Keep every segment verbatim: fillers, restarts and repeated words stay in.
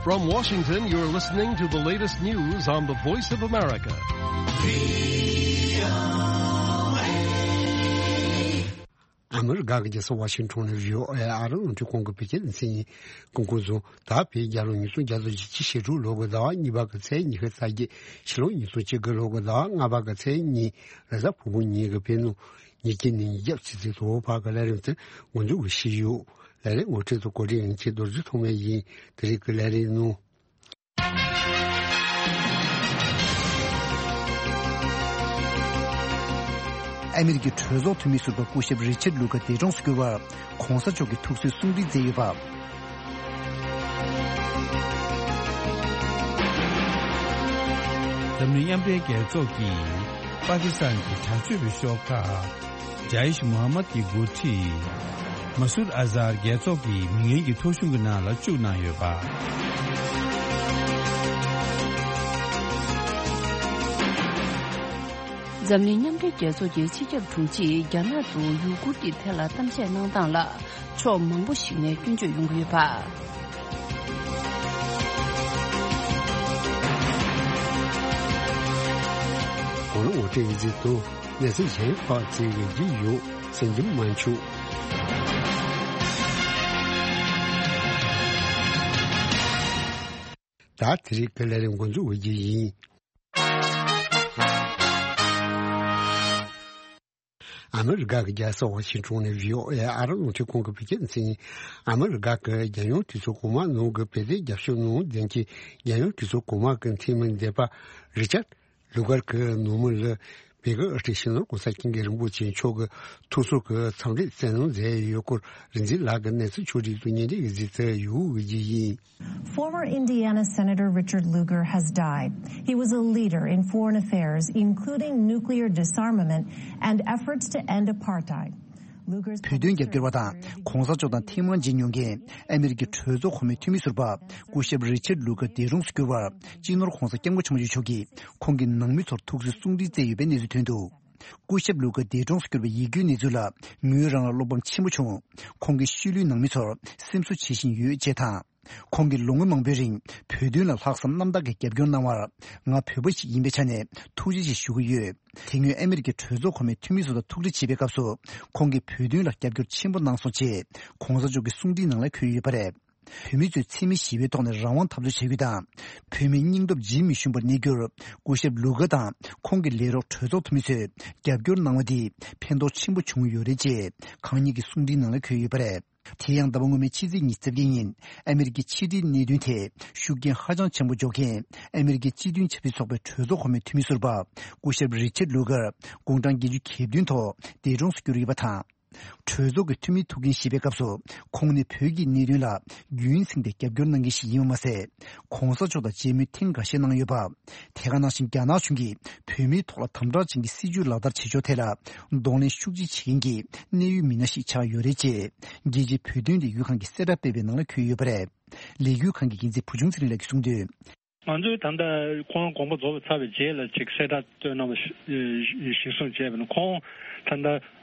From Washington, you're listening to the latest news on the Voice of America. ཨ་མི་རི་ཀ་གི་རྒྱལ་ས་ཝ་ཤིང་ཊོན་ནས་བྷི་ཨོ་ཨེ་ཨ་རི་རླུང་འཕྲིན་ཁང་གི་བོད་སྐད་སྡེ་ཚན་ཡིན། སྐུ་ཁམས་བཟང་། ད་བོད་རྒྱལ་ལོ་ཉིས་སྟོང་བརྒྱ་དང་བཞི་བཅུ་ཞེ་དྲུག་ལོ་གི་ཟླ་བ་གཉིས་པ་གི་ཚེས་ཉི་ཤུ་རྩ་བརྒྱད། ཕྱི་ལོ་ཉིས་སྟོང་བཅུ་དགུ་ལོ་གི་ཟླ་བ་ལྔ་པ་གི་ཚེས་གཉིས། རེས་གཟའ་ཕུར་བུ་ཉིན་གྱི་བོད་ནང་ཉིན་གཅིག་ནས་ཉིན་རྒྱབ་ཆུ་ཚོད་དྲུག་བར་གྱི་ལས་རིམ་དེ་འགོ་འཛུགས་ཞུས་ཡོད། ལས་རིམ་ངོ་སྤྲོད་དང་གོ་སྒྲིག་ཡིན་ཆེད་རྡོ་རྗེ་ཐོགས་མེད་ཡིན། དེ་རིང་གི་ལས་རིམ་ནང་། ཨ་མི་རི་ཀའི་གྲོས་ཚོགས་འཐུས་མི་ཟུར་པ་སྐུ་ཞབས་རི་ཆར་ལུ་གར་འདས་གྲོངས་སུ་གྱུར་བར་༸གོང་ས་མཆོག་གིས་ཐུགས་གསོའི་གསུང་འཕྲིན་བསྩལ་ཡོད་པ། འཛམ་གླིང་མཉམ་འབྲེལ་རྒྱལ་ཚོགས་ཀྱིས་པ་ཀི་སི་ཐན་གྱི་དྲག་སྤྱོད་པའི་ཤོག་ཁག་ཇའིཤ་མུ་ཧམ་མད་ཀྱི་འགོ་ཁྲིད་མ་སུར་ཨ་ཛར་རྒྱལ་ཚོགས་ཀྱི་མི་ངན་གྱི་ཐོ་གཞུང་གི་ནང་ལ་བཅུག་གནང་ཡོད་པ། འཛམ་གླིང་མཉམ་འབྲེལ་རྒྱལ་ཚོགས་ཀྱི་སྤྱི་ཁྱབ་དྲུང་ཆེས་རྒྱ་ནག་ཏུ་ཡུ་གུར་གྱི་ཐད་ལ་གཏམ་བཤད་གནང་སྟངས་ལ་ཕྱོགས་མང་པོ་ཞིག་ནས་སྐྱོན་བརྗོད་ཡོང་གི་ཡོད་པ། གོང་ལ་ངོ་སྤྲོད་ཡིག་ཚིག་ཏུ་གནས་ཚུལ་གཞན་ཁག་ཅིག་གི་རྒྱུ་ཡོད་ཟིན་གྱི་མ་བྱུང་། ད་དེ་རིང་གི་ལས་རིམ་འགོ་འཛུགས་འོས་རྒྱུ་ཡིན། ཨ་མི་རི་ཀ་གི་རྒྱལ་ས་ཝ་ཤིང་ཊོན་ནས་བྷི་ཨོ་ཨེ་ཨ་རི་རླུང་འཕྲིན་ཁང་གི་བོད་སྐད་སྡེ་ཚན་ཡིན། ཨ་མི་རི་ཀ་གི་རྒྱལ་ཡོངས་གྲོས་ཚོགས་གོང་མ་ནང་གི་བོད་དོན་རྒྱབ་སྐྱོར་གནང་མཁན་གྱི་རྒྱལ་ཡོངས་གྲོས་ཚོགས་གོང་མ་གི་འཐུས་མི་འདས་པ་རི་ཅར་ལུ་གར་གྱི་ནང་མི་ལ་བོད་ཀྱི་དབུ་ཁྲིད་སྤྱི་ནོར་༸གོང་ས་༸སྐྱབས་མགོན་རིན་པོ་ཆེ་མཆོག་གིས་ཐུགས་གསོ་གི་འཚམས་འདྲི་བསྩལ་གནང་མཛད་ཡོད་སྐོར་རིག་འཛིན་ལགས་ཀྱིས་གནས་ཚུལ་ཕྱོགས་སྒྲིག་ཏུ་སྙན་སྒྲོན་ཡིག་ཚིག་དེ་ཡོད་ཡོད་ཀྱི་ཡིན། Former Indiana Senator Richard Lugar has died. He was a leader in foreign affairs, including nuclear disarmament and efforts to end apartheid. Lugar's བོད་དོན་རྒྱབ་སྐྱོར་བ་དང་༸གོང་ས་མཆོག་དང་ཐེངས་མང་མཇལ་མྱོང་མཁན་ཨ་མི་རི་ཀའི་གྲོས་ཚོགས་གོང་མའི་འཐུས་མི་ཟུར་པ་སྐུ་ཞབས་རི་ཆར་ལུ་གར་འདས་གྲོངས་སུ་གྱུར་བར་སྤྱི་ནོར་༸གོང་ས་༸སྐྱབས་མགོན་ཆེན་པོ་མཆོག་གིས་ཁོང་གི་ནང་མི་ཚོར་ཐུགས་གསོའི་གསུང་འཕྲིན་བསྩལ་ཡོད་པའི་གནས་ཚུལ་ཐོན་འདུག་སྐུ་ཞབས་ལུ་གར་འདས་གྲོངས་སུ་གྱུར་པའི་ཡིད་སྐྱོའི་གནས་ཚུལ་ལ་ངོས་རང་ལ་བློ་ཕམ་ཆེན་པོ་བྱུང་། ཁོང་གི་ཤུལ་ལུས་ནང་མི་ཚོར་སེམས་གསོ་བྱེད་བཞིན་ཡོད་ཅེས་དང་། ཁོང་གིས་ལོ་ངོ་མང་པོའི་རིང་བོད་དོན་ལ་ལྷག་བསམ་རྣམ་དག་གིས་རྒྱབ་སྐྱོར་གནང་བར་ང་བོད་པ་ཞིག་ཡིན་པའི་ཆ་ནས་ཐུགས་རྗེ་ཆེ་ཞུ་གི་ཡོད། དེ་སྔོན་ཨ་མི་རི་ཀའི་གྲོས་ཚོགས་གོང་མའི་འཐུས་མི་ཚོ་དང་ཐུག་འཕྲད་བྱེད་པའི་སྐབས་སུ་ཁོང་གིས་བོད་དོན་ལ་རྒྱབ་སྐྱོར་ཆེན་པོ་གནང་སོང་ཅེས་༸གོང་ས་མཆོག་གི་གསུང་འཕྲིན་ནང་ལ་འཁོད་ཡོད་པ་རེད། བོད་མི་ཚོས་འཚེ་མེད་ཞི་བའི་ཐོག་ནས་རང་དབང་འཐབ་རྩོད་བྱ་རྒྱུ་དང་། བོད་མིའི་སྙིང་སྟོབས་ཇི་མི་ཞུམ་པར་གནས་རྒྱུར་སྐུ་ཞབས་ལུ་གར་དང་ཁོང་གི་ལས་རོགས་གྲོས་ཚོགས་འཐུས་མི་ཚོས་རྒྱབ་སྐྱོར་གནང་བ་དེས་ཕན་ཐོགས་ཆེན་པོ་བྱུང་ཡོད་རེད་ཅེས་གང་ཉིད་ཀྱི་གསུང་འཕྲིན་ནང་ལ་འཁོད་ཡོད་པ་རེད། དེ་ཡང་ཟླ་བ་སྔོན་མའི་ཕྱི་ཚེས་ཉི་ཤུ་རྩ་བརྒྱད་ཉིན་ཨ་མི་རི་ཀའི་ཕྱི་འབྲེལ་གནད་དོན་ཐད་ཤུགས་རྐྱེན་ཧ་ཅང་ཆེན་པོ་འཇོག་མཁན་ཨ་མི་རི་ཀའི་སྤྱི་མཐུན་ཆབ་སྲིད་ཚོགས་པའི་གྲོས་ཚོགས་གོང་མའི་འཐུས་མི་ཟུར་པ་སྐུ་ཞབས་རི་ཆར་ལུ་གར་དགུང་གྲངས་བརྒྱད་ཅུ་གྱ་བདུན་ཐོག་འདས་གྲོངས་སུ་གྱུར་ཡོད་པ་དང་། གྲོས་ཚོགས་ཀྱི་འཐུས་མི་ཐུག་མཁན་ཞེས་པའི་སྐབས་སུ་ཁོང་ནི་བོད་ཀྱི་གནད་དོན་ལ་རྒྱུན་བསྲིངས་ཏེ་རྒྱབ་སྐྱོར་གནང་མཁན་ཞིག་ཡིན་པ་མ་ཟད། ༸གོང་ས་མཆོག་དང་མཇལ་མོལ་ཐེངས་འགའ་ཤས་གནང་ཡོད་པ། དེ་ག་ནང་བཞིན་རྒྱ་ནག་གཞུང་གིས་བོད་མིའི་ཐོག་ལ་དམ་དྲག་ཅན་གྱི་སྲིད་བྱུས་ལག་བསྟར་བྱེད་ཕྱོགས་ཐད་ལ་གདོང་ལེན་ཤུགས་ཆེ་བྱེད་མཁན་གྱི་གནད་ཡོད་མི་སྣ་ཞིག་ཆགས་ཡོད་རེད་ཅེས་རྒྱལ་སྤྱིའི་བོད་དོན་ལས་འགུལ་ཁང་གི་གསལ་བསྒྲགས་སྤེལ་བའི་ནང་ལ་འཁོད་ཡོད་པ་རེད། ལས་འགུལ་ཁང་གི་འགན་འཛིན་བུ་ཆུང་ཚེ་རིང་ལགས་ཀྱིས་གསུངས་དོན། ང་ཚོས་ད་ལྟ་ཁོང་དགོངས་པ་རྫོགས་པ་ཚར་བའི་རྗེས་ལ་ཅིག་གསལ་བསྒྲགས་བཏོན་གནང་བ་གཞིར་བཟུང་བྱས་པ་ཡིན་ན། ཁོང་ད་ལྟ་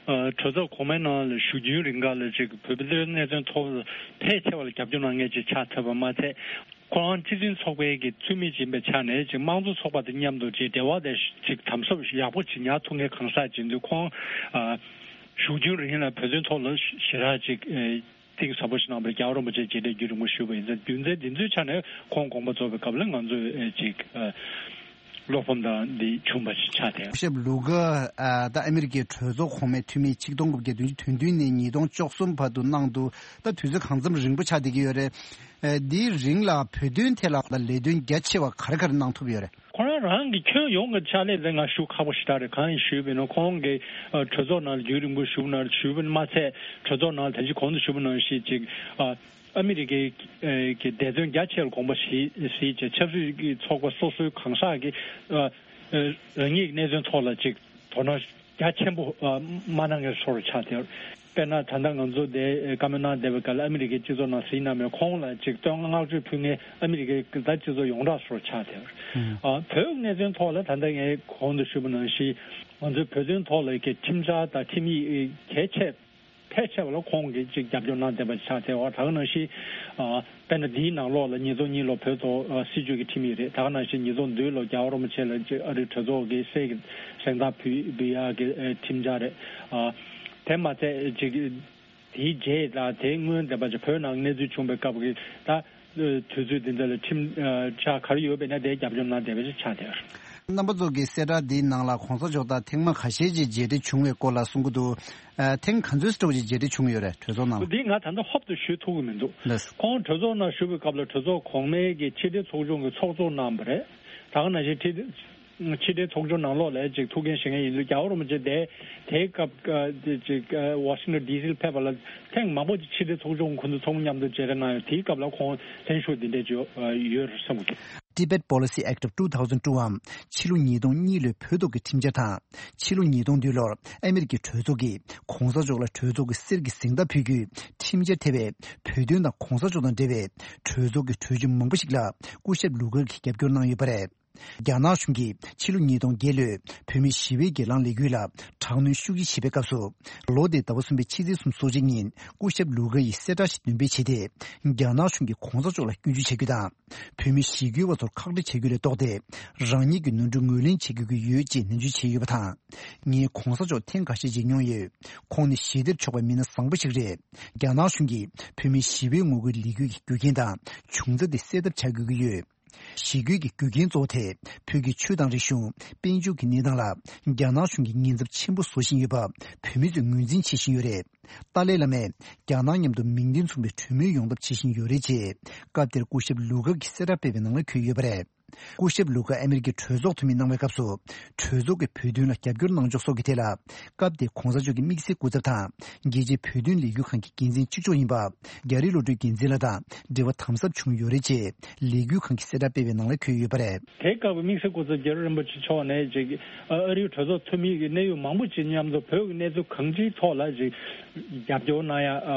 གྲོས་ཚོགས་གོང་མའི་ནང་ལ་བཞུགས་རྒྱུན་རིང་ག་ལ་ཅིག་བོད་པའི་གནད་དོན་ཐོག་ཕལ་ཆེ་བ་ལ་རྒྱབ་སྐྱོར་གནང་མཁན་ཅིག་ཆགས་ཐུབ་པ་མ་ཚད། ཁོང་རང་སྤྱི་མཐུན་ཚོགས་པའི་གི་འཐུས་མི་ཡིན་པའི་ཆ་ནས་ཅིག་དམངས་གཙོ་ཚོགས་པ་དང་མཉམ་དུ་ཅིག་འབྲེལ་བ་དེ་ཅིག་དམ་ཟབ་ཡག་པོ་ཅིག་ཉར་ཐུབ་མཁན་གང་ཟག་ཅིག་ཡིན་དུས། ཁོང་བཞུགས་རྒྱུན་རིང་ལ་བོད་དོན་ཐོག་ལ་ཞེ་དྲག་ཅིག་གཏིང་ཟབ་པོ་ཞིག་གནང་བར་རྒྱལ་བ་རིན་པོ་ཆེ་རྗེས་དྲན་རྒྱུན་རིང་པོ་ཞུས་པ་ཡིན་ཙང་། རྒྱུ་མཚན་འདི་ཚོའི་ཆ་ནས་ཁོང་དགོངས་པ་རྫོགས་པའི་སྐབས་ལ་ང་ཚོས་ཅིག་བློ་ཕམ་དང་འདི་བྱུང་བ་ཞིག་ཆགས་ཏེ། སྐུ་ཞབས་ལུ་གར་ད་ཨ་མི་རི་ཀའི་གྲོས་ཚོགས་གོང་མའི་འཐུས་མི་ཆིག་སྟོང་དགུ་བརྒྱ་བདུན་ཅུ་དོན་བདུན་ནས་ཉིས་སྟོང་བཅུ་གསུམ་བར་དུ་གནང་འདུག་ད་དུས་ཚོད་གང་འཚམ་རིང་པོ་ཆགས་བསྡད་ཀྱི་ཡོད་རེད། འདིའི་རིང་ལ་བོད་དོན་ཐད་ལ་ལས་དོན་རྒྱ་ཆེ་བ་ག་རེ་ག་རེ་གནང་ཐུབ་ཡོད་རེད། ཁོ་རང་རང་གི་ཁྱོན་ཡོངས་ཀྱི་ཕྱག་ལས་དེ་ང་ཞུ་ཁག་པོ་ཞེ་དྲག་རེད། གང་ཡིན་ཞུས་པ་ཡིན་ན། ཁོང་གིས་གྲོས་ཚོགས་ནང་ལ་རྒྱུན་རིང་པོ་བཞུགས་ན་བཞུགས་པ་མ་ཚད། གྲོས་ཚོགས་ནང་ལ་ད་ཅི་གོང་དུ་ཞུས་པ་ནང་བཞིན་ཅིག་ཨ་མི་རི་ཀའི་གི་འབད་བརྩོན་རྒྱ་ཆེ་བར་དགོངས་པ་བཞེས་བཞེས་བྱས། ཆབ་སྲིད་ཀྱི་ཚོགས་པ་སོ་སོའི་གང་ཟག་གིས་རང་ཉིད་ཀྱི་གནད་དོན་ཐོག་ལ་ཅིག་དོ་སྣང་རྒྱ་ཆེན་པོ་མ་གནང་མཁན་བཟོ་འདྲ་ཆགས་ཏེ། དཔེར་ན་ད་ལྟ་ང་ཚོ་འདིར་བཀའ་མོལ་གནང་བསྡད་པའི་སྐབས་ལ་ཨ་མི་རི་ཀའི་སྤྱི་ཚོགས་ནང་གཟིགས་གནང་མེད། ཁོང་ལ་ཅིག་བསྟོད་བསྔགས་བརྗོད་ཕུལ་མཁན་ཨ་མི་རི་ཀའི་ད་སྤྱི་ཚོགས་ཡོངས་གྲགས་བཟོ་འདྲ་ཆགས་ཏེ། བོད་གནད་དོན་ཐོག་ལ་ད་ལྟ་ངས་གོང་དུ་ཞུས་པ་ནང་བཞིན་ང་ཚོའི་བོད་དོན་ཐོག་ལ་གི་ཁྲིམས་འཆར་དང་ཁྲིམས་ཡིག་གལ་ཆེ། ཕལ་ཆེ་བ་ལ་ཁོང་གིས་ཅིག་རྒྱབ་སྐྱོར་གནང་བསྡད་པ་ཆགས་ཚེ། འོ་ད་ག་ནང་བཞིན་ཨ་དཔེར་ན་འདིའི་ནང་ལོགས་ལ་ཉིས་སྟོང་གཉིས་ལོ་བོད་ཐོག་ཨ་སྲིད་བྱུས་ཀྱི་ཁྲིམས་ཡིག་རེད། ད་ག་ནང་བཞིན་ཉིས་སྟོང་བདུན་ལོ་རྒྱལ་བ་རིན་པོ་ཆེ་ལ་ཅིག་ཨ་རིའི་གྲོས་ཚོགས་ཀྱི་གསེར་གྱི་གཟེངས་རྟགས་ཕུལ་ཕུལ་ཡག་གི་ཨ་ཁྲིམས་འཆར་རེད། ཨ་དེ་མ་ཚད་ཅིག་དེའི་རྗེས་ལ་དེའི་སྔོན་བསྡད་པ་ཅིག་བོད་ནང་གནས་ཚུལ་བྱུང་བའི་སྐབས་ཀྱི་ད་དུས་ཚོད་འདི་འདྲ་ལ་ཁྲིམས་ཨ་འཆར་ག་རེ་ཡོད་པ་ཡིན་ན་དེའི་རྒྱབ་སྐྱོར་གནང་བསྡད་པ་ཞིག་ཆགས་བསྡད་ཡོད་རེད། རྣམ་པ་ཚོ་གི་གསལ་བསྒྲགས་འདིའི་ནང་ལ་གོང་ས་མཆོག་དང་ཐེངས་མ་ཁ་ཤས་ཅིག་མཇལ་འཕྲད་བྱུང་བའི་སྐོར་ལ་གསུང་གི་འདུག་ཨ་ཐེངས་ག་ཚོད་ཙམ་ཅིག་མཇལ་འཕྲད་བྱུང་ཡོད་རེད། གྲོས་ཚོགས་ནང་ལ། འདི་ང་ད་ལྟ་ཧོབ་ཏེ་ཞུ་ཐུབ་ཀྱི་མི་འདུག་ལགས། ཁོང་གྲོས་ཚོགས་ནང་བཞུགས་པའི་སྐབས་ལ་གྲོས་ཚོགས་གོང་མའི་གི་ཕྱི་དྲིལ་ཚོགས་ཆུང་གི་ཚོགས་གཙོ་གནང་བ་རེད། ད་ག་ནང་བཞིན་ཕྱི་ཕྱི་དྲིལ་ཚོགས་ཆུང་ནང་ལོགས་ལ་ཅིག་ཐུགས་འགན་བཞེས་མཁན་ཡིན་དུས། རྒྱལ་བ་རིན་པོ་ཆེ་དེ་དེའི་སྐབས་ཨ་དེ་ཅིག་ཨ་ཝ་ཤིང་ཊོན་ཌི་སི་ལ་ཕེབས་པ་ལ་ཐེངས་མང་པོ་ཅིག་ཕྱི་དྲིལ་ཚོགས་ཆུང་ཁོང་ཚོ་ཚོགས་མི་མཉམ་དུ་མཇལ་འཕྲད་གནང་ཡོད། དེའི་སྐབས་ལ་ཁོང་ལྷན་ཞུགས་འདི་འདྲ་ཅིག་ཡོད་ཡོད་རེད་བསམ་གི། Tibet Policy Act of two thousand two འམ་ཕྱི་ལོ་ཉིས་སྟོང་གཉིས་ལོའི་བོད་ཐོག་གི་ཁྲིམས་འཆར་དང་། ཕྱི་ལོ་ཉིས་སྟོང་བདུན་ལོར་ཨ་མེ་རི་ཀའི་གྲོས་ཚོགས་ཀྱིས་གོང་ས་མཆོག་ལ་གྲོས་ཚོགས་ཀྱི་གསེར་གྱི་གཟེངས་རྟགས་ཕུལ་རྒྱུའི་ཁྲིམས་འཆར་ཐེ་བའི་བོད་དོན་དང་གོང་ས་མཆོག་དང་འབྲེལ་བའི་གྲོས་ཚོགས་ཀྱི་གྲོས་ཆོད་མང་པོ་ཞིག་ལ་སྐུ་ཞབས་ལུ་གར་གྱིས་རྒྱབ་སྐྱོར་གནང་ཡོད་པ་རེད། རྒྱ་ནག་གཞུང་གིས་ཕྱི་ལོ་ཉིས་སྟོང་བརྒྱད་ལོའི་བོད་མིའི་ཞི་བའི་སྒེར་ལངས་ལས་འགུལ་ལ་དྲག་གནོན་ཤུགས་ཆེ་བྱེད་པའི་སྐབས་སུ། ལོ་འདིའི་ཟླ་བ་གསུམ་པའི་ཕྱི་ཚེས་སོ་གཅིག་ཉིན་སྐུ་ཞབས་ལུ་གར་ཡིས་གསལ་བསྒྲགས་ཤིག་འདོན་སྤེལ་བྱས་ཏེ། རྒྱ་ནག་གཞུང་གིས་གོང་ས་མཆོག་ལ་སྐྱོན་བརྗོད་བྱ་རྒྱུ་དང་། བོད་མི་ཞི་རྒོལ་བ་ཚོར་ཁག་དཀྲི་བྱ་རྒྱུ་ལས་ལྡོག་སྟེ། རང་ཉིད་ཀྱི་ནོར་འཁྲུལ་ངོས་ལེན་བྱེད་དགོས་ཀྱི་ཡོད་ཅེས་ནན་བརྗོད་བྱས་ཡོད་པ་དང་། ངས་གོང་ས་མཆོག་ཐེངས་ཁ་ཤས་མཇལ་མྱོང་ཡོད། ཁོང་ནི་ཞི་བདེར་ཕྱོགས་པའི་མི་སྣ་བཟང་པོ་ཞིག་རེད། རྒྱ་ནག་གཞུང་གིས་བོད་མིའི་ཞི་བའི་ངོ་རྒོལ་ལས་འགུལ་གྱི་རྒྱུ་རྐྱེན་དང་བྱུང་རྩ་དེ་སེལ་ཐབས་བྱ་དགོས་ཀྱི་ཡོད། ཞི་རྒོལ་གྱི་རྒྱུ་རྐྱེན་གཙོ་བོ་དེ་བོད་ཀྱི་ཆོས་དང་རིག་གཞུང་། དཔལ་འབྱོར་གྱི་གནས་སྟངས་ལ་རྒྱ་ནག་གཞུང་གིས་ཉེན་ཚབས་ཆེན་པོ་བཟོ་བཞིན་ཡོད་པ་བོད་མི་ཚོས་ངོས་འཛིན་བྱེད་བཞིན་ཡོད་རེད། ཏཱ་ལའི་བླ་མས་རྒྱ་ནག་མཉམ་དུ་མིང་དོན་མཚུངས་པའི་གྲོས་མོལ་ཡོང་ཐབས་བྱེད་བཞིན་ཡོད་རེད་ཅེས། སྐབས་དེར་སྐུ་ཞབས་ལུ་གར་གྱིས་གསལ་བསྒྲགས་སྤེལ་བའི་ནང་ལ་འཁོད་ཡོད་པ་རེད། སྐུ་ཞབས་ལུ་གར་ཨ་མེ་རི་ཀའི་གྲོས་ཚོགས་འཐུས་མི་གནང་བའི་སྐབས་སུ། གྲོས་ཚོགས་ཀྱིས་བོད་དོན་ལ་རྒྱབ་སྐྱོར་གནང་ཕྱོགས་སོགས་ཀྱི་ཐད་ལ། སྐབས་དེའི་གོང་ས་མཆོག་གི་དམིགས་བསལ་སྐུ་ཚབ་དང་། རྒྱལ་སྤྱིའི་བོད་དོན་ལས་འགུལ་ཁང་གི་འགན་འཛིན་གཅིག་ལྕོགས་ཡིན་པ། རྒྱ་རི་བློ་གྲོས་འགན་འཛིན་ལགས་དང་འབྲེལ་བ་དམ་ཟབ་བྱུང་ཡོད་རེད་ཅེས། ལས་འགུལ་ཁང་གིས་གསལ་བསྒྲགས་སྤེལ་བའི་ནང་ལ་འཁོད་ཡོད་པ་རེད། དེའི་སྐབས་དམིགས་བསལ་སྐུ་ཚབ་རྒྱ་རི་རིན་པོ་ཆེ་མཆོག་ནས་ཅིག་ཨ་རིའི་གྲོས་ཚོགས་འཐུས་མི་གི་གནད་ཡོད་མང་པོ་ཅིག་མཉམ་དུ་བོད་ཀྱི་གནས་ཚུལ་གང་ཅིའི་ཐོག་ལ་ཅིག་རྒྱབ་སྐྱོར་གནང་ཡ། ཨ་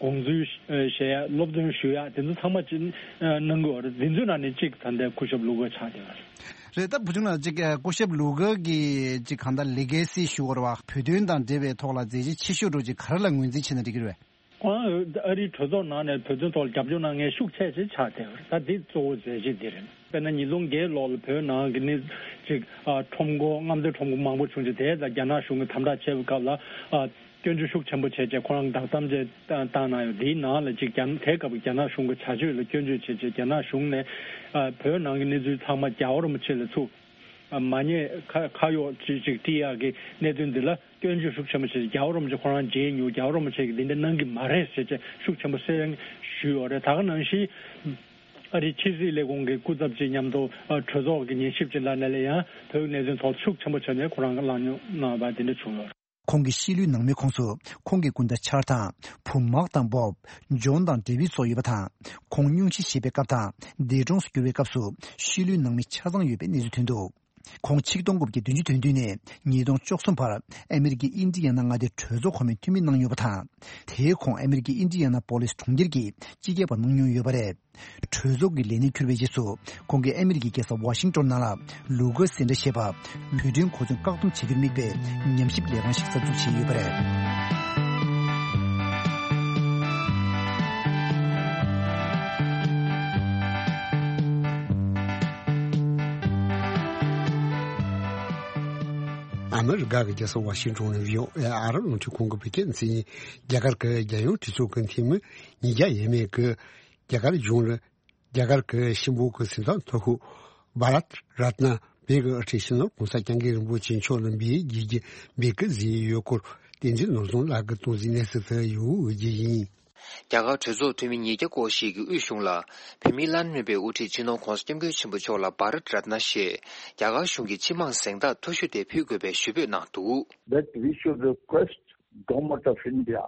དགོངས་ཚུལ་བཤད་ཡ། སློབ་སྟོན་ཞུ་ཡ། དེ་ཚོ་ཚང་མ་ཅིག་གནང་གི་ཡོད་རེད། འདི་ཚོའི་ནང་ནས་གཅིག་ད་ལྟའི་སྐུ་ཞབས་ལུ་གར་ཆགས་བསྡད་ཡོད་རེད། རེད། ད་བུ་ཆུང་ལགས་ཅིག་སྐུ་ཞབས་ལུ་གར་གྱི་ཅིག་གང་ལྟར་ལི་གེ་སི་ཞུ་བར་བ་བོད་དོན་དང་འབྲེལ་བའི་ཐོག་ལ་མཛད་རྗེས་ཆེ་ཤོས་འགྲོ་ཅིག་ག་རེ་ལ་ངོས་འཛིན་བྱས་ན་འགྲིག་གི་རེད་པས། ཁོང་ཨ་རིའི་གྲོས་ཚོགས་ནང་ནས་བོད་དོན་ཐོག་ལ་རྒྱབ་སྐྱོར་གནང་མཁན་ཤུགས་ཆེ་ཆེ་ཆགས་བསྡད་ཡོད་རེད། ད་འདི་གཙོ་བོ་མཛད་རྗེས་འདི་རེད། དཔེར་ན་ཉིས་སྟོང་བརྒྱད་ལོ་ལ་བོད་ནང་གི་གནས་ཅིག་ཨ་ཁྲོམ་སྐོར་རྔམ་སྟོན་ཁྲོམ་སྐོར་མང་པོ་བྱུང་རྗེས། དེ་ལ་རྒྱ་ནག་གཞུང་གིས་དམ་དྲག་བྱས་པའི་སྐབས་ལ་ཨ་སྐྱོན་བརྗོད་ཤུགས་ཆེན་པོ་བྱས་རྗེས་ཁོ་རང་བདག་དམ་བཅས་བཏང་གནང་ཡོད། དེའི་ནང་ལ་ཅིག་རྒྱ་དེའི་སྐབས་ཀྱི་རྒྱ་ནག་གཞུང་གི་བྱ་སྤྱོད་ལ་སྐྱོན་བརྗོད་བྱས་རྗེས་རྒྱ་ནག་གཞུང་ནས་ཨ་བོད་ནང་གི་གནས་ཚུལ་ཚང་མ་རྒྱལ་བ་རིན་པོ་ཆེ་ལ་ཚུར་ཨ་མ་ཉེས་ཁ་ཁ་གཡོགས་ཅིག་ཅིག་སྤྲད་ཡག་གི་གནད་དོན་འདི་ལ་སྐྱོན་བརྗོད་ཤུགས་ཆེན་པོ་བྱས། རྒྱལ་བ་རིན་པོ་ཆེ་ཁོ་རང་མཇལ་མྱོང་། རྒྱལ་བ་རིན་པོ་ཆེ་གིས་འདི་འདྲ་གནང་གི་མ་རེད་ཟེར་བྱས་ཤུགས་ཆེན་པོ་གསལ་ཞུས་ཡོད་རེད། ད་ག་ནང་བཞིན་ཨ་རིའི་ཕྱི་སྲིད་ལས་ཁུངས་ཀྱི་སྐུ་ཚབ་ཅིག་མཉམ་དུ་ཨ་གྲོས་ཚོགས་ཀྱི་ཉན་ཞིབ་ཅིག་ལ་ནས་ལ་ཡང་བོད་ཀྱི་གནད་དོན་ཐོག་ཤུགས་ཆེན་པོ་བྱས་ནས་ཁོ་རང་གིས་གླེང་སློང་གནང་བ་དེ་འདྲ་བྱུང་ཡོད་རེད། ཁོང་གི་ཤི་ལོའི་ནང་མིའི་ཁོངས་སུ་ཁོང་གི་སྐུ་ཟླ་ཆར་དང་བུ་མག་དང་བོབ། ཇོན་དང་ཌེ་བིད་སོགས་ཡོད་པ་དང་། ཁོང་སྙུང་གཞི་བཞེས་པའི་སྐབས་དང་འདས་གྲོངས་སུ་གྱུར་བའི་སྐབས་སུ་ཤི་ལོའི་ནང་མི་ཆ་ཚང་ཡོད་པའི་གནས་ཚུལ་ཐོན་འདུག་ཁོང་ཆིག་སྟོང་དགུ་བརྒྱ་བདུན་ཅུ་དོན་བདུན་ནས་ཉིས་སྟོང་བཅུ་གསུམ་བར་ཨ་མེ་རི་ཀའི་ཨིན་ཌི་ཡ་ན་མངའ་སྡེའི་གྲོས་ཚོགས་གོང་མའི་འཐུས་མི་གནང་མྱོང་བ་དང་། དེའི་གོང་ཨ་མེ་རི་ཀའི་ཨིན་ཌི་ཡ་ན་པོ་ལིས་གྲོང་ཁྱེར་གྱི་སྤྱི་ཁྱབ་པ་གནང་མྱོང་ཡོད་པ་རེད། གྲོས་ཚོགས་ཀྱི་ལས་གནས་འཁྱུར་བའི་རྗེས་སུ་ཁོང་གིས་ཨ་མེ་རི་ཀའི་རྒྱལ་ས་ཝ་ཤིང་ཏོན་ནང་ལ་ལུ་གར་སེན་ཊར་ཞེས་པ་བོད་དོན་གོ་མཚོན་བཀག་སྡོམ་བྱ་རྒྱུར་དམིགས་པའི་ཉམས་ཞིབ་ལས་ཁང་ཞིག་གསར་འཛུགས་བྱས་ཡོད་པ་རེད། ཨ་མེ་རི་ཀ་གི་རྒྱལ་ས་ཝ་ཤིང་ཏོན་ནས་བྷི་ཨོ་ཨེ་ཨ་རབ་རླུང་འཕྲིན་ཁང་གི་བོད་སྐད་མཚན་ཉིད། རྒྱ་གར་གྱི་རྒྱལ་ཡོངས་གྲོས་ཚོགས་ཀྱི་འཐུས་མི་ཉིས་བརྒྱ་ཡས་མས་ཀྱིས་རྒྱ་གར་གཞུང་ལ། རྒྱ་གར་གྱི་གཤིན་པོ་གི་སེམས་ཙམ་མཐོ་ཤོས་བྷ་རཏ་རཏ་ན་བྷེ་གི་དབུ་ཁྲིད་ཕྱི་ནང་༸གོང་ས་༸སྐྱབས་མགོན་རིན་པོ་ཆེ་མཆོག་ལ་འབུལ་རྒྱུའི་འབུལ་སྐུལ་བཟོས་ཡོད་སྐོར་བསྟན་འཛིན་ནོར་བཟང་ལགས་ཀྱིས་སྟོན་གཟིགས་གནས་ཚུལ་དུ་ཡོད་རྒྱུ་ཡིན། རྒྱ་གར་གྲོས་ཚོགས་འཐུས་མི་ཉིས་བརྒྱ་སྐོར་ཞིག་གིས་དབུས་གཞུང་ལ་བོད་མིའི་བླ་ན་མེད་པའི་དབུ་ཁྲིད་སྤྱི་ནོར་༸གོང་ས་༸སྐྱབས་མགོན་ཆེན་པོ་མཆོག་ལ་བྷ་རཏ་རཏ་ན་ཞེས་རྒྱ་གར་གཞུང་གི་སྤྱི་དམངས་གཟེངས་རྟགས་མཐོ་ཤོས་དེ་ཕུལ་དགོས་པའི་ཞུ་འབོད་གནང་འདུག That we should request Government of India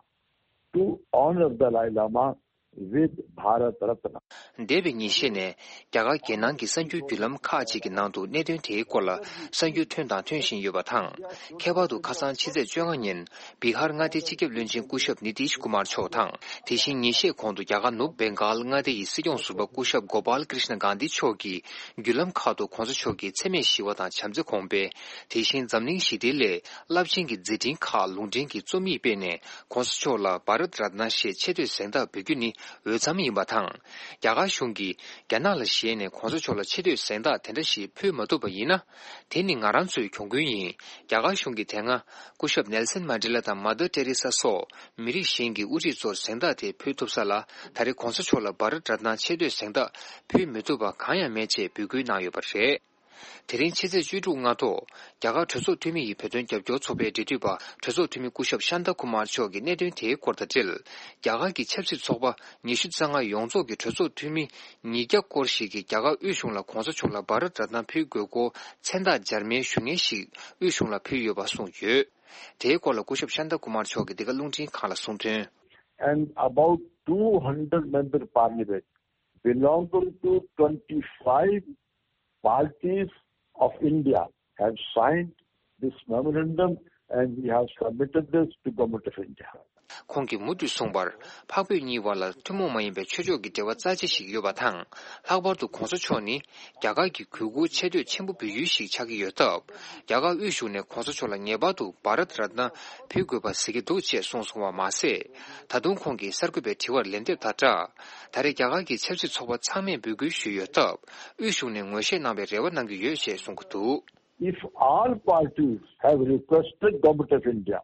to honor Dalai Lama with Bharat Ratna. འདས་པའི་ཉིན་ཤས་ནས་རྒྱ་གར་རྒྱལ་ནང་གི་གསར་འགྱུར་བརྒྱུད་ལམ་ཁག་ཅིག་གི་ནང་དུ་གནད་དོན་དེའི་སྐོར་ལ་གསར་འགྱུར་ཐོན་དང་ཐོན་བཞིན་ཡོད་པ་དང་། ཁྱད་པར་དུ་ཁ་སང་ཕྱི་ཚེས་བཅོ་ལྔ་ཉིན་བི་ཧར་མངའ་སྡེའི་སྤྱི་ཁྱབ་བློན་ཆེན་སྐུ་ཞབས་ནི་ཏིཤ་ཀུ་མར་མཆོག་དང་། དེ་བཞིན་ཉིན་ཤས་གོང་དུ་རྒྱ་གར་ནུབ་བེང་གཱལ་མངའ་སྡེ་ཡི་སྲིད་སྐྱོང་ཟུར་པ་སྐུ་ཞབས་གོ་པཱལ་ཀྲིཤ་ན་གྷན་དྷི་མཆོག་གིས་བརྒྱུད་ལམ་ཁག་ཏུ་གོང་ས་མཆོག་གི་འཚེ་མེད་ཞི་བ་དང་བྱམས་བརྩེ་གོང་སྤེལ། དེ་བཞིན་འཛམ་གླིང་ཞི་བདེའི་སླད་རླབས་ཆེན་གྱི་མཛད་འཕྲིན་ཁག་ལུང་འདྲེན་གྱི་རྩོམ་ཡིག་སྤེལ་ནས། གོང་ས་མཆོག་ལ་བྷ་རད་རཏ་ན་ཞེས་ཆེ་བསྟོད་གཟེངས་རྟགས་འབུལ་རྒྱུ་ནི་འོས་འཚམ་ཡིན་པ་དང་། རྒྱ་གར་གཞུང་གིས་རྒྱ་ནག་ལ་ཞེད་ནས་གོང་ས་མཆོག་ལ་ཆེ་བསྟོད་གཟེངས་རྟགས་དེ་འདྲ་ཞིག་ཕུལ་མ་ཐུབ་པ་ཡིན་ན། དེ་ནི་ང་རང་ཚོའི་གྱོང་གུན་ཡིན། རྒྱ་གར་གཞུང་གིས་དེ་སྔ་སྐུ་ཞབས་ནེལ་སན་མན་ཌེ་ལ་དང་མ་དར་ཏེ་རེ་ས་སོགས་མི་རིགས་གཞན་གྱི་དབུ་ཁྲིད་ཚོར་གཟེངས་རྟགས་དེ་ཕུལ་ཐུབ་ས་ལ། ད་རེས་གོང་ས་མཆོག་ལ་བྷ་རད་རཏ་ན་ཆེ་བསྟོད་གཟེངས་རྟགས་ཕུལ་མི་ཐུབ་པ་གང་ཡང་མེད་ཅེས་འབོད་སྐུལ་གནང་ཡོད་པ་རེད། དེ་རིང་ཕྱི་ཚེས་བཅུ་དྲུག་སྔ་དྲོ། རྒྱ་གར་གྲོས་ཚོགས་འཐུས་མི་ཡི་བོད་དོན་རྒྱབ་སྐྱོར་ཚོགས་པའི་འབྲེལ་མཐུད་པ་གྲོས་ཚོགས་འཐུས་མི་སྐུ་ཞབས་ཤཱན་ཏཱ་ཀུ་མར་མཆོག་གིས་གནད་དོན་དེའི་སྐོར་དང་འབྲེལ། རྒྱ་གར་གྱི་ཆབ་སྲིད་ཚོགས་པ་ཉི་ཤུ་རྩ་ལྔ་ཡོངས་རྫོགས་ཀྱི་གྲོས་ཚོགས་འཐུས་མི་ཉིས་བརྒྱ་སྐོར་ཞིག་གིས་རྒྱ་གར་དབུས་གཞུང་ལ་གོང་ས་མཆོག་ལ་བྷ་རད་རཏ་ན་ཕུལ་དགོས་སྐོར་མཚན་རྟགས་འབྱར་མའི་ཞུ་སྙན་ཞིག་དབུས་གཞུང་ལ་ཕུལ་ཡོད་པ་གསུངས་ཡོད། དེའི་སྐོར་ལ་སྐུ་ཞབས་ཤཱན་ཏཱ་ཀུ་མར་མཆོག་གིས་འདི་ག་རླུང་འཕྲིན་ཁང་ལ་གསུངས་དོན། And about two hundred member parliament belonging to twenty-five parties of India have signed this memorandum and we have submitted this to Government of India. ཁོང་གིས་མུ་མཐུད་གསུངས་པར། འཕགས་བོད་གཉིས་བར་ལ་ཐུན་མོང་མ་ཡིན་པའི་ཆོས་ཕྱོགས་ཀྱི་འབྲེལ་བ་རྩ་ཆེ་ཞིག་ཡོད་པ་དང་། ལྷག་པར་དུ་གོང་ས་མཆོག་ནི་རྒྱ་གར་གྱི་གུས་བཀུར་ཆེ་བསྟོད་ཆེན་པོ་འབུལ་ཡུལ་ཞིག་ཆགས་ཀྱི་ཡོད་སྟབས། རྒྱ་གར་དབུས་གཞུང་ནས་གོང་ས་མཆོག་ལ་ངེས་པར་དུ་བྷ་རད་རཏ་ན་ཕུལ་དགོས་པ་གཟིགས་ཀྱི་འདུག་ཅེས་གསུངས་སོང་བ་མ་ཟད། ད་དུང་ཁོང་གིས་གསར་འགོད་པའི་དྲི་བར་ལན་འདེབས་དང་སྦྲགས། ད་རེས་རྒྱ་གར་གྱི་ཆབ་སྲིད་ཚོགས་པ་ཚང་མས་འབོད་སྐུལ་ཞུས་ཡོད་སྟབས། དབུས་གཞུང་ནས་ངོས་བཞེས་གནང་བའི་རེ་བ་གནང་གི་ཡོད་ཅེས་གསུང་གི་འདུག If all parties have requested Government of India,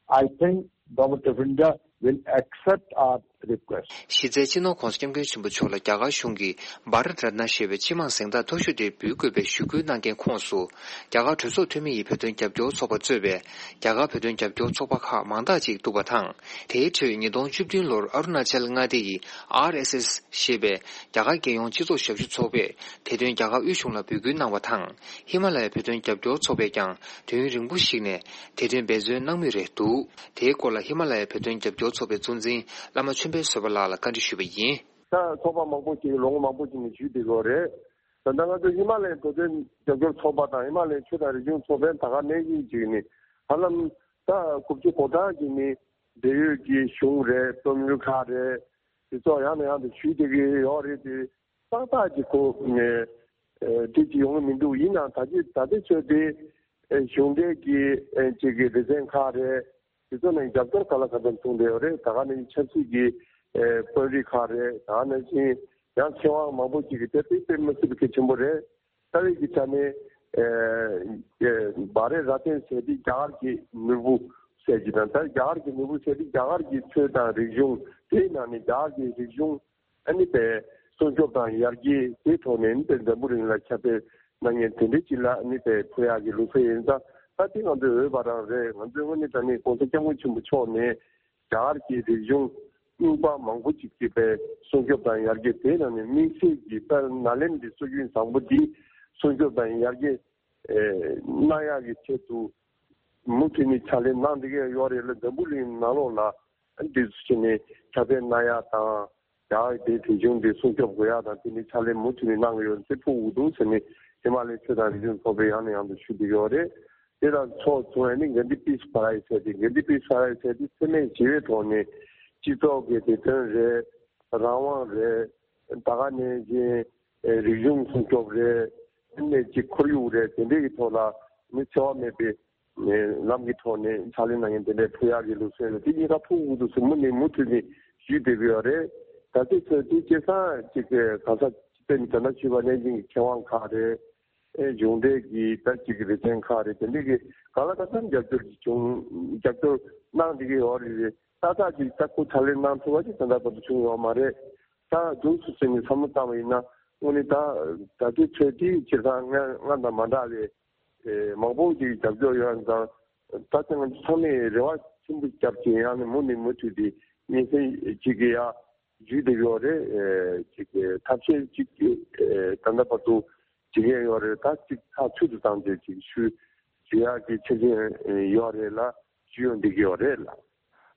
I think Government of India will accept our request. གཞི་རྩའི་སྤྱི་ནོར་༸གོང་ས་༸སྐྱབས་མགོན་ཆེན་པོ་མཆོག་ལ་རྒྱ་གར་གཞུང་གིས་བྷ་རད་རཏ་ན་ཞེས་པའི་སྤྱི་དམངས་གཟེངས་རྟགས་མཐོ་ཤོས་དེ་འབུལ་དགོས་པའི་ཞུ་སྐུལ་གནང་མཁན་ཁོངས་སུ། རྒྱ་གར་གྲོས་ཚོགས་འཐུས་མི་ཡི་བོད་དོན་རྒྱབ་སྐྱོར་ཚོགས་པ་གཙོས་པའི་རྒྱ་གར་བོད་དོན་རྒྱབ་སྐྱོར་ཚོགས་པ་ཁག་མང་དག་ཅིག་འདུག་པ་དང་། དེའི་ཁྲོད་ཉིས་སྟོང་བཅུ་བདུན་ལོར་ཨ་རུ་ན་ཅལ་མངའ་སྡེ་ཡི་ཨར་ཨེས་ཨེས་ཞེས་པའི་རྒྱ་གར་རྒྱལ་ཡོངས་སྤྱི་ཚོགས་ཞབས་ཞུ་ཚོགས་པས་དེ་དོན་རྒྱ་གར་དབུས་གཞུང་ལ་འབོད་སྐུལ་གནང་བ་དང་། ཧི་མ་ལ་ཡའི་བོད་དོན་རྒྱབ་སྐྱོར་ཚོགས་པས་ཀྱང་དུས་ཡུན་རིང་པོ་ཞིག་ནས་དེ་དོན་འབད་བརྩོན་གནང་མུས་རེད་འདུག་དེའི་སྐོར་ལ་ཧི་མ་ལ་ཡའི་བོད་དོན་རྒྱབ་སྐྱོར་ཚོགས་པའི་གཙོ་འཛིན་བླ་མ་ཆོས་འཕེལ་བཟོད་པ་ལགས་ལ་བཀའ་འདྲི་ཞུས་པ་ཡིན། ད་ཚོགས་པ་མང་པོ་ཅིག་ལོ་ངོ་མང་པོ་ཅིག་ནས་ཞུས་བསྡད་ཡོད་རེད། ད་ལྟ་ང་ཚོ་ཧི་མ་ལ་ཡའི་བོད་དོན་རྒྱབ་སྐྱོར་ཚོགས་པ་དང་ཧི་མ་ལ་ཡའི་ཆོས་དང་རིག་གཞུང་ཚོགས་པའི་ད་ག་ནང་བཞིན་ཅིག་ནི་ཧ་ལམ་ད་དགུ་བཅུ་གོ་གྲངས་ཀྱི་ནི་འབྲེལ་ཡོད་ཀྱི་གཞུང་རེད། རྩོམ་ཡིག་ཁག་རེད། དེ་ཚོ་ཡང་ནས་ཡང་དུ་ཞུས་བསྡད་ཀྱི་ཡོད་རེད་དེ། ཏག་ཏག་ཅིག་གོ་ནས་ཨེ་འགྲིག་ཅིག་ཡོང་གི་མི་འདུག་ཡིན་ནའང་ད་ཅི་ད་ལྟའི་ཆོས་དེ་ཨེ་གཞུང་འབྲེལ་གྱི་ཨེ་ཅིག་གི་སྡེ་ཚན་ཁག་རེད། དེ་ཚོ་ནས་རྒྱབ་སྐྱོར་ག་ལ་ག་ཚོད་བྱུང་བསྡད་ཡོད་རེད། ད་ག་ནང་བཞིན་ཆབ་སྲིད་ཀྱི་ཨེ་དཔོན་རིགས་ཁག་རེད། ད་ག་ནང་བཞིན་ཡང་མཁས་དབང་མང་པོ་ཅིག་གིས་དེ་དཔེ་དཔེ་མི་སྲིད་པའི་གལ་ཆེན་པོ་རེད། རྩ་བའི་གི་ཆ་ནས་ཨེ་ཨེ་བྷ་རེ་ར་ཏན་ཟེར་དེ་རྒྱ་གར་གྱི་ནོར་བུ་ཟེར་གྱི་དང་། ད་རྒྱ་གར་གྱི་ནོར་བུ་ཟེར་དེ་རྒྱ་གར་གྱི་ཆོས་དང་རིག་གཞུང་། དེའི་ནང་ནས་རྒྱ་གར་གྱི་རིག་གཞུང་ཨ་ནི་པའི་སྲུང་སྐྱོབ་དང་ཡར་རྒྱས་དེའི་ཐོག་ནས་ཨ་ནི་པའི་འཛམ་བུ་གླིང་ལ་ཁྱབ་སྤེལ་གནང་མཁན་དེ་འདྲའི་ཅིག་ལ་ཨ་ནི་པའི་ཕུལ་ཡག་གི་ལུགས་སྲོལ་ཡིན་ཙང་། ད་དེ་ང་ཚོའི་འོས་པ་རང་རེད། ང་ཚོའི་དངོས་གནས་དྲང་གནས་༸གོང་ས་༸སྐྱབས་མགོན་ཆེན་པོ་མཆོག་ནས་རྒྱ་གར་གྱི་རིག་གཞུང་རྙིང་པ་མང་པོ་ཅིག་གི་པའི་སྲུང་སྐྱོབ་དང་ཡར་རྒྱས། དེའི་ནང་ནས་དམིགས་བསལ་གྱི་དཔལ་ནཱ་ལེནྡྲའི་སྲོལ་རྒྱུན་བཟང་པོ་འདི་སྲུང་སྐྱོབ་དང་ཡར་རྒྱས་ཨེ་གནང་ཡག་གི་ཆེད་དུ་མུ་མཐུད་ནས་ཕྱག་ལས་གནང་བསྡད་ཀྱི་ཡོད་རེད་ལ། འཛམ་བུ་གླིང་ནང་ལོགས་ལ་འདི་ཚོ་བྱས་ནས་ཁྱབ་སྤེལ་གནང་ཡག་དང་། རྒྱ་གར་དེའི་རིག་གཞུང་འདི་སྲུང་སྐྱོབ་དགོས་ཡག་དང་། དེ་ནི་ཕྱག་ལས་མུ་མཐུད་ནས་གནང་གི་ཡོད་ཟེར་ཕུལ་དགོས་འདུག་ཟེར་ནས་ཧི་མ་ལ་ཡའི་ཆོས་དང་རིག་གཞུང་ཚོགས་པས་ཡང་ནས་ཡང་དུ་ཞུ་བསྡད་ཀྱི་ཡོད་རེད། དེ་དང་ཕྱོགས་མཚུངས་ནས་གྷན་དྷི་པིས་པ་རའེ་ཛ་ཟེར་ཏེ། གྷན་དྷི་པིས་པ་རའེ་ཛ་ཟེར་ཏེ་འཚེ་མེད་ཞི་བའི་ཐོག་ནས་སྤྱི་ཚོགས་ཀྱི་བདེ་དོན་རེད། རང་དབང་རེད། ད་ག་ནང་བཞིན་རིག་གཞུང་སྲུང་སྐྱོབ་རེད། ནས་ཀྱི་ཁོར་ཡུག་རེད། དེ་འདྲའི་གི་ཐོག་ལ་ནི་འཚེ་བ་མེད་པའི་ལམ་གྱི་ཐོག་ནས་ཕྱག་ལས་གནང་མཁན་དེ་འདྲའི་ཕུལ་ཡག་གི་ལུགས་སྲོལ་རེད། དེ་གཉིས་ཀ་ཕུལ་དགོས་འདུག་ཟེར་མུ་ནས་མུ་མཐུད་ནས་ཞུས་བསྡད་ཀྱི་ཡོད་རེད། ད་ལྟའི་ཆར་དེ་སྐྱེས་ཚང་གཅིག་གི་གང་ཟག་སྤྱི་དོན་དོན་དག་ཞུས་པ་ནང་བཞིན་གྱི་མཁས་དབང་ཁག་རེད། ཨེ་གཞུང་འབྲེལ་གྱི་ད་གཅིག་གི་ལེ་ཚན་ཁག་རེད། དེ་འདྲའི་གི་གང་ལ་གང་འཚམ་རྒྱབ་སྐྱོར་གྱི་བྱུང་རྒྱབ་སྐྱོར་གནང་བསྡད་ཀྱི་ཡོད་རེད། རེད། ཏག་ཏག་ཅིག་ད་ཁོ་ཕྱག་ལས་གནང་ཐུབ་པ་ཅིག་ད་ལྟ་བར་དུ་བྱུང་ཡོད་མ་རེད། ད་འདུག་སུ་ཟེར་ནས་བསམ་བློ་བཏང་བ་ཡིན་ན། དངོས་གནས་ད་ད་ལྟའི་ཆོས་དེ་སྤྱིར་བཏང་སྔ་སྔ་དང་མ་འདྲ་བའི་ཨེ་མང་པོ་ཅིག་རྒྱབ་སྐྱོར་ཡོད་ཙང་། ད་ལྟ་ང་ཚོ་ཚང་མས་རེ་བ་ཆེན་པོ་བརྒྱབ་ཅིང་ཡང་ནས་མུ་ནས་མུ་མཐུད་དེ་སྙན་སེང་ཅིག་གི་ཡ་ཞུས་བསྡད་ཡོད་རེད། ཨེ་ཅིག་ཐབས་ཤེས་ཅིག་ཨེ་ད་ལྟ་བར་དུ་བྱེད་མཁན་ཡོད་རེད། ད་ཅིག་ཐག་ཆོད་དུ་བཏང་སྟེ་ཅིག་ཞུ་ཞུ་ཡག་གི་ཆ་རྐྱེན་ཡོད་རེད་ལ། ཞུ་ཡོང་བསྡད་ཀྱི་ཡོད་རེད་ལ།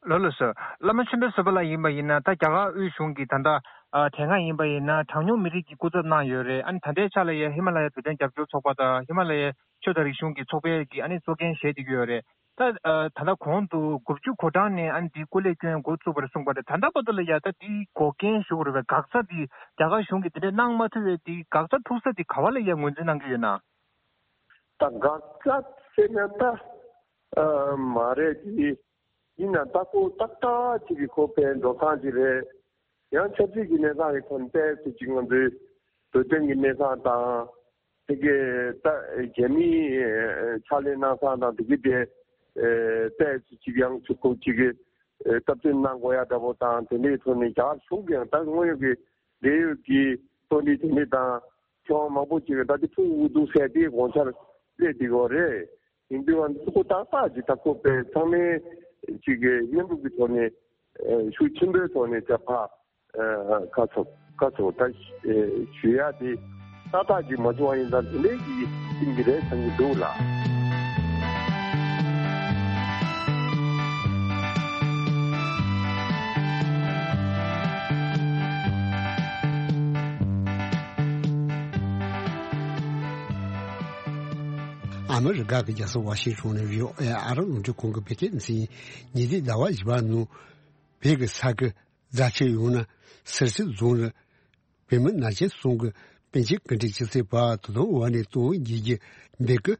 ལགས་ལགས་སོ། བླ་མ་ཆོས་འཕེལ་བཟོད་པ་ལགས་ཡིན་པ་ཡིན་ན། ད་རྒྱ་གར་དབུས་གཞུང་གིས་ད་ལྟ་ཨ་དེ་སྔ་ཡིན་པ་ཡིན་ན་གྲངས་ཉུང་མི་རིགས་ཀྱི་སྐུ་ཚབ་གནང་ཡོད་རེད། ཨ་ནི་ད་ལྟའི་ཆ་ལ་ཡ་ཧི་མ་ལ་ཡའི་བོད་དོན་རྒྱབ་སྐྱོར་ཚོགས་པ་དང་ཧི་མ་ལ་ཡའི་ཆོས་དང་རིག་གཞུང་གི་ཚོགས་པའི་གི་ཨ་ནི་གཙོ་འགན་བཞེས་བསྡད་ཀྱི་ཡོད་རེད། ད་ཨ་ད་ལྟ་གོང་དུ་དགུ་བཅུ་གོ་གྲངས་ནས་ཨ་ནི་འདི་སྐུ་ལས་བསྐྱོན་འགོ་བཙུགས་པ་རེད་གསུངས་པ་རེད། ད་ལྟ་བར་དུ་ལ་ཡ་ད་འདི་འགོག་རྐྱེན་ཞུ་དགོས་རེད་པས། འགག་རྩ་འདི་རྒྱ་གར་གཞུང་གིས་འདི་འདྲ་གནང་མ་ཐུབ་པའི་འདི་འགག་རྩ་ཐུག་ས་འདི་ག་བ་ལ་ཡ་ངོས་འཛིན་གནང་གི་ཡོད་ན། ད་འགག་རྩ་ཟེར་ན་ད་ཨ་མ་རེད་དེ། ཡིན་ནའང་ད་ཁོ་ཏག་ཏག་ཅིག་གི་ཁོ་ཕན་འགྲོ་སྟངས་ཅིག་རེད། ཡང་ཆབ་སྲིད་ཀྱི་གནས་སྟངས་ཀྱི་ཐོག་ནས་ཏོག་ཙམ་ཅིག་ང་ཚོའི་བོད་དོན་གྱི་གནས་སྟངས་དང་། དེ་གའི་ད་རྒྱ་མིའི་ཕྱག་ལས་གནང་སྟངས་དང་དེ་གའི་དེ་ཏོག་ཙམ་ཅིག་ཡང་ཚུར་ཁོ་ཅིག་གི་སྟབས་བསྟུན་གནང་དགོས་ཡ་འདྲ་པོ་དང་། དེ་འདྲའི་ཐོག་ནས་རྒྱ་གར་གཞུང་གིས་ཡང་ད་དངོས་ཡོད་ཀྱི་འབྲེལ་ཡོད་ཀྱི་གཙོ་འདི་དེ་འདྲ་དང་། ཁྱོན་མང་པོ་ཅིག་ད་དེ་ཕུང་དགོས་འདུག་ཟེར་དེ་དགོངས་འཆར་སླེབས་བསྡད་ཡོད་རེད། ཡིན་དུས་ང་ཚོ་ཏག་ཏག་ཅིག་ད་ཁོ་པའི་ཚང་མའི་ཅིག་གི་མཉམ་རུབ་ཀྱི་ཐོག་ནས་ཤུགས་ཆེན་པོའི་ཐོག་ནས་ད་ཕ་ཁ་ཚོ་ཁ་ཚོ་ད་ཞུ་ཡ་དེ་ཏག་ཏག་ཅིག་མ་བྱུང་བ་ཡིན་ཙང་དེ་འདྲའི་ཅིག་ཡིན་གྱི་རེད་བསམ་གྱི་འདུག་ལགས། ཨ་མི་རི་ཀ་གི་རྒྱལ་ས་ཝ་ཤིང་ཊོན་ནས་བྷི་ཨོ་ཨེ་ཨ་རི་རླུང་འཕྲིན་ཁང་གི་བོད་སྐད་སྡེ་ཚན་ཉིན་དེའི་ཟླ་བ་བཞི་པ་ནང་བོད་ཀྱི་ས་ཁུལ་རྫ་ཆུ་ཡོང་ན་སེར་སེར་རྫོང་ནས་བོད་མི་ན་ཆེན་གསུམ་གྱི་པཎ་ཆེན་སྐུ་ཕྲེང་བཅུ་གསུམ་པ་དོ་དམ་འོག་ནས་དོན་དགེ་རྒྱུ་འདི་གི་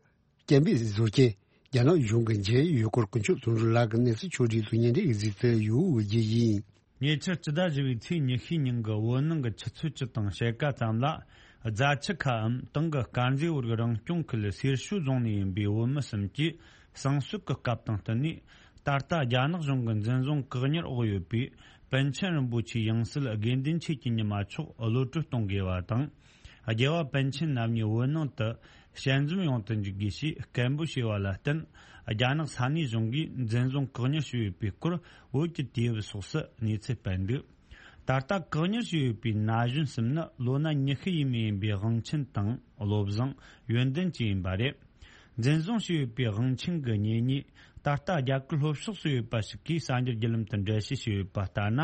སྐད་འབོད་བཟོ་མཁན་རྒྱ་ནག་གཞུང་གི་འཇལ་ཡོད་སྐོར་དཀོན་མཆོག་དོན་གྲུབ་ལགས་ཀྱི་གནས་ཚུལ་ཕྱོགས་བསྒྲིགས་སུ་ཉིན་རེའི་གཟིགས་ཚུལ་ཡོད་རྒྱུ་ཡིན། ཉེ་ཆར་སྤྱི་ཟླ་བཞི་པའི་ཚེས་ཉི་ཤུའི་ཉིན་གྱི་བོད་ནང་གི་ཆུ་ཚོད་བཅུ་དང་ཕྱེད་ཀ་ཙམ་ལ། རྫ་ཆུ་ཁའམ་དེང་གི་དཀར་མཛེས་བོད་རིགས་རང་སྐྱོང་ཁུལ་སེར་ཤུལ་རྫོང་ནས་ཡིན་པའི་བོད་མི་གསུམ་གྱིས་གསང་གསོལ་གྱི་སྐབས་དང་བསྟུན་ནས། ད་ལྟ་རྒྱ་ནག་གཞུང་གི་འཛིན་བཟུང་བཀག་ཉར་འོག་ཡོད་པའི་པཎ་ཆེན་རིན་པོ་ཆེའི་ཡང་སྲིད་དགེ་འདུན་ཆོས་ཀྱི་ཉི་མ་མཆོག་གློད་གྲོལ་གཏོང་དགོས་པ་དང་། རྒྱལ་བ་པཎ་ཆེན་རྣམ་གཉིས་བོད་ནང་དུ་ཞལ་འཛོམས་ཡོང་དུ་འཇུག་དགོས་ཞེས་སྐད་འབོད་བྱས་པ་ལ་བརྟེན། རྒྱ་ནག་ས་གནས་གཞུང་གིས་འཛིན་བཟུང་བཀག་ཉར་བྱས་ཡོད་པའི་སྐོར་བོད་ཀྱི་དུས་བབ་སོགས་སུ་གནས་ཚུལ་སྤེལ་འདུག་ད་ལྟ་བཀག་ཉར་བྱས་ཡོད་པའི་ན་གཞོན་གསུམ་ནི་ལོ་ན་ཉི་ཤུ་ཡས་མས་ཡིན་པའི་དབང་ཆེན་དང་བློ་བཟང་ཡོན་ཏན་བཅས་ཡིན་པ་རེད། འཛིན་བཟུང་བྱས་ཡོད་པའི་དབང་ཆེན་གྱི་གཉེན་ཉེ། ད་ལྟ་རྒྱ་གར་ལྷོ་ཕྱོགས་སུ་ཡོད་པ་ཞིག་གིས་གསར་འགྱུར་བརྒྱུད་ལམ་དུ་འགྲེལ་བཤད་བྱས་ཡོད་པ་ལྟར་ན།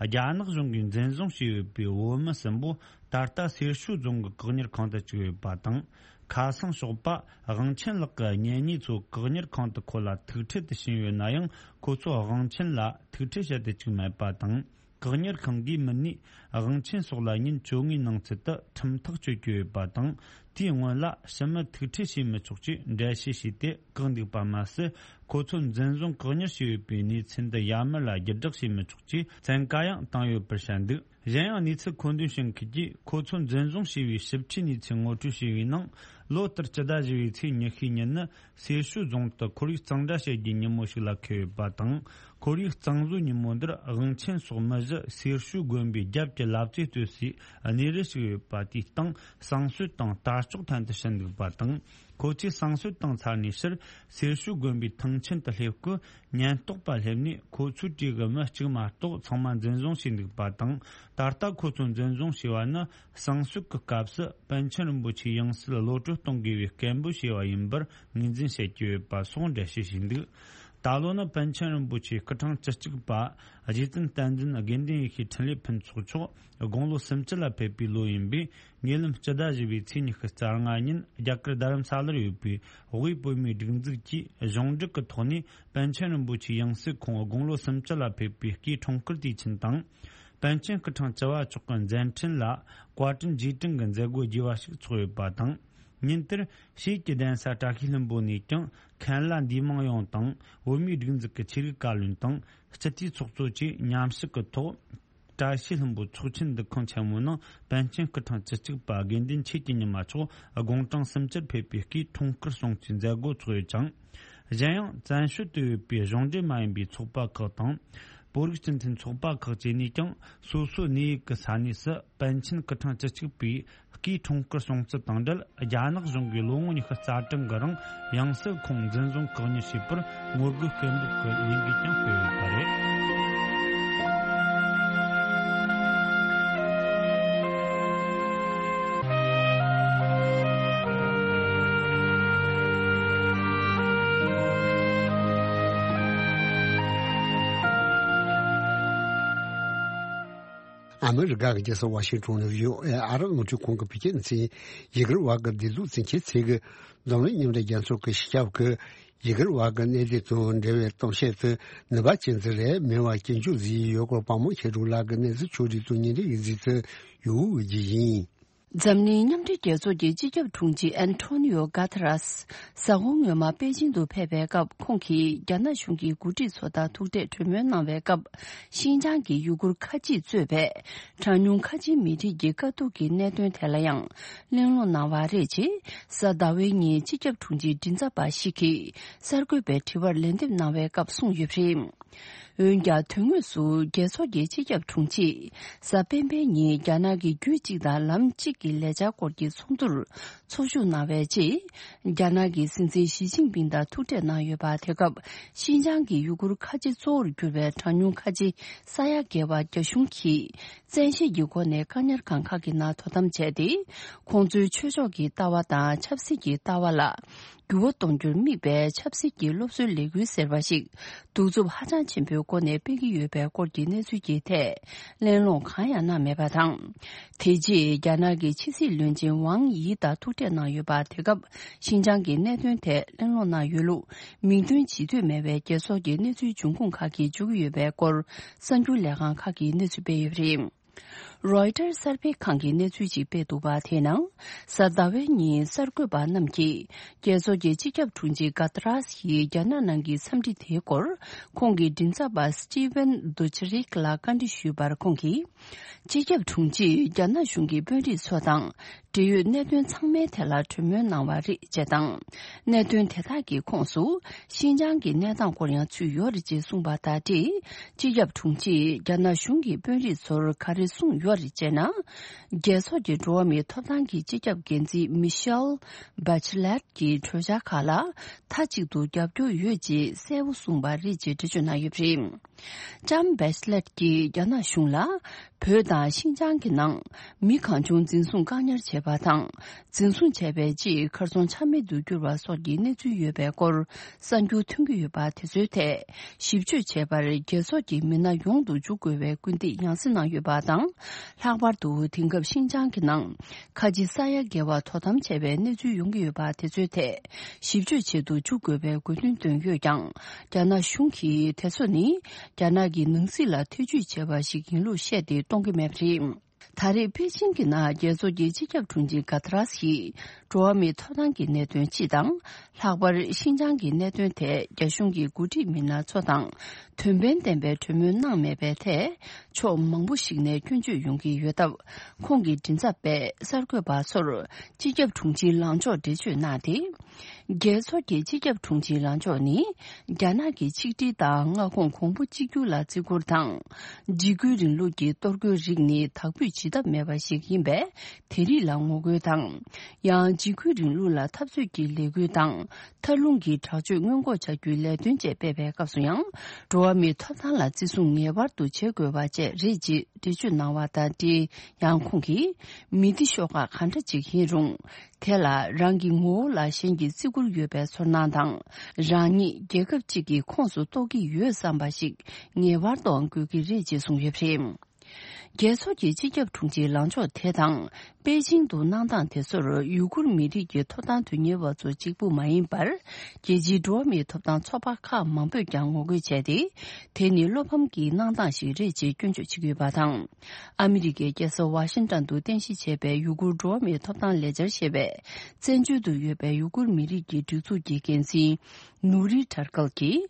རྒྱ་ནག་གཞུང་གིས་འཛིན་བཟུང་བྱས་ཡོད་པའི་བོད་མི་གསུམ་པོ་ད་ལྟ་སེར་ཤུལ་རྫོང་གི་བཀག་ཉར་ཁང་དུ་བཅུག་ཡོད་པ་དང་། ཁ་སང་ཞོགས་པ་དབང་ཆེན་ལགས་ཀྱི་གཉེན་ཉེ་ཚོ་བཀག་ཉར་ཁང་དུ་ཁོ་ལ་ཐུག་འཕྲད་དུ་ཕྱིན་ཡོད་ན་ཡང་། ཁོ་ཚོས་དབང་ཆེན་ལ་ཐུག་འཕྲད་བྱེད་དུ་བཅུག་མེད་པ་དང་། བཀག་ཉར་ཁང་གིས་མི་སྣས་དབང་ཆེན་སོགས་ལ་ཉིན་བཅོ་ལྔའི་ནང་ཚུད་དུ་ཁྲིམས་ཐག་གཅོད་ཀྱི་ཡོད་པ་དང་། དེའི་སྔོན་ལ་ཕྱི་མི་ཐུག་འཕྲད་བྱེད་མི་ཆོག་ཅེས་འགྲེལ་བཤད་བྱས་ཏེ་བཀག་འདུག་པ་མ་ཟད། ཁོ་ཚོ་འཛིན་བཟུང་བཀག་ཉར་བྱས་ཡོད་པའི་གནས་ཚུལ་འདི་ཡར་མར་ལ་བརྒྱུད་བསྒྲགས་བྱེད་མི་ཆོག་ཅེས་བཙན་བཀའ་ཡང་བཏང་ཡོད་པར་བཤད་འདུག་གཞན་ཡང་། གནས་ཚུལ་མཁོ་འདོན་བྱེད་མཁན་གྱིས་ཁོ་ཚོ་འཛིན་བཟུང་བྱས་པའི་ཞིབ་ཕྲའི་གནས་ཚུལ་ངོ་སྤྲོད་བྱས་པའི་ནང་། ལོ་ལྟར་སྤྱི་ཟླ་བཞི་པའི་ཚེས་ཉི་ཤུའི་ཉིན་ནི། སེར་ཤུལ་རྫོང་དུ་ཁོར་ཡུག་གཙང་སྦྲ་བྱེད་རྒྱུའི་ཉིན་མོ་ཞིག་ལ་འཁེལ་ཡོད་པ་དང་། ཁོར་ཡུག་གཙང་བཟོའི་ཉིན་མོ་འདིར་དབང་ཆེན་སོགས་མི་བཞི་སེར་ཤུལ་དགོན་པའི་རྒྱབ་ཀྱི་ལབ་རྩེ་གཏོད་སའི་གནས་རི་ཞིག་ཡོད་པ་དེའི་སྟེང་གསང་གསོལ་དང་དར་ལྕོག་འཐེན་དུ་ཕྱིན་འདུག་པ་དང་། ཁོ་ཚོས་གསང་གསོལ་བཏང་ཚར་ནས་ཕྱིར་སེར་ཤུལ་དགོན་པའི་ཐང་ཆེན་དུ་སླེབས་སྐུལ་ཉེན་རྟོག་པ་སླེབས་ནས་ཁོ་ཚོའི་གྲས་ཀྱི་མི་གཅིག་མ་གཏོགས་ཚང་མ་འཛིན་བཟུང་བྱས་འདུག་པ་དང་། ད་ལྟ་ཁོ་ཚོ་འཛིན་བཟུང་བྱས་པ་ནི། གསང་གསོལ་གྱི་སྐབས་སུ་པཎ་ཆེན་རིན་པོ་ཆེའི་ཡང་སྲིད་གློད་གྲོལ་གཏོང་དགོས་པའི་སྐད་འབོད་བྱས་པ་ཡིན་པར་ངོས་འཛིན་བྱེད་ཀྱི་ཡོད་པ་སོགས་འགྲེལ་བཤད་བྱས་འདུག་ད་ལོ་ནི་པཎ་ཆེན་རིན་པོ་ཆེའི་སྐུ་ཕྲེང་བཅུ་གཅིག་པ་རྗེ་བཙུན་བསྟན་འཛིན་དགེ་འདུན་ཡེ་ཤེས་འཕྲིན་ལས་ཕུན་ཚོགས་མཆོག་དགུང་ལོ་སུམ་ཅུ་ལ་ཕེབས་པའི་ལོ་ཡིན་པས། ཉེ་ལམ་སྤྱི་ཟླ་བཞི་པའི་ཚེས་ཉི་ཤུ་རྩ་ལྔ་ཉིན་རྒྱ་གར་རྡ་རམ་ས་ལར་ཡོད་པའི་དབུས་བོད་མིའི་སྒྲིག་འཛུགས་ཀྱིས་གཞུང་འབྲེལ་གྱི་ཐོག་ནས་པཎ་ཆེན་རིན་པོ་ཆེའི་ཡང་སྲིད་ཁོང་དགུང་ལོ་སུམ་ཅུ་ལ་ཕེབས་པའི་སྐུའི་འཁྲུངས་སྐར་དུས་ཆེན་དང་། པཎ་ཆེན་སྐུ་ཕྲེང་བཅུ་བ་མཆོག་གི་མཛད་འཕྲིན་ལ་བཀའ་དྲིན་རྗེས་དྲན་གྱི་མཛད་སྒོ་རྒྱས་པ་ཞིག་ཚོགས་ཡོད་པ་དང་། ཉིན་དེར་ཞིས་ཀྱི་གདན་ས་བཀྲ་ཤིས་ལྷུན་པོ་ནས་ཀྱང་མཁན་བླ་འདུས་མང་ཡོངས་དང་བོད་མིའི་སྒྲིག་འཛུགས་ཀྱི་ཆོས་རིག་བཀའ་བློན་དང་སྤྱི་འཐུས་ཚོགས་གཙོ་བཅས་མཉམ་ཞུགས་ཀྱི་ཐོག་བཀྲ་ཤིས་ལྷུན་པོ་ཚོགས་ཆེན་འདུ་ཁང་ཆེན་མོའི་ནང་པཎ་ཆེན་སྐུ་ཕྲེང་བཅུ་གཅིག་པ་དགེ་འདུན་ཆོས་ཀྱི་ཉི་མ་མཆོག་དགུང་གྲངས་སུམ་ཅུར་ཕེབས་པའི་སྐུའི་འཁྲུངས་སྐར་སྲུང་བརྩིའི་མཛད་སྒོ་ཚོགས་ཡོད་ཅིང་། གཞན་ཡང་བཙན་བྱོལ་དུ་ཡོད་པའི་གཞུང་འབྲེལ་མ་ཡིན་པའི་ཚོགས་པ་ཁག་དང་། བོད་རིགས་སྤྱི་མཐུན་ཚོགས་པ་ཁག་བཅས་ནས་ཀྱང་སོ་སོའི་གནས་ཡིག་གི་ས་གནས་སུ་པཎ་ཆེན་སྐུ་ཕྲེང་བཅུ་གཅིག་པའི་སྐུའི་འཁྲུངས་སྐར་སྲུང་བརྩི་དང་འབྲེལ། རྒྱ་ནག་གཞུང་གིས་ལོ་ངོ་ཉི་ཤུ་རྩ་གྲངས་ཀྱི་རིང་ཡང་སྲིད་ཁོང་འཛིན་བཟུང་བཀག་ཉར་བྱས་པར་ངོ་རྒོལ་སྐད་འབོད་ཀྱི་ལས་འགུལ་ཀྱང་སྤེལ་ཡོད་པ་རེད། ཨ་མི་རི་ཀ་གི་རྒྱལ་ས་ཝ་ཤིང་ཊོན་ནས་བྷི་ཨོ་ཨེ་ཨ་རབ་རླུང་འཕྲིན་ཁང་གི་བོད་སྐད་སྡེ་ཚན་ཡི་གེར་བ་གི་བདེ་སྡུག་འཛིན་མཁན་ཚོས་ཀྱི་འཛམ་གླིང་མཉམ་འབྲེལ་རྒྱལ་ཚོགས་ཀྱི་སྤྱི་ཁྱབ་ཀྱི་ཡི་གེར་བ་གི་གནས་སྡུད་དང་འབྲེལ་བའི་གཏམ་བཤད་དུ་ནུས་པ་ཅན་ཟིག་རེད། མི་བ་སྐྱིན་འཇུག་ཟིག་ཡོད་སྐོར་དཔའ་མོ་མཁས་གྲུབ་ལགས་ཀྱི་གནས་ཚུལ་ཕྱོགས་སྒྲིག་དང་ཉིན་རེ་ཡི་གཟིགས་ཚུལ་ཡོད་རྒྱུ་ཡིན། འཛམ་གླིང་མཉམ་འབྲེལ་རྒྱལ་ཚོགས་ཀྱི་སྤྱི་ཁྱབ་དྲུང་ཆེ་ཨན་ཐོ་ནི་ཡོ་གྷ་ཐ་རས་གཟའ་འཁོར་སྔོན་མ་པེ་ཅིང་དུ་ཕེབས་པའི་སྐབས། ཁོང་གིས་རྒྱ་ནག་གཞུང་གི་འགོ་ཁྲིད་ཚོ་དང་ཐུག་འཕྲད་གྲོས་མོལ་གནང་བའི་སྐབས། ཤིན་ཅང་གི་ཡུ་གུར་ཁ་ཆེས་གཙོས་པའི་གྲངས་ཉུང་ཁ་ཆེའི་མི་རིགས་ཀྱི་དཀའ་སྡུག་གི་གནད་དོན་ཐད་ལ་ཡང་གླེང་སློང་གནང་བ་རེད། ཅེས་གཟའ་ཟླ་བའི་ཉིན་སྤྱི་ཁྱབ་དྲུང་ཆེའི་མགྲིན་ཚབ་པ་ཞིག་གིས་གསར་འགོད་པའི་དྲི་བར་ལན་འདེབས་གནང་བའི་སྐབས་གསུངས་ཡོད་པ་རེད། འོན་ཀྱང་། དོན་དངོས་སུ་རྒྱལ་ཚོགས་ཀྱི་སྤྱི་ཁྱབ་དྲུང་ཆེས་གཟའ་སྤེན་པའི་ཉིན་རྒྱ་ནག་གི་རྒྱུད་གཅིག་དང་ལམ་གཅིག་གི་ལས་འཆར་སྐོར་གྱི་ཚོགས་འདུར་ཚོགས་ཞུགས་གནང་བའི་རྗེས། རྒྱ་ནག་གི་སྲིད་འཛིན་ཞི་ཅིན་ཕིང་དང་ཐུག་འཕྲད་གནང་ཡོད་པ། དེ་སྐབས་ཤིན་ཅང་གི་ཡུ་གུར་ཁ་ཆེ་གཙོ་བོར་གྱུར་པའི་གྲངས་ཉུང་ཁ་ཆེ་ས་ཡ་བརྒལ་བ་རྒྱ་གཞུང་གིས་བཙན་ཤེད་ཀྱི་སྒོ་ནས་བཀག་ཉར་ཁང་ཁག་གི་ནང་དོ་དམ་བྱས་ཏེ། ཁོང་ཚོའི་ཆོས་ཕྱོགས་ཀྱི་ལྟ་བ་དང་ཆབ་སྲིད་ཀྱི་ལྟ་བ་ལ། འགྱུར་བ་གཏོང་རྒྱུར་དམིགས་པའི་ཆབ་སྲིད་ཀྱི་སློབ་གསོའི་ལས་འགུལ་ཟེར་བ་ཞིག་གདུག་རྩུབ་ཧ་ཅང་ཆེན་པོའི་སྒོ་ནས་སྤེལ་གྱི་ཡོད་པའི་སྐོར་གྱི་གནས་ཚུལ་གྱི་ཐད་གླེང་སློང་གང་ཡང་གནང་མེད་པ་དང་། དེ་རྗེས་རྒྱ་ནག་གི་ཕྱི་སྲིད་བློན་ཆེན་ཝང་ཡི་དང་ཐུག་འཕྲད་གནང་ཡོད་པ། དེ་སྐབས་ཤིན་ཅང་གི་གནད་དོན་ཐད་གླེང་སློང་གནང་ཡོད་ལུགས་མིང་འདོན་བྱེད་འདོད་མེད་པའི་རྒྱལ་ཚོགས་ཀྱི་གནས་ཚུལ་འབྱུང་ཁུངས་ཁག་གིས་བརྗོད་ཀྱི་ཡོད་པའི་སྐོར་གསར་འགྱུར་ལས་ཁང་ཁག་གིས་གནས་ཚུལ་སྤེལ་ཡོད་པ་རེད། རོའི་ཊར་གསར་སྤེལ་ཁང་གིས་གནས་ཚུལ་ཞིག་སྤེལ་འདུག་པ། དེའི་ནང་། གཟའ་ཟླ་བའི་ཉིན་གསར་འགོད་པ་རྣམས་ཀྱིས་རྒྱལ་ཚོགས་ཀྱི་སྤྱི་ཁྱབ་དྲུང་ཆེ་གྷ་ཏ་རས་ཡིས་རྒྱ་ནག་ནང་གི་འཚམས་འདྲི་དེའི་སྐོར། ཁོང་གི་མགྲིན་ཚབ་པ་སི་ཊི་ཝན་དུ་ཆ་རིག་ལ་བཀའ་འདྲི་ཞུས་པར། ཁོང་གིས། སྤྱི་ཁྱབ་དྲུང་ཆེས་རྒྱ་ནག་གཞུང་གི་དཔོན་རིགས་ཚོ་དང་འབྲེལ་ཡོད་གནད་དོན་ཚང་མའི་ཐད་ལ་གྲོས་མོལ་གནང་བ་རེད། ཅེས་དང་། གནད་དོན་དེ་དག་གི་ཁོངས་སུ། ཤིན་ཅང་གི་གནས་སྟངས་སྐོར་ཡང་ཚུད་ཡོད་རེད། ཅེས་གསུངས་པ་དང་འབྲེལ། སྤྱི་ཁྱབ་དྲུང་ཆེས་རྒྱ་ནག་གཞུང་གི་དཔོན་རིགས་ཚོར་ག་རེ་གསུངས་ཡོད་རེད་ཅེ་ན། རྒྱལ་ཚོགས་ཀྱི་འགྲོ་བ་མིའི་ཐོབ་ཐང་གི་སྤྱི་ཁྱབ་འགན་འཛིན་མི་ཤེལ་བྷ་ཆི་ལེད་ཀྱི་གྲོས་འཆར་ཁག་ལ་མཐའ་གཅིག་ཏུ་རྒྱབ་སྐྱོར་ཡོད་ཅེས་གསལ་པོ་གསུངས་པ་རེད། ཅེས་འགྲེལ་བརྗོད་གནང་ཡོད་པ་རེད། ལྕམ་བྷེ་ཆི་ལེད་ཀྱིས་རྒྱ་ནག་གཞུང་ལ། བོད་དང་ཤིན་ཅང་གི་ནང་མི་གང་བྱུང་འཛིན་བཟུང་བཀག་ཉར་བྱས་པ་དང་། འཛིན་བཟུང་བྱས་པའི་རྗེས་གར་སོང་ཆ་མེད་དུ་གྱུར་བ་སོགས་ཀྱི་གནས་ཚུལ་ཡོད་པའི་སྐོར་གསར་འགྱུར་ཐོན་གྱི་ཡོད་པ། དེ་ཚོའི་ཐད་ཞིབ་དཔྱོད་བྱས་པར། རྒྱལ་ཚོགས་ཀྱི་མི་སྣ་ཡོངས་སུ་འཇུག་དགོས་པའི་སྐུལ་འདེད་ཡང་སེ་གནང་ཡོད་པ་དང་། ལྷག་པར་དུ་དེང་སྐབས་ཤིན་ཅང་གི་ནང་ཁ་ཆེ་ས་ཡ་བརྒལ་བ་དོ་དམ་བྱས་པའི་གནས་ཚུལ་ཡོང་གི་ཡོད་པ། དེ་ཚོའི་ཐད་ཞིབ་དཔྱོད་བྱེད་དུ་འཇུག་དགོས་པའི་དགོས་འདུན་བཏོན་ཡོད་ཀྱང་། རྒྱ་ནག་གཞུང་གིས་དེ་ཚོ་ནི་རྒྱ་ནག་གི་ནང་སྲིད་ལ་ཐེ་ཇུས་བྱས་པ་ཞིག་ཡིན་ལུགས་བཤད་དེ་གཏོང་གི་མེད་པ་རེད། ད་རེས་པེ་ཅིང་གི་ནང་རྒྱལ་ཚོགས་ཀྱི་སྤྱི་ཁྱབ་དྲུང་ཆེ་གྷ་ཏ་རས་ཀྱིས་འགྲོ་བ་མིའི་ཐོབ་ཐང་གི་གནད་དོན་སྤྱི་དང་། ལྷག་པར་ཤིན་ཅང་གི་གནད་དོན་ཐད་རྒྱ་གཞུང་གི་འགོ་ཁྲིད་མི་སྣ་ཚོ་དང་དོན་ཕན་ལྡན་པའི་གྲོས་མོལ་གནང་མེད་པའི་ཐད་ཕྱོགས་མང་པོ་ཞིག་ནས་སྐྱོན་བརྗོད་ཡོང་གི་ཡོད་སྟབས། ཁོང་གི་མགྲིན་ཚབ་པས་གསར་འགོད་པ་ཚོར་སྤྱི་ཁྱབ་དྲུང་ཆེའི་ལངས་ཕྱོགས་འགྲེལ་བརྗོད་གནང་སྟེ། རྒྱལ་ཚོགས་ཀྱི་སྤྱི་ཁྱབ་དྲུང་ཆེའི་ལངས་ཕྱོགས་ནི། རྒྱ་ནག་གི་ཆིག་སྒྲིལ་དང་མངའ་ཁོངས་གོང་བུ་གཅིག་གྱུར་ལ་བརྩི་བཀུར་དང་། འཇིགས་སྐུལ་རིང་ལུགས་ཀྱི་གཏོར་རྒོལ་རིགས་ནི་དག་འབུད་བྱེད་ཐབས་མེད་པ་ཞིག་ཡིན་པས། དེ་རིགས་ལ་ངོ་རྒོལ་དང་། ཡང་འཇིགས་སྐུལ་རིང་ལུགས་ལ་འཐབ་རྩོད་ཀྱི་ལས་འགུལ་དང་། མཐའ་ལྷུང་གི་དྲག་སྤྱོད་སྔོན་འགོག་བྱ་རྒྱུའི་ལས་དོན་བཅས་སྤེལ་བའི་སྐབས་སུ་ཡང་། འགྲོ་བ་མིའི་ཐོབ་ཐང་ལ་བརྩི་སྲུང་ངེས་པར་དུ་བྱེད་དགོས་པ་བཅས་རེད། ཅེས་འགྲེལ་བརྗོད་གནང་བ་དང་འབྲེལ། ཡང་ཁོང་གིས། མི་སྡེ་ཤོག་ཁག་གང་འདྲ་ཅིག་ཡིན་རུང་། དེ་ལ་རང་གི་ངོ་བོ་ལ་གཞན་གྱིས་བརྩི་བཀུར་ཡོད་པའི་ཚོར་སྣང་དང་། རང་ཉིད་རྒྱལ་ཁབ་ཅིག་གི་ཁོངས་སུ་གཏོགས་ཀྱི་ཡོད་བསམ་པ་ཞིག་ངེས་པར་དུའང་དགོས་ཀྱི་རེད། ཅེས་གསུངས་ཡོད་པ་རེད། རྒྱལ་ཚོགས་ཀྱི་སྤྱི་ཁྱབ་དྲུང་ཆེའི་ལངས་ཕྱོགས་དེ་དང་། པེ་ཅིང་དུ་གནང་སྟངས་དེ་ཚོར་ཡུ་གུར་མི་རིགས་ཀྱི་ཐོབ་ཐང་དོན་གཉེར་བ་ཚོ་གཅིག་པུ་མ་ཡིན་པར། རྒྱལ་སྤྱིའི་འགྲོ་བ་མིའི་ཐོབ་ཐང་ཚོགས་པ་ཁག་མང་པོས་ཀྱང་ངོ་རྒོལ་བྱས་ཏེ། དེ་ནི་བློ་ཕམ་གྱི་གནང་སྟངས་ཤིག་རེད་ཅེས་སྐྱོན་བརྗོད་བྱེད་ཀྱི་ཡོད་པ་དང་། ཨ་མི་རི་ཀའི་རྒྱལ་ས་ཝ་ཤིང་ཊོན་དུ་རྟེན་གཞི་བྱས་པའི་ཡུ་གུར་འགྲོ་བ་མིའི་ཐོབ་ཐང་ལས་འཆར་ཞེས་པའི་བཙན་བྱོལ་དུ་ཡོད་པའི་ཡུ་གུར་མི་རིགས་ཀྱི་སྒྲིག་འཛུགས་ཀྱི་འགན་འཛིན་ནུ་རི་ཁྲར་ཀལ་གྱིས།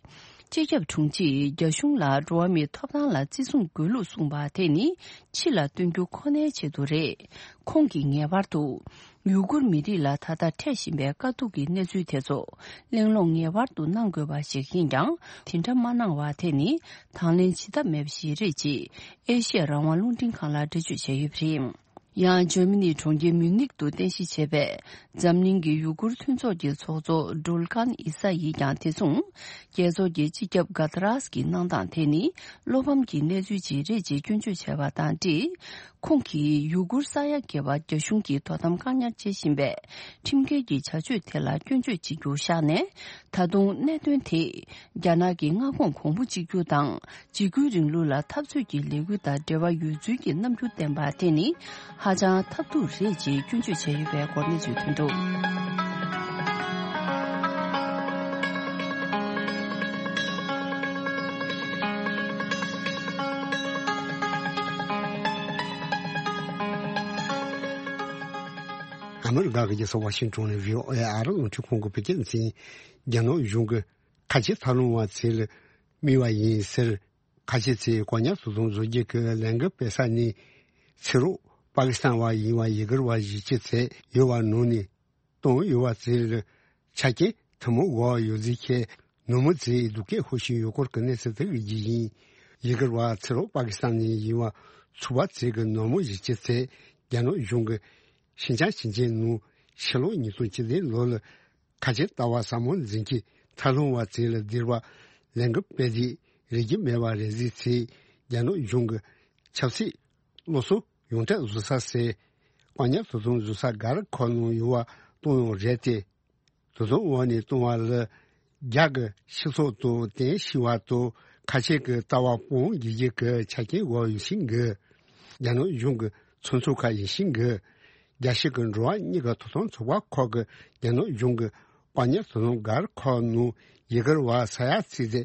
སྤྱི་ཁྱབ་དྲུང་ཆེས་རྒྱ་གཞུང་ལ་འགྲོ་བ་མིའི་ཐོབ་ཐང་ལ་བརྩི་སྲུང་དགོས་ལུགས་གསུངས་པ་དེ་ནི་ཕྱི་ལ་སྟོན་རྒྱུ་ཁོ་ནའི་ཆེད་དུ་རེད། ཁོང་གིས་ངེས་པར་དུ། ཡུ་གུར་མི་རིགས་ལ་ད་ལྟ་འཕྲད་བཞིན་པའི་དཀའ་སྡུག་གི་གནས་ཚུལ་དེ་ཚོ་གླེང་སློང་ངེས་པར་དུ་གནང་དགོས་པ་ཞིག་ཡིན་ཀྱང་། དེ་འདྲ་མ་གནང་བ་དེ་ནི་དང་ལེན་བྱེད་ཐབས་མེད་པ་ཞིག་རེད། ཅེས་ཨེ་ཤི་ཡ་རང་དབང་རླུང་འཕྲིན་ཁང་ལ་འགྲེལ་བརྗོད་བྱས་ཡོད་པ་རེད། ཡང་འཇར་མ་ནིའི་གྲོང་ཁྱེར་མིའུ་ནིག་ཏུ་རྟེན་གཞི་བྱས་པའི་འཛམ་གླིང་གི་ཡུ་གུར་མཐུན་ཚོགས་ཀྱི་ཚོགས་གཙོ་ཌུལ་ཀཱན་ཨི་ས་ཡིས་ཀྱང་དེ་མཚུངས། རྒྱལ་ཚོགས་ཀྱི་སྤྱི་ཁྱབ་ག་ཏ་རཱས་ཀྱི་གནང་སྟངས་དེ་ནི་བློ་ཕམ་གྱི་གནས་ཚུལ་ཅིག་རེད་ཅེས་སྐྱོན་བརྗོད་བྱས་པ་དང་འབྲེལ། ཁོང་གིས་ཡུ་གུར་ས་ཡ་བརྒལ་བ་རྒྱ་གཞུང་གིས་དོ་དམ་བཀག་ཉར་བྱེད་བཞིན་པའི་ཁྲིམས་འགལ་གྱི་བྱ་སྤྱོད་དེ་ལ་སྐྱོན་བརྗོད་བྱེད་རྒྱུ་བཞག་ནས། ད་དུང་གནད་དོན་དེ་རྒྱ་ནག་གི་མངའ་ཁོངས་གོང་བུ་གཅིག་གྱུར་དང་འཇིགས་སྐུལ་རིང་ལུགས་ལ་འཐབ་རྩོད་ཀྱི་ལས་འགུལ་དང་འབྲེལ་བ་ཡོད་ཚུལ་གྱི་རྣམ་འགྱུར་བསྟན་པ་དེ་ནི་ཧ་ཅང་ཐབས་སྡུག་རེད་ཅེས་སྐྱོན་བརྗོད་བྱས་ཡོད་པའི་སྐོར་གནས་ཚུལ་ཐོན་འདུག། ཨ་མི་རི་ཀ་གི་རྒྱལ་ས་ཝ་ཤིང་ཏོན་ནས་བྷི་ཨོ་ཨེ་ཨ་རི་རླུང་འཕྲིན་ཁང་གི་བོད་སྐད་སྡེ་ཚན། རྒྱ་ནག་གཞུང་གིས་ཁ་ཆེ་ཐབས་ལམ་བ་ཚོ་ལ་དམིགས་པ་ཡིན་ཟེར། ཁ་ཆེ་ཚོས་བཀག་ཉར་དོ་དམ་བཟོ་རྒྱུ་གི་ལས་འགུལ་སྤེལ་ས་ནས་ཕྱི་རོལ་པ་ཀི་སི་ཐན་བ་ཡིན་པ་ཡུ་གུར་བ་བཞི་བཅུ་ཙམ་ཡོད་པ་ནང་ནས་བཏང་ཡོད་པ་ཚོ་ལ་ཆ་རྐྱེན་ཐུན་མོང་དགོས་པ་ཡོད་ཚུལ་བཤད། ནུབ་མོ་ཚོས་སྡུག་སྐད་ཤོར་བཞིན་ཡོད་སྐོར་གྱི་གནས་ཚུལ་དེ་གི་རྒྱུ་ཡིན། ཡུ་གུར་བ་ཕྱི་རོལ་པ་ཀི་སི་ཐན་ནས་ཡིན་པ་ཚོ་པ་ཚོ་གི་ནུབ་མོ་བཞི་བཅུ་ཙམ་རྒྱ་ནག་གཞུང་གིས་ཤིན་ཅང་ཞིང་ཆེན་ནང་ཕྱི་ལོ་ཉིས་སྟོང་བཅུ་བདུན་ལོ་ལ་ཁ་ཆེ་ལྟ་བ་ཟབ་མོ་འཛིན་གྱི་ཐབས་ལམ་བ་ཚོ་ལ་སྡིགས་པ་ལས་འགུལ་སྤེལ་དུས་རིག་གི་མེད་པ་རེད་ཟེར་ཚེ། རྒྱ་ནག་གཞུང་གི་ཆབ་སྲིད་སློབ་གསོ་ཡོངས་གྲགས་བཟོ་ས་ཟེར། བཀག་ཉར་དོ་དམ་བཟོ་ས་སྒར་ཁག་ནང་ཡོད་པ་བཏང་ཡོད་རེད་དེ། དོ་དམ་འོག་ནས་བཏང་བ་ལ་རྒྱ་གི་སྤྱི་ཚོགས་དང་བསྟན་ཤེས་པ་དང་ཁ་ཆེ་གི་ལྟ་བ་སྤོང་རྒྱུ་གི་ཆ་རྐྱེན་དགོས་ཡོད་བཞིན་གི། རྒྱ་ནག་གཞུང་གི་ཚོགས་འཛིན་ཁག་ཡིན་བཞིན་གི། རྒྱལ་སྤྱི་གི་འགྲོ་བ་མིའི་གི་ཐོབ་ཐང་ཚོགས་པ་ཁག་གིས་རྒྱ་ནག་གཞུང་གི་བཀག་ཉར་དོ་དམ་སྒར་ཁག་ནང་ཡུ་གུར་བ་ས་ཡ་ཚོ་དེ་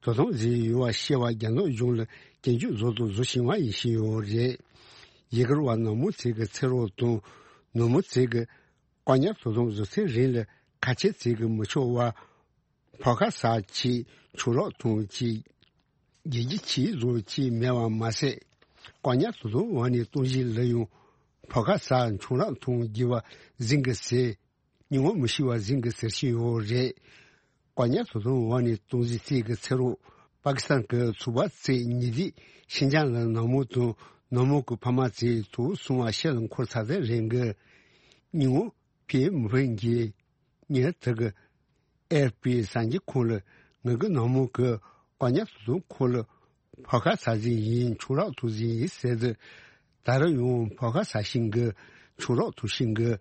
དོ་དམ་བཟོས་ཡོད་པ་ཤེས་པ་རྒྱ་ནག་གཞུང་ལ་སྐྱོན་བརྗོད་བཟོ་དང་བཟོ་བཞིན་པ་ཡིན་བཞིན་ཡོད་རེད། ཡུ་གུར་བ་ནག་མོ་ཚོ་གི་ཚེ་རོགས་དང་ནུབ་མོ་ཚོ་གི་བཀག་ཉར་དོ་དམ་བཟོ་ཚེ་རིང་ལ་ཁ་ཆེ་ཚོ་གི་མི་ཆོག་པ། ཕོ་ཁ་ཟ་ཆེད་ཆུ་རགས་འཐུང་ཆེད། དགེ་སྐྱིད་ཆེད་བཟོ་ཆེད་མེད་པ་མ་ཟད། བཀག་ཉར་དོ་དམ་འོག་ནས་གཏོང་གཞི་ལ་ཡང་ཕོ་ཁ་ཟ་ཆུ་རགས་འཐུང་དགོས་པ་ཟིན་གི་ཟེར། སྙིང་བོ་མི་ཤི་བ་ཟིན་གི་ཟེར་བཞིན་ཡོད་རེད། བཀག་ཉར་དོ་དམ་འོག་ནས་གཏོང་གཞི་ཚོ་གི་ཚེ་རོགས་པ་ཀི་སི་ཐན་གི་ཚོ་པ་ཚོ་ཉེ་དུས་ཤིན་ཅང་ལ་ནག་མོ་དང་ནག་མོ་གི་ཕ་མ་ཚོས་དུག་སྲུང་བ་ཤེལ་ལ་འཁོར་ཚར་ཚར་རེད་གི། སྙིང་བོ་ཕེ་མི་ཕན་གྱི། ངས་དེ་གི་ཨེ་ཨེཕ་པི་གསར་འགྱུར་ཁང་ལ་ངེད་ཀྱི་ནང་མི་གི་བཀག་ཉར་དོ་དམ་ཁང་ལ་ཕོ་ཁ་ཟ་ཟིན་ཡིན། ཆུ་རགས་འཐུང་ཟིན་ཡིན་ཟེར་དུས། ད་རུང་ཡང་ཕོ་ཁ་ཟ་བཞིན་གི། ཆུ་རགས་འཐུང་བཞིན་གི།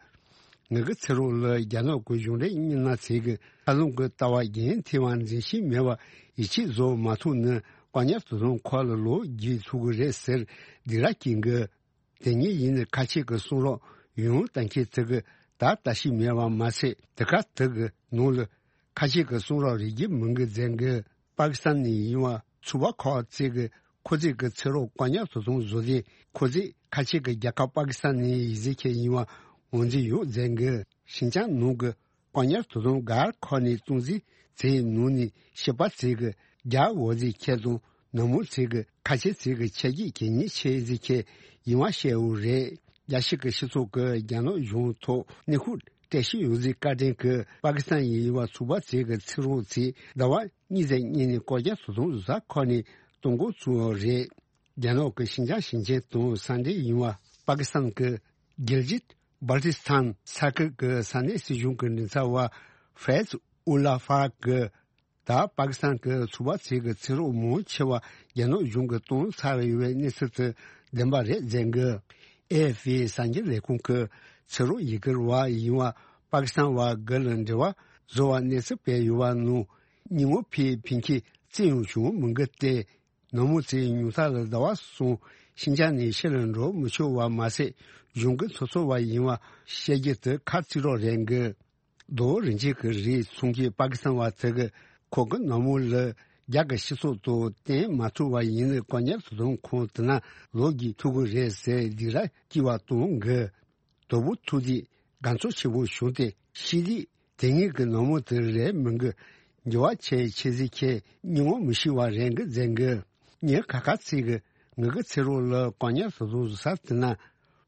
ངེད་ཀྱི་ཚེ་རོགས་ལ་རྒྱ་ནག་གི་གཞུང་འབྲེལ་མི་སྣ་ཚོས་གི་ཧ་ལམ་གི་ལྟ་བ་རྒྱུན་མཐུད་པ་འཛིན་བཞིན་མེད་པ་ཡིད་ཆེས་བཟོ་མ་ཐུབ་ན་བཀག་ཉར་དོ་དམ་ཁང་ལ་ལོག་རྒྱུགས་ཐུབ་གི་རེད་ཟེར་སྡིགས་ར་སྐྱེ་གི། དེ་ཉིད་ཡིན་ནི་ཁ་ཆེ་གི་གསུང་རོགས་ཡོང་ལྟ་མཁན་ཚོ་གི་ད་ལྟ་ཞིག་མེད་པ་མ་ཟད། དེ་ག་དེ་གི་ནང་ལ་ཁ་ཆེ་གི་གསུང་རོགས་རིགས་རྒྱུད་མིན་གི་མཛད་གི། པ་ཀི་སི་ཐན་ནས་ཡིན་པ་ཚོ་པ་ཁག་ཚོ་གི་ཁོ་ཚོས་གི་ཚེ་རོགས་བཀག་ཉར་དོ་དམ་བཟོ་དུས་ཁོ་ཚོས་ཁ་ཆེ་གི་རྒྱལ་ཁབ་པ་ཀི་སི་ཐན་ནས་ཡིག་གཟུགས་ཁྱེར་ཡིན་པ་ངོས་འཛིན་ཡོད་མཛད་གི། ཤིན་ཅང་ནང་གི་བཀག་ཉར་དོ་དམ་སྒར་ཁག་ནས་གཏོང་རྩིས་ཚོའི་ནང་ནས་སྐྱེས་པ་ཚོས་གི་རྒྱ་འོག་ཟིག་ཁྱེར་དང་ནུབ་མོ་ཚོས་གི་ཁ་ཆེ་ཚོས་གི་ཆ་རྒྱུས་གལ་གཉེར་ཆེ་ཟིག་ཁྱེར་ཡིན་པ་བཤད་ཡོད་རེད། རྒྱལ་སྤྱི་གི་སྤྱི་ཚོགས་གི་རྒྱ་ནག་གཞུང་ཐོག་གནོན་ཤུགས་སྤྲད་བཞིན་ཡོད་ཟིག་བཀའ་དྲིན་གི་པ་ཀི་སི་ཐན་ཡིན་པ་ཚོ་པ་ཚོས་གི་ཚེ་རོགས་ཚོས་ཟླ་བ་གཉིས་ཙམ་སྔོན་ནས་བཀག་ཉར་དོ་དམ་བཟོ་ས་ཁག་ནས་གཏོང་འགོ་བཙུགས་ཡོད་རེད། རྒྱ་ནག་གི་ཤིན་ཅང་ཞིང་ཆེན་དང་ས་འབྲེལ་ཡིན་པ་པ་ཀི་སི་ཐན་གི་གིལ་ཇིད་བལ་ཏི་སི་ཐན་ས་ཁུལ་གྱི་ས་གནས་སྲིད་གཞུང་གི་མགྲིན་ཚབ་པ་ཧྥེ་ཛི་ཨུ་ལ་ཧྥ་གིས། ད་པ་ཀི་སི་ཐན་གྱི་ཚོ་པ་ཚོས་ཀྱི་ཚེ་རོགས་མང་ཆེ་བ་རྒྱ་ནག་གཞུང་གིས་གཏོང་ཚར་ཡོད་པའི་གནས་ཚུལ་དེ་བདེན་པ་རེད་ཟེར་གི། ཨེ་ཨེཕ་པི་གསར་འགྱུར་ལས་ཁུངས་ཀྱིས་ཚེ་རོགས་ཡུ་གུར་བ་ཡིན་པ་པ་ཀི་སི་ཐན་བ་དགུ་ལ་འབྲེལ་བ་བཟོ་བར་གནས་ཚུལ་སྤེལ་ཡོད་པ་ནང་། སྙིང་བོ་ཕེ་ཕན་ཁེ་རྩི་ཡོང་བྱུང་མི་འགི་སྟེ། ནུབ་མོ་ཚོས་ཉུང་མཐའ་ལ་ཟླ་བ་གསུམ་ཤིན་ཅང་ནས་ཕྱི་ལ་འགྲོ་མི་ཆོག་པ་མ་ཟད། གཞུང་གི་ཚོགས་གཙོ་བ་ཡིན་པ་བཤད་རྒྱུ་དེ་ཁ་རྩིས་རོགས་རེད་གི། རྡོ་རིན་ཆེན་གྱི་རིགས་འཚོང་མཁན་པ་ཀི་སི་ཐན་བ་དེ་གིས་ཁོ་གི་ནུབ་མོ་ལ་རྒྱ་གི་སྤྱི་ཚོགས་དང་བསྟུན་མ་ཐུབ་པ་ཡིན་ན་བཀག་ཉར་དོ་དམ་ཁང་དེ་ན་ལོག་རྒྱུགས་ཐུབ་ཀྱི་རེད་ཟེར་སྡིགས་ར་སྐྱེ་བ་གཏོང་གི། དོ་པོ་ཐུག་དུས་དགའ་ཚོར་ཆེན་པོ་བྱུང་སྟེ་ཤི་དུས་དེ་ཉིད་ཀྱི་ནུབ་མོ་དེ་རེད་མིན་གི། འགྱུར་བ་ཆེ་ཆེ་ཟིག་ཁྱེད་སྙིང་བོ་མི་ཤི་བ་རེད་གི་ཟེར་གི། ངས་ཁ་ཁ་ཚིག་གི་ངེད་ཀྱི་ཚེ་རོགས་ལ་བཀག་ཉར་དོ་དམ་བཟོ་ས་དེ་ན་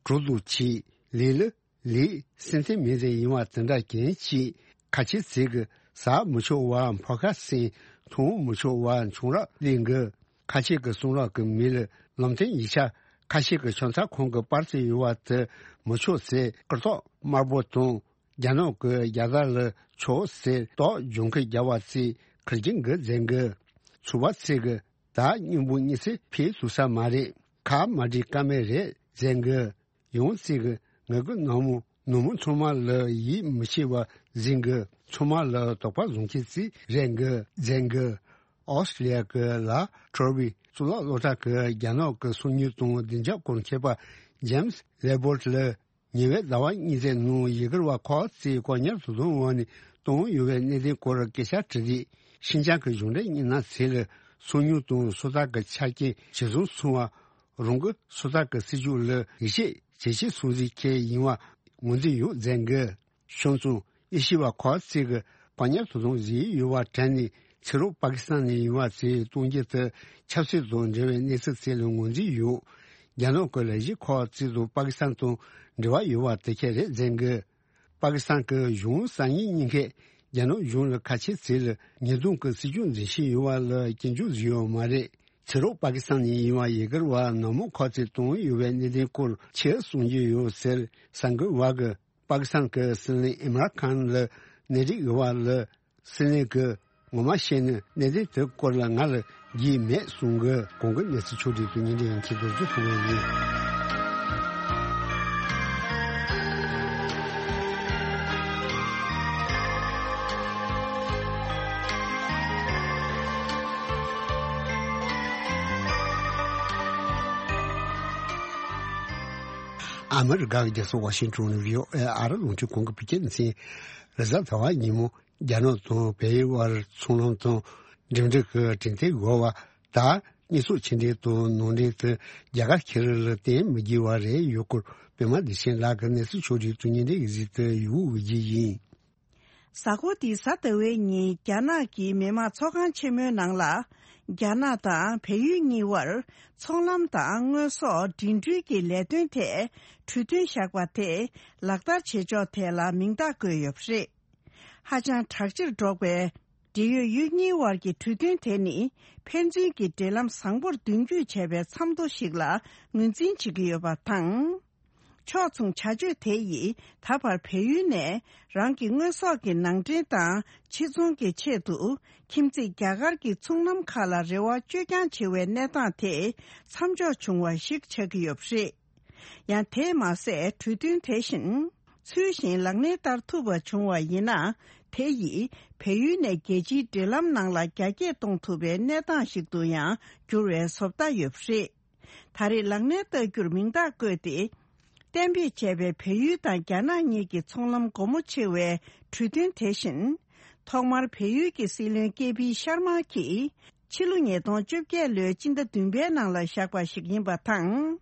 གྲུ་དུ་ཆི་ལི་ལི། ལིག་སེམས་ཚེ་མེད་ཟེར་ཡིན་བ་དེ་འདྲ་གན་ཅིག་ཁ་ཆེ་ཚིག་གི་ཟ་མི་ཆོག་བ་ཕོ་ཁ་སེང་འཐུང་མི་ཆོག་བ་ཆུང་རག་ལིང་གི། ཁ་ཆེ་གི་གསུང་རག་གི་མི་ལ་ལམ་སྟོན་ཡིག་ཆ་ ཁ་ཤས་ཀྱིས་ཆང་ས་ཁང་གི་པར་ཙམ་ཡོད་པ་དེ་མི་ཆོག་ཟེར། སྐུ་ཐོག་དམར་པོ་དང་རྒྱ་ནག་གིས་རྒྱལ་དར་ལ་ཆོག་ཟེར་རྟགས་ལྗང་ཁུ་རྒྱག་པ་ཚོས་ཁེར་རྐྱང་གི་ཟེར་གི། ཚོགས་པ་ཚོས་གི་ད་མཉམ་པོ་གཉིད་སད་ཕེབས་ཐུབ་ས་མ་རེད། ཁ་མ་འབྲལ་ཀ་མེད་རེད་ཟེར་གི། ཡང་ཚིག་གི་ངེད་ཀྱི་ནང་མི་ནང་མི་ཚང་མ་ལ་ཡིད་མི་ཆེས་པ་ཟིན་གི། ཚང་མ་ལ་དོགས་པ་བཟུང་ཁྱེད་ཚིག་རེད་གི་ཟེར་གི། ཨོ་སི་ཀྲི་ལི་ཡ་གི་ལ་ཁྲོ་བི་གཙུག་ལག་སློབ་གྲྭ་གི་རྒྱ་ནག་གི་སོ་ཉུལ་དང་བདེ་འཇགས་སྐོར་མཁས་པ་ཇེམ་སི་ལེ་བོར་ལ་ཉེ་བའི་ཟླ་བ་གཉིས་ཙམ་ནང་ཡི་གེར་བ་ཁག་ཅིག་བཀག་ཉར་དུ་བཟུང་བ་ནི་བཏང་ཡོད་པའི་གནད་དོན་སྐོར་སྐད་ཆ་དྲིས་རིགས། ཤིན་ཅང་གི་གཞུང་འབྲེལ་མི་སྣ་ཚོས་ལ་སོ་ཉུལ་དང་སོ་ཐར་གྱི་ཆ་རྐྱེན་ཇེ་བཟང་སོང་བ། རང་གི་སོ་ཐར་གྱི་སྲིད་ཇུས་ལ་ཡིད་ཆེས་ཇེ་ཆེ་སོང་ཟིག་ཁྱེད་ཡིན་བ་ངོས་འཛིན་ཡོད་ཟེར་གི། བྱས་ཙང་ཨེ་ཤི་བ་ཁག་ཅིག་གི་བཀག་ཉར་དུ་བཟུང་བཞིན་ཡོད་པ་དྲན་ནས་ཕྱི་རོགས་པ་ཀི་སི་ཐན་ནས་ཡིན་བ་ཚོས་གཏོང་རྒྱུ་དེ་ཆབ་སྲིད་དང་འབྲེལ་བའི་གནས་ཚུལ་ཚོ་ལ་ངོས་འཛིན་ཡོད། རྒྱ་ནག་གི་ལས་གཞི་ཁག་ཅིག་དང་པ་ཀི་སི་ཐན་དང་འབྲེལ་བ་ཡོད་པ་དེ་ཁྱེད་རེད་ཟེར་གི། པ་ཀི་སི་ཐན་གྱི་གཞུང་གསར་རྙིང་གཉིས་ཀས་རྒྱ་ནག་གཞུང་ལ་ཁ་ཆེ་ཚིག་ལ་ཉེས་རྡུང་གི་སྲིད་ཇུས་འཛིན་བཞིན་ཡོད་པ་ལ་སྐྱོན་བརྗོད་བཟོས་ཡོད་མ་རེད། ཕྱི་རོགས་པ་ཀི་སི་ཐན་ནས་ཡིན་བ་ཡི་གེར་བ་ནག་མོ་ཁག་ཅིག་བཏང་ཡོད་པའི་གནད་དོན་སྐོར་ཆེད་གསུང་རྒྱུ་ཡོད་ཟེར་གསར་འགོད་པ་གིས་པ་ཀི་སི་ཐན་གྱི་སྲིད་བློན་ཨིམ་རཱན་ཁཱན་ལ་གནས་རིགས་ཡོད་པ་ལ་སྲིད་བློན་གྱིས་ངོ་མ་བཤད་ན་གནད་དོན་དེ་སྐོར་ལ་ང་ལ་རྒྱུས་མེད་གསུང་གི། གོང་གི་གནས་ཚུལ་ཕྱོགས་སྒྲིག་ཏུ་ཉིན་རེ་ཡང་ཁྱེད་ཚོར་བསྡུ་ཐུབ་པ་ཡིན། ཨ་མི་རི་ཀ་གི་རྒྱལ་ས་ཝ་ཤིང་ཊོན་ནས་བྷི་ཨོ་ཨེ་ཨ་རི་རླུང་འཕྲིན་ཁང་གི་བོད་སྐད་སྡེ་ཚན། རེས་གཟའ་ཟླ་བ་ཉིན་མོ་རྒྱ་ནག་དང་བལ་ཡུལ་དབར་ཚོང་ལམ་དང་འགྲིམ་འགྲུལ་གྱི་གྲོས་མཐུན་འགོད་པ་དང་། དངོས་ཟོག་ཕྱི་འདྲེན་དང་ནང་འདྲེན་དུ་རྒྱ་གར་ཁེ་རི་ལ་བརྟེན་མི་དགོས་པ་རེད་ཡོད་སྐོར། པད་མ་བདེ་ཆེན་ལགས་ཀྱི་གནས་ཚུལ་ཕྱོགས་སྒྲིག་ཏུ་ཉིན་རེ་གཟིགས་དུ་ཡོད་དགོས་ཀྱི་ཡིན། གཟའ་འཁོར་འདིའི་གཟའ་ཟླ་བའི་ཉིན་རྒྱ་ནག་གི་མི་དམངས་ཚོགས་ཁང་ཆེན་མོའི་ནང་ལ། རྒྱ་ནག་དང་བལ་ཡུལ་གཉིས་དབར་ཚོང་ལམ་དང་དངོས་ཟོག་འགྲིམ་འགྲུལ་གྱི་ལས་དོན་ཐད་གྲོས་མཐུན་བཞག་པ་དེ་ལག་བསྟར་བྱེད་ཕྱོགས་ཐད་ལ་མིང་རྟགས་བཀོད་ཡོད་པ་རེད། ཧ་ཅང་དྲག་ཆེར་འགྲོ་བའི་འབྲེལ་ཡོད་ཡུལ་གཉིས་དབར་གྱི་གྲོས་མཐུན་དེ་ནི་ཕན་ཚུན་གྱི་འབྲེལ་ལམ་བཟང་པོར་མདུན་སྐྱོད་བྱས་པའི་མཚམས་ཐོ་ཞིག་ལ་ངོས་འཛིན་བྱེད་ཀྱི་ཡོད་པ་དང་། ཕྱོགས་མཚུངས་བྱ་སྤྱོད་དེ་ཡིས་ད་བར་བལ་ཡུལ་ནས་རང་གི་དངོས་ཟོག་གི་ནང་འདྲེན་དང་ཕྱིར་ཚོང་གི་ཆེད་དུ་ཁྱིམ་མཚེས་རྒྱ་གར་གྱི་ཚོང་ལམ་ཁག་ལ་རེ་བ་བཅོས་ཀྱང་ཆེ་བའི་གནས་སྟངས་དེ་མཚམས་འཇོག་བྱུང་བ་ཞིག་ཆགས་ཀྱི་ཡོད་པ་རེད། ཡང་དེས་མ་ཟད་གྲོས་མཐུན་དེ་བཞིན་ཚུལ་བཞིན་ལག་ལེན་བསྟར་ཐུབ་པ་བྱུང་བ་ཡིན་ན། དེ་ཡིས་བལ་ཡུལ་ནས་རྒྱལ་སྤྱིའི་འབྲེལ་ལམ་ནང་ལ་རྒྱ་སྐྱེད་གཏོང་ཐུབ་པའི་གནས་སྟངས་ཤིག་ཏུ་ཡང་འགྱུར་བའི་བཟོ་ལྟ་ཡོད་པ་རེད། ད་རེས་ལག་ལེན་བསྟར་རྒྱུར་མིང་རྟགས་བཀོད་དེ། གཏན་འབེབས་བྱས་པའི་བལ་ཡུལ་དང་རྒྱ་ནག་གཉིས་ཀྱི་ཚོང་ལམ་སྒོ་མོ་ཕྱེ་བའི་གྲོས་མཐུན་དེ་བཞིན། ཐོག་མར་བལ་ཡུལ་གྱི་སྲིད་བློན་ཀེ་པི་ཤར་མ་གྱིས་ཕྱི་ལོ་ཉིས་སྟོང་བཅོ་བརྒྱད་ལོའི་སྤྱི་ཟླ་བདུན་པའི་ནང་ལ་བཞག་པ་ཞིག་ཡིན་པ་དང་།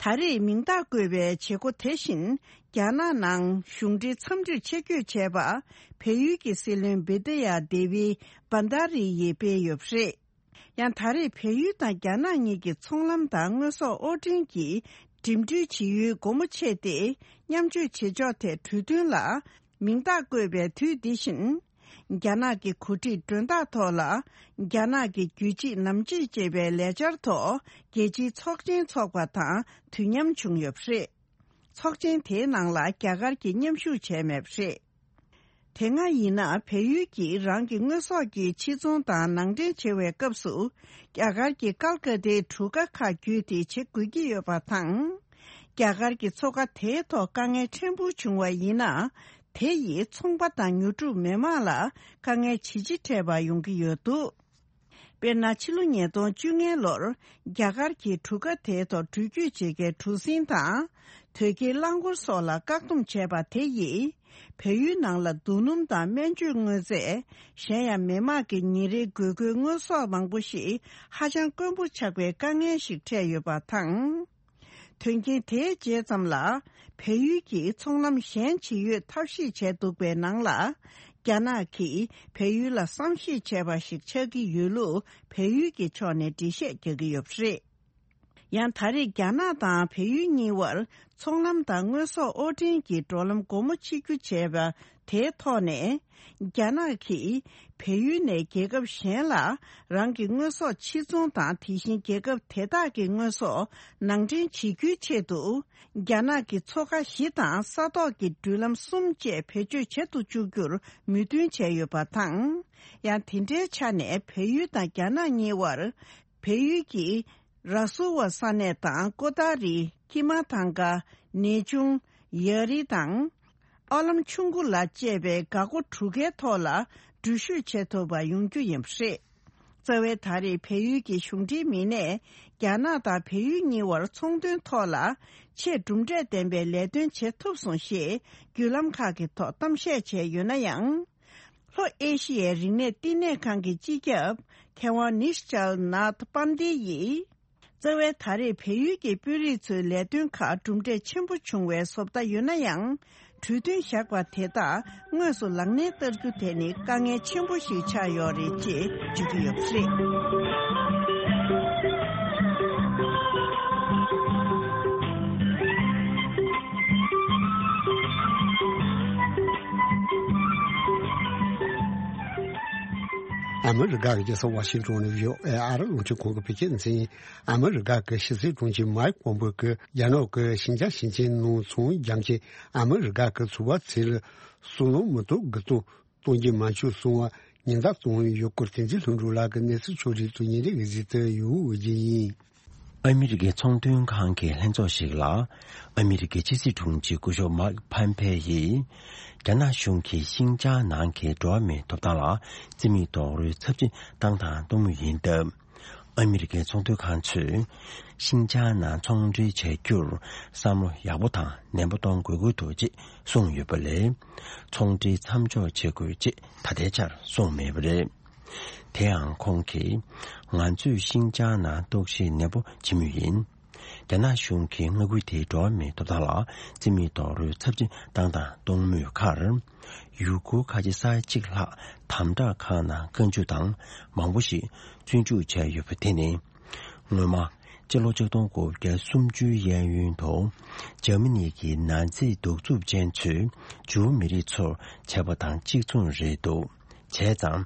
ད་རེས་མིང་རྟགས་བཀོད་པའི་བྱེད་སྒོ་དེ་བཞིན་རྒྱ་ནག་ནང་གཞུང་འབྲེལ་འཚམས་འདྲིར་ཆེད་བསྐྱོད་བྱས་པ་བལ་ཡུལ་གྱི་སྲིད་བློན་བི་དི་ཡ་དེ་བི་བྷན་དྷ་རི་ཡིས་སྤེལ་ཡོད་པ་རེད། ཡང་ད་རེས་བལ་ཡུལ་དང་རྒྱ་ནག་གཉིས་ཀྱི་ཚོང་ལམ་དང་དངོས་ཟོག་དབོར་འདྲེན་གྱི་འགྲིམ་འགྲུལ་བྱེད་ཡུལ་སྒོ་མོ་ཕྱེ་སྟེ་མཉམ་སྤྱོད་བྱེད་ཕྱོགས་ཐད་གྲོས་མཐུན་ལ་མིང་རྟགས་བཀོད་པའི་དུས་འདི་བཞིན། རྒྱ་ནག་གི་གོ་སྒྲིག་མགྲོན་བདག་ཐོག་ལ་རྒྱ་ནག་གི་རྒྱུད་གཅིག་ནམ་གཅིག་ཅེས་པའི་ལས་འཆར་ཐོག་རྒྱལ་སྤྱིའི་ཚོགས་ཆེན་འཚོགས་པ་དང་དུས་མཉམ་བྱུང་ཡོད་པ་རེད། ཚོགས་ཆེན་དེའི་ནང་ལ་རྒྱ་གར་གྱིས་མཉམ་ཞུགས་བྱས་མེད་པ་རེད། དེ་སྔ་ཡིན་ན་བལ་ཡུལ་གྱིས་རང་གི་དངོས་ཟོག་གི་ཕྱིར་ཚོང་དང་ནང་འདྲེན་བྱེད་པའི་སྐབས་སུ་རྒྱ་གར་གྱི་ཀལ་ཀ་ཏའི་གྲུ་ཁ་ཁག་བརྒྱུད་དེ་བྱེད་དགོས་ཀྱི་ཡོད་པ་དང་། རྒྱ་གར་གྱི་མཚོ་ཁ་དེའི་ཐོག་དཀའ་ངལ་ཕྲན་བུ་བྱུང་བ་ཡིན་ན། དེ་ཡིས་ཚོང་པ་དང་ཉོ་སྒྲུབ་མི་མང་ལ་དཀའ་ངལ་ཇི་ཆེ་འཕྲད་པ་ཡོང་གི་ཡོད་འདུག་དཔེར་ན་ཕྱི་ལོ་ཉིས་སྟོང་བཅོ་ལྔ་ལོར་རྒྱ་གར་གྱིས་གྲུ་ཁ་དེའི་ཐོག་འགྲུལ་སྐྱོད་བྱེད་མཁན་གྲུ་གཟིངས་དང་། དོས་སྐྱེལ་རླངས་འཁོར་སོགས་ལ་བཀག་སྡོམ་བྱས་པ་དེ་ཡིས་བལ་ཡུལ་ནང་ལ་རྡོ་སྣུམ་དང་སྨན་བཅོས་དངོས་རྫས། གཞན་ཡང་མི་དམངས་ཀྱི་ཉིན་རེའི་དགོས་མཁོའི་དངོས་ཟོག་མང་པོ་ཞིག་ཧ་ཅང་དཀོན་པོ་ཆགས་པའི་དཀའ་ངལ་ཞིག་འཕྲད་ཡོད་པ་དང་། དོན་རྐྱེན་དེའི་རྗེས་ཙམ་ལ། བལ་ཡུལ་གྱིས་ཚོང་ལམ་གཞན་ཇི་ཡོད་ཐབས་ཤེས་བྱས་འདུག་པའི་ནང་ལ། རྒྱ་ནག་གིས་བལ་ཡུལ་ལ་བསམ་ཤེས་བྱས་པ་ཞིག་ཆགས་ཀྱི་ཡོད་ལུགས་བལ་ཡུལ་གྱི་ཕྱོགས་ནས་འགྲེལ་བཤད་རྒྱག་གི་ཡོད་པ་རེད། ཡང་ད་རེས་རྒྱ་ནག་དང་བལ་ཡུལ་གཉིས་དབར་ཚོང་ལམ་དང་དངོས་ཟོག་དབོར་འདྲེན་གྱི་འགྲོ་ལམ་སྒོ་མོ་ཕྱེ་རྒྱུ་བྱས་པ་ དེའི་ཐོག་ནས། རྒྱ་ནག་གིས་བལ་ཡུལ་ནས་རྒྱལ་ཁབ་གཞན་ལ་རང་གི་དངོས་ཟོག་ཕྱིར་ཚོང་དང་། དེ་བཞིན་རྒྱལ་ཁབ་དེ་དག་གི་དངོས་ཟོག་ནང་འདྲེན་བྱེད་རྒྱུའི་ཆེད་དུ། རྒྱ་ནག་གི་མཚོ་ཁ་བཞི་དང་ས་ཐོག་གི་འགྲུལ་ལམ་གསུམ་བཅས་བེད་སྤྱོད་བྱེད་དུ་བཅུག་རྒྱུར་མོས་མཐུན་བྱས་ཡོད་པ་དང་། ཡང་དེ་འདྲའི་ཆ་ནས་བལ་ཡུལ་དང་རྒྱ་ནག་གཉིས་བར། བལ་ཡུལ་གྱི་ར་སུ་ཝ་ས་གནས་དང་ཀོ་ཏཱ་རི། ཀི་མ་ཐང་ཀ། ནེ་ཆུང་། ཡ་རི་དང་། ཨ་ལམ་ཆུང་ཀུ་ལ་བཅས་པའི་འགག་སྒོ་དྲུག་ཀའི་ཐོག་ལ་འགྲུལ་བཞུད་བྱེད་ཐུབ་པ་ཡོང་རྒྱུ་ཡིན་པ་རེད། རྩ་བའི་ད་རེས་བལ་ཡུལ་གྱི་གཞུང་འབྲེལ་མི་སྣས་རྒྱ་ནག་དང་བལ་ཡུལ་གཉིས་བར་ཚོང་དོན་ཐོག་ལ་ཆེས་གྲུབ་འབྲས་ལྡན་པའི་ལས་དོན་བྱེད་ཐུབ་སོང་ཞེས་བརྒྱུད་ལམ་ཁག་གི་ཐོག་གཏམ་བཤད་བྱས་ཡོད་ན་ཡང་། ལྷོ་ཨེ་ཤི་ཡའི་རིག་གནས་བསྟི་གནས་ཁང་གི་སྤྱི་ཁྱབ་མཁས་དབང་ནིཤ་ཅལ་ནཱཐ་པན་དེ་ཡིས། རྩ་བའི་ད་རེས་བལ་ཡུལ་གྱི་དཔོན་རིགས་ཚོའི་ལས་དོན་ཁག་གྲུབ་འབྲས་ཆེན་པོ་བྱུང་བའི་བཟོ་ལྟ་ཡོད་ན་ཡང་། གྲོས་མཐུན་བཞག་པ་དེ་དག་དངོས་སུ་ལག་ལེན་བསྟར་རྒྱུ་དེ་ནི་དཀའ་ངལ་ཆེན་པོ་ཞིག་ཆགས་ཡོད་རེད་ཅེས་བརྗོད་ཀྱི་ཡོད་པ་རེད། ཨ་མི་རི་ཀ་གི་རྒྱལ་ས་ཝ་ཤིང་ཏོན་ནས་བྷི་ཨོ་ཨེ་ཨ་རི་རླུང་འཕྲིན་ཁང་གི་བོད་སྐད་སྡེ་ཚན་ཡིན། ཨ་མི་རི་ཀ་གི་ཕྱི་སྲིད་དྲུང་ཆེ་མའིག་པོམ་པེ་གིས་རྒྱ་ནག་གི་ཤིན་ཅང་ཞིང་ཆེན་ནང་ཚོང་རྒྱག་མཁན་ཨ་མི་རི་ཀ་གི་ཚོང་པ་ཚོ་ལ་སོ་ནམ་མི་ཐོག་དགུ་ཐོག་གཏོང་རྒྱུ་མ་བྱུང་སོང་བ་ཉེན་བརྡ་བཏང་ཡོད་སྐོར་དོན་གཅོད་ལྷུན་གྲུབ་ལགས་ཀྱིས་གནས་ཚུལ་ཕྱོགས་སྒྲིག་ཐོག་ཉིན་རེ་བཞིན་བསྡུས་ཡོད་ཅེས་ཡིན། ཨ་མི་རི་ཀའི་ཚོང་དོན་ཁང་གི་ལྷན་ཚོགས་ཤིག་ལ། ཨ་མི་རི་ཀའི་ཕྱི་སྲིད་དྲུང་ཆེ་སྐུ་ཞབས་མཱིག་ཕམ་ཕེ་ཡིས། རྒྱ་ནག་གཞུང་གིས་ཤིན་ཅང་ནང་གི་འགྲོ་བ་མིའི་ཐོབ་ཐང་ལ་རྩིས་མེད་རྡོག་རོལ་ཚབས་ཆེན་བཏང་དང་གཏོང་མུས་ཡིན་སྟབས། ཨ་མི་རི་ཀའི་ཚོང་དོན་ཁང་ཚོས། ཤིན་ཅང་ནང་ཚོང་འབྲེལ་བྱ་རྒྱུར་བསམ་བློ་ཡག་པོ་དང་ནན་པོ་གཏོང་དགོས་ཀྱི་འདུག་ཅེས་གསུངས་ཡོད་པ་ལས། ཚོང་འབྲེལ་མཚམས་འཇོག་བྱེད་དགོས་ཅེས་ད་ལྟའི་ཆར་གསུངས་མེད་པ་རེད། དེའང་ཁོང་གིས། ང་ཚོས་ཤིན་ཅང་ནང་རྟོག་ཞིབ་ནན་པོ་བྱེད་མུས་ཡིན། རྒྱ་ནག་གཞུང་གིས་མངའ་ཁུལ་དེའི་འགྲོ་བ་མིའི་ཐོབ་ཐང་ལ་རྩིས་མེད་རྡོག་རོལ་ཚབས་ཆེན་བཏང་དང་གཏོང་མུས་ཁར། ཡུ་གུར་ཁ་ཆེ་ས་ཡ་གཅིག་ལྷག་དམ་དྲག་ཁང་ནང་བཀའ་འཇུག་དང་མང་པོ་ཞིག་བཙོན་འཇུག་བྱས་ཡོད་པ་དེ་ནི། སྔོན་མ། སྤྱི་ལོ་ཆིག་སྟོང་དགུ་བརྒྱ་སུམ་ཅུའི་གཡས་གཡོན་དུ། འཇར་མ་ནི་གི་ནཱ་ཛི་གདུག་རྩུབ་ཅན་ཚོས་ཇུའུ་མི་རིགས་ཚོར་བྱས་པ་དང་གཅིག་མཚུངས་རེད་འདུག་བྱས་ཙང་།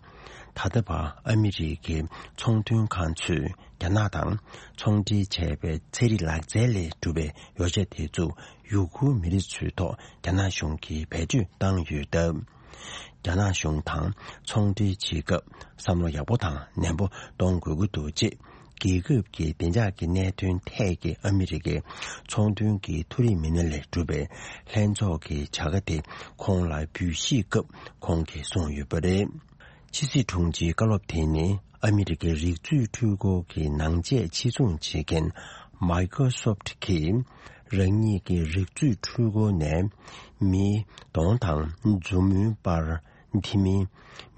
ད་ལྟ་བར་ཨ་མི་རི་ཀའི་ཚོང་དོན་ཁང་ཚོས་རྒྱ་ནག་དང་ཚོང་འབྲེལ་བྱས་པའི་ཚན་རིག་ལག་རྩལ་ལས་གྲུབ་པའི་ཡོ་བྱད་དེ་ཚོ་ཡུ་གུར་མི་རིགས་ཚོའི་ཐོག་རྒྱ་ནག་གཞུང་གིས་བེད་སྤྱོད་བཏང་ཡོད་སྟབས། རྒྱ་ནག་གཞུང་དང་ཚོང་འབྲེལ་བྱེད་སྐབས་བསམ་བློ་ཡག་པོ་དང་ནན་པོ་གཏོང་དགོས་ཀྱི་འདུག་ཅེས། རྒྱལ་ཁབ་ཀྱི་བདེ་འཇགས་ཀྱི་གནད་དོན་ཐད་ཀྱི་ཨ་མི་རི་ཀའི་ཚོང་དོན་གྱི་མཐོ་རིམ་མི་སྣ་ལས་གྲུབ་པའི་ལྷན་ཚོགས་ཀྱི་བྱ་དགའ་དེ་ཁོང་ལ་འབུལ་བཞེས་སྐབས་ཁོང་གིས་གསུངས་ཡོད་པ་རེད། ཕྱི་སྲིད་དྲུང་ཆེའི་བཀའ་སློབ་དེ་ནི་ཨ་མི་རི་ཀའི་རིག་མཛོད་འཕྲུལ་འཁོར་གྱི་ནང་ཆས་ཕྱིར་ཚོང་བྱེད་མཁན་Microsoft་གིས་རང་ཉིད་ཀྱི་རིག་མཛོད་འཕྲུལ་འཁོར་ནས་མིའི་གདོང་དང་མཛུབ་མོའི་པར། དེ་མིན།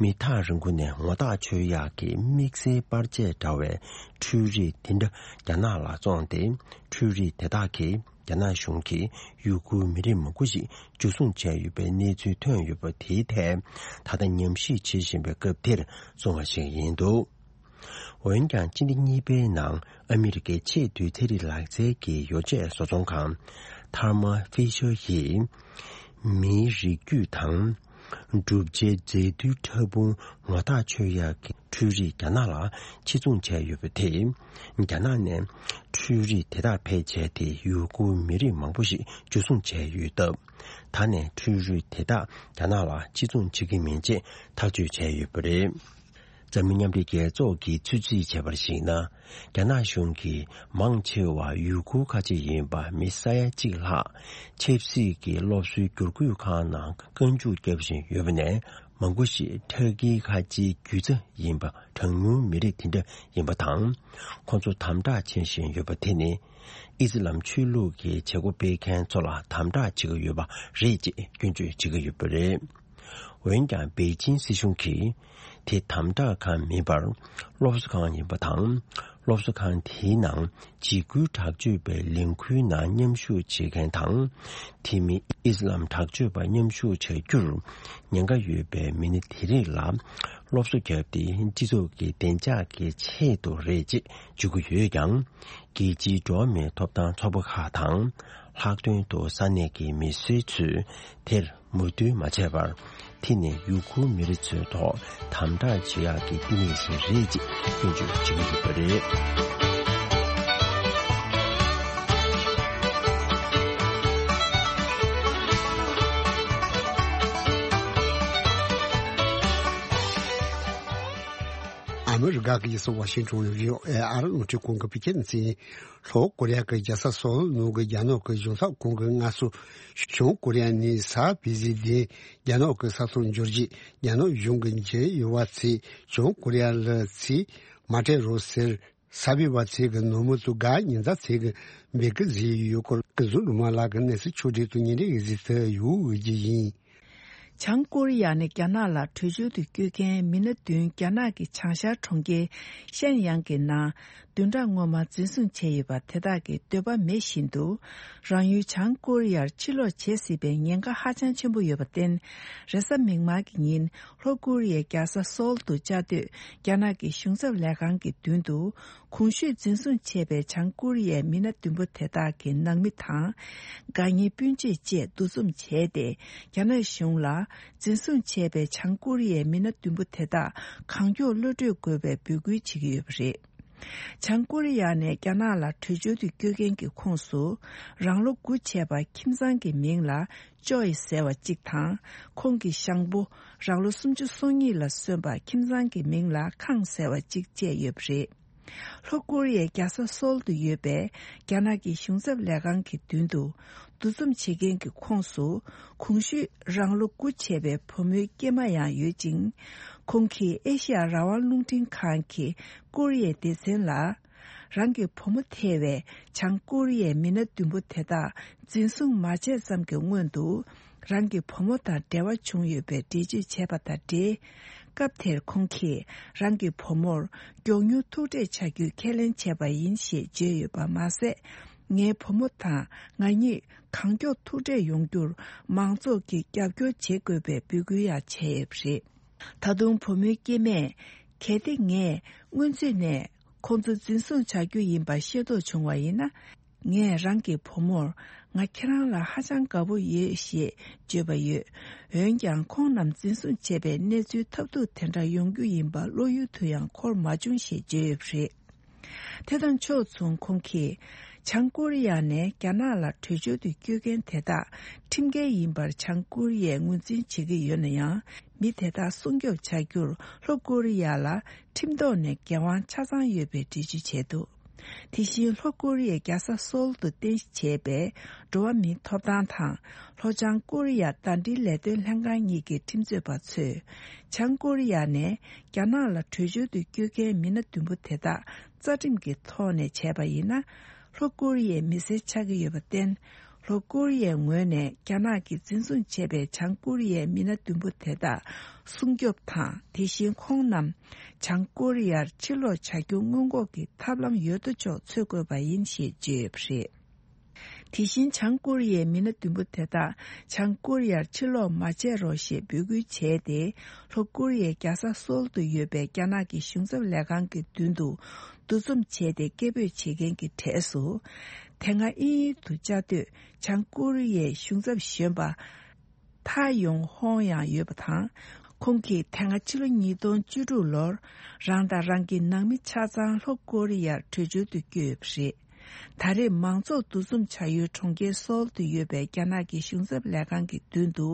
མི་ཐག་རིང་པོ་ནས་ངོ་ཐག་ཆོད་ཡག་གི་དམིགས་བསལ་པར་ཆས་འདྲ་བའི་འཕྲུལ་རིག་དེ་འདྲ་རྒྱ་ནག་ལ་བཙོངས་ཏེ། འཕྲུལ་རིག་དེ་དག་གིས་རྒྱ་ནག་གཞུང་གིས་ཡུ་གུར་མི་རིགས་མང་པོ་ཞིག་འཇུ་བཟུང་བྱས་ཡོད་པའི་གནས་ཚུལ་ཐོན་ཡོད་པ་དེའི་ཐད། ད་ལྟ་ཉམས་ཞིབ་བྱེད་བཞིན་པའི་སྐབས་དེར་གསུངས་པ་ཞིག་ཡིན་འདུག་འོན་ཀྱང་སྤྱི་ཟླ་གཉིས་པའི་ནང་ཨ་མི་རི་ཀའི་ཆེས་མཐོའི་ཚན་རིག་ལག་རྩལ་གྱི་ཡོ་བྱད་བཟོ་ཚོང་ཁང་Thermo Fisher་ཡིས། མིའི་རིགས་རྒྱུད་དང་། གྲུབ་ཆའི་རྫས་རྡུལ་ཕྲ་ཕུང་ངོ་ཐག་ཆོད་ཡག་གི་འཕྲུལ་རིག་རྒྱ་ནག་ལ་ཕྱིར་ཚོང་བྱས་ཡོད་པ་དེས། རྒྱ་ནག་ནས་འཕྲུལ་རིག་དེ་དག་ཕལ་ཆེར་དེ་ཡུ་གུར་མི་རིགས་མང་པོ་ཞིག་འཇུ་བཟུང་བྱས་ཡོད་སྟབས། ད་ནས་འཕྲུལ་རིག་དེ་དག་རྒྱ་ནག་ལ་ཕྱིར་ཚོང་བྱེད་ཀྱི་མིན་ཅེས་ཐག་གཅོད་བྱས་ཡོད་པ་རེད། འཛམ་གླིང་མཉམ་འབྲེལ་རྒྱལ་ཚོགས་ཀྱིས་ཚོད་རྩིས་བྱས་པར་གཞིགས་ན། རྒྱ་ནག་གཞུང་གིས་མང་ཆེ་བ་ཡུ་གུར་ཁ་ཆེ་ཡིན་པ་མི་ས་ཡ་གཅིག་ལྷག་ཆབ་སྲིད་ཀྱི་སློབ་གསོའི་བསྒྱུར་བཀོད་ཁང་ནང་བཀའ་འཇུག་བརྒྱབ་བཞིན་ཡོད་པ་ནས། མང་པོ་ཞིག་ཁྲག་གིས་ཁ་ཆེའི་རྒྱུད་རྩ་ཡིན་པ་གྲངས་ཉུང་མི་རིགས་དེ་འདྲ་ཡིན་པ་དང་། ཁོང་ཚོ་དམ་དྲག་བྱེད་བཞིན་ཡོད་པ་དེ་ནི། ཨི་སི་ལམ་ཆོས་ལུགས་ཀྱི་བྱེད་སྒོ་སྤེལ་མཁན་ཚོ་ལ་དམ་དྲག་བྱེད་ཀྱི་ཡོད་པ་རེད་ཅེས་སྐྱོན་བརྗོད་བྱེད་ཀྱི་ཡོད་པ་རེད། འོན་ཀྱང་པེ་ཅིན་སྲིད་གཞུང་གིས་དེ་དམ་དྲག་ཁང་མིན་པར་སློབ་གསོ་ཁང་ཡིན་པ་དང་། སློབ་གསོ་ཁང་དེའི་ནང་འཇིགས་སྐུལ་དྲག་སྤྱོད་པའི་ལས་འགུལ་ནང་མཉམ་ཞུགས་བྱེད་མཁན་དང་། དེ་མིན་ཨི་སི་ལམ་དྲག་སྤྱོད་པ་མཉམ་ཞུགས་བྱ་རྒྱུར་ཉེན་ཁ་ཡོད་པའི་མི་སྣ་དེ་རིགས་ལ་སློབ་གསོ་བརྒྱབ་སྟེ། སྤྱི་ཚོགས་ཀྱི་བདེ་འཇགས་ཀྱི་ཆེད་དུ་རེད་ཅེས་བརྗོད་ཀྱི་ཡོད་ཀྱང་། རྒྱལ་སྤྱིའི་འགྲོ་བ་མིའི་ཐོབ་ཐང་ཚོགས་པ་ཁག་དང་། ལྷག་དོན་དུ་ས་གནས་ཀྱི་མི་སེར་ཚོས་དེར་ མོས་མཐུན་མ་བྱས་པར། དེ་ནི་ཡུ་གུར་མི་རིགས་ཚོའི་ཐོག་དམ་དྲག་བྱེད་ཡག་གི་བསྟི་གནས་ཤིག་རེད་ཅེས་སྐྱོན་བརྗོད་བྱེད་ཀྱི་ཡོད་པ་རེད། ཨ་མི་རི་ཀ་གི་རྒྱལ་ས་ཝ་ཤིང་ཊོན་ནས་བྷི་ཨོ་ཨེ་ཨ་རི་རླུང་འཕྲིན་ཁང་གི་བོད་སྐད་སྡེ་ཚན། ལྷོ་ཀོ་རི་ཡ་གི་རྒྱལ་ས་སོལ་ནང་གི་རྒྱ་ནག་གི་གཞུང་ཚབ་ཁང་གི་སྔ་སོར། བྱང་ཀོ་རི་ཡ་ནས་གཟའ་ཕུར་བུའི་ཉིན་རྒྱ་ནག་གི་ས་ཐོག་འབྱོར་རྗེས། རྒྱ་ནག་གཞུང་གི་འཇལ་ཡོང་བ་ཚོས་བྱང་ཀོ་རི་ཡ་ལ་ཚུར་མ་སྤྲད་རོགས་ཟེར། གཟའ་ཕུར་བུ་ཚོ་གི་ནང་མི་ཚོ་ག་ཉིན་གཟའ་ཚོ་གི་འབོད་སྐུལ་བཟོས་ཡོད་སྐོར། ཀུན་བཟང་སྒྲོལ་མ་ལགས་ཀྱིས་གནས་ཚུལ་ཕྱོགས་སྒྲིག་ཏུ་ཉིན་རེ་བཞིན་དུ་ཡོང་བའི་རྒྱུ་ཡིན། བྱང་ཀོ་རི་ཡ་ནས་རྒྱ་ནག་ལ་བྲོས་བྱོལ་དུ་བསྐྱོད་མཁན་མི་སྣ་བདུན་རྒྱ་ནག་གི་བྱང་ཤར་གྲོང་ཁྱེར་ཤན་ཡང་གི་ནང་བདུན་ཕྲག་སྔོན་མ་འཛིན་བཟུང་བྱས་ཡོད་པ་དེ་དག་གི་འདོད་པ་མེད་བཞིན་དུ། རང་ཡུལ་བྱང་ཀོ་རི་ཡར་ཕྱིར་ལོག་བྱེད་སྲིད་པའི་ཉེན་ཁ་ཧ་ཅང་ཆེན་པོ་ཡོད་པར་བརྟེན། རེས་གཟའ་མིག་དམར་གྱི་ཉིན་ལྷོ་ཀོ་རི་ཡའི་རྒྱལ་ས་སོལ་དུ་བཅའ་སྡོད་རྒྱ་ནག་གི་གཞུང་ཚབ་ལས་ཁང་གི་མདུན་དུ། གོང་ཞུས་འཛིན་བཟུང་བྱས་པའི་བྱང་ཀོ་རི་ཡའི་མི་སྣ་བདུན་པོ་དེ་དག་གི་ནང་མི་དང་། དགའ་ཉེ་སྤུན་མཆེད་བཅས་འདུ་འཛོམས་བྱས་ཏེ། རྒྱ་ནག་གཞུང་ལ་འཛིན་བཟུང་བྱས་པའི་བྱང་ཀོ་རི་ཡའི་མི་སྣ་བདུན་པོ་དེ་དག་གང་མགྱོགས་གློད་གྲོལ་དགོས་པའི་འབོད་སྐུལ་བྱེད་ཀྱི་ཡོད་པ་རེད། བྱང་ཀོ་རི་ཡ་ནས་རྒྱ་ནག་ལ་བྲོས་བྱོལ་དུ་བསྐྱོད་མཁན་གྱི་ཁོངས་སུ། རང་ལོ་དགུ་བྱས་པ་ཁྱིམ་ཚང་གི་མིང་ལ་ཅོ་ཡི་ཟེར་བ་གཅིག་དང་། ཁོང་གི་ཞང་པོ་རང་ལོ་སུམ་ཅུ་སོ་གཉིས་ལ་སོན་པ་ཁྱིམ་ཚང་གི་མིང་ལ་ཁང་ཟེར་བ་གཅིག་བཅས་ཡོད་པ་རེད། ལྷོ་ཀོ་རི་ཡའི་རྒྱལ་ས་སོལ་དུ་ཡོད་པའི་རྒྱ་ནག་གི་གཞུང་ཚབ་ལས་ཁང་གི་མདུན་དུ་འདུ་འཛོམས་བྱེད་མཁན་གྱི་ཁོངས་སུ། གོང་ཞུས་རང་ལོ་དགུ་བྱས་པའི་བུ་མོའི་སྐྱེས་མ་ཡང་ཡོད་ཅིང་། ཁོང་གིས་ཨེ་ཤི་ཡ་རང་དབང་རླུང་འཕྲིན་ཁང་གི་ཀོ་རི་ཡའི་སྡེ་ཚན་ལ། རང་གི་བུ་མོ་ཐེ་བའི་བྱང་ཀོ་རི་ཡའི་མི་སྣ་བདུན་པོ་དེ་དག་འཛིན་བཟུང་མ་བྱས་ཙམ་གྱི་སྔོན་དུ། རང་གི་བུ་མོ་དང་འབྲེལ་བ་བྱུང་ཡོད་པའི་འགྲེལ་བརྗོད་བྱས་པ་དང་འབྲེལ། སྐབས་དེར་ཁོང་གིས་རང་གི་བུ་མོར་མགྱོགས་མྱུར་ཐུག་འཕྲད་བྱ་རྒྱུའི་ཁས་ལེན་བྱས་པ་ཡིན་ཞེས་བརྗོད་ཡོད་པ་མ་ཟད། ངའི་བུ་མོ་དང་ང་གཉིས་གང་མགྱོགས་ཐུག་འཕྲད་ཡོང་རྒྱུར་མང་ཚོགས་ཀྱིས་རྒྱབ་སྐྱོར་བྱེད་དགོས་པའི་འབོད་སྐུལ་ཡང་བྱས་ཡོད་པ་རེད། ད་དུང་བུ་མོའི་སྐྱེས་མས། གལ་ཏེ་ངས་སྔོན་ཚུད་ནས་ཁོང་ཚོ་འཛིན་བཟུང་བྱ་རྒྱུ་ཡིན་པ་ཤེས་རྟོགས་བྱུང་བ་ཡིན་ན། ངས་རང་གི་བུ་མོར་ང་ཁྱེད་རང་ལ་ཧ་ཅང་དགའ་པོ་ཡོད་ཞེས་བརྗོད་པ་ཡོད། འོན་ཀྱང་ཁོང་རྣམས་འཛིན་བཟུང་བྱས་པའི་གནས་ཚུལ་ཐབས་སྡུག་དེ་འདྲ་ཡོང་རྒྱུ་ཡིན་པ་བློ་ཡུལ་དུ་ཡང་འཁོར་མ་བྱུང་ཞེས་བརྗོད་ཡོད་པ་རེད། དེ་དང་ཕྱོགས་མཚུངས་ཁོང་གིས་བྱང་ཀོ་རི་ཡ་ནས་རྒྱ་ནག་ལ་བྲོས་བྱོལ་དུ་བསྐྱོད་མཁན་དེ་དག་ཁྲིམས་འགལ་ཡིན་པར་བྱང་ཀོ་རི་ཡས་ངོས་འཛིན་བྱེད་ཀྱི་ཡོད་ན་ཡང་། མི་དེ་དག་སྲུང་སྐྱོབ་བྱ་རྒྱུར་ལྷོ་ཀོ་རི་ཡ་ལ་ཁྲིམས་ཐོག་ནས་འགན་དབང་ཆ་ཚང་ཡོད་པའི་འགྲེལ་བརྗོད་བྱས་འདུག་དེ་བཞིན་ལྷོ་ཀོ་རི་ཡའི་རྒྱལ་ས་སོལ་དུ་རྟེན་གཞི་བྱས་པའི་འགྲོ་བ་མིའི་ཐོབ་ཐང་དང་ལྷོ་བྱང་ཀོ་རི་ཡ་ཟླ་སྒྲིལ་ལས་དོན་ལྷན་ཁང་གཉིས་ཀྱི་ཁྲིམས་རྩོད་པ་ཚོས། བྱང་ཀོ་རི་ཡ་ནས་རྒྱ་ནག་ལ་བྲོས་བྱོལ་དུ་བསྐྱོད་མཁན་མི་སྣ་བདུན་པོ་དེ་དག་རྩ་ཁྲིམས་ཀྱི་ཐོག་ནས་བྱས་པ་ཡིན་ན། ལྷོ་ཀོ་རི་ཡའི་མི་སེར་ཆགས་ཀྱི་ཡོད་པར་བརྟེན། ལྷོ་ཀོ་རི་ཡའི་ངོས་ནས་རྒྱ་ནག་གིས་འཛིན་བཟུང་བྱས་པའི་བྱང་ཀོ་རི་ཡའི་མི་སྣ་བདུན་པོ་དེ་དག་སྲུང་སྐྱོབ་དང་། དེ་བཞིན་ཁོང་རྣམས་བྱང་ཀོ་རི་ཡར་ཕྱིར་ལོག་བྱ་རྒྱུ་སྔོན་འགོག་གི་ཐབས་ལམ་ཡོད་དོ་ཅོག་འཚོལ་དགོས་པ་ཡིན་ཞེས་བརྗོད་ཡོད་པ་རེད། དེ་བཞིན་བྱང་ཀོ་རི་ཡའི་མི་སྣ་བདུན་པོ་དེ་དག་བྱང་ཀོ་རི་ཡར་ཕྱིར་ལོག་མ་བྱེད་རོགས་ཞེས་འབོད་སྐུལ་བྱས་ཏེ། ལྷོ་ཀོ་རི་ཡའི་རྒྱལ་ས་སོལ་དུ་ཡོད་པའི་རྒྱ་ནག་གི་གཞུང་ཚབ་ལས་ཁང་གི་མདུན་དུ་འདུ་འཛོམས་བྱས་ཏེ་སྐད་འབོད་བྱེད་མཁན་གྱི་གྲས་སུ། དེ་སྔ་དབྱིན་ཡུལ་དུ་བཅའ་སྡོད་བྱང་ཀོ་རི་ཡའི་གཞུང་ཚབ་གཞོན་པ། ཐ་ཡོང་ཧོང་ཡང་ཡོད་པ་དང་། ཁོང་གིས་དེ་སྔ་ཕྱི་ལོ་ཉིས་སྟོང་བཅུ་དྲུག་ལོར་རང་དང་རང་གི་ནང་མི་ཆ་ཚང་ལྷོ་ཀོ་རི་ཡར་བྲོས་བྱོལ་དུ་བསྐྱོད་ཡོད་པ་རེད། ད་རེས་མང་ཚོགས་འདུ་འཛོམས་བྱ་ཡུལ་གྲོང་ཁྱེར་སོལ་དུ་ཡོད་པའི་རྒྱ་ནག་གི་གཞུང་ཚབ་ལས་ཁང་གི་མདུན་དུ།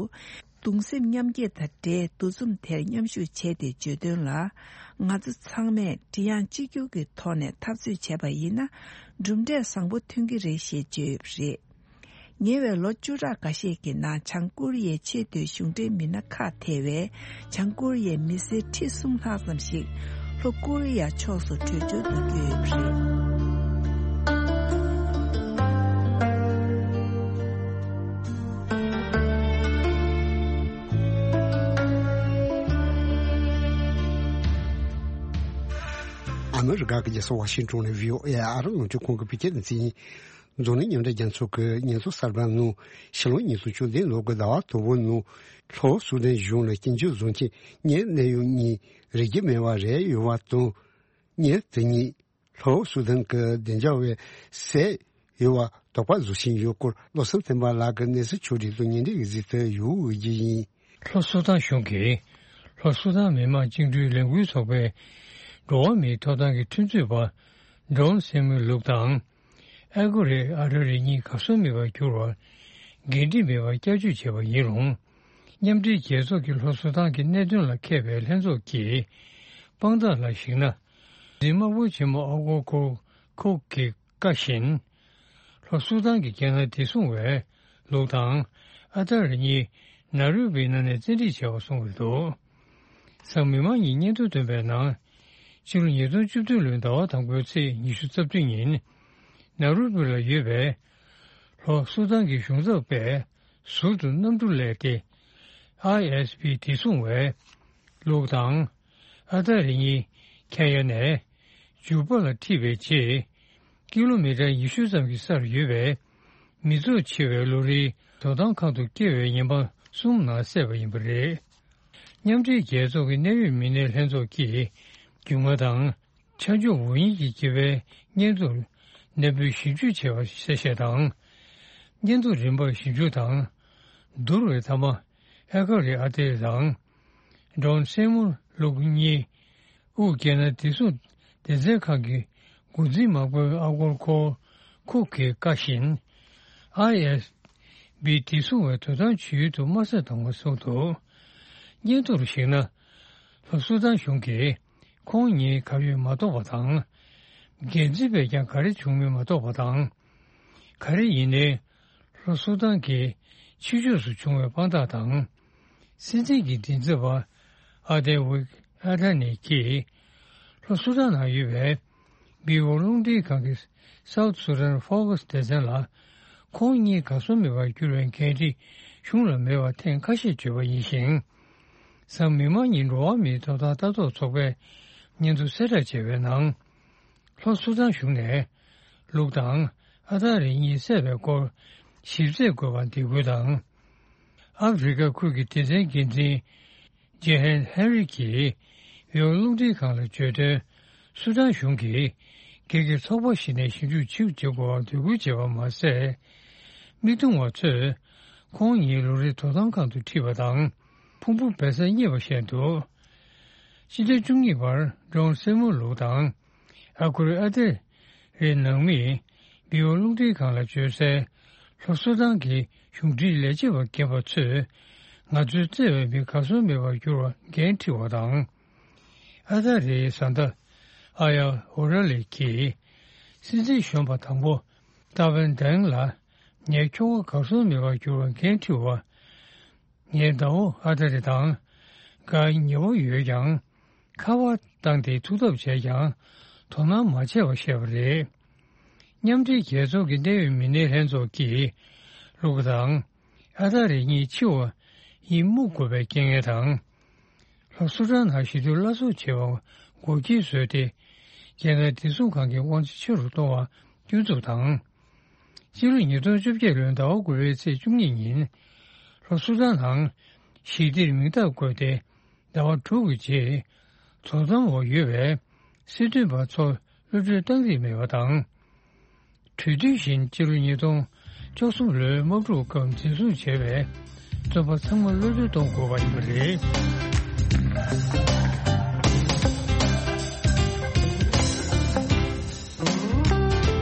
གདུང་སེམས་མཉམ་སྐྱེད་དང་འབྲེལ་འདུ་འཛོམས་དེར་མཉམ་ཞུགས་བྱས་ཏེ་བརྗོད་དོན་ལ། ང་ཚོ་ཚང་མས་མགྲིན་དབྱངས་གཅིག་གྱུར་གྱི་ཐོག་ནས་འཐབ་རྩོད་བྱས་པ་ཡིན་ན། གྲུབ་འབྲས་བཟང་པོ་ཐོན་གྱི་རེད་ཞེས་བརྗོད་ཡོད་པ་རེད། ཉེ་བའི་ལོ་བཅུ་ཕྲག་འགའ་ཤས་ཀྱི་ནང་བྱང་ཀོ་རི་ཡའི་ཆེས་མཐོའི་གཞུང་འབྲེལ་མི་སྣ་ཁག་ཐེ་བའི་བྱང་ཀོ་རི་ཡའི་མི་སེར་ཁྲི་གསུམ་ལྷག་ཙམ་ཞིག་ལྷོ་ཀོ་རི་ཡ་ཕྱོགས་སུ་བྲོས་བྱོལ་དུ་བསྐྱོད་ཡོད་པ་རེད། ཨ་མི་རི་ཀ་གི་རྒྱལ་ས་ཝ་ཤིང་ཊོན་ནས་བྷི་ཨོ་ཨེ་ཨ་རི་རླུང་འཕྲིན་ཁང་གི་བོད་སྐད་སྡེ་ཚན་ཡིན། འཛམ་གླིང་མཉམ་འབྲེལ་རྒྱལ་ཚོགས་ཀྱི་ཉེན་ཚབས་གསར་པ་ནང་ཕྱི་ལོ་ཉིས་སྟོང་བཅུ་བདུན་ལོ་གི་ཟླ་བ་དང་པོའི་ནང་ལྷོ་སུ་དན་གཞུང་ལ་སྐྱིན་འགྲུལ་བཟོ་མཁན་ངའི་གནད་ཡོད་གཉིས་རིག་རྒྱུ་མེད་པ་རེད་ཡོད་པ་དང་། ངས་དེ་གཉིས་ལྷོ་སུ་དན་གྱི་བདེ་འཇགས་པས་བསད་ཡོད་ དོགས་པ་བཟོ་བཞིན་ཡོད་སྐོར། བློ་བཟང་བསྟན་པ་ལགས་ཀྱིས་གནས་ཚུལ་ཕྱོགས་སྒྲིག་ཏུ་ཉན་འདྲི་གི་གཟིགས་ཏེ་ཡོད་ཀྱི་ཡིན། ལྷོ་སུ་དཱན་གཞུང་གིས་ལྷོ་སུ་དཱན་མི་དམངས་བཅིངས་འགྲོལ་ལས་འགུལ་ཚོགས་པའི་འགྲོ་བ་མིའི་ཐོབ་ཐང་གི་ཁྲིམས་རྩོད་པ་ཌོན་སེ་མུ་ལུག་དང་། ཨེ་གོ་རེ་ཨ་ཏ་རེ་གཉིས་གར་སོང་མེད་པར་གྱུར་བར་འགན་འཁྲི་མེད་པར་བསྐྱར་བཅོས་བྱས་པ་ཡིན་རུང་། མཉམ་འབྲེལ་རྒྱལ་ཚོགས་ཀྱི་ལྷོ་སུ་དཱན་གྱི་གནད་དོན་ལ་མཁས་པའི་ལྷན་ཚོགས་ཀྱི་དཔང་རྟགས་ལ་གཞིགས་ན། འཛིན་དམག་དཔོན་ཆེན་མོ་ཨ་གོ་ཁོ་ཁུག་གི་བཀའ་བཞིན། ལྷོ་སུ་དཱན་གྱི་རྒྱལ་ནང་བདེ་སྲུང་བས་ལུག་དང་ཨ་ཏ་རེ་གཉིས་ནཱ་རོ་པིའི་ནང་ནས་བཙན་ཁྲིད་བྱས་པ་གསུངས་ཡོད་འདུག་གཟའ་མིག་དམར་ཉིན་སྙན་ཐོ་བཏོན་པའི་ནང་། ཕྱི་ལོ་ཉིས་སྟོང་བཅུ་བདུན་ལོའི་ཟླ་བ་དང་པོའི་ཚེས་ཉི་ཤུ་རྩ་བདུན་ཉིན། ནཱ་རོ་པི་ལ་ཡོད་པའི་ལྷོ་སུ་དཱན་གྱི་གཞུང་ཚབ་པས་ཟུར་དུ་གནམ་གྲུ་གླས་ཏེ། ཨའི་ཨེས་པི་བདེ་སྲུང་བས་ལུག་དང་ཨ་ཏ་རེ་གཉིས་ཁེན་ཡ་ནས་ཇུ་པ་ལ་ཁྲིད་པའི་རྗེས། ཀི་ལོ་མི་ཊར་ཉི་ཤུ་ཙམ་གྱི་སར་ཡོད་པའི་མི་ཚོགས་ཆེ་བའི་ལོ་རེའི་དོ་དམ་ཁང་དུ་བསྐྱལ་བའི་ཉེན་པ་གསུམ་ནང་བསད་པ་ཡིན་པ་རེད། མཉམ་འབྲེལ་རྒྱལ་ཚོགས་ཀྱི་གནད་ཡོད་མི་སྣའི་ལྷན་ཚོགས་ཀྱིས་རྒྱུས་མངའ་དང་ཆ་འཇོག་འོས་ཡིན་གྱི་དགེ་བའི་སྙན་ཐོར་ནན་པོས་ཞིབ་འཇུག་བྱས་པ་གསལ་བཤད་དང་། སྙན་ཐོ་རིམ་པར་ཞིབ་འཇུག་དང་། བསྡུར་བའི་མཐའ་མ། ཨེ་ཀ་རེ་ཨ་ཏེ་དང་། ཌོན་སེ་མུ་ལུག་གཉིས། དབུས་རྒྱལ་ནང་བདེ་སྲུང་སྡེ་ཚན་ཁང་གི་འགོ་འཛིན་དམག་དཔོན་ཨ་གོར་ཁོ་ཁུག་གི་བཀའ་བཞིན། ཨའི་ཨེས་པི་བདེ་སྲུང་བས་དོ་དམ་བྱེད་ཡུལ་དུ་དམག་ས་དང་པོ་བཟུང་འདུག་སྙན་ཐོར་གཞིགས་ན། ལྷོ་སུ་དཱན་གཞུང་གིས་ཁོང་གཉིས་གར་ཡོད་མ་རྟོགས་པ་དང་། འགན་འཛིན་པས་ཀྱང་ག་རེ་བྱུང་མིན་མ་རྟོགས་པ་དང་། ག་རེ་ཡིན་ནའི། ལྷོ་སུ་དཱན་གྱི་ཕྱི་ཕྱོགས་སུ་བྱུང་བའི་དཔང་རྟགས་དང་། སྲིད་འཛིན་གྱི་མགྲིན་ཚབ་པ་ཨ་ཏེ་ཝིག་ཨ་ཏ་ནི་གྱིས། ལྷོ་སུ་དཱན་ནང་ཡོད་པའི་བི་ཨོ་རླུང་འཕྲིན་ཁང་གི་South Sudan Focus སྡེ་ཚན་ལ། ཁོང་གཉིས་གར་སོང་མེད་པར་གྱུར་བའི་འགན་འཁྲི་གཞུང་ལ་མེད་པ་ཐེངས་ཁ་ཤས་བརྗོད་པ་ཡིན་ཞིང་། གཟའ་མིག་དམར་ཉིན་འགྲོ་བ་མིའི་ཐོབ་ཐང་ལྟ་རྟོག་ཚོགས་པས་སྙན་ཐོ་གསལ་བསྒྲགས་བྱས་པའི་ནང་། ལྷོ་སུ་དཱན་གཞུང་ནས་ལུག་དང་ཨ་ཏ་རེ་གཉིས་བསད་པའི་སྐོར་ཞིབ་རྩད་དགོས་པར་འདེད་སྐུལ་དང་། ཨ་ཕི་རི་ཀ་ཁུལ་གྱི་སྡེ་ཚན་འགན་འཛིན་ཇེ་ཧན་ཧེན་རི་གྱིས་བོད་རླུང་འཕྲིན་ཁང་ལ་བརྗོད་དོན། སུ་དཱན་གཞུང་གིས་སྒེར་གྱི་ཚོགས་པ་ཞིག་ནས་ཞིབ་འཇུག་ཆེད་དུ་བྱེད་དགོས་པར་འབོད་སྐུལ་བྱས་པ་མ་ཟད། མི་བརྡུང་བ་ཚོས་ཁོང་ཉིད་ལོ་རེའི་དོ་དམ་ཁང་དུ་ཁྲིད་པ་དང་ཕུང་པོ་སྦས་ས་རྙེད་པ་བཤད་འདུག་སྤྱི་ཟླ་བཅུ་གཉིས་པར་ཌོན་སེ་མུ་ལུག་དང་ཨ་ཁུ་རི་ཨ་ཏེ་རེའི་ནང་མིས་བི་ཨོ་རླུང་འཕྲིན་ཁང་ལ་བརྗོད་གསལ། ལྷོ་སུ་དཱན་གྱི་གཞུང་འབྲེལ་ལས་བྱེད་པ་རྒན་པ་ཚོས་ང་ཚོའི་བརྩེ་བའི་མི་གར་སོང་མེད་པར་གྱུར་བར་འགན་འཁྲི་བ་དང་། ཨ་ཏ་རེའི་བཟའ་ཟླ་ཨ་ཡ་ཨོ་ར་ལེ་གྱིས་སྲིད་འཛིན་གཞོན་པ་དང་པོ་ཏཱ་ཝན་དེང་ལ་ངའི་ཁྱོ་ག་གར་སོང་མེད་པར་གྱུར་བར་འགན་འཁྲི་བ། ངའི་ཟླ་བོ་ཨ་ཏ་རེ་དང་དགའ་ཉེ་བོ་ཡོད་ཀྱང་། ཁ་པར་བཏང་སྟེ་ཐུག་ཐབས་བྱས་ཀྱང་དོ་སྣང་མ་བྱས་པ་བཤད་པ་རེད། མཉམ་འབྲེལ་རྒྱལ་ཚོགས་ཀྱི་གནད་ཡོད་མི་སྣའི་ལྷན་ཚོགས་ཀྱིས་ལུག་དང་ཨ་ཏ་རེ་གཉིས་འཆི་བ་ཡིན་སྨུག་དགོས་པའི་རྐྱེན་ངན་དང་། ལྷོ་སུ་དཱན་ནང་ཞི་དུལ་སླར་གསོ་བྱེད་པར་འགོག་རྐྱེན་བཟོས་ཏེ། རྒྱལ་ནང་བདེ་སྲུང་ཁང་གི་དབང་ཆ་ཆེ་རུ་གཏོང་བར་སྐྱོན་འཛུགས་དང་། སྤྱི་ལོ་ཉིས་སྟོང་བཅོ་བརྒྱད་ལོའི་ཟླ་བ་དགུ་པའི་ཚེས་བཅུ་གཉིས་ཉིན། ལྷོ་སུ་དཱན་ནང་ཞི་བདེར་མིང་རྟགས་བཀོད་དེ་ཟླ་བ་དྲུག་གི་རྗེས། དོ་དམ་འོག་ཡོད་པའི་སྲིད་དོན་པ་ཚོར་གློད་གྲོལ་བཏང་རིགས་མེད་པ་དང་། གྲོས་མཐུན་བཞིན་སྤྱི་ལོ་ཉིས་སྟོང་བཅུ་གསུམ་ལོའི་དམག་འཁྲུག་སྐབས་འཛིན་བཟུང་བྱས་པའི་བཙོན་པ་ཚང་མ་གློད་གྲོལ་གཏོང་དགོས་པ་ཡིན་པ་རེད།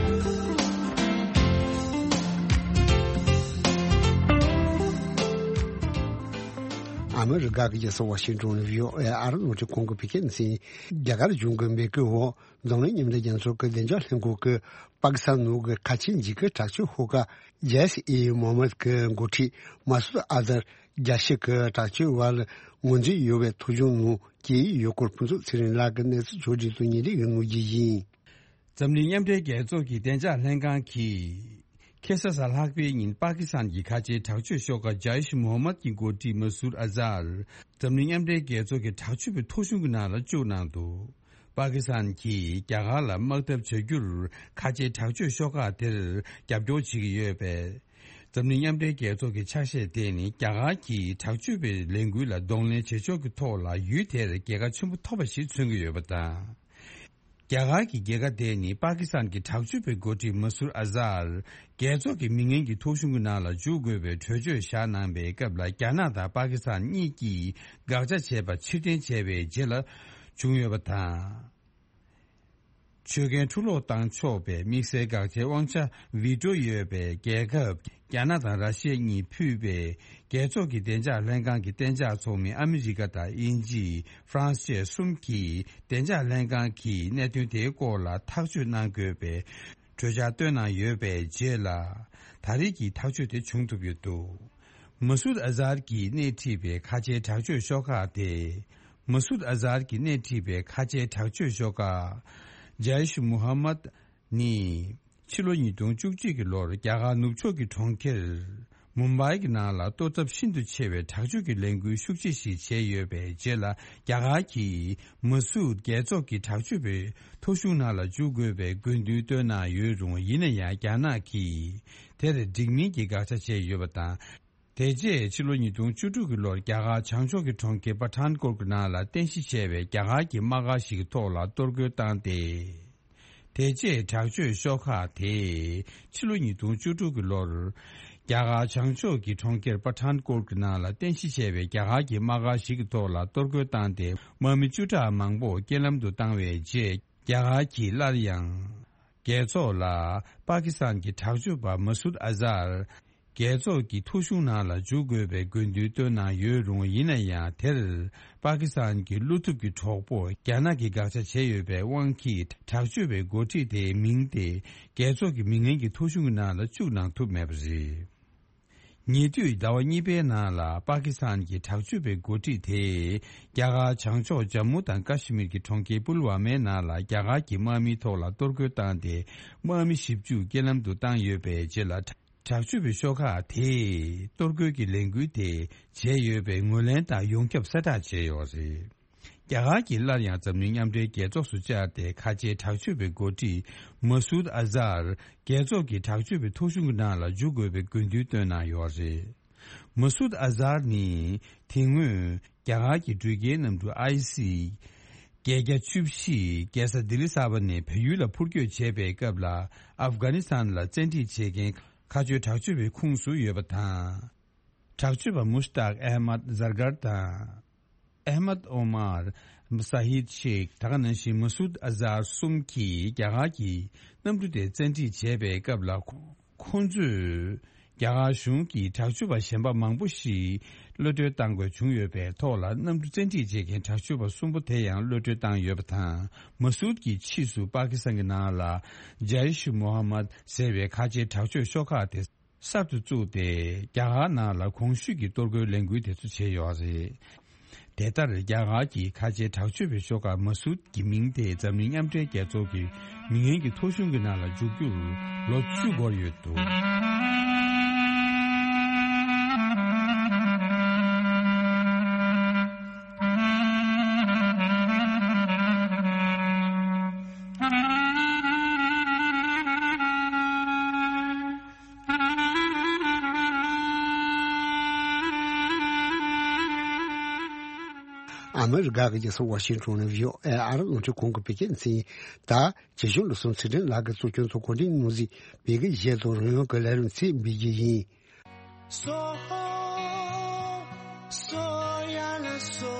ཨ་མི་རི་ཀ་གི་རྒྱལ་ས་ཝ་ཤིང་ཏོན་ནས་བྷི་ཨོ་ཨེ་ཨ་རི་རླུང་འཕྲིན་ཁང་གིས་བོད་སྐད་སྡེ་ཚན། རྒྱ་གར་གཞུང་གི་འབོད་སྐུལ་འོག་འཛམ་གླིང་མཉམ་འབྲེལ་རྒྱལ་ཚོགས་ཀྱི་བདེ་འཇགས་ལྷན་ཁང་གིས་པ་ཀི་སི་ཐན་ནང་གི་ཁ་ཆེ་འཇིགས་སྐུལ་དྲག་སྤྱོད་ཤོག་ཁག་ཇེ་ཤི་ཨི་མོ་ཧམ་མད་ཀྱི་འགོ་ཁྲིད་མ་སུད་ཨ་ཛར་རྒྱལ་ཞི་གི་དྲག་སྤྱོད་པ་ལ་ངོས་འཛིན་ཡོད་པའི་ཐོ་གཞུང་ནང་སྐྱེལ་ཡོད་སྐོར་ཕུན་ཚོགས་ཚེ་རིང་ལགས་ཀྱིས་གནས་ཚུལ་ཕྱོགས་སྒྲིག་ཏུ་ཉན་འདྲི་ཡོད་ངོས་ཀྱི་ཡིན། འཛམ་གླིང་མཉམ་འབྲེལ་རྒྱལ་ཚོགས་ཀྱི་བདེ་འཇགས་ལྷན་ཁང་གིས། ཁ་སང་གཟའ་ལྷག་པའི་ཉིན་པ་ཀི་སི་ཐན་གྱི་ཁ་ཆེའི་དྲག་སྤྱོད་ཤོག་ཁག་ཇའིཤ་མོ་ཧམ་མད་ཀྱི་འགོ་ཁྲིད་མ་སུར་ཨ་ཛར། འཛམ་གླིང་མཉམ་འབྲེལ་རྒྱལ་ཚོགས་ཀྱི་དྲག་སྤྱོད་པའི་ཐོ་གཞུང་གི་ནང་ལ་བཅུག་གནང་འདུག་པ་ཀི་སི་ཐན་གྱིས་རྒྱ་གར་ལ་དམག་འཐབ་བྱ་རྒྱུར་ཁ་ཆེའི་དྲག་སྤྱོད་ཤོག་ཁག་དེར་རྒྱབ་སྐྱོར་བྱེད་ཀྱི་ཡོད་པས། འཛམ་གླིང་མཉམ་འབྲེལ་རྒྱལ་ཚོགས་ཀྱི་ཆ་ཤས་དེ་ནི་རྒྱ་གར་གྱི་དྲག་སྤྱོད་པའི་ལས་འགུལ་ལ་གདོང་ལེན་བྱེད་ཕྱོགས་ཀྱི་ཐོག་ལ་ཡུལ་དེར་རྒྱལ་ཁ་ཆེན་པོ་ཐོབ་པ་ཞིག་མཚོན་གྱི་ཡོད་པ་དང་། རྒྱ་གར་གྱི་རྒྱལ་ཁ་དེ་ནི་པ་ཀི་སི་ཐན་གྱི་དྲག་སྤྱོད་པའི་འགོ་ཁྲིད་མ་སུར་ཨ་ཟར། རྒྱལ་ཚོགས་ཀྱི་མི་ངན་གྱི་ཐོ་གཞུང་གི་ནང་ལ་འཇུག་དགོས་པའི་གྲོས་ཆོད་བཞག་གནང་པའི་སྐབས་ལ། རྒྱ་ནག་དང་པ་ཀི་སི་ཐན་གཉིས་ཀྱིས་དགག་བྱ་བྱས་པ་ཕྱིར་འཐེན་བྱས་པའི་རྗེས་ལ་བྱུང་ཡོད་པ་དང་། ཆོད་གན་འཁྲུ་སློག་བཏང་ཆོག་པའི་དམིགས་བསལ་དགག་བྱའི་དབང་ཆ་བི་ཊོ་ཡོད་པའི་རྒྱལ་ཁབ་རྒྱ་ནག་དང་ར་ཤི་ཡ་གཉིས་ཕུད་པའི་རྒྱལ་ཚོགས་ཀྱི་བདེ་འཇགས་ལྷན་ཁང་གི་གཏན་འཇགས་ཚོགས་མི་ཨ་མི་རི་ཀ་དང་དབྱིན་ཇི། ཧྥ་རན་སི་བཅས་གསུམ་གྱིས་བདེ་འཇགས་ལྷན་ཁང་གིས་གནད་དོན་དེའི་སྐོར་ལ་ཐག་གཅོད་གནང་དགོས་པའི་གྲོས་འཆར་བཏོན་གནང་ཡོད་པའི་རྗེས་ལ། ད་རེས་ཀྱི་ཐག་གཅོད་དེ་བྱུང་ཐུབ་ཡོད་འདུག་མ་སུད་ཨ་ཟར་གྱིས་སྣེ་ཁྲིད་པའི་ཁ་ཆེའི་དྲག་སྤྱོད་ཤོག་ཁག་དེ། མ་སུད་ཨ་ཟར་གྱིས་སྣེ་ཁྲིད་པའི་ཁ་ཆེའི་དྲག་སྤྱོད་ཤོག་ཁག་ཇའི་ཤུ་མུ་ཧམ་མད་ནི། ཕྱི་ལོ་ཉིས་སྟོང་བཅུ་གཅིག་གི་ལོར་རྒྱ་གར་ནུབ་ཕྱོགས་ཀྱི་གྲོང་ཁྱེར་མུམ་བྷའི་གི་ནང་ལ་གཏོར་ཚབས་ཤིན་ཏུ་ཆེ་བའི་དྲག་སྤྱོད་ཀྱི་ལས་འགུལ་ཤུགས་ཆེ་ཞིག་བྱས་ཡོད་པའི་རྗེས་ལ། རྒྱ་གར་གྱིས་མ་སུད་རྒྱལ་ཚོགས་ཀྱི་དྲག་སྤྱོད་པའི་ཐོ་གཞུང་ནང་ལ་འཇུག་དགོས་པའི་དགོས་འདུན་བཏོན་གནང་ཡོད་རུང་། ཡིན་ན་ཡང་རྒྱ་ནག་གིས་དེར་འགྲིག་མིན་གྱི་དགག་བྱ་བྱས་ཡོད་པ་དང་། དེ་རྗེས་ཕྱི་ལོ་ཉིས་སྟོང་བཅུ་དྲུག་གི་ལོར་རྒྱ་གར་བྱང་ཕྱོགས་ཀྱི་གྲོང་ཁྱེར་པ་ཐཱན་ཀོཊ་ཀྱི་ནང་ལ་རྟེན་གཞི་བྱས་པའི་རྒྱ་གར་གྱི་དམག་སྒར་ཞིག་གི་ཐོག་ལ་གཏོར་རྒོལ་བཏང་སྟེ། དེ་རྗེས་དྲག་སྤྱོད་ཤོག་ཁག་དེས་ཕྱི་ལོ་ཉིས་སྟོང་བཅུ་དྲུག་གི་ལོར། རྒྱ་གར་བྱང་ཕྱོགས་ཀྱི་གྲོང་ཁྱེར་པ་ཐཱན་ཀོཊ་ཀྱི་ནང་ལ་རྟེན་གཞི་བྱས་པའི་རྒྱ་གར་གྱི་དམག་སྒར་ཞིག་གི་ཐོག་ལ་གཏོར་རྒོལ་བཏང་སྟེ། དམག་མི་བཅུ་ཕྲག་མང་པོ་རྐྱེན་ལམ་དུ་བཏང་བའི་རྗེས། རྒྱ་གར་གྱིས་སླར་ཡང་། རྒྱལ་ཚོགས་ལ་པ་ཀི་སི་ཐན་གྱི་དྲག་སྤྱོད་པ་མ་སུད་ཨ་ཟར། རྒྱལ་ཚོགས་ཀྱི་ཐོ་གཞུང་ནང་ལ་འཇུག་དགོས་པའི་དགོས་འདུན་བཏོན་གནང་ཡོད་རུང་། ཡིན་ན་ཡང་དེར་པ་ཀི་སི་ཐན་གྱི་བློ་ཐུབ་ཀྱི་གྲོགས་པོ་རྒྱ་ནག་གིས་དགག་བྱ་བྱས་ཡོད་པའི་དབང་གིས། དྲག་སྤྱོད་པའི་འགོ་ཁྲིད་དེའི་མིང་དེ་རྒྱལ་ཚོགས་ཀྱི་མི་ངན་གྱི་ཐོ་གཞུང་གི་ནང་ལ་བཅུག་གནང་ཐུབ་མེད་པ་རེད། ཉེ་དུས་ཟླ་བ་གཉིས་པའི་ནང་ལ་པ་ཀི་སི་ཐན་གྱི་དྲག་སྤྱོད་པའི་འགོ་ཁྲིད་དེས་རྒྱ་གར་བྱང་ཕྱོགས་ཇམ་མུ་དང་ཀ་ཤི་མིར་གྱི་གྲོང་ཁྱེར་པུལ་ཝ་མའི་ནང་ལ་རྒྱ་གར་གྱི་དམག་མིའི་ཐོག་ལ་གཏོར་རྒོལ་བཏང་སྟེ། དམག་མི་བཞི་བཅུ་རྐྱེན་ལམ་དུ་བཏང་ཡོད་པའི་རྗེས་ལ། དྲག་སྤྱོད་པའི་ཤོག་ཁག་དེས་གཏོར་རྒོལ་གྱི་ལས་འགུལ་དེ་བྱས་ཡོད་པའི་ངོས་ལེན་དང་ཡོངས་ཁྱབ་གསལ་བསྒྲགས་བྱས་ཡོད་རེད། རྒྱ་གར་གྱིས་སླར་ཡང་འཛམ་གླིང་མཉམ་འབྲེལ་རྒྱལ་ཚོགས་སུ་བཅར་ཏེ། ཁ་ཆེའི་དྲག་སྤྱོད་པའི་འགོ་ཁྲིད་མ་སུད་ཨ་ཟར། རྒྱལ་ཚོགས་ཀྱི་དྲག་སྤྱོད་པའི་ཐོ་གཞུང་གི་ནང་ལ་འཇུག་དགོས་པའི་དགོས་འདུན་བཏོན་གནང་ཡོད་རེད། མ་སུད་ཨ་ཟར་ནི་དེ་སྔོན་རྒྱ་གར་གྱི་འགྲུལ་སྐྱེལ་གནམ་གྲུ་ཨའི་སི་བརྒྱད་བརྒྱ་བཅུ་བཞི་རྒྱལ་ས་ལྡི་ལི་གསར་པ་ནས་བལ་ཡུལ་ལ་འཕུར་སྐྱོད་བྱས་པའི་སྐབས་ལ། ཨབ་གྷ་ནི་སི་ཐན་ལ་བཙན་ཁྲིད་བྱེད་མཁན་ཁ་ཆེའི་དྲག་སྤྱོད་པའི་ཁོངས་སུ་ཡོད་པ་དང་། དྲག་སྤྱོད་པ་མུཤ་ཏག་ཨེ་མད་ཟར་གར་དང་། ཨེ་མད་ཨོ་མར། ས་ཧིད་ཤེག་ད་ག་ནང་བཞིན་མ་སུད་ཨ་ཟར་གསུམ་གྱིས་རྒྱ་གར་གྱི་གནམ་གྲུ་དེ་བཙན་ཁྲིད་བྱས་པའི་སྐབས་ལ། ཁོ་ཁོང་ཚོས་རྒྱ་གར་གཞུང་གིས་དྲག་སྤྱོད་པ་གཞན་པ་མང་པོ་ཞིག་གློད་གྲོལ་བཏང་དགོས་བྱུང་ཡོད་པའི་ཐོག་ལ། གནམ་གྲུ་བཙན་ཁྲིད་བྱེད་མཁན་དྲག་སྤྱོད་པ་གསུམ་པོ་དེ་ཡང་གློད་གྲོལ་བཏང་ཡོད་པ་དང་། མ་སུད་ཀྱིས་ཕྱིས་སུ་པ་ཀི་སི་ཐན་གྱི་ནང་ལ་ཇའི་ཤུ་མོ་ཧ་མད་ཟེར་བའི་ཁ་ཆེའི་དྲག་སྤྱོད་ཤོག་ཁག་དེ་གསར་དུ་བཙུགས་ཏེ། རྒྱ་གར་ནང་ལ་གོང་ཞུས་ཀྱི་གཏོར་རྒོལ་ལས་འགུལ་དེ་ཚོ་བྱས་ཡོད་རེད། དེ་ལྟར་རྒྱ་གར་གྱི་ཁ་ཆེའི་དྲག་སྤྱོད་པའི་ཤོག་ཁག་མ་སུད་ཀྱི་མིང་དེ་འཛམ་གླིང་མཉམ་འབྲེལ་རྒྱལ་ཚོགས་ཀྱི་མི་ངན་གྱི་ཐོ་གཞུང་གི་ནང་ལ་འཇུག་རྒྱུར་ལོ་བཅུ་འགོར་ཡོད་འདུག་ཨ་མི་རི་ཀ་གི་རྒྱལ་ས་ཝ་ཤིང་ཊོན་ནས་བྷི་ཨོ་ཨེ་ཨ་རི་རླུང་འཕྲིན་ཁང་གི་བོད་སྐད་སྡེ་ཚན་ཡིན། ད་རྗེ་གཞུང་ལོ་གསུམ་ཚེ་བརྟན་ལགས་ཀྱིས་གཙོ་སྐྱོང་དུ་གོ་སྒྲིག་གནང་མཛད་བོད་སྐད་གཞས་དང་རོལ་དབྱང་གི་ལས་རིམ་ཚིག་འབུལ་རྒྱུ་ཡིན། སོ་སོ་ཡ་ལ་སོ།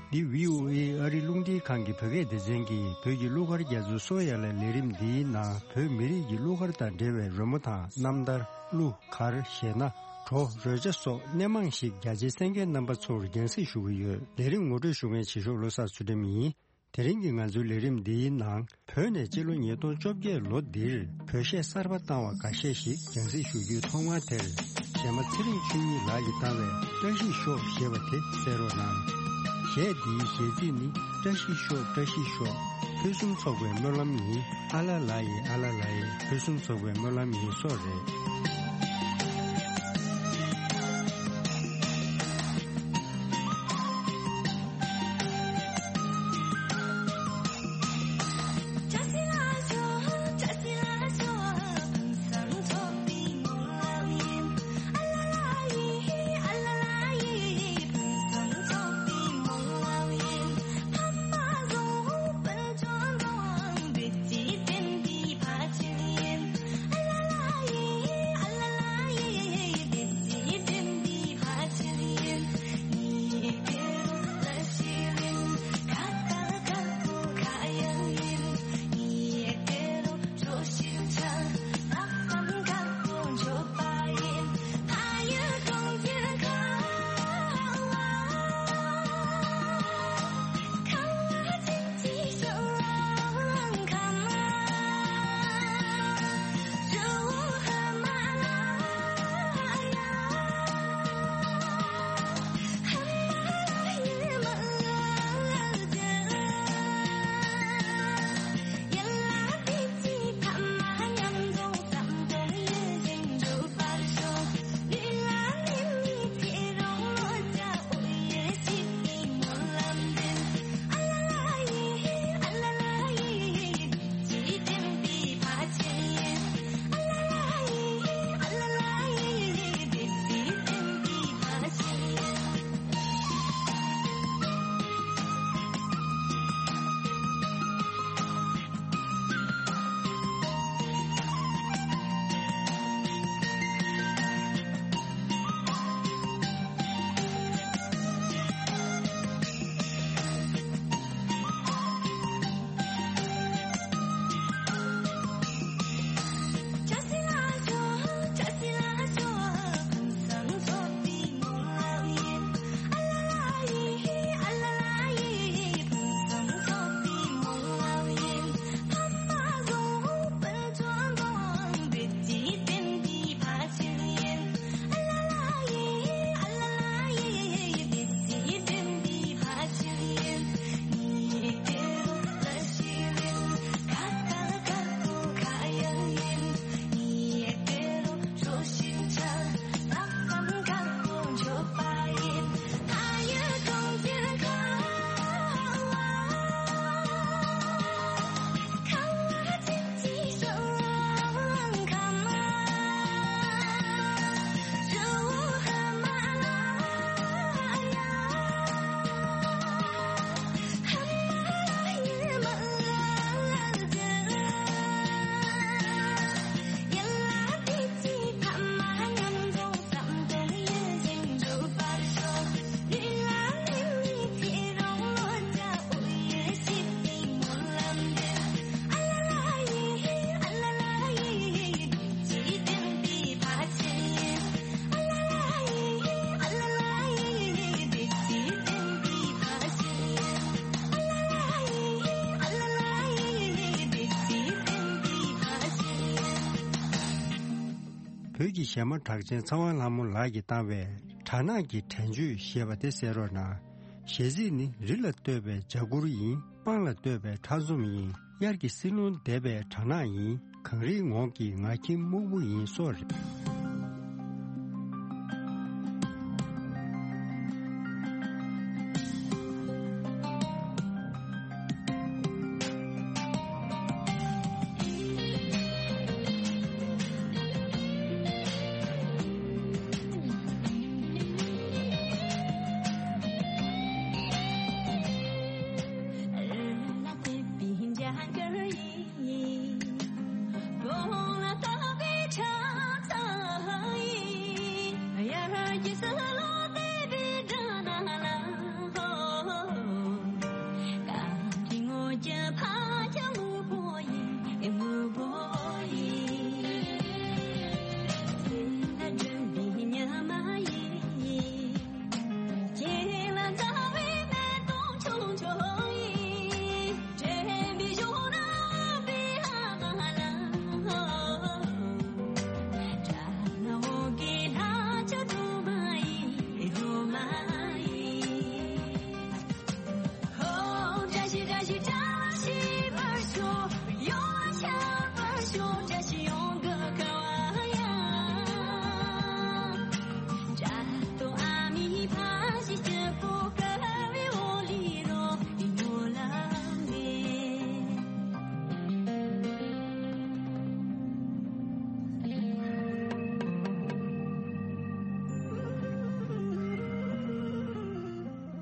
འདི་བྷི་ཨོ་ཨེ་ཨ་རི་རླུང་འཕྲིན་ཁང་གི་བོད་སྐད་སྡེ་ཚན་གྱིས་བོད་ཀྱི་གླུ་གར་རྒྱ་མཚོའི་སོ་ཡ་ལ་ལས་རིམ་འདིའི་ནང་བོད་མི་རིགས་ཀྱི་གླུ་གར་དང་འབྲེལ་བའི་རོལ་མོ་དང་རྣམ་ཐར། གླུ་གར། གཞས་སྣ། བྲོ། རོལ་ཆ་སོགས་སྣེ་མང་ཞིག་རྒྱ་ཆེའི་གསན་མཁན་རྣམ་པ་ཚོར་རྒྱང་སྲིང་ཞུ་གི་ཡོད། ལས་རིམ་ངོ་སྤྲོད་ཞུ་མཁན་བྱེད་ཤོག་བློ་བཟང་ཚུལ་ཁྲིམས་ཡིན། དེ་རིང་གི་ང་ཚོའི་ལས་རིམ་འདིའི་ནང་། བོད་ནས་སྤྱི་ལོ་ཉིས་སྟོང་བཅོ་བརྒྱད་ལོ་འདིར་བོད་གཞས་གསར་པ་བཏང་བ་འགའ་ཤས་ཤིག་རྒྱང་སྲིང་ཞུ་རྒྱུའི་ཐོག་མར་དེར། གཞས་མ་ཚེ་རིང་ཆོས་ཉིད་ལགས་ཀྱིས་བཏང་བའི་བཀྲ་ཤིས་ཤོག་ཞེས་པ་དེ་གསན་རོགས་གནང་། གཞས་འདིའི་གཞས་ཚིག་ནི། བཀྲ་ཤིས་ཤོག་བཀྲ་ཤིས་ཤོག་ཕུན་སུམ་ཚོགས་པའི་སྨོན་ལམ་ཡིན། ཨ་ལ་ལ་ཡི་ཨ་ལ་ལ་ཡི་ཕུན་སུམ་ཚོགས་པའི་སྨོན་ལམ་ཡིན་སོགས་རེད། བོད་ཀྱི་གཞས་མ་གྲགས་ཅན་ཚེ་དབང་ལྷ་མོ་ལགས་ཀྱིས་བཏང་བའི་སྦྲ་ནག་གི་དྲན་གཅོད་ཞེས་པ་དེ་གསན་རོགས་གནང་། གཞས་ཚིག་ནི། རི་ལ་བཏོད་པའི་ལྗགས་ཁུར་ཡིན། སྤང་ལ་བཏོད་པའི་ཁྲག་འཛོམས་ཡིན། དབྱར་གྱི་བསིལ་རླུང་འདེབས་པའི་སྦྲ་ནག་ཡིན། གངས་རིའི་ངོགས་ཀྱི་ང་ཁྱིམ་སྨུག་པོ་ཡིན་སོགས་རེད།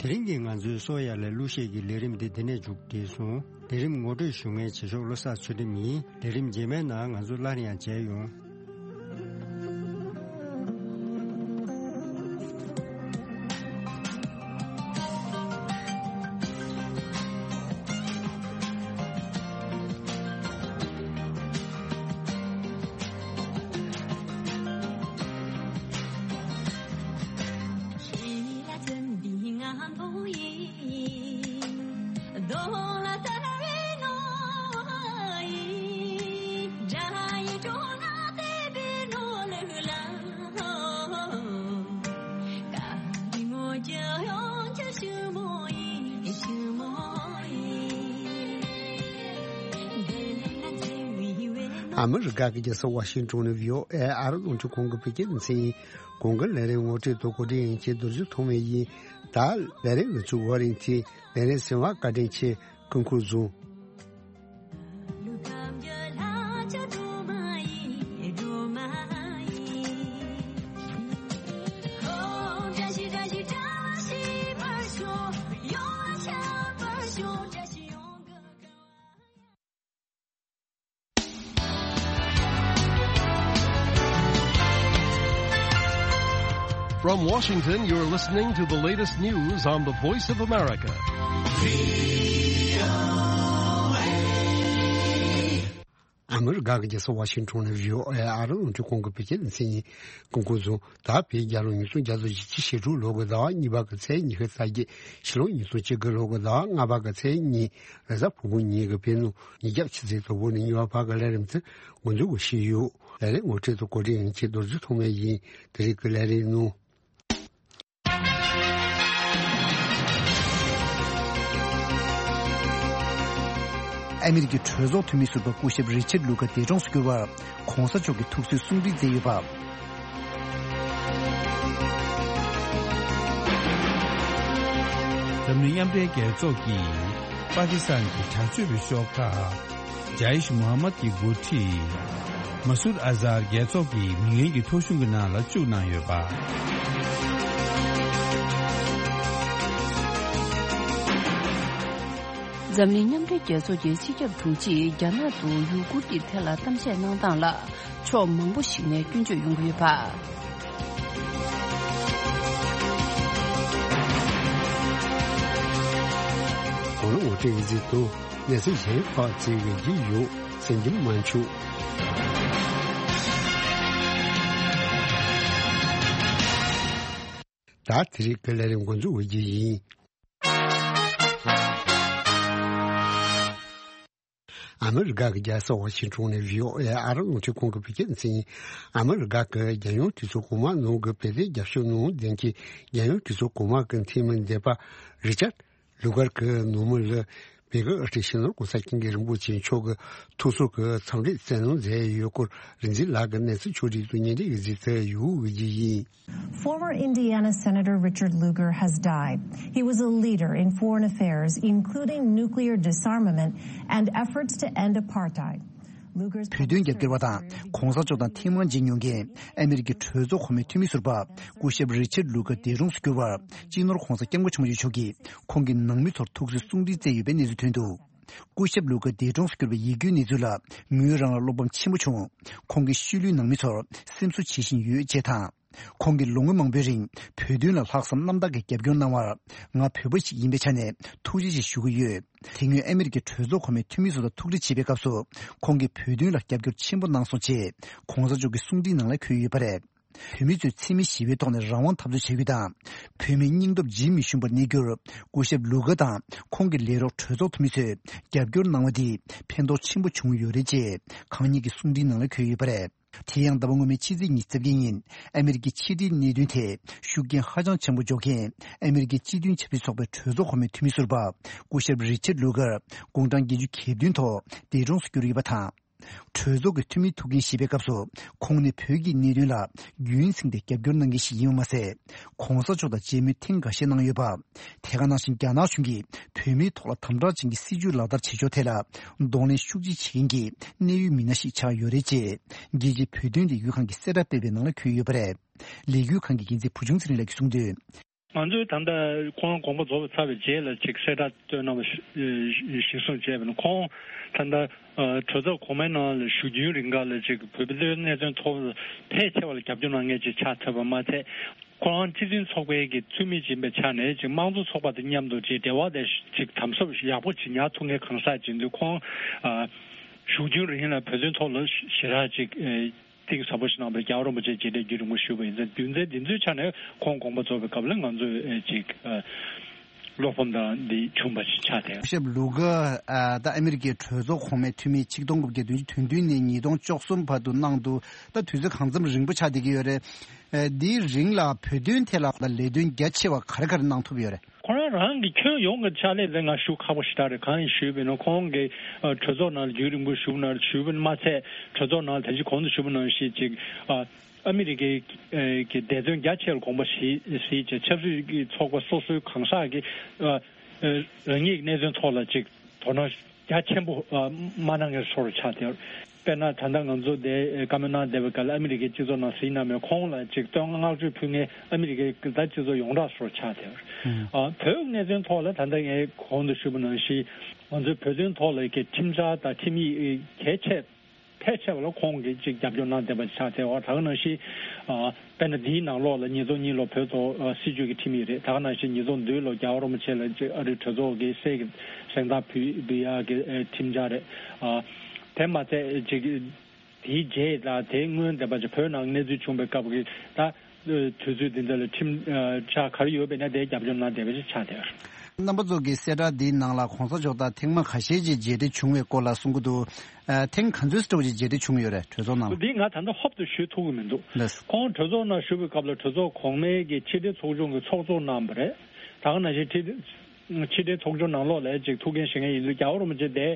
དེ་རིང་གི་ང་ཚོའི་གསོ་ཡ་ལས་གླུ་གཞས་ཀྱི་ལས་རིམ་འདི་འདི་ནས་མཇུག་བསྒྲིལ་སོང་། ལས་རིམ་ངོ་སྤྲོད་ཞུ་མཁན་བྱེད་ཕྱོགས་བློ་བཟང་ཚུལ་ཁྲིམས་ཡིན། ལས་རིམ་རྗེས་མའི་ནང་ང་ཚོ་སླར་ཡང་མཇལ་ཡོང་། ཨ་མི་རི་ཀ་གི་རྒྱལ་ས་ཝ་ཤིང་ཏོན་ནས་བྷི་ཨོ་ཨེ་ཨ་རི་རླུང་འཕྲིན་ཁང་གི་བོད་སྐད་སྡེ་ཚན་ཡིན། གོང་གི་ལས་རིམ་ངོ་སྤྲོད་དང་གོ་སྒྲིག་ཡིན་གྱི་རྡོ་རྗེ་ཐོགས་མེད་ཡིན། ད་ལས་རིམ་ང་ཚོའི་འོག་རིང་ཚེ་ལས་རིམ་གསན་པར་བཀའ་དྲིན་ཆེ། སྐུ་ཁམས་བཟང་། From Washington, you're listening to the latest news on the Voice of America. ཨ་མི་རི་ཀ་གི་རྒྱལ་ས་ཝ་ཤིང་ཏོན་ནས་བྷི་ཨོ་ཨེ་ཨ་རི་རླུང་འཕྲིན་ཁང་གི་བོད་སྐད་སྡེ་ཚན་ཡིན། སྐུ་ཁམས་བཟང་། ད་བོད་རྒྱལ་ལོ་ཉིས་སྟོང་བརྒྱ་དང་བཞི་བཅུ་ཞེ་དྲུག་ལོ་གི་ཟླ་བ་གཉིས་པ་གི་ཚེས་ཉི་ཤུ་རྩ་བརྒྱད། ཕྱི་ལོ་ཉིས་སྟོང་གཅིག་གི་ལོ་གི་ཟླ་བ་ལྔ་པ་གི་ཚེས་གཉིས། རེས་གཟའ་ཕུར་བུ་ཉིན་གྱི་བོད་ནང་ཉིན་རྒྱབ་ཕྱི་ཚེས་དང་པོ་ནས་གཉིས་པ་བར་གྱི་ལས་རིམ་དེ་འགོ་འཛུགས་ཞུས་ཡོད། ལས་རིམ་ངོ་སྤྲོད་དང་གོ་སྒྲིག་ཡིན་གྱི་རྡོ་རྗེ་ཐོགས་མེད་ཡིན། དེ་རིང་གི་ལས་རིམ་ནང་། ཨ་མི་རི་ཀའི་གྲོས་ཚོགས་འཐུས་མི་ཟུར་པ་སྐུ་ཞབས་རི་ཆར་ལུ་ཀ་འདས་གྲོངས་སུ་གྱུར་བར་༸གོང་ས་མཆོག་གིས་ཐུགས་གསོའི་གསུང་འཕྲིན་བསྩལ་ཡོད་པ། འཛམ་གླིང་མཉམ་འབྲེལ་རྒྱལ་ཚོགས་ཀྱིས་པ་ཀི་སི་ཐན་གྱི་དྲག་སྤྱོད་པའི་ཤོག་ཁག་ཇཱ་ཡིཤ་མུ་ཧམ་མད་ཀྱི་འགོ་ཁྲིད་མ་སུད་ཨ་ཛར་རྒྱལ་ཚོགས་ཀྱི་མི་ངན་གྱི་ཐོ་གཞུང་གི་ནང་ལ་བཅུག་གནང་ཡོད་པ། འཛམ་གླིང་མཉམ་འབྲེལ་རྒྱལ་ཚོགས་ཀྱི་སྤྱི་ཁྱབ་དྲུང་ཆེས་རྒྱ་ནག་ཏུ་ཡུ་གུར་གྱི་ཐད་ལ་གཏམ་བཤད་གནང་སྟངས་ལ་ཕྱོགས་མང་པོ་ཞིག་ནས་སྐྱོན་བརྗོད་ཡོང་གི་ཡོད་པ། གོང་ལ་ངོ་སྤྲོད་ཡིག་ཚིག་ཏུ་གནས་ཚུལ་གཞན་ཁག་བརྩི་བའི་རྒྱུ་ཡོད་སེམས་ཀྱི་མ་འཆུག་ད་དེ་རིང་གི་ལས་རིམ་འགོ་འཛུགས་འོས་རྒྱུ་ཡིན། ཨ་མི་རི་ཀ་གི་རྒྱལ་ས་ཝ་ཤིང་ཊོན་ནས་བྷི་ཨོ་ཨེ་ཨ་རི་རླུང་འཕྲིན་ཁང་གི་བོད་སྐད་སྡེ་ཚན་ཡིན། ཨ་མི་རི་ཀ་གི་རྒྱལ་ཡོངས་དུས་ཚོད་གོང་མ་ནང་གི་བོད་དོན་རྒྱབ་སྐྱོར་གནང་མཁན་གྱི་རྒྱལ་ཡོངས་དུས་ཚོད་གོང་མ་གི་འཐུས་མི་འདས་པ་རི་ཅར་ལུ་གར་གྱི་ནང་མི་ལ་བོད་ཀྱི་དབུ་ཁྲིད་སྤྱི་ནོར་གོང་ས་སྐྱབས་མགོན་རིན་པོ་ཆེ་མཆོག་གི་ཐུགས་གསོ་གི་འཚམས་འདྲི་སྩལ་གནང་མཛད་ཡོད་སྐོར་རིག་འཛིན་ལགས་ཀྱིས་གནས་ཚུལ་ཕྱོགས་སྒྲིག་དང་སྙན་སྒྲོན་གྱི་གཟིགས་ཚུལ་ཡོད་ཀྱི་ཡིན། Former Indiana Senator Richard Lugar has died. He was a leader in foreign affairs, including nuclear disarmament and efforts to end apartheid. Lugar's བོད་དོན་རྒྱབ་སྐྱོར་བ་དང་གོང་ས་མཆོག་དང་ཐེངས་མང་མཇལ་མྱོང་མཁན་ཨ་མི་རི་ཀའི་གྲོས་ཚོགས་གོང་མའི་འཐུས་མི་ཟུར་པ་སྐུ་ཞབས་རི་ཆར་ལུ་གར་འདས་གྲོངས་སུ་གྱུར་བར་སྤྱི་ནོར་གོང་ས་སྐྱབས་མགོན་ཆེན་པོ་མཆོག་གིས་ཁོང་གི་ནང་མི་ཚོར་ཐུགས་གསོའི་གསུང་འཕྲིན་བསྩལ་ཡོད་པའི་གནས་ཚུལ་ཐོན་འདུག་སྐུ་ཞབས་ལུ་གར་འདས་གྲོངས་སུ་གྱུར་པའི་ཡིད་སྐྱོའི་གནས་ཚུལ་ལ་ངོས་རང་ལ་བློ་ཕམ་ཆེན་པོ་བྱུང་། ཁོང་གི་ཤུལ་ལུས་ནང་མི་ཚོར་སེམས་གསོ་བྱེད་བཞིན་ཡོད་ཅེས་དང་། ཁོང་གིས་ལོ་ངོ་མང་པོའི་རིང་བོད་དོན་ལ་ལྷག་བསམ་རྣམ་དག་གིས་རྒྱབ་སྐྱོར་གནང་བར་ང་བོད་པ་ཞིག་ཡིན་པའི་ཆ་ནས་ཐུགས་རྗེ་ཆེ་ཞུ་གི་ཡོད། དེ་སྔོན་ཨ་མི་རི་ཀའི་གྲོས་ཚོགས་གོང་མའི་འཐུས་མི་ཚོ་དང་ཐུག་འཕྲད་བྱེད་པའི་སྐབས་སུ་ཁོང་གིས་བོད་དོན་ལ་རྒྱབ་སྐྱོར་ཆེན་པོ་གནང་སོང་ཅེས་གོང་ས་མཆོག་གི་གསུང་འཕྲིན་ནང་ལ་འཁོད་ཡོད་པ་རེད། བོད་མི་ཚོས་འཚེ་མེད་ཞི་བའི་ཐོག་ནས་རང་དབང་འཐབ་རྩོད་བྱ་རྒྱུ་དང་། བོད་མིའི་སྙིང་སྟོབས་ཇི་མི་ཞུམ་པར་གནས་རྒྱུར་སྐུ་ཞབས་ལུ་གར་དང་ཁོང་གི་ལས་རོགས་གྲོས་ཚོགས་འཐུས་མི་ཚོས་རྒྱབ་སྐྱོར་གནང་བ་འདིས་ཕན་ཐོགས་ཆེན་པོ་བྱུང་ཡོད་རེད་ཅེས་གང་ཉིད་ཀྱི་གསུང་འཕྲིན་ནང་ལ་འཁོད་ཡོད་པ་རེད། དེ་ཡང་ཟླ་བ་སྔོན་མའི་ཕྱི་ཚེས་ཉི་ཤུ་རྩ་བརྒྱད་ཉིན་ཨ་མི་རི་ཀའི་ཕྱི་འབྲེལ་གནད་དོན་ཐད་ཤུགས་རྐྱེན་ཧ་ཅང་ཆེན་པོ་འཇོག་མཁན་ཨ་མི་རི་ཀའི་སྤྱི་མཐུན་ཆབ་སྲིད་ཚོགས་པའི་གྲོས་ཚོགས་གོང་མའི་འཐུས་མི་ཟུར་པ་སྐུ་ཞབས་རི་ཆར་ལུ་གར་དགུང་གྲངས་བརྒྱད་ཅུ་གྱ་བདུན་ཐོག་འདས་གྲོངས་སུ་གྱུར་ཡོད་པ་དང་། གྲོས་ཚོགས་ཀྱི་འཐུས་མི་ཐུག་འཕྲད་བྱེད་པའི་སྐབས་སུ་ཁོང་ནི་བོད་ཀྱི་གནད་དོན་ལ་རྒྱུན་བསྲིངས་ཏེ་རྒྱབ་སྐྱོར་གནང་མཁན་ཞིག་ཡིན་པ་མ་ཟད། གོང་ས་མཆོག་དང་མཇལ་མོལ་ཐེངས་འགའ་ཤས་གནང་ཡོད་པ། དེ་ག་ནང་བཞིན་རྒྱ་ནག་གཞུང་གིས་བོད་མིའི་ཐོག་ལ་དམ་དྲག་ཅན་གྱི་སྲིད་བྱུས་ལག་བསྟར་བྱེད་ཕྱོགས་ཐད་ལ་གདོང་ལེན་ཤུགས་ཆེ་བྱེད་མཁན་གྱི་གནད་ཡོད་མི་སྣ་ཞིག་ཆགས་ཡོད་རེད་ཅེས་རྒྱལ་སྤྱིའི་བོད་དོན་ལས་འགུལ་ཁང་གིས་གསལ་བསྒྲགས་སྤེལ་བའི་ནང་ལ་འཁོད་ཡོད་པ་རེད། ལས་འགུལ་ཁང་གི་འགན་འཛིན་བུ་ཆུང་ཚེ་རིང་ལགས་ཀྱིས་གསུངས་དོན། ང་ཚོས་ད་ལྟ་ཁོང་དགོངས་པ་རྫོགས་པ་ཚར་བའི་རྗེས་ལ་ཅིག་གསལ་བསྒྲགས་བཏོན་གནང་བ་ཞིག་གསུངས་བྱས་པ་ན། ཁོང་ད་ལྟ་གྲོས་ཚོགས་གོང་མའི་ནང་ལ་བཞུགས་རྒྱུན་རིང་ག་ལ་ཅིག་བོད་པའི་གནད་དོན་ཐོག་ཕལ་ཆེ་བ་ལ་རྒྱབ་སྐྱོར་གནང་མཁན་ཅིག་ཆགས་ཐུབ་པ་མ་ཚད། ཁོ་རང་སྤྱི་མཐུན་ཚོགས་པའི་གི་འཐུས་མི་ཡིན་པའི་ཆ་ནས་ཅིག་དམངས་གཙོ་ཚོགས་པ་དང་མཉམ་དུ་ཅིག་འབྲེལ་བ་དེ་ཅིག་དམ་ཟབ་ཡག་པོ་ཅིག་ཉར་ཐུབ་མཁན་གང་ཟག་ཅིག་འདུག་ཁོང་བཞུགས་རྒྱུན་རིང་ལ་བོད་དོན་ཐོག་ལ་ཞེ་དྲག་ཅིག་གཏིང་ཟབ་པོ་ཞིག་གནང་བར་རྒྱལ་བ་རིན་པོ་ཆེ་མཇལ་འཕྲད་རྒྱུན་རིང་པོ་བཞུགས་པ་ཡིན་ཙང་རྒྱུ་མཚན་འདི་ཚོའི་ཆ་ནས་ཁོང་དགོངས་པ་རྫོགས་པའི་སྐབས་ལ་ང་ཚོས་ཅིག་བློ་ཕམ་དང་འདི་བྱུང་བ་ཞིག་ཆགས་ཏེ། སྐུ་ཞབས་ལུ་གར་ད་ཨ་མི་རི་ཀའི་གྲོས་ཚོགས་གོང་མའི་འཐུས་མི་ཆིག་སྟོང་དགུ་བརྒྱ་བདུན་ཅུ་དོན་བདུན་ནས་ཉིས་སྟོང་བཅུ་གསུམ་བར་དུ་གནང་འདུག་ད་དུས་ཚོད་གང་འཚམ་རིང་པོ་ཆགས་བསྡད་ཀྱི་ཡོད་རེད། འདིའི་རིང་ལ་བོད་དོན་ཐད་ལ་ལས་དོན་རྒྱ་ཆེ་བ་ག་རེ་ག་རེ་གནང་ཐུབ་ཡོད་རེད། ཁོ་རང་རང་གི་ཁྱོན་ཡོངས་ཀྱི་ཕྱག་ལས་ལ་ང་ཞུ་ཁག་པོ་ཞེ་དྲག་རེད། གང་ཡིན་ཞུས་པ་ཡིན་ན་ཁོང་གིས་ཨ་གྲོས་ཚོགས་ནང་ལ་རྒྱུན་རིང་པོ་བཞུགས་ན་ཞུས་པ་མ་ཚད་གྲོས་ཚོགས་ནང་ལ་ད་ཅི་གོང་དུ་ཞུས་པ་ནང་བཞིན་ཅིག་ཨ་ཨ་མི་རི་ཀའི་ཨ་གི་བདེ་དོན་རྒྱ་ཆེ་ལ་དགོངས་པ་བཞེས་བཞེས་བྱས་ཆབ་སྲིད་ཀྱི་ཚོགས་པ་སོ་སོའི་གང་ཟག་གི་ཨ་ཨ་རང་ཉིད་ཀྱི་གནད་དོན་ཐོག་ལ་ཅིག་དོ་སྣང་རྒྱ་ཆེན་པོ་ཨ་མ་གནང་མཁན་བཟོ་འདྲ་ཆགས་བསྡད་ཡོད། དཔེར་ན་ད་ལྟ་ང་ཚོ་དེ་བཀའ་མོལ་གནང་བསྡད་པའི་སྐབས་ལ་ཨ་མི་རི་ཀའི་སྤྱི་ཚོགས་ནང་གཟིགས་གནང་མེད། ཁོང་ལ་ཅིག་བསྟོད་བསྔགས་བསྔགས་བརྗོད་ཕུལ་མཁན་ཨ་མི་རི་ཀའི་ད་སྤྱི་ཚོགས་ཡོངས་གྲགས་བཟོ་འདྲ་ཆགས་བསྡད་ཡོད། ཨུམ། ཨ་བོད་གནད་དོན་ཐོག་ལ་ད་ལྟ་ངས་གོང་དུ་ཞུས་པ་ནང་བཞིན་ང་ཚོའི་བོད་དོན་ཐོག་ལ་གི་ཁྲིམས་འཆར་དང་ཁྲིམས་ཡིག་གལ་ཆེ་ཕལ་ཆེ་བ་ལ་ཁོང་གིས་ཅིག་རྒྱབ་སྐྱོར་གནང་བསྡད་པ་ཆགས་བསྡད་ཡོད། ད་ག་ནང་བཞིན་ཨ་དཔེར་ན་འདིའི་ནང་ལོགས་ལ་ཉིས་སྟོང་གཉིས་ལོ་བོད་ཐོག་ཨ་སྲིད་བྱུས་ཀྱི་ཁྲིམས་ཡིག་རེད། ད་ག་ནང་བཞིན་ཉིས་སྟོང་བདུན་ལོ་རྒྱལ་བ་རིན་པོ་ཆེ་ལ་ཅིག་ཨ་རིའི་གྲོས་ཚོགས་ཀྱི་གསེར་གྱི་གཟེངས་རྟགས་ཕུལ་ཕུལ་ཡག་གི་ཨ་ཁྲིམས་འཆར་རེད། ཨ་དེ་མ་ཚད་ཅིག་དེའི་རྗེས་དང་དེའི་སྔོན་འདས་པ་ཅིག་བོད་ནང་གནས་ཚུལ་བྱུང་བའི་སྐབས་ཀྱི་ད་དུས་ཚོད་འདི་འདྲ་ལ་ཁྲིམས་ཨ་འཆར་ག་རེ་ཡོད་པ་ཡིན་ན་དེ་རྒྱབ་སྐྱོར་གནང་བསྡད་པ་ཞིག་ཆགས་བསྡད་ཡོད། རྣམ་པ་ཚོ་གི་གསལ་བསྒྲགས་འདིའི་ནང་ལ་གོང་ས་མཆོག་དང་ཐེངས་མ་ཁ་ཤས་ཅིག་མཇལ་འཕྲད་བྱུང་བའི་སྐོར་ལ་གསུང་གི་འདུག་ཨ་ཐེངས་ག་ཚོད་ཙམ་ཅིག་མཇལ་འཕྲད་བྱུང་ཡོད་རེད། གྲོས་ཚོགས་ནང་ལ། འདི་ང་ད་ལྟ་ཧོབ་ཏུ་ཞུ་ཐུབ་ཀྱི་མི་འདུག་ལགས། ཁོང་གྲོས་ཚོགས་ནང་ཞུགས་པའི་སྐབས་ལ་གྲོས་ཚོགས་གོང་མའི་གི་ཕྱི་དྲིལ་ཚོགས་ཆུང་གི་ཚོགས་གཙོ་གནང་བ་རེད། ད་ག་ནང་བཞིན་ཕྱི་དྲིལ་ཕྱི་དྲིལ་ཚོགས་ཆུང་ནང་ལོགས་ལ་ཅིག་ཐུགས་འགན་བཞེས་མཁན་ཡིན་དུས་རྒྱལ་བ་རིན་པོ་ཆེ་དེ་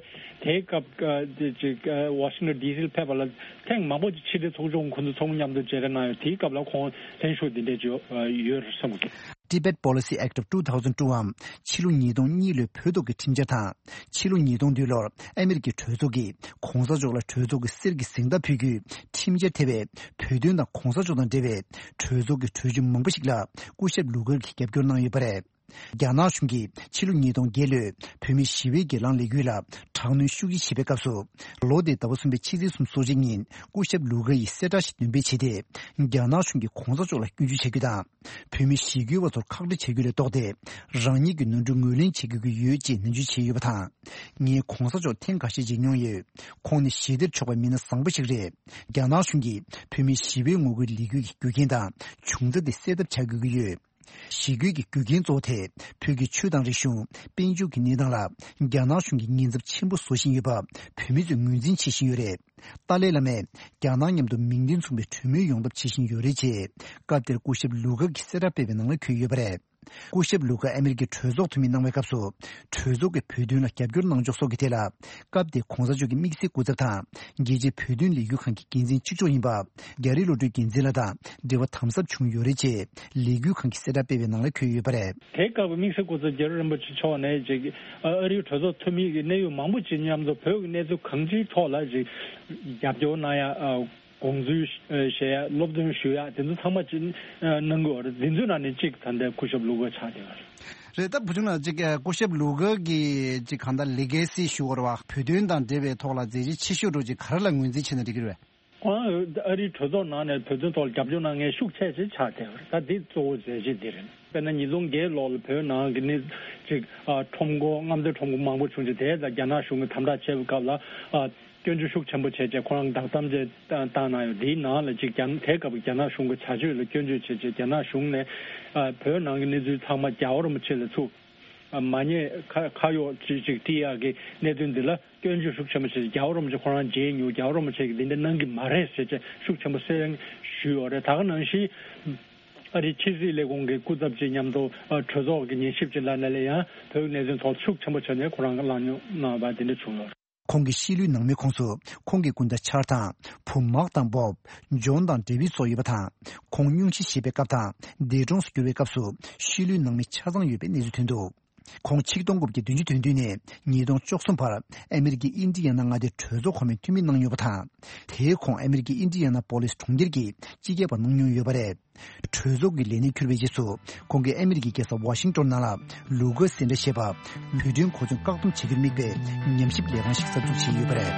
དེའི་སྐབས་ཀ་དེ་ཅིག་ཨ་ཝ་ཤིང་ཊོན་ཌི་སི་ལ་ཕེབས་པ་ལ་ཐེངས་མང་པོ་ཅིག་ཕྱི་དྲིལ་ཚོགས་ཆུང་ཁོང་ཚོ་ཚང་མ་མཉམ་དུ་མཇལ་འཕྲད་གནང་ཡོད། དེའི་སྐབས་ལ་ཁོང་ལྷན་ཞུགས་འདི་འདྲས་ཅིག་ཡོད་ཡོད་རེད་བསམ་གི། Tibet Policy Act of two thousand two འམ་ཕྱི་ལོ་ཉིས་སྟོང་གཉིས་ལོའི་བོད་ཐོག་གི་ཁྲིམས་འཆར་དང་། ཕྱི་ལོ་ཉིས་སྟོང་བདུན་ལོར་ཨ་མི་རི་ཀའི་གྲོས་ཚོགས་ཀྱིས་གོང་ས་མཆོག་ལ་གྲོས་ཚོགས་ཀྱི་གསེར་གྱི་གཟེངས་རྟགས་ཕུལ་རྒྱུའི་ཁྲིམས་འཆར་ཐེ་བའི་བོད་དོན་དང་གོང་ས་མཆོག་དང་འབྲེལ་བའི་གྲོས་ཚོགས་ཀྱི་གྲོས་ཆོད་མང་པོ་ཞིག་ལ་སྐུ་ཞབས་ལུ་གར་གྱིས་རྒྱབ་སྐྱོར་གནང་ཡོད་པ་རེད། རྒྱ་ནག་གཞུང་གིས་ཕྱི་ལོ་ཉིས་སྟོང་བརྒྱད་ལོའི་བོད་མིའི་ཞི་བའི་སྒེར་ལངས་ལས་འགུལ་ལ་དྲག་གནོན་ཤུགས་ཆེ་བྱེད་པའི་སྐབས་སུ། ལོ་དེའི་ཟླ་བ་གསུམ་པའི་ཕྱི་ཚེས་སོ་གཅིག་ཉིན་སྐུ་ཞབས་ལུ་གར་ཡིས་གསལ་བསྒྲགས་ཤིག་འདོན་སྤེལ་བྱས་ཏེ། རྒྱ་ནག་གཞུང་གིས་གོང་ས་མཆོག་ལ་སྐྱོན་བརྗོད་བྱ་རྒྱུ་དང་། བོད་མི་ཞི་རྒོལ་བ་ཚོར་ཁག་དཀྲི་བྱ་རྒྱུ་ལས་ལྡོག་སྟེ། རང་ཉིད་ཀྱི་ནོར་འཁྲུལ་ངོས་ལེན་བྱེད་དགོས་ཀྱི་ཡོད་ཅེས་ནན་བརྗོད་བྱས་ཡོད་པ་དང་། ངས་གོང་ས་མཆོག་ཐེངས་ཁ་ཤས་མཇལ་མྱོང་ཡོད། ཁོང་ནི་ཞི་བདེར་ཕྱོགས་པའི་མི་སྣ་བཟང་པོ་ཞིག་རེད། རྒྱ་ནག་གཞུང་གིས་བོད་མིའི་ཞི་བའི་ངོ་རྒོལ་ལས་འགུལ་གྱི་རྒྱུ་རྐྱེན་དང་བྱུང་རྩ་དེ་སེལ་ཐབས་བྱ་དགོས་ཀྱི་ཡོད། ཞི་རྒོལ་གྱི་རྒྱུ་རྐྱེན་གཙོ་བོ་དེ་བོད་ཀྱི་ཆོས་དང་རིག་གཞུང་། དཔལ་འབྱོར་གྱི་གནས་སྟངས་ལ་རྒྱ་ནག་གཞུང་གིས་ཉེན་ཚབས་ཆེན་པོ་བཟོ་བཞིན་ཡོད་པ་བོད་མི་ཚོས་ངོས་འཛིན་བྱེད་བཞིན་ཡོད་རེད། ཏཱ་ལའི་བླ་མས་རྒྱ་ནག་མཉམ་དུ་མིང་དོན་མཚུངས་པའི་གྲོས་མོལ་ཡོང་ཐབས་བྱེད་བཞིན་ཡོད་རེད་ཅེས་སྐབས་དེར་སྐུ་ཞབས་ལུ་ག་གིས་གསལ་བསྒྲགས་སྤེལ་བའི་ནང་ལ་འཁོད་ཡོད་པ་རེད། སྐུ་ཞབས་ལུ་ག་ཨ་མེ་རི་ཀའི་གྲོས་ཚོགས་འཐུས་མི་གནང་བའི་སྐབས་སུ། གྲོས་ཚོགས་ཀྱིས་བོད་དོན་ལ་རྒྱབ་སྐྱོར་གནང་ཕྱོགས་སོགས་ཀྱི་ཐད་ལ། སྐབས་དེའི་གོང་ས་མཆོག་གི་དམིགས་བསལ་སྐུ་ཚབ་དང་། རྒྱལ་སྤྱིའི་བོད་དོན་ལས་འགུལ་ཁང་གི་འགན་འཛིན་གཅིག་ལྕོགས་ཡིན་པ། རྒྱ་རི་བློ་གྲོས་འགན་འཛིན་ལགས་དང་འབྲེལ་བ་དམ་ཟབ་བྱུང་ཡོད་རེད་ཅེས་ལས་འགུལ་ཁང་གིས་གསལ་བསྒྲགས་སྤེལ་བའི་ནང་ལ་འཁོད་ཡོད་པ་རེད། དེའི་སྐབས་དམིགས་བསལ་སྐུ་ཚབ་རྒྱ་རི་རིན་པོ་ཆེ་མཆོག་ནས་ཅིག་ཨ་རིའི་གྲོས་ཚོགས་འཐུས་མི་གི་གནད་ཡོད་མང་པོ་ཅིག་མཉམ་དུ་བོད་ཀྱི་གནས་ཚུལ་གང་ཅིའི་ཐོག་ལ་ཅིག་རྒྱབ་སྐྱོར་གནང་ཡ། དགོངས་ཚུལ་བཞེས་ཡ། སློབ་སྟོན་ཞུ་ཡ། དེ་ཚོ་ཚང་མ་ཅིག་གནང་གི་ཡོད་རེད། འདི་ཚོའི་ནང་ནས་གཅིག་ད་ལྟའི་སྐུ་ཞབས་ལུ་ག་ཆགས་བསྡད་ཡོད་རེད། རེད། ད་བུ་ཆུང་ལགས་ཅིག་སྐུ་ཞབས་ལུ་ག་གི་ཅིག་གང་ལྟར་ལི་གེ་སི་ཞུ་བར་བ་བོད་དོན་དང་འབྲེལ་བའི་ཐོག་ལ་མཛད་རྗེས་ཆེ་ཤོས་འགྲོ་ཅིག་ག་རེ་ལ་ངོས་འཛིན་བྱས་ན་འགྲིག་གི་རེད། ཁོང་ཨ་རིའི་གྲོས་ཚོགས་ནང་ནས་བོད་དོན་ཐོག་ལ་རྒྱབ་སྐྱོར་གནང་མཁན་ཤུགས་ཆེ་ཆེ་ཆགས་བསྡད་པ་རེད། ད་འདི་གཙོ་བོ་མཛད་རྗེས་འདི་རེད། དཔེར་ན་ཉིས་སྟོང་བརྒྱད་ལོ་ལ་བོད་ནང་གི་ནི་ཅིག་ཨ་ཁྲོམ་སྐོར་རྔམ་སྟོན་ཁྲོམ་སྐོར་མང་པོ་བྱུང་རྗེས་དེ་ལ་རྒྱ་ནག་གཞུང་གིས་དམ་དྲག་བྱས་པའི་སྐབས་ལ་ཨ་སྐྱོན་བརྗོད་ཤུགས་ཆེན་པོ་བྱས་རྗེས་ཁོ་རང་བདག་དམ་བཅས་བཏང་གནང་ཡོད། འདིའི་ནང་ལ་ཅིག་རྒྱ་དེའི་སྐབས་རྒྱ་ནག་གཞུང་གི་བྱ་སྤྱོད་ལ་སྐྱོན་བརྗོད་བྱས་རྗེས་རྒྱ་ནག་གཞུང་ནས་ཨ་བོད་ནང་གི་གནས་ཚུལ་ཚང་མ་རྒྱལ་བ་རིན་པོ་ཆེ་ལ་ཚུར་མ་ཉེས་ཁ་ཁ་གཡོག་ཅིག་ཅིག་སྤྲད་ཡག་གི་གནད་དོན་འདི་ལ་སྐྱོན་བརྗོད་ཤུགས་ཆེན་པོ་བྱས། རྒྱལ་བ་རིན་པོ་ཆེ་ཁོ་རང་མཇལ་མྱོང་། རྒྱལ་བ་རིན་པོ་ཆེ་གིས་འདི་འདྲ་གནང་གི་མ་རེད་ཟེར་བྱས་ཤུགས་ཆེན་པོ་གསལ་ཞུས་ཡོད་རེད། ད་ག་ནང་བཞིན་ཨ་རིའི་ཕྱི་སྲིད་ལས་ཁུངས་ཀྱི་སྐུ་ཚབ་ཅིག་མཉམ་དུ་གྲོས་ཚོགས་ཀྱི་ཉན་ཞིབ་ཅིག་ལ་ནས་ལས་ཡང་བོད་ཀྱི་གནད་དོན་ཐོག་ཤུགས་ཆེན་པོ་བྱས་ནས་ཁོ་རང་གི་ལངས་མྱོང་གནང་བ་འདི་འདྲ་བྱུང་ཡོད་རེད། ཁོང་གི་ཤི་ལོའི་ནང་མིའི་ཁོངས་སུ་ཁོང་གི་སྐུ་ཟླ་ཆར་དང་བུ་མག་དང་བོབ། ཇོན་དང་ཌེ་བིད་སོགས་ཡོད་པ་དང་། ཁོང་སྙུང་གཞི་བཞེས་པའི་སྐབས་དང་འདས་གྲོངས་སུ་གྱུར་བའི་སྐབས་སུ་ཤི་ལོའི་ནང་མི་ཆ་ཚང་ཡོད་པའི་གནས་ཚུལ་ཐོན་འདུག་ཁོང་ཆིག་སྟོང་དགུ་བརྒྱ་བདུན་ཅུ་དོན་བདུན་ནས་ཉིས་སྟོང་བཅུ་གསུམ་བར་ཨ་མེ་རི་ཀའི་ཨིན་ཌི་ཡ་ན་མངའ་སྡེའི་གྲོས་ཚོགས་གོང་མའི་འཐུས་མི་གནང་མྱོང་བ་དང་། དེའི་གོང་ཨ་མེ་རི་ཀའི་ཨིན་ཌི་ཡ་ན་པོ་ལིས་གྲོང་ཁྱེར་གྱི་སྤྱི་ཁྱབ་པ་གནང་མྱོང་ཡོད་པ་རེད། གྲོས་ཚོགས་ཀྱི་ལས་གནས་འཁྱུར་བའི་རྗེས་སུ་ཁོང་གིས་ཨ་མེ་རི་ཀའི་རྒྱལ་ས་ཝ་ཤིང་ཏོན་ནང་ལ་ལུ་ག་སེ་འདྲ་ཞེས་པ་བོད་དོན་གོ་སྐྱོང་བཀག་སྡོམ་བྱེད་རྒྱུར་དམིགས་པའི་ཉམས་ཞིབ་ལས་ཁང་ཞིག་གསར་འཛུགས་བྱས་ཡོད་པ་རེད།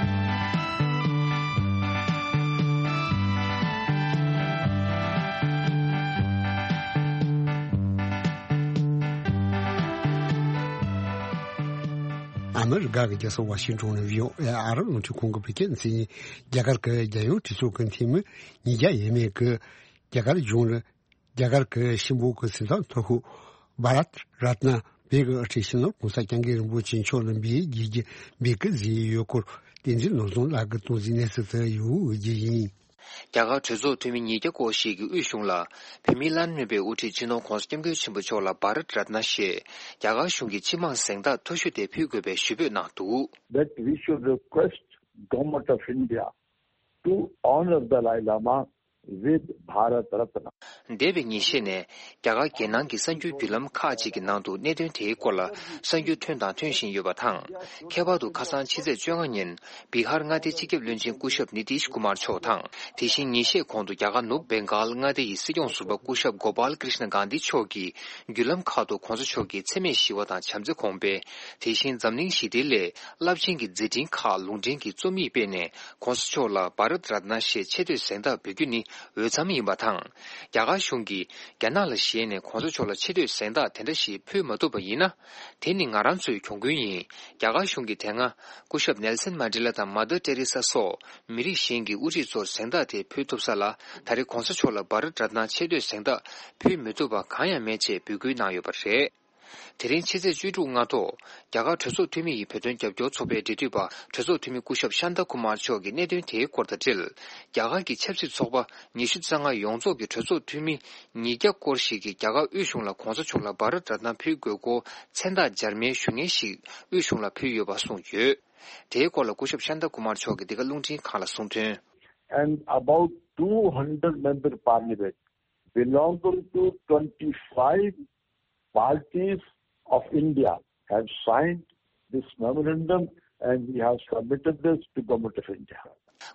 ཨ་མི་རི་ཀ་གི་རྒྱལ་ས་ཝ་ཤིང་ཏོན་ནས་བྷི་ཨོ་ཨེ་ཨ་རབ་རླུང་འཕྲིན་ཁང་གིས་བོད་སྐད་ནས་གསན་མཁན་རྒྱ་གར་གྱི་རྒྱལ་ཡོངས་གྲོས་ཚོགས་ཀྱི་འཐུས་མི་ཉིས་བརྒྱ་ཡས་མས་ཀྱིས་རྒྱ་གར་གཞུང་ལ་རྒྱ་གར་གྱི་ཤིང་སྦུག་གི་སེམས་ཐག་མཐོ་ཤོས་བྷ་རད་རཏ་ན་བྷེ་གི་དབུ་ཁྲིད་སྤྱི་ནོར་༸གོང་ས་༸སྐྱབས་མགོན་རིན་པོ་ཆེ་མཆོག་ལ་འབུལ་བའི་རྒྱུ་རྐྱེན་འབུལ་གྱི་བཟོས་ཡོད་སྐོར་བསྟན་འཛིན་ནོར་བཟང་ལགས་ཀྱིས་གཏོང་ཟིན་གནས་ཚུལ་དེ་ཡོད་རྒྱུ་ཡིན། རྒྱ་གར་གྲོས་ཚོགས་འཐུས་མི་ཉིས་བརྒྱ་སྐོར་ཞིག་གིས་དབུས་གཞུང་ལ་བོད་མིའི་བླ་ན་མེད་པའི་དབུ་ཁྲིད་སྤྱི་ནོར་༸གོང་ས་༸སྐྱབས་མགོན་ཆེན་པོ་མཆོག་ལ་བྷ་རད་རཏ་ན་ཞེས་རྒྱ་གར་གཞུང་གི་སྤྱི་དམངས་གཟེངས་རྟགས་མཐོ་ཤོས་དེ་ཕུལ་དགོས་པའི་ཞུ་འབོད་གནང་འདུག That we should request Government of India to honor Dalai Lama with Bharat Ratna. འདས་པའི་ཉིན་ཤས་ནས་རྒྱ་གར་རྒྱལ་ནང་གི་གསར་འགྱུར་བརྒྱུད་ལམ་ཁག་ཅིག་གི་ནང་དུ་གནད་དོན་དེའི་སྐོར་ལ་གསར་འགྱུར་ཐོན་དང་ཐོན་བཞིན་ཡོད་པ་དང་། ཁྱད་པར་དུ་ཁ་སང་ཕྱི་ཚེས་བཅོ་ལྔ་ཉིན་བི་ཧར་མངའ་སྡེའི་སྤྱི་ཁྱབ་བློན་ཆེན་སྐུ་ཞབས་ནི་ཏིཤ་ཀུ་མར་མཆོག་དང་། དེ་བཞིན་ཉིན་ཤས་གོང་དུ་རྒྱ་གར་ནུབ་བེང་གཱལ་མངའ་སྡེ་ཡི་སྲིད་སྐྱོང་ཟུར་པ་སྐུ་ཞབས་གོ་པཱལ་ཀྲིཤ་ན་གྷན་དྷི་མཆོག་གིས་བརྒྱུད་ལམ་ཁག་ཏུ་༸གོང་ས་མཆོག་གི་འཚེ་མེད་ཞི་བ་དང་བྱམས་བརྩེ་གོང་འཕེལ། དེ་བཞིན་འཛམ་གླིང་ཞི་བདེའི་སླད་རླབས་ཆེན་གྱི་མཛད་འཕྲིན་ཁག་ལུང་འདྲེན་གྱི་རྩོམ་ཡིག་སྤེལ་ནས་༸གོང་ས་མཆོག་ལ་བྷ་རད་རཏ་ན་ཞེས་ཆེ་བསྟོད་གཟེངས་རྟགས་འབུལ་རྒྱུ་ནི་འོས་འཚམ་ཡིན་པ་དང་། རྒྱ་གར་གཞུང་གིས་རྒྱ་ནག་ལ་ཞེད་ནས་༸གོང་ས་མཆོག་ལ་ཆེ་བསྟོད་གཟེངས་རྟགས་དེ་འདྲ་ཞིག་ཕུལ་མ་ཐུབ་པ་ཡིན་ན། དེ་ནི་ང་རང་ཚོའི་གྱོང་གུན་ཡིན། རྒྱ་གར་གཞུང་གིས་དེ་སྔ་སྐུ་ཞབས་ནེལ་སན་མན་ཌེ་ལ་དང་མ་དར་ཏེ་རེ་ས་སོགས་མི་རིགས་གཞན་གྱི་དབུ་ཁྲིད་ཚོར་གཟེངས་རྟགས་དེ་ཕུལ་ཐུབ་ས་ལ། ད་རེས་༸གོང་ས་མཆོག་ལ་བྷ་རད་རཏ་ན་ཆེ་བསྟོད་གཟེངས་རྟགས་ཕུལ་མི་ཐུབ་པ་གང་ཡང་མེད་ཅེས་འབོད་སྐུལ་གནང་ཡོད་པ་རེད། དེ་རིང་ཕྱི་ཚེས་བཅུ་དྲུག་སྔ་དྲོ། རྒྱ་གར་གྲོས་ཚོགས་འཐུས་མི་ཡི་བོད་དོན་རྒྱབ་སྐྱོར་ཚོགས་པའི་འབྲེལ་མཐུད་པ་གྲོས་ཚོགས་འཐུས་མི་སྐུ་ཞབས་ཤཱན་ཏཱ་ཀུ་མར་མཆོག་གིས་གནད་དོན་དེའི་སྐོར་དང་འབྲེལ། རྒྱ་གར་གྱི་ཆབ་སྲིད་ཚོགས་པ་ཉི་ཤུ་རྩ་ལྔ་ཡོངས་རྫོགས་ཀྱི་གྲོས་ཚོགས་འཐུས་མི་ཉིས་བརྒྱ་སྐོར་ཞིག་གིས་རྒྱ་གར་དབུས་གཞུང་ལ་༸གོང་ས་མཆོག་ལ་བྷ་རད་རཏ་ན་ཕུལ་དགོས་སྐོར་མཚན་རྟགས་འབྱར་མའི་ཞུ་སྙན་ཞིག་དབུས་གཞུང་ལ་ཕུལ་ཡོད་པ་གསུངས་ཡོད། དེའི་སྐོར་ལ་སྐུ་ཞབས་ཤཱན་ཏཱ་ཀུ་མར་མཆོག་གིས་འདི་ག་རླུང་འཕྲིན་ཁང་ལ་གསུངས་དོན། And about two hundred member parliament belonging to twenty-five parties of India have signed this memorandum and we have submitted this to Government of India.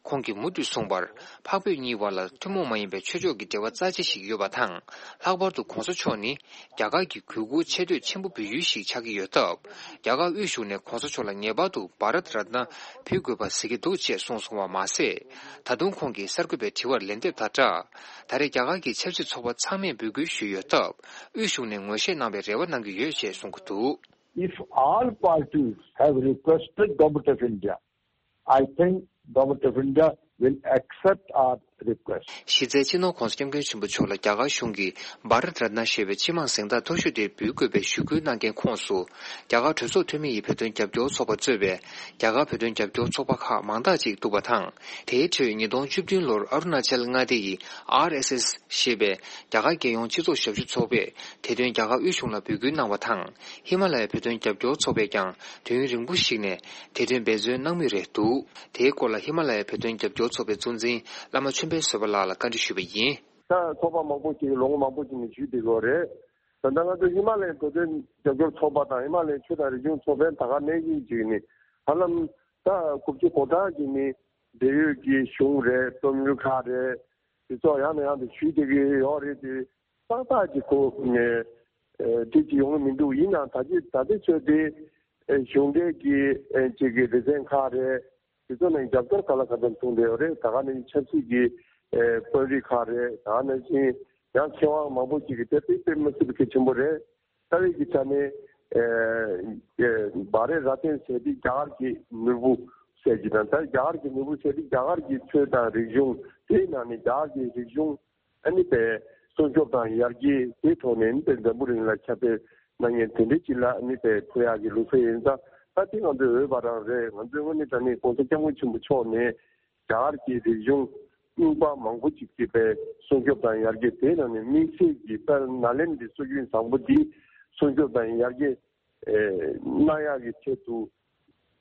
ཁོང་གིས་མུ་མཐུད་གསུངས་པར། འཕགས་བོད་གཉིས་བར་ལ་ཐུན་མོང་མ་ཡིན་པའི་ཆོས་ཕྱོགས་ཀྱི་འབྲེལ་བ་རྩ་ཆེ་ཞིག་ཡོད་པ་དང་། ལྷག་པར་དུ་༸གོང་ས་མཆོག་ནི་རྒྱ་གར་གྱི་གུས་བཀུར་ཆེ་བསྟོད་ཆེན་པོ་འབུལ་ཡུལ་ཞིག་ཆགས་ཀྱི་ཡོད་སྟབས། རྒྱ་གར་དབུས་གཞུང་ནས་༸གོང་ས་མཆོག་ལ་ངེས་པར་དུ་བྷ་རད་རཏ་ན་ཕུལ་དགོས་པ་གཟིགས་ཀྱི་འདུག་ཅེས་གསུངས་སོང་བ་མ་ཟད། ད་དུང་ཁོང་གིས་གསར་འགོད་པའི་དྲི་བར་ལན་འདེབས་དང་སྦྲགས། ད་རེས་རྒྱ་གར་གྱི་ཆབ་སྲིད་ཚོགས་པ་ཚང་མས་འབོད་སྐུལ་ཞུས་ཡོད་སྟབས། དབུས་གཞུང་ནས་ངོས་བཞེས་གནང་བའི་རེ་བ་གནང་གི་ཡོད་ཅེས་གསུང་གི་འདུག If all parties have requested Government of India, I think Government of India will accept our གཞི་རྩའི་སྤྱི་ནོར་༸གོང་ས་༸སྐྱབས་མགོན་ཆེན་པོ་མཆོག་ལ་རྒྱ་གར་གཞུང་གིས་བྷ་ར་ཏ་རཏ་ན་ཞེས་པའི་སྤྱི་དམངས་གཟེངས་རྟགས་མཐོ་ཤོས་དེ་འབུལ་དགོས་པའི་ཞུ་སྐུལ་གནང་མཁན་ཁོངས་སུ། རྒྱ་གར་གྲོས་ཚོགས་འཐུས་མི་ཡི་བོད་དོན་རྒྱབ་སྐྱོར་ཚོགས་པ་གཙོས་པའི་རྒྱ་གར་བོད་དོན་རྒྱབ་སྐྱོར་ཚོགས་པ་ཁག་མང་དག་ཅིག་འདུག་པ་དང་། དེའི་ཁྲོད་ཉིས་སྟོང་བཅུ་བདུན་ལོར་ཨ་རུ་ན་ཅལ་མངའ་སྡེ་ཡི་ཨར་ཨེས་ཨེས་ཞེས་པའི་རྒྱ་གར་རྒྱལ་ཡོངས་སྤྱི་ཚོགས་ཞབས་ཞུ་ཚོགས་པས་དེ་དོན་རྒྱ་གར་དབུས་གཞུང་ལ་འབོད་སྐུལ་གནང་བ་དང་། ཧི་མ་ལ་ཡའི་བོད་དོན་རྒྱབ་སྐྱོར་ཚོགས་པས་ཀྱང་དུས་ཡུན་རིང་པོ་ཞིག་ནས་དེ་དོན་འབད་བརྩོན་གནང་མུས་རེད་འདུག་དེའི་སྐོར་ལ་ཧི་མ་ལ་ཡའི་བོད་དོན་རྒྱབ་སྐྱོར་ཚོགས་པའི་གཙོ་འཛིན་བླ་མ་ཆོས་འཕེལ་བཟོད་པ་ལགས་ལ་བཀའ་འདྲི་ཞུས་པ་ཡིན། ད་ཚོགས་པ་མང་པོ་ཞིག་ལོ་ངོ་མང་པོ་ཞིག་ནས་ཞུས་བསྡད་ཡོད་རེད། ད་ལྟ་ང་ཚོ་ཧི་མ་ལ་ཡའི་བོད་དོན་རྒྱབ་སྐྱོར་ཚོགས་པ་དང་ཧི་མ་ལ་ཡའི་ཆོས་དང་རིག་གཞུང་ཚོགས་པའི་ད་ག་ནང་བཞིན་ཅིག་ནི་ཧ་ལམ་ད་དགུ་བཅུ་གོ་གྲངས་ཀྱི་ནི་འབྲེལ་ཡོད་ཀྱི་གཞུང་རེད། རྩོམ་ཡིག་ཁག་རེད། དེ་ཚོ་ཡང་ནས་ཡང་དུ་ཞུས་བསྡད་ཀྱི་ཡོད་རེད་དེ། ཏག་ཏག་ཅིག་ཁོ་ནས་དེ་ཅིག་ཡོང་གི་མི་འདུག་ཡིན་ནའང་ད་ཅི་ད་ལྟའི་ཆོས་དེ་གཞུང་འབྲེལ་གྱི་ཅིག་གི་སྡེ་ཚན་ཁག་རེད། དེ་ཚོ་ནས་རྒྱབ་སྐྱོར་ག་ལ་ག་ཚོད་གཏོང་བསྡད་ཡོད་རེད། ད་ག་ནས་ཆབ་སྲིད་ཀྱི་དཔོན་རིགས་ཁག་རེད། ད་ག་ནང་བཞིན་ཡང་མཁས་དབང་མང་པོ་ཅིག་གིས་དེ་དཔེ་དཔེ་མི་སྲིད་པའི་གལ་ཆེན་པོ་རེད། རྩ་བའི་གི་ཆ་ནས་བྷ་རེ་ར་ཏན་ཟེར་དེ་རྒྱ་གར་གྱི་ནོར་བུ་ཟེར་གྱི་དང་། ད་རྒྱ་གར་གྱི་ནོར་བུ་ཟེར་དེ་རྒྱ་གར་གྱི་ཆོས་དང་རིག་གཞུང་དེའི་ནང་ནས་རྒྱ་གར་གྱི་རིག་གཞུང་ཨ་ནི་པའི་སྲུང་སྐྱོབ་དང་ཡར་རྒྱས་དེའི་ཐོག་ནས་ཨ་ནི་པའི་འཛམ་བུ་གླིང་ལ་ཁྱབ་སྤེལ་གནང་མཁན་དེ་འདྲའི་ཅིག་ལ་ཨ་ནི་པའི་ཕུལ་ཡག་གི་ལུགས་སྲོལ་ཡིན་ཙང་། ད་དེ་ང་ཚོའི་འོས་པ་རང་རེད། ང་ཚོའི་དངོས་གནས་དྲང་གནས་༸གོང་ས་༸སྐྱབས་མགོན་ཆེན་པོ་མཆོག་ནས་རྒྱ་གར་གྱི་རིག་གཞུང་རྙིང་པ་མང་པོ་ཅིག་གི་པའི་སྲུང་སྐྱོབ་དང་ཡར་རྒྱས། དེའི་ནང་ནས་དམིགས་བསལ་གྱི་དཔལ་ནཱ་ལེནྡྲའི་སྲོལ་རྒྱུན་བཟང་པོ་འདི་སྲུང་སྐྱོབ་དང་ཡར་རྒྱས་གནང་ཡག་གི་ཆེད་དུ་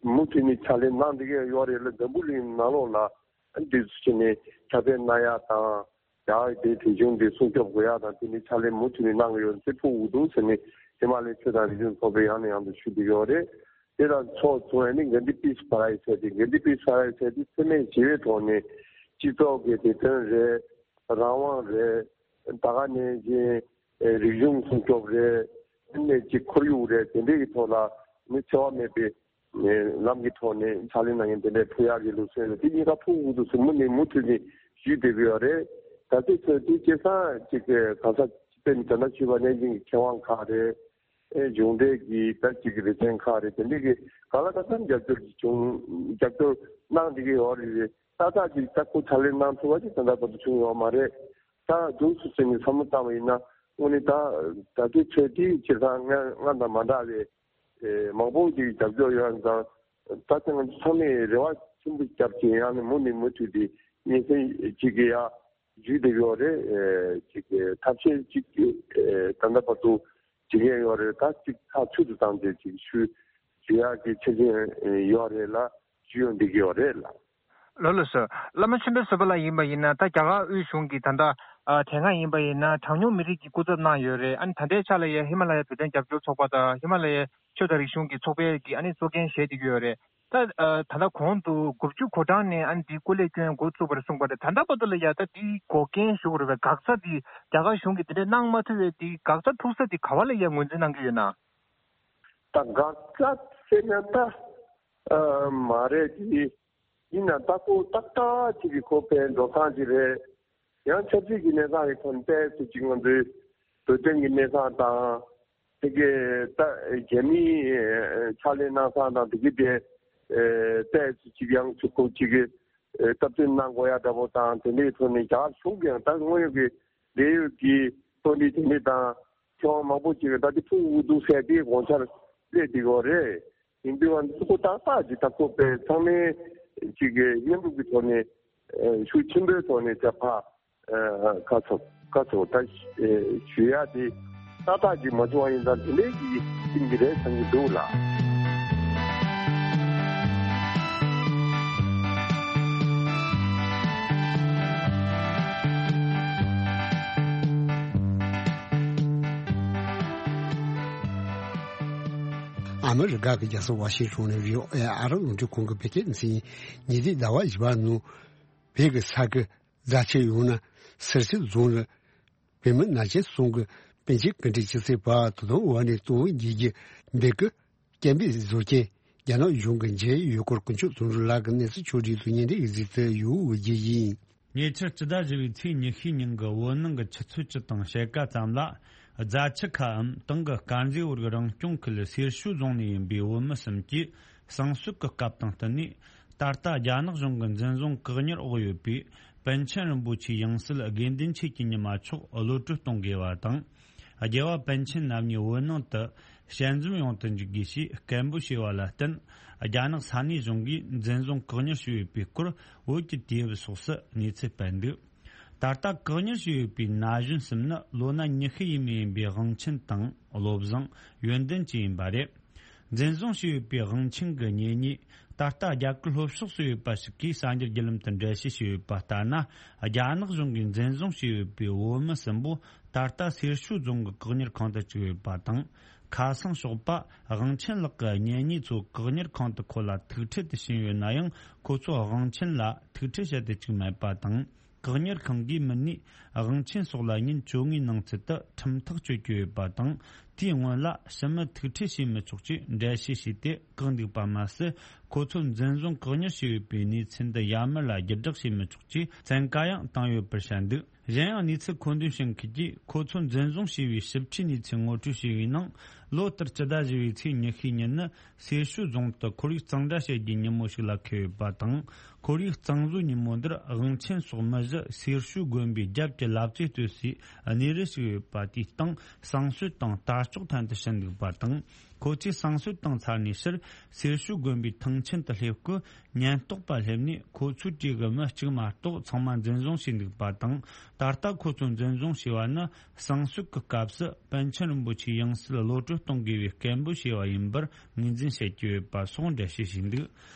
མུ་མཐུད་ནས་ཕྱག་ལས་གནང་བསྡད་ཀྱི་ཡོད་རེད་ལ། འཛམ་བུ་གླིང་ནང་ལོགས་ལ་འདི་ཚོ་བྱས་ནས་ཁྱབ་སྤེལ་གནང་ཡག་དང་། རྒྱ་གར་གྱི་རིག་གཞུང་འདི་སྲུང་སྐྱོབ་དགོས་ཡག་དང་། དེ་ནི་ཕྱག་ལས་མུ་མཐུད་ནས་གནང་གི་ཡོད་ཚེ་ཕུལ་དགོས་འདུག་ཟེར་ནས་ཧི་མ་ལ་ཡའི་ཆོས་དང་རིག་གཞུང་ཚོགས་པས་ཡང་ནས་ཡང་དུ་ཞུ་བསྡད་ཀྱི་ཡོད་རེད། དེ་དང་ཕྱོགས་མཚུངས་ནས་གྷན་དྷི་པིས་པ་རའི་ཟེར་ཏེ། གྷན་དྷི་པིས་པ་རའི་ཟེར་ཏེ་འཚེ་མེད་ཞི་བའི་ཐོག་ནས་སྤྱི་ཚོགས་ཀྱི་བདེ་དོན་རེད། རང་དབང་རེད། ད་ག་ནང་བཞིན་རིག་གཞུང་སྲུང་སྐྱོབ་རེད། ནས་ཀྱི་ཁོར་ཡུག་རེད། དེ་འདྲའི་གི་ཐོག་ལ་ནི་འཚེ་བ་མེད་པའི་ལམ་གྱི་ཐོག་ནས་ཕྱག་ལས་གནང་མཁན་དེ་འདྲའི་ཕུལ་ཡག་གི་ལུགས་སྲོལ་ལ་དེ་གཉིས་ཀ་ཕུལ་དགོས་འདུག་ཟེར་མུ་ནས་མུ་མཐུད་ནས་ཞུས་བསྡད་ཀྱི་ཡོད་རེད། ད་ལྟའི་ཆར་དེ་སྐལ་བཟང་ཅིག་གི་གང་ཟག་དཔེར་ན་ད་ལྟ་ཞུས་པ་ནང་བཞིན་གྱི་མཁས་དབང་ཁག་རེད། ཨེ་གཞུང་འབྲེལ་གྱི་ད་ཅིག་གི་སྡེ་ཚན་ཁག་རེད། དེ་འདྲའི་གི་གང་ལ་གང་འཚམ་རྒྱབ་སྐྱོར་གྱི་བྱུང་རྒྱབ་སྐྱོར་གནང་བསྡད་ཀྱི་ཡོད་རེད། ཏག་ཏག་ཅིག་ད་ཁོ་ཕྱག་ལས་གནང་ཐུབ་པ་ཅིག་ད་ལྟ་བར་དུ་བྱུང་ཡོད་མ་རེད། ད་འདུག་སུ་ཟིན་ནས་བསམ་བློ་བཏང་བ་ཡིན་ན། དངོས་གནས་ད་ད་ལྟའི་ཆོས་དེའི་སྤྱིར་བཏང་སྔ་སྔ་དང་མ་འདྲ་བའི་ཨེ་མང་པོ་ཅིག་རྒྱབ་སྐྱོར་ཡོད་ཙང་། ད་ཆ་ང་ཚོ་ཚང་མས་རེ་བ་ཆེན་པོ་བརྒྱབ་ཀྱི་ཡང་ནས་མུ་ནས་མུ་མཐུད་དེ་སྙན་སེང་ཅིག་གི་ཡ་བརྒྱུད་བསྡད་ཡོད་རེད། ཨེ་ཅིག་ཐབས་ཤེས་ཅིག་ཨེ་ད་ལྟ་བར་དུ་བྱེད་མཁན་ཡོད་རེད། ད་ཅིག་ཐག་ཆོད་དུ་བཏང་སྟེ་ཅིག་ཞུ་ཞུ་ཡག་གི་ཆ་རྐྱེན་ཡོད་རེད་ལ། ཞུ་ཡོང་བསྡད་ཀྱི་ཡོད་རེད་ལ། ལགས་ལགས་སོ། བླ་མ་ཆོས་འཕེལ་བཟོད་པ་ལགས་ཡིན་པ་ཡིན་ན། ད་རྒྱ་གར་དབུས་གཞུང་གི་ད་ལྟ་ཨ་དེ་སྔ་ཡིན་པ་ཡིན་ན་གྲངས་ཉུང་མི་རིགས་ཀྱི་སྐུ་ཚབ་གནང་ཡོད་རེད། ཨ་ནི་ད་ལྟའི་ཆ་ལ་ཡ་ཧི་མ་ལ་ཡའི་བོད་དོན་རྒྱབ་སྐྱོར་ཚོགས་པ་དང་ཧི་མ་ལ་ཡའི་ཆོས་དང་རིག་གཞུང་གི་ཚོགས་པའི་གི་ཨ་ནི་གཙོ་འགན་བཞེས་བསྡད་ཀྱི་ཡོད་རེད། ད་ཨ་ད་ལྟ་གོང་དུ་དགུ་བཅུ་གོ་གྲངས་ནས་ཨ་ནི་འདི་སྐུ་ལས་བསྐྱོན་འགོ་བཙུགས་པ་རེད་གསུངས་པ་རེད། ད་ལྟ་བར་དུ་ལ་ཡ་ད་འདི་འགོག་རྐྱེན་ཞུ་དགོས་རེད་པས། འགག་རྩ་འདི་རྒྱ་གར་གཞུང་གིས་དེ་འདྲས་གནང་མ་ཐུབ་པའི་འདི་འགག་རྩ་ཐུག་ས་འདི་ག་བ་ལ་ཡ་ངོས་འཛིན་གནང་གི་ཡོད་ན། ད་འགག་རྩ་ཟེར་ན་ད་ཨ་མ་རེད་དེ། ཡིན་ན་ད་ཁོ་ཏག་ཏག་ཅིག་གི་ཁོ་ཕན་འགྲོ་སྟངས་ཅིག་རེད། ཡང་ཆབ་སྲིད་ཀྱི་གནས་སྟངས་ཀྱི་ཐོག་ནས་ཏོག་ཙམ་ཅིག་ང་ཚོའི་བོད་དོན་གྱི་གནས་སྟངས་དང་། དེ་གའི་ད་རྒྱ་མིའི་ཕྱག་ལས་གནང་སྟངས་དང་། དེ་གའི་དེ་ཏོག་ཙམ་ཅིག་ཡང་ཚུར་ཁོ་ཅིག་གི་སྟབས་བསྟུན་གནང་དགོས་ཡ་འདྲ་པོ་དང་། དེ་འདྲའི་ཐོག་ནས་རྒྱ་གར་གཞུང་གིས་ཡང་ད་དངོས་ཡོད་ཀྱི་འབྲེལ་ཡོད་ཀྱི་དཔོན་རིགས་དེ་འདྲ་དང་ཁྱོན་མང་པོ་ཅིག་གིས་ད་དེ་ཐུག་འུ་འདུག་ཟེར་དེ་དགོངས་འཆར་སླེབས་བསྡད་ཡོད་རེད། ཡིན་དུས་ང་ཚོ་ཏག་ཏག་ཅིག་ད་ཁོ་པའི་ཚང་མའི་ཅིག་གི་མཉམ་རུབ་ཀྱི་ཐོག་ནས་ཨ་ཤུགས་ཆེན་པོའི་ཐོག་ནས་ཅིག་ཕར་ཨ་ཁ་ཚོ་ཁ་ཚོ་ད་ཨ་ཞུ་ཡ་དེ་ཏག་ཏག་ཅིག་མ་བྱུང་བ་ཡིན་ཙང་དེ་འདྲའི་ཅིག་ཡིན་གྱི་རེད་བསམ་གྱི་འདུག་ལགས། ཨ་མི་རི་ཀ་གི་རྒྱལ་ས་ཝ་ཤིང་ཊོན་ནས་བྷི་ཨོ་ཨེ་ཨ་རི་རླུང་འཕྲིན་ཁང་གི་བོད་སྐད་སྡེ་ཚན་ཡིན། ཉེ་དུས་ཟླ་བ་བཞི་པ་ནང་བོད་ཀྱི་ས་ཁུལ་རྫ་ཆུ་ཡོངས་ནས་སེར་སྐྱའི་རྫོང་ལ་བོད་མི་ན་གཞོན་གསུམ་གྱི་པཎ་ཆེན་སྐུ་ཕྲེང་བཅུ་གསུམ་པ་དོ་དམ་འོག་ནས་གཏོང་བའི་རྒྱལ་གྱི་འབོད་སྐུལ་སྐད་འབོད་བཟོ་མཁན་རྒྱ་ནག་གཞུང་གི་མཇལ་ཡུལ་སྐོར་དཀོན་མཆོག་བརྩོན་འགྲུས་ལགས་ཀྱིས་གནས་ཚུལ་ཕྱོགས་བསྒྲིགས་སུ་སྙན་འགྲེལ་གྱི་གཟིགས་ཚུལ་ཡོད་པ་བརྗོད་ཀྱིན། ཉེ་ཆར་སྤྱི་ཟླ་བཞི་པའི་ཚེས་ཉི་ཤུའི་ཉིན་གྱི་བོད་ནང་གི་ཆུ་ཚོད་བཅུ་དང་ཕྱེད་ཀ་ཙམ་ལ། རྫ་ཆུ་ཁའམ་དེང་གི་དཀར་མཛེས་བར་གྱི་རང་སྐྱོང་ཁུལ་སེར་ཤུལ་རྫོང་ནས་ཡིན་པའི་བོད་མི་གསུམ་གྱིས་གསང་སྲོལ་གྱི་སྐབས་དང་བསྟུན་ནས། ད་ལྟ་རྒྱ་ནག་གཞུང་གི་འཛིན་བཟུང་བཀག་ཉར་འོག་ཡོད་པའི་ པཎ་ཆེན་རིན་པོ་ཆེའི་ཡང་སྲིད་དགེ་འདུན་ཆོས་ཀྱི་ཉི་མ་མཆོག་གློད་གྲོལ་གཏོང་དགོས་པ་དང་། རྒྱལ་བ་པཎ་ཆེན་རྣམ་གཉིས་བོད་ནང་དུ་ཞལ་འཛོམས་ཡོང་དུ་འཇུག་དགོས་ཞེས་སྐད་འབོད་བྱས་པ་ལ་བརྟེན། རྒྱ་ནག་ས་གནས་གཞུང་གིས་འཛིན་བཟུང་བཀག་ཉར་བྱས་ཡོད་པའི་སྐོར་བོད་ཀྱི་དུས་བབ་སོགས་སུ་གནས་ཚུལ་སྤེལ་འདུག་ད་ལྟ་བཀག་ཉར་བྱས་ཡོད་པའི་ན་གཞོན་གསུམ་ནི་ལོ་ན་ཉི་ཤུ་ཡས་མས་ཡིན་པའི་དབང་ཆེན་དང་བློ་བཟང་ཡོན་ཏན་བཅས་ཡིན་པ་རེད། འཛིན་བཟུང་བྱས་ཡོད་པའི་དབང་ཆེན་གྱི་གཉེན་ཉེ། ད་ལྟ་རྒྱ་གར་ལྷོ་ཕྱོགས་སུ་ཡོད་པ་ཞིག་གིས་གསར་འགྱུར་བརྒྱུད་ལམ་དུ་འགྲེལ་བཤད་བྱས་ཡོད་པ་ལྟར་ན། རྒྱ་ནག་གཞུང་གིས་འཛིན་བཟུང་བྱས་ཡོད་པའི་བོད་མི་གསུམ་པོ་ད་ལྟ་སེར་ཤུལ་རྫོང་གི་བཀག་ཉར་ཁང་དུ་བཅུག་ཡོད་པ་དང་། ཁ་སང་ཞོགས་པ་དབང་ཆེན་ལགས་ཀྱི་གཉེན་ཉེ་ཚོ་བཀག་ཉར་ཁང་དུ་ཁོ་ལ་ཐུག་འཕྲད་དུ་ཕྱིན་ཡོད་ན་ཡང་། ཁོ་ཚོས་དབང་ཆེན་ལ་ཐུག་འཕྲད་བྱེད་དུ་བཅུག་མེད་པ་དང་། བཀག་ཉར་ཁང་གིས་མི་སྣའི་དབང་ཆེན་སོགས་ལ་ཉིན་བཅོ་ལྔའི་ནང་ཚུད་དུ་ཁྲིམས་ཐག་གཅོད་ཀྱི་ཡོད་པ་དང་། དེའི་སྔོན་ལ་ཕྱི་མི་ཐུག་འཕྲད་བྱེད་མི་ཆོག་ཅེས་འགྲེལ་བཤད་བྱས་ཏེ་བཀག་འདུག་པ་མ་ཟད། ཁོ་ཚོ་འཛིན་བཟུང་བཀག་ཉར་བྱས་ཡོད་པའི་གནས་ཚུལ་འདི་ཡར་མར་ལ་བརྒྱུད་བསྒྲགས་བྱེད་མི་ཆོག་ཅེས་བཙན་བཀའ་ཡང་བཏང་ཡོད་པར་བཤད་འདུག་གཞན་ཡང་། གནས་ཚུལ་མཁོ་འདོན་བྱེད་མཁན་གྱིས་ཁོ་ཚོ་འཛིན་བཟུང་བྱས་པའི་ཞིབ་ཕྲའི་གནས་ཚུལ་ངོ་སྤྲོད་བྱས་པའི་ནང་། ལོ་ལྟར་སྤྱི་ཟླ་བཞི་པའི་ཚེས་ཉི་ཤུའི་ཉིན་ནི་སེར་ཤུལ་རྫོང་དུ་ཁོར་ཡུག་གཙང་སྦྲ་བྱེད་རྒྱུའི་ཉིན་མོ་ཞིག་ལ་འཁེལ་ཡོད་པ་དང་། ཁོར་ཡུག་གཙང་བཟོའི་ཉིན་མོ་འདིར་དབང་ཆེན་སོགས་མི་བཞི་སེར་ཤུལ་དགོན་པའི་རྒྱབ་ཀྱི་ལབ་ཙེ་སྟོད་སའི་གནས་རི་ཞིག་ཡོད་པ་དེའི་སྟེང་བསང་གསོལ་དང་རྟ་མཆོག་འཐེན་དུ་ཕྱིན་འདུག་པ་དང་། ཁོ་ཚོས་བསང་གསོལ་བཏང་ཚར་ནས་ཕྱིར་སེར་ཤུལ་དགོན་པའི་ཐང་ཆེན་དུ་སླེབས་སྐུ། ཉེན་རྟོག་པ་སླེབས་ནས་ཁོ་ཚོའི་གྲས་ཀྱི་མི་གཅིག་མ་གཏོགས་ཚང་མ་འཛིན་བཟུང་བྱས་འདུག་པ་དང་། ད་ལྟ་ཁོ་ཚོ་འཛིན་བཟུང་བྱས་པ་ནི་བསང་གསོལ་གྱི་སྐབས་སུ་པཎ་ཆེན་རིན་པོ་ཆེའི་ཡང་སྲིད་གློད་གྲོལ་གཏོང་དགོས་པའི་སྐད་འབོད་བྱས་པ་ཡིན་པར་ངོས་འཛིན་བྱེད་ཀྱི་ཡོད་པ་སོགས་འགྲེལ་བཤད་བྱས་འདུག་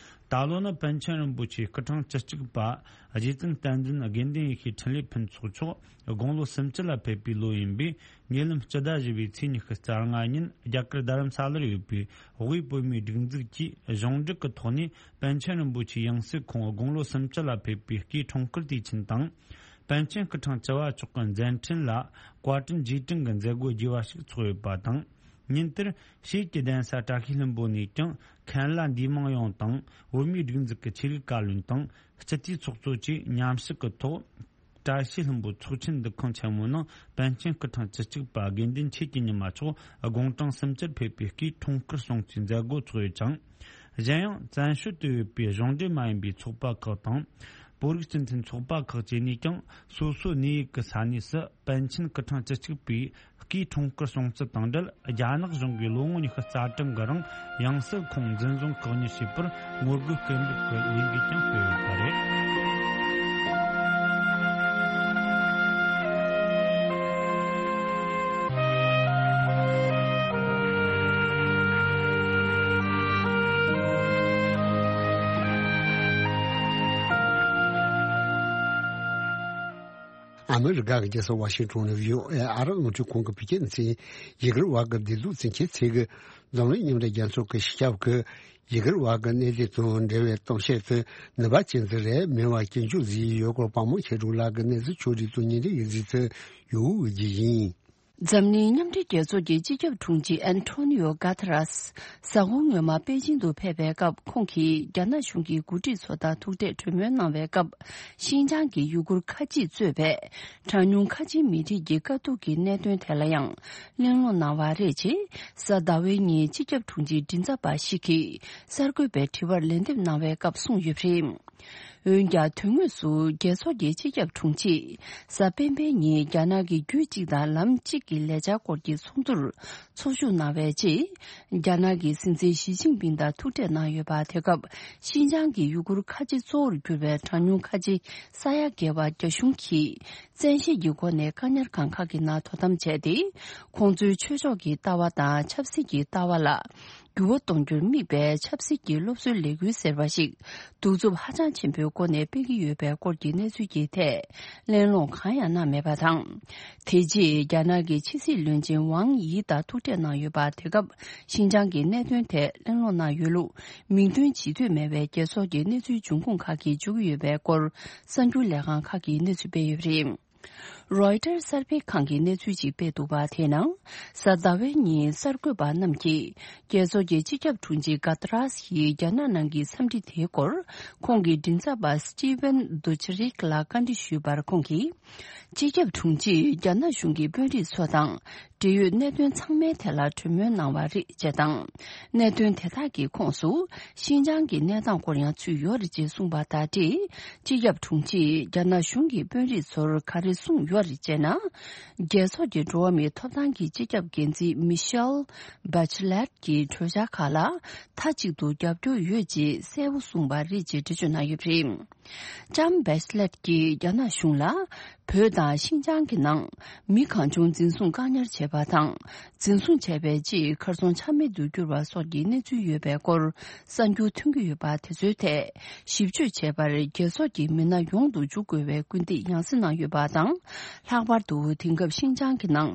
ད་ལོ་ནི་པཎ་ཆེན་རིན་པོ་ཆེའི་སྐུ་འཕྲེང་བཅུ་གཅིག་པ་རྗེ་བཙུན་བསྟན་འཛིན་དགེ་འདུན་ཡེ་ཤེས་འཕྲིན་ལས་ཕུན་ཚོགས་མཆོག་དགུང་ལོ་སུམ་ཅུ་ལ་ཕེབས་པའི་ལོ་ཡིན་པས། ཉེ་ལམ་སྤྱི་ཟླ་བཞི་པའི་ཚེས་ཉི་ཤུ་རྩ་ལྔ་ཉིན་རྒྱ་གར་རྡ་རམ་ས་ལར་ཡོད་པའི་དབུས་བོད་མིའི་སྒྲིག་འཛུགས་ཀྱིས་གཞུང་འབྲེལ་གྱི་ཐོག་ནས་པཎ་ཆེན་རིན་པོ་ཆེའི་ཡང་སྲིད་ཁོང་དགུང་ལོ་སུམ་ཅུ་ལ་ཕེབས་པའི་སྐུའི་འཁྲུངས་སྐར་དུས་ཆེན་དང་། པཎ་ཆེན་སྐུ་འཕྲེང་བཅུ་བ་མཆོག་གི་མཛད་འཕྲིན་ལ་བཀའ་དྲིན་རྗེས་དྲན་གྱི་མཛད་སྒོ་རྒྱས་པ་ཞིག་ཚོགས་ཡོད་པ་དང་། ཉིན་དེར་ཤེལ་གྱི་གདན་ས་བཀྲ་ཤིས་ལྷུན་པོ་ནས་ཀྱང་མཁན་བླ་འདུས་མང་ཡོངས་དང་བོད་མིའི་སྒྲིག་འཛུགས་ཀྱི་ཆོས་རིག་བཀའ་བློན་དང་སྤྱི་འཐུས་ཚོགས་གཙོ་བཅས་མཉམ་ཞུགས་ཀྱི་ཐོག་བཀྲ་ཤིས་ལྷུན་པོ་ཚོགས་ཆེན་འདུ་ཁང་ཆེན་མོའི་ནང་པཎ་ཆེན་སྐུ་འཕྲེང་བཅུ་གཅིག་པ་དགེ་འདུན་ཆོས་ཀྱི་ཉི་མ་མཆོག་དགུང་གྲངས་སུམ་ཅུར་ཕེབས་པའི་སྐུའི་འཁྲུངས་སྐར་སྲུང་བརྩིའི་མཛད་སྒོ་ཚོགས་ཡོད་ཅིང་། གཞན་ཡང་བཙན་བྱོལ་དུ་ཡོད་པའི་གཞུང་འབྲེལ་མ་ཡིན་པའི་ཚོགས་པ་ཁག་དང་། བོད་རིགས་སྤྱི་མཐུན་ཚོགས་པ་ཁག་བཅས་ནས་ཀྱང་སོ་སོའི་གནས་ཡུལ་གྱི་ས་གནས་སུ་པཎ་ཆེན་སྐུ་འཕྲེང་བཅུ་གཅིག་པའི་སྐུའི་འཁྲུངས་སྐར་སྲུང་བརྩི་དང་འབྲེལ། རྒྱ་ནག་གཞུང་གིས་ལོ་ངོ་ཉི་ཤུ་རྩ་གྲངས་ཀྱི་རིང་ཡང་སྲིད་ཁོང་འཛིན་བཟུང་བཀག་ཉར་བྱས་པར་ངོ་རྒོལ་སྐད་འབོད་ཀྱི་ལས་འགུལ་ཀྱང་སྤེལ་ཡོད་པ་རེད། ཨ་མི་རི་ཀ་གི་རྒྱལ་ས་ཝ་ཤིང་ཊོན་ནས་བྷི་ཨོ་ཨེ་ཨ་རབ་རླུང་འཕྲིན་ཁང་གི་བོད་སྐད་སྡེ་ཚན་ཡུ་གུར་བར་གྱི་བདེ་སྡུག་འཛིན་སྐྱོང་ཚད་ཀྱི་འཛམ་གླིང་མཉམ་འབྲེལ་རྒྱལ་ཚོགས་ཀྱི་སྤྱི་ཁྱབ་ཀྱིས་ཡུ་གུར་བར་གྱི་གནས་སྡུད་དང་འབྲེལ་བའི་གཏམ་བཤད་དུ་ནུས་པ་ཅན་ཟིག་རེད། མི་བ་སྐྱིན་འཇུག་ཟིག་ཡོད་སྐོར་དཔའ་མོ་ཆེ་དྲུག་ལགས་ཀྱི་གནས་ཚུལ་ཕྱོགས་སྒྲིག་ཏུ་ཉིན་རེའི་གཟིགས་ཚུལ་ཡོད་རྒྱུ་ཡིན། འཛམ་གླིང་མཉམ་འབྲེལ་རྒྱལ་ཚོགས་ཀྱི་སྤྱི་ཁྱབ་དྲུང་ཆེ་ཨན་ཐོ་ནི་ཡོ་གྷ་ཐ་རས། གཟའ་འཁོར་སྔོན་མ་པེ་ཅིང་དུ་ཕེབས་པའི་སྐབས། ཁོང་གིས་རྒྱ་ནག་གཞུང་གི་འགོ་ཁྲིད་ཚོ་དང་ཐུག་འཕྲད་གྲོས་མོལ་གནང་བའི་སྐབས། ཤིན་ཅང་གི་ཡུ་གུར་ཁ་ཆེས་གཙོས་པའི་གྲངས་ཉུང་ཁ་ཆེའི་མི་རིགས་ཀྱི་དཀའ་སྡུག་གི་གནད་དོན་ཐད་ལ་ཡང་གླེང་སློང་གནང་བ་རེད། ཅེས་གཟའ་ཟླ་བའི་ཉིན་སྤྱི་ཁྱབ་དྲུང་ཆེའི་མགྲིན་ཚབ་པ་ཞིག་གིས་གསར་འགོད་པའི་དྲི་བར་ལན་འདེབས་གནང་བའི་སྐབས་གསུངས་ཡོད་པ་རེད། འོན་ཀྱང་། དོན་དངོས་སུ་རྒྱལ་ཚོགས་ཀྱི་སྤྱི་ཁྱབ་དྲུང་ཆེས་གཟའ་སྤེན་པའི་ཉིན་རྒྱ་ནག་གི་རྒྱུད་གཅིག་དང་ལམ་གཅིག་གི་ལས་འཆར་སྐོར་གྱི་ཚོགས་འདུར་ཚོགས་ཞུགས་གནང་བའི་རྗེས། རྒྱ་ནག་གི་སྲིད་འཛིན་ཞི་ཅིན་ཕིང་དང་ཐུག་འཕྲད་གནང་ཡོད་པ། དེ་སྐབས་ཤིན་ཅང་གི་ཡུ་གུར་ཁ་ཆེ་གཙོ་བོར་གྱུར་པའི་གྲངས་ཉུང་ཁ་ཆེ་ས་ཡ་བརྒལ་བ་རྒྱ་གཞུང་གིས་བཙན་ཤེད་ཀྱི་སྒོ་ནས་བཀག་ཉར་ཁང་ཁག་གི་ནང་དོ་དམ་བྱས་ཏེ། ཁོང་ཚོའི་ཆོས་ཕྱོགས་ཀྱི་ལྟ་བ་དང་ཆབ་སྲིད་ཀྱི་ལྟ་བ་ལ། འགྱུར་བ་གཏོང་རྒྱུར་དམིགས་པའི་ཆབ་སྲིད་ཀྱི་སློབ་གསོའི་ལས་འགུལ་ཟེར་བ་ཞིག་གདུག་རྩུབ་ཧ་ཅང་ཆེན་པོའི་སྒོ་ནས་སྤེལ་གྱི་ཡོད་པའི་སྐོར་གྱི་གནས་ཚུལ་གྱི་ཐད་གླེང་སློང་གང་ཡང་གནང་མེད་པ་དང་། དེ་རྗེས་རྒྱ་ནག་གི་ཕྱི་སྲིད་བློན་ཆེན་ཝང་ཡི་དང་ཐུག་འཕྲད་གནང་ཡོད་པ། དེ་སྐབས་ཤིན་ཅང་གི་གནད་དོན་ཐད་གླེང་སློང་གནང་ཡོད་ལུགས་མིང་འདོན་བྱེད་འདོད་མེད་པའི་རྒྱལ་ཚོགས་ཀྱི་གནས་ཚུལ་འབྱུང་ཁུངས་ཁག་གིས་བརྗོད་ཀྱི་ཡོད་པའི་སྐོར་གསར་འགྱུར་ལས་ཁང་ཁག་གིས་གནས་ཚུལ་སྤེལ་ཡོད་པ་རེད། རོའི་ཊར་གསར་སྤེལ་ཁང་གིས་གནས་ཚུལ་ཞིག་སྤེལ་འདུག་པ། དེ་ནང་གཟའ་ཟླ་བའི་ཉིན་གསར་འགོད་པ་རྣམས་ཀྱིས་རྒྱལ་ཚོགས་ཀྱི་སྤྱི་ཁྱབ་དྲུང་ཆེ་གྷ་ཏ་རས་ཡིས་རྒྱ་ནག་ནང་གི་འཚམས་འདྲི་དེའི་སྐོར་ཁོང་གི་མགྲིན་ཚབ་པ་སི་ཊི་ཝན་དུ་ཆི་རིག་ལ་བཀའ་འདྲི་ཞུས་པར། ཁོང་གིས་སྤྱི་ཁྱབ་དྲུང་ཆེས་རྒྱ་ནག་གཞུང་གི་དཔོན་རིགས་ཚོ་དང་ འབྲེལ་ཡོད་གནད་དོན་ཚང་མའི་ཐད་ལ་གྲོས་མོལ་གནང་བ་རེད་ཅེས་དང་། གནད་དོན་དེ་དག་གི་ཁོངས་སུ་ཤིན་ཅང་གི་གནས་སྟངས་སྐོར་ཡང་ཚུད་ཡོད་རེད་ཅེས་གསུངས་པ་དང་འབྲེལ། སྤྱི་ཁྱབ་དྲུང་ཆེས་རྒྱ་ནག་གཞུང་གི་དཔོན་རིགས་ཚོར་ག་རེ་གསུངས་ཡོད་རེད་ཅེ་ན། རྒྱལ་ཚོགས་ཀྱི་འགྲོ་བ་མིའི་ཐོབ་ཐང་གི་སྤྱི་ཁྱབ་འགན་འཛིན་མི་ཤེལ་བྷ་ཆི་ལེད་ཀྱི་གྲོས་འཆར་ཁག་ལ་མཐའ་གཅིག་ཏུ་རྒྱབ་སྐྱོར་ཡོད་ཅེས་གསལ་པོ་གསུངས་པ་རེད་ཅེས་འགྲེལ་བརྗོད་གནང་ཡོད་པ་རེད། ལྕམ་བྷེ་ཆི་ལེད་ཀྱིས་རྒྱ་ནག་གཞུང་ལ་བོད་དང་ཤིན་ཅང་གི་ནང་མི་གང་བྱུང་འཛིན་བཟུང་བཀག་ཉར་བྱས་པ་དང་། འཛིན་བཟུང་བྱས་པའི་རྗེས་གར་སོང་ཆ་མེད་དུ་གྱུར་བ་སོགས་ཀྱི་གནས་ཚུལ་ཡོད་པའི་སྐོར་གསར་འགྱུར་ཐོན་གྱི་ཡོད་པ་དེ་ཚོའི་ཐད་ཞིབ་དཔྱོད་བྱས་པར་རྒྱལ་ཚོགས་ཀྱི་མི་སྣ་ཡོངས་སུ་འཇུག་དགོས་པའི་སྐུལ་འདེད་ཡང་སེ་གནང་ཡོད་པ་དང་། ལྷག་པར་དུ་དེང་སྐབས་ཤིན་ཅང་གི་ནང་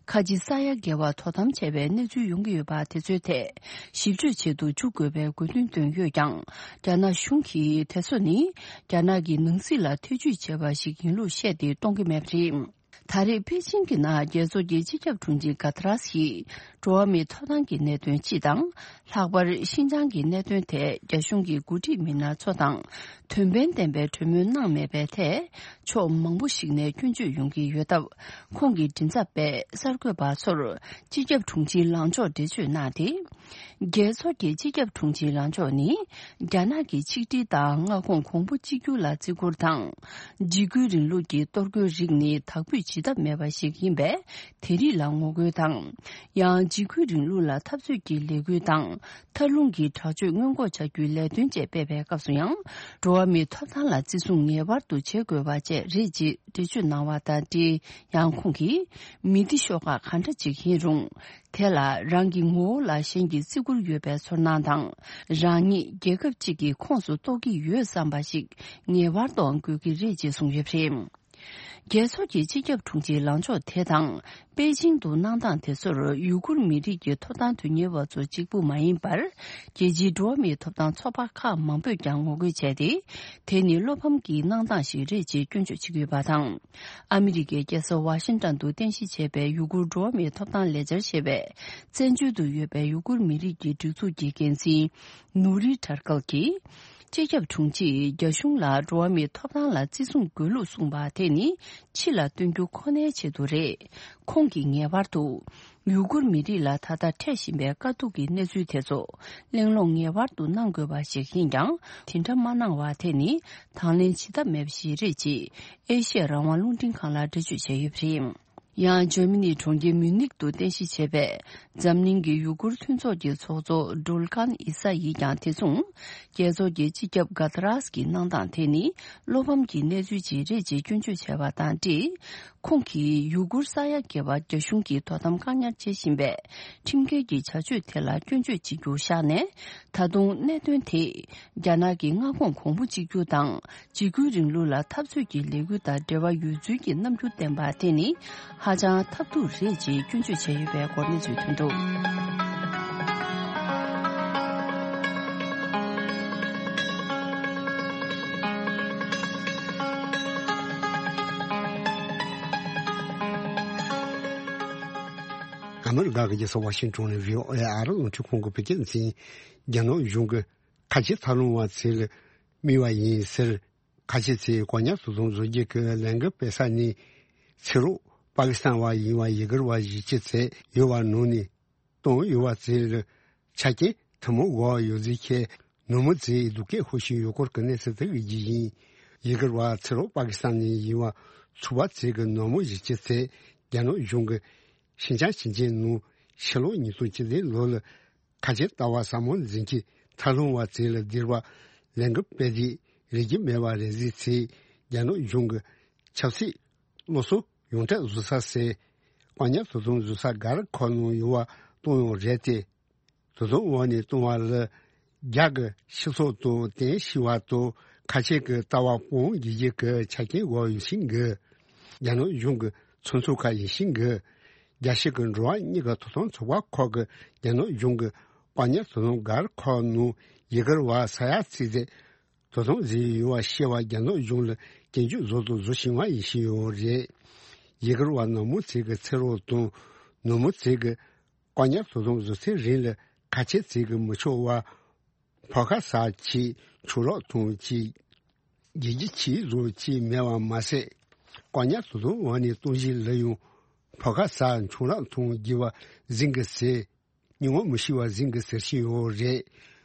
ཁ་ཆེ་ས་ཡ་བརྒལ་བ་དོ་དམ་བྱས་པའི་གནས་ཚུལ་ཡོང་གི་ཡོད་པ་དེ་ཚོའི་ཐད་ཞིབ་དཔྱོད་ཆེད་དུ་འཇུག་དགོས་པའི་དགོས་འདུན་བཏོན་ཡོད་ཀྱང་། རྒྱ་ནག་གཞུང་གིས་དེ་ཚོ་ནི་རྒྱ་ནག་གི་ནང་སྲིད་ལ་ཐེ་ཇུས་བྱས་པ་ཞིག་ཡིན་ལུགས་བཤད་དེ་གཏོང་གི་མེད་པ་རེད། ད་རེས་པེ་ཅིང་གི་ནང་རྒྱལ་ཚོགས་ཀྱི་སྤྱི་ཁྱབ་དྲུང་ཆེ་ག་ཏ་རས་ཡིས་འགྲོ་བ་མིའི་ཐོབ་ཐང་གི་གནད་དོན་སྤྱི་དང་། ལྷག་པར་ཤིན་ཅང་གི་གནད་དོན་ཐད་རྒྱ་གཞུང་གི་འགོ་ཁྲིད་མི་སྣ་ཚོ་དང་དོན་ཕན་ལྡན་པའི་གྲོས་མོལ་གནང་མེད་པའི་ཐད་ཕྱོགས་མང་པོ་ཞིག་ནས་སྐྱོན་བརྗོད་ཡོང་གི་ཡོད་སྟབས། ཁོང་གི་མགྲིན་ཚབ་པས་གསར་འགོད་པ་ཚོར་སྤྱི་ཁྱབ་དྲུང་ཆེའི་ལངས་ཕྱོགས་འགྲེལ་བརྗོད་གནང་སྟེ། རྒྱལ་ཚོགས་ཀྱི་སྤྱི་ཁྱབ་དྲུང་ཆེའི་ལངས་ཕྱོགས་ནི། རྒྱ་ནག་གི་ཆིག་སྒྲིལ་དང་མངའ་ཁོངས་གོང་བུ་གཅིག་གྱུར་ལ་བརྩི་བཀུར་དང་། འཇིགས་སྐུལ་རིང་ལུགས་ཀྱི་གཏོར་རྒོལ་རིགས་ནི་དག་འབུད་བྱེད་ཐབས་མེད་པ་ཞིག་ཡིན་པས། དེ་རིགས་ལ་ངོ་རྒོལ་དང་། ཡང་འཇིགས་སྐུལ་རིང་ལུགས་ལ་འཐབ་རྩོད་ཀྱི་ལས་འགུལ་དང་། མཐའ་ལྷུང་གི་དྲག་སྤྱོད་སྔོན་འགོག་བྱ་རྒྱུའི་ལས་དོན་བཅས་སྤེལ་བའི་སྐབས་སུ་ཡང་། འགྲོ་བ་མིའི་ཐོབ་ཐང་ལ་བརྩི་སྲུང་ངེས་པར་དུ་བྱེད་དགོས་པ་བཅས་རེད་ཅེས་འགྲེལ་བརྗོད་གནང་བ་དང་འབྲེལ། ཡང་ཁོང་གིས། མི་སྡེ་ཤོག་ཁག་ག་འདྲ་ཅིག་ཡིན་རུང་། དེ་ལ་རང་གི་ངོ་བོ་ལ་གཞན་གྱིས་བརྩི་བཀུར་ཡོད་པའི་ཚོར་སྣང་དང་། རང་ཉིད་རྒྱལ་ཁབ་ཅིག་གི་ཁོངས་སུ་གཏོགས་ཀྱི་ཡོད་བསམ་པ་ཞིག་ངེས་པར་དུ་དགོས་ཀྱི་རེད་ཅེས་གསུངས་ཡོད་པ་རེད། རྒྱལ་ཚོགས་ཀྱི་སྤྱི་ཁྱབ་དྲུང་ཆེའི་ལངས་ཕྱོགས་དེ་དང་། པེ་ཅིང་དུ་གནང་སྟངས་དེ་ཚོར་ཡུ་གུར་མི་རིགས་ཀྱི་ཐོབ་ཐང་དོན་གཉེར་བ་ཚོ་གཅིག་པུ་མ་ཡིན་པར། རྒྱལ་སྤྱིའི་འགྲོ་བ་མིའི་ཐོབ་ཐང་ཚོགས་པ་ཁག་མང་པོས་ཀྱང་ངོ་རྒོལ་བྱས་ཏེ། དེ་ནི་བློ་ཕམ་གྱི་གནང་སྟངས་ཤིག་རེད་ཅེས་སྐྱོན་བརྗོད་བྱེད་ཀྱི་ཡོད་པ་དང་། ཨ་མི་རི་ཀའི་རྒྱལ་ས་ཝ་ཤིང་ཏན་དུ་རྟེན་གཞི་བྱས་པའི་ཡུ་གུར་འགྲོ་བ་མིའི་ཐོབ་ཐང་ལས་འཆར་ཞེས་པའི་བཙན་བྱོལ་དུ་ཡོད་པའི་ཡུ་གུར་མི་རིགས་ཀྱི་སྒྲིག་འཛུགས་ཀྱི་འགན་འཛིན་ནུ་རི་ཁྲར་ཀལ་གྱིས། སྤྱི་ཁྱབ་དྲུང་ཆེས་རྒྱ་གཞུང་ལ་འགྲོ་བ་མིའི་ཐོབ་ཐང་ལ་བརྩི་སྲུང་དགོས་ལུགས་གསུངས་པ་དེ་ནི་ཕྱི་ལ་སྟོན་རྒྱུ་ཁོ་ནའི་ཆེད་དུ་རེད། ཁོང་གིས་ངེས་པར་དུ། ཡུ་གུར་མི་རིགས་ལ་ད་ལྟ་འཕྲད་བཞིན་པའི་དཀའ་སྡུག་གི་གནས་ཚུལ་དེ་ཚོ་གླེང་སློང་ངེས་པར་དུ་གནང་དགོས་པ་ཞིག་ཡིན་ཀྱང་། དེ་འདྲ་མ་གནང་བ་དེ་ནི་དང་ལེན་བྱེད་ཐབས་མེད་པ་ཞིག་རེད་ཅེས་ཨེ་ཤེ་ཡ་རང་དབང་རླུང་འཕྲིན་ཁང་ལ་འགྲེལ་བརྗོད་བྱས་ཡོད་པ་རེད། ཡང་འཇར་མ་ནིའི་གྲོང་ཁྱེར་མིའུ་ནིག་ཏུ་རྟེན་གཞི་བྱས་པའི་འཛམ་གླིང་གི་ཡུ་གུར་མཐུན་ཚོགས་ཀྱི་ཚོགས་གཙོ་ཌོལ་ཀན་ཨི་ས་ཡིས་ཀྱང་དེ་མཚུངས། རྒྱལ་ཚོགས་ཀྱི་སྤྱི་ཁྱབ་ག་ཏ་རས་ཀྱི་གནང་སྟངས་དེ་ནི་བློ་ཕམ་གྱི་གནས་ཚུལ་ཅིག་རེད་ཅེས་སྐྱོན་བརྗོད་བྱས་པ་དང་འབྲེལ། ཁོང་གིས་ཡུ་གུར་ས་ཡ་བརྒལ་བར་རྒྱ་གཞུང་གིས་དོ་དམ་བཀག་ཉར་བྱེད་བཞིན་པའི་ཁྲིམས་འགལ་གྱི་བྱ་སྤྱོད་དེ་ལ་སྐྱོན་བརྗོད་བྱེད་རྒྱུ་བཞག་ནས། ད་དུང་གནད་དོན་དེ་རྒྱ་ནག་གི་མངའ་ཁོངས་གོང་བུ་གཅིག་གྱུར་དང་འཇིགས་སྐུལ་རིང་ལུགས་ལ་འཐབ་རྩོད་ཀྱི་ལས་འགུལ་དང་འབྲེལ་བ་ཡོད་ཚུལ་གྱི་རྣམ་འགྱུར་བསྟན་པ་དེ་ནི་ཧ་ཅང་ཐབས་སྡུག་རེད་ཅེས་སྐྱོན་བརྗོད་བྱས་ཡོད་པའི་སྐོར་གནས་ཚུལ་ཐོན་འདུག་ཨ་མི་རི་ཀ་གི་རྒྱལ་ས་ཝ་ཤིང་ཊོན་ནས་བྷི་ཨོ་ཨེ་ཨ་རི་རླུང་འཕྲིན་ཁང་གི་བོད་སྐད་འཛིན། རྒྱ་ནག་གཞུང་གིས་ཁ་ཆེ་མཐའ་ལྷུང་བ་ཚོ་ལ་དམིགས་པ་ཡིན་ཟེར། ཁ་ཆེ་ཚོས་བཀག་ཉར་དོ་དམ་བཟོ་རྒྱུ་གི་ལས་འགུལ་སྤེལ་ས་ནི། ཕྱི་རོགས་པ་ཀི་སི་ཐན་བ་ཡིན་པ་ཡི་གེར་བ་གཞིས་བྱེས་ཚོ་ཡོད་པ་ནང་ནས་བཏང་ཡོད་པ་ཚོ་ལ་ཆ་རྐྱེན་ཐུན་མོང་དགོས་པ་ཡོད་ཚུལ་བཤད། ནུབ་མོ་ཚོས་སྡུག་སྐད་ཤོར་བཞིན་ཡོད་སྐོར་གྱི་གནས་ཚུལ་དེ་གི་རྒྱུ་ཡིན། ཡི་གེར་བ་ཕྱི་རོགས་པ་ཀི་སི་ཐན་ནས་ཡིན་པ་ཚོ་བ་ཚོ་གི་ནུབ་མོ་གཞིས་བྱེས་ཚོས་རྒྱ་ནག་གཞུང་གིས་ཤིན་ཅང་ཞིང་ཆེན་ནང་ཕྱི་ལོ་ཉིས་སྟོང་བཅུ་བདུན་ལོ་ལ། ཁ་ཆེ་ལྟ་བ་ཟབ་མོ་འཛིན་གྱི་མཐའ་ལྷུང་བ་ཚོ་ལ་བསྡུར་བ་ལས་འགུལ་སྤེལ་དུས་རིགས་རྒྱུད་མེད་པ་རེད་ཟེར་ཚེ། རྒྱ་ནག་གཞུང་གི་ཆབ་སྲིད་སློབ་གསོ་ཡོངས་གྲགས་བཟོ་ས་ཟེར། བཀག་ཉར་དོ་དམ་བཟོ་ས་སྒར་ཁག་ནང་ཡོད་པ་གཏོང་ཡོང་རེད་དེ། དོ་དམ་འོག་ནས་གཏོང་བ་ལ་རྒྱ་གི་སྤྱི་ཚོགས་དང་བརྟེན་ཤེས་པ་དང་ཁ་ཆེ་གི་ལྟ་བ་སྤོང་རྒྱུ་གི་ཆ་རྐྱེན་དགོས་ཡོད་ཤིང་གི། རྒྱ་ནག་གཞུང་གི་ཚོགས་འཛིན་ཁག་ཡིན་ཤིང་གི། རྒྱལ་སྤྱི་གི་འགྲོ་བ་མིའི་ཐོབ་ཐང་ཚོགས་པ་ཁག་གིས་རྒྱ་ནག་གཞུང་གི་བཀག་ཉར་དོ་དམ་སྒར་ཁག་ནང་ཡི་གེར་བ་ས་ཡ་ཚིག་ཚད་དོ་དམ་བཟོས་ཡོད་པ་ཤེས་པ་རྒྱ་ནག་གཞུང་ལ་སྐྱོན་བརྗོད་བཟོ་དང་བཟོ་བཞིན་པ་ཡིན་བཞིན་ཡོད་རེད། ཡི་གེར་བ་ནག་མོ་ཚོ་གི་ཚེ་རོགས་དང་ནུབ་མོ་ཚོ་གི་བཀག་ཉར་དོ་དམ་བཟོ་ཚེ་རིང་ལ་ཁ་ཆེ་ཚོ་གི་མི་ཆོག་པ། ཕོ་ཁ་ས་ཆེ་ཆུ་རགས་ཐོན་ཆེ། རྒྱལ་སྤྱི་ཆེ་བཟོ་ཆེ་མེད་པ་མ་ཟད། བཀག་ཉར་དོ་དམ་འོག་ནས་གཏོང་གཞི་ལ་ཡང་ ཕོ་ཁ་ས་ཆུང་རག་མཐོང་རྒྱུ་བ་འཛིན་གི་ཟེར། སྙིང་བོ་མི་ཤི་བ་འཛིན་གི་ཟེར་བཞིན་ཡོད་རེད།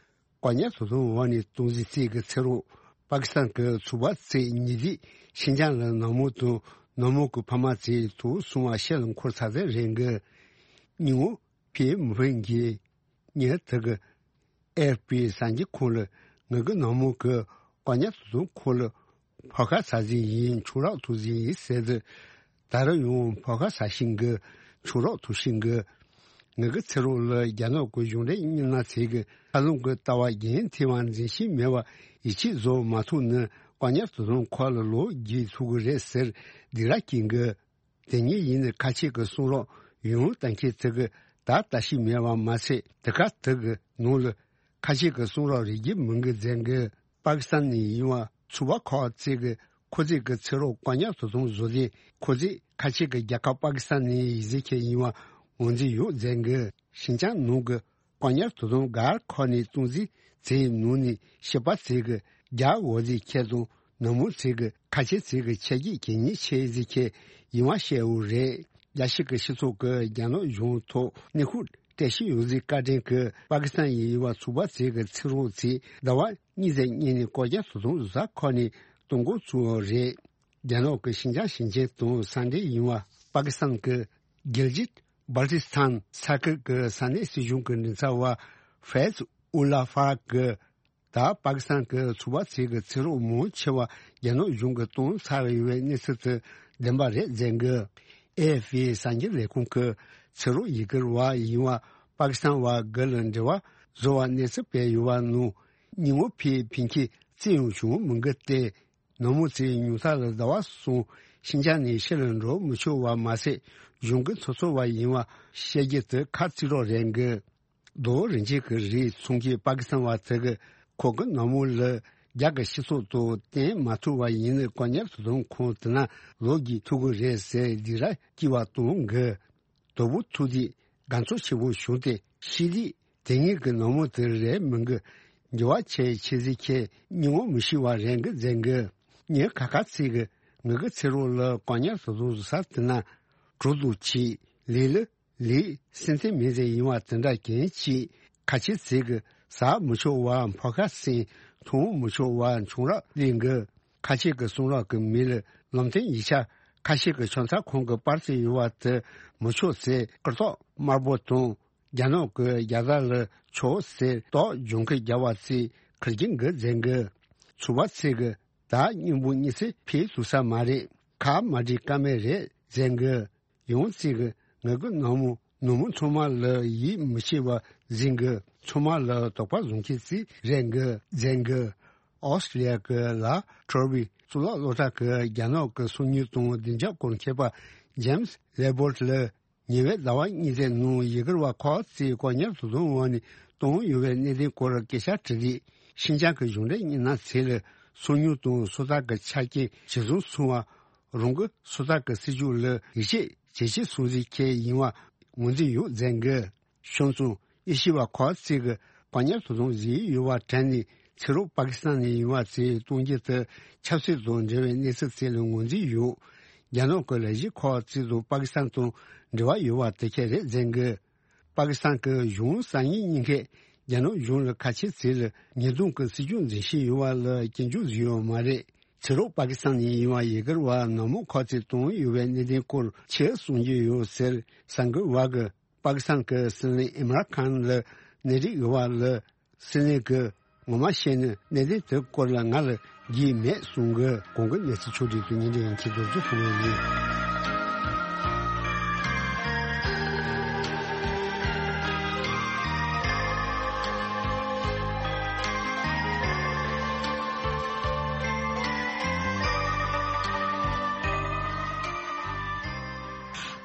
བཀག་ཉར་དོ་དམ་འོག་ནས་སྟོང་འཛིན་རྩིས་ཀྱི་ཚེ་རོགས་པ་ཀི་སི་ཐན་གྱི་ཚོགས་པ་ཚོས་ཉེ་དུས་ཤིན་ཅང་ལ་ནག་མོ་དང་ནག་མོ་གི་ཕ་མ་ཚོས་དུག་སྲུང་བ་ཤེལ་ལ་འཁོར་ཚར་ཚར་རེད་གི། སྙིང་བོ་ཕི་མི་ཕན་གྱི་ཉེ་དུ་གི་ཨེ་ཨེཕ་པི་གསར་འགྱུར་ཁང་ལ་ངེད་ཀྱི་ནག་མོ་གི་བཀག་ཉར་དོ་དམ་ཁང་ལ་ཕོ་ཁ་ས་ཟིན་ཡིན་ཆུང་རག་ཐུག་ཟིན་ཡིན་ཟེར་དུས། ད་རུང་ཡང་ཕོ་ཁ་ས་ཤིང་གི་ཆུང་རག་ཐུག་ཤིང་གི། ངེད་ཀྱི་ཚེ་རོགས་ལ་རྒྱ་ནག་གི་གཞུང་འབྲེལ་མི་སྣ་ཚོས་གི་ཨ་ལུང་གི་ལྟ་བ་རྒྱུན་མཐུད་པ་འཛིན་ཤེས་མེད་པ་ཡིད་ཆེས་བཟོ་མ་ཐུབ་ནས་བཀག་ཉར་དོ་དམ་ཁང་ལ་ལོག་རྒྱུགས་ཐུབ་གི་རེད་ཟེར་སྡིགས་ར་སྐྱེས་གི། དེ་ཉིད་ཡིན་ནའི་ཁ་ཆེ་གི་གསུང་རོགས་ཡང་གཏན་འཁེལ་ཚིག་གི་ད་ལྟ་ཞིག་མེད་པ་མ་ཟད། དེ་ག་དེ་གི་ནང་ལ་ཁ་ཆེ་གི་གསུང་རོགས་རེ་རྒྱུ་མིན་གི་མཛད་གི། པ་ཀི་སི་ཐན་ནས་ཡིན་པ་ཚོགས་པ་ཁག་ཅིག་གི་ཁོ་ཚོས་གི་ཚེ་རོགས་བཀག་ཉར་དོ་དམ་བཟོ་དུས། ཁོ་ཚོས་ཁ་ཆེ་གི་རྒྱལ་ཁབ་པ་ཀི་སི་ཐན་ནས་ཡིན་ཟེར་ཁྱེར་ཡིན་པ་ངོས་འཛིན་ཡོད་མཛད་གི། ཤིན་ཅང་ནང་གི་བཀག་ཉར་དོ་དམ་སྒར་ཁག་ནས་སྟོང་འཛིན་ཚེ་ནང་ནས་ཤི་པ་ཚོས་གི་རྒྱ་འོག་ཟིག་ཁྱེར་དང་ནུབ་མོ་ཚོས་གི་ཁ་ཆེ་ཚོས་གི་ཆ་རྒྱུས་གལ་གནད་ཆེ་ཟིག་ཁྱེར་ཡིན་པ་བཤད་ཡོད་རེད། རྒྱལ་སྤྱི་གི་སྤྱི་ཚོགས་ཀྱི་རྒྱ་ནག་གཞུང་ཐོག་གནས་ཁུལ་བཀྲ་ཤིས་ཡོད་ཟིག་བཀའ་དྲིན་གྱིས་པ་ཀི་སི་ཐན་ཡིན་པ་ཚོགས་པ་ཚོས་གི་ཚེ་རོགས་ཚོས་ཟླ་བ་གཉིས་ཙམ་སྔོན་ནས་བཀག་ཉར་དོ་དམ་བཟོ་ས་ཁག་ནས་གཏོང་འགོ་བཙུགས་ཡོད་རེད། རྒྱ་ནག་གི་ཤིན་ཅང་ཞིང་ཆེན་དང་ས་འབྲེལ་ཡིན་པ་པ་ཀི་སི་ཐན་གྱི་གིལ་ཇིད་སྦལ་ཏི་སི་ཐན་ས་ཁུལ་གྱི་ས་གནས་སྲིད་གཞུང་གི་མགྲིན་ཚབ་པ་ཧྥེ་ཛི་ཨུ་ལ་ཧྥ་གིས། ད་པ་ཀི་སི་ཐན་གྱི་ཚོགས་པ་ཚོས་གི་ཚེ་རོགས་མང་ཆེ་བ་རྒྱ་ནག་གཞུང་གིས་གཏོང་ཚར་ཡོད་པའི་གནས་ཚུལ་དེ་བདེན་པ་རེད་མཛད་གི། ཨེ་ཨེཕ་པི་གསར་འགྱུར་ལས་ཁུངས་ཀྱིས་ཚེ་རོགས་ཡི་གེར་བ་ཡིན་པ་པ་ཀི་སི་ཐན་བ་དགུ་ལ་འབྲེལ་བ་བཟོ་བར་གནས་ཚུལ་སྤེལ་ཡོད་པ་ནང་། སྙིང་བོ་ཕི་ཕན་ཁྱེད་རྩིས་ཡོང་བྱུང་མི་འགི་སྟེ། ནུབ་མོ་ཚོས་ཉུང་མཐའ་ལ་ཟླ་བ་གསུམ་ཤིན་ཅང་ནས་ཕྱི་ལ་འགྲོ་མི་ཆོག་པ་མ་ཟད། གཞུང་གི་ཚོགས་གཙོ་བ་ཡིན་པ་བཤད་རྒྱུ་དེ་ཁ་རྩིས་རོགས་རེད་གི། རྡོ་རིན་ཆེན་གྱི་རིགས་ཚོང་མཁན་པ་ཀི་སི་ཐན་བ་དེ་གིས་ཁོ་གི་ནུབ་མོ་ལ་རྒྱ་གི་སྤྱི་ཚོགས་ཐོག་བརྟེན་མ་ཐུབ་པ་ཡིན་ནའི་བཀག་ཉར་དོ་དམ་ཁང་དེ་ན་ལོག་རྒྱུགས་ཐུབ་གི་རེད་ཟེར་སྡིགས་ར་སྐྱེ་བ་གཏོང་གི། དོ་པོ་ཐུག་དུས་དགའ་ཚོར་ཆེན་པོ་བྱུང་སྟེ་ཤི་དུས་དེ་ཉིད་ཀྱི་ནུབ་མོ་དེ་རེད་མིན་གི། འགྱུར་བ་ཆེ་ཆེ་ཟིག་ཁྱེད་སྙིང་བོ་མི་ཤི་བ་རེད་གི་མཛད་གི། ངས་ཁ་ཁ་ཚིག་གི་ངེད་ཀྱི་ཚེ་རོགས་ལ་བཀག་ཉར་དོ་དམ་བཟོ་ས་དེ་ན་གྲོ་དུག་ཆེ་ལས་ལ་ལས་སེམས་ཐེངས་མེད་ཟེར་ཡིན་བ་དེ་འདྲ་གན་ཆེ་ཁ་ཆེ་ཚིག་གི་ཟ་མི་ཆོག་བ་ཕོ་ཁ་སེང་འཐུང་མི་ཆོག་བ་ཆུང་རག་ལས་གི། ཁ་ཆེ་གི་གསུང་རོགས་ཀྱི་མི་ལ་ལམ་སྟོན་ཡིག་ཆ་ཁ་ཤས་ཀྱི་ཆོག་མཐའ་ཁོང་གི་པར་ཚིག་ཡོད་བ་དེ་མི་ཆོག་ཟེར་སྐུ་ཐོག་དམར་པོ་དང་། རྒྱ་ནག་གི་རྒྱལ་དར་ལ་ཕྱོགས་ཟེར་རྟོག་ལྗོངས་ཁུལ་རྒྱལ་བ་ཚེ་ཁུར་གྱིན་གི་མཛད་གི། ཚོགས་པ་ཚེ་གི་ད་སྙིང་པོ་གཉིད་སད་ཕེབས་ཐུབ་ས་མ་རེད། ཁ་མ་འདྲི་ཀ་མེད་རེད་མཛད་གི། ཡང་ཚེ་གི་ངེད་ཀྱི་ནང་མོ་ནུབ་མོ་ཚང་མ་ལ་ཡིད་མི་ཆེས་པ་འཛིན་གི། ཚང་མ་ལ་དོགས་པ་བཟུང་ཁྱེད་ཚིག་རེད་གི་མཛད་གི། ཨོ་སི་ལི་ཡ་གི་ལ་ཁྲོ་བི་གཙུག་ལག་སློབ་གྲྭ་གི་རྒྱ་ནག་གི་སོ་ཉུལ་དང་བདེ་འཇགས་སྐོར་མཁས་པ་ཇེམ་སི་ལེ་བོར་ལ། ཉེ་བའི་ཟླ་བ་གཉིས་ཙམ་ནང་ཡི་གེར་བ་ཁག་ཅིག་བཀག་ཉར་དུ་བཟུང་བ་ནི་གཏོང་ཡོད་པའི་གནད་དོན་སྐོར་སྐད་ཆ་དྲི་རིགས་ཤིན་ཅང་གི་གཞུང་འབྲེལ་མི་སྣ་ཚོས་ལ་སོ་ཉུལ་དང་སོ་ཐར་གྱི་ཆ་རྐྱེན་ཇི་བཟུང་སོང་བ། རང་གི་སོ་ཐར་གྱི་སྲིད་ཇུས་ལ་ཡིད་ཆེས་ཇེ་ཆེ་སོང་ཟིག་ཁྱེད་ཡིན་བ་ངོས་འཛིན་ཡོད་མཛད་གི། བྱུང་སོང་། ཨེ་ཤི་བ་ཁག་ཅིག་གི་བཀག་ཉར་དུ་བཟུང་བཞིན་ཡོད་པ་དྲན་ནས་ཕྱི་རོགས་པ་ཀི་སི་ཐན་ནས་ཡིན་བ་ཚོས་གཏོང་རྒྱུ་དེ་ཆབ་སྲིད་དང་འབྲེལ་བའི་གནས་ཚུལ་ཚོ་ལ་ངོས་འཛིན་ཡོད། རྒྱ་ནག་གི་ལས་གཞི་ཁག་ཅིག་དང་པ་ཀི་སི་ཐན་དང་འབྲེལ་བ་ཡོད་པ་དེ་ཁས་རེད་མཛད་གི། པ་ཀི་སི་ཐན་གྱི་གཞུང་གསར་རྙིང་གཉིས་ཀས་རྒྱ་ནག་གཞུང་ལ་ཁ་ཆེ་ཚོ་ལ་ཉེས་རྡུང་གི་སྲིད་ཇུས་འཛིན་བཞིན་ཡོད་པ་ལ་སྐྱོན་བརྗོད་བཟོས་ཡོད་མ་རེད། ཕྱི་རོགས་པ་ཀི་སི་ཐན་ནས་ཡིན་བ་ཡི་གེར་བ་ནག་མོ་ཁག་ཅིག་གཏོང་ཡོད་པའི་གནད་དོན་སྐོར་ཆེད་གསུང་རྒྱུ་ཡོད་ཟེར་གསར་འགོད་པ་གིས། པ་ཀི་སི་ཐན་གྱི་སྲིད་བློན་ཨིམ་རཱན་ཁཱན་ལ་གནས་རིགས་ཡོད་པ་ལ་སྲིད་བློན་གྱིས་ངོ་མ་བཤད་ན་གནད་དོན་དེ་སྐོར་ལ་ང་ལ་རྒྱུས་མེད་གསུང་གི། གོང་གི་གནས་ཚུལ་ཕྱོགས་སྒྲིག་ཏུ་ཉིན་རེ་ཡང་ཁྱེད་རྫོགས་སུ་ཐུག་པ་ཡིན།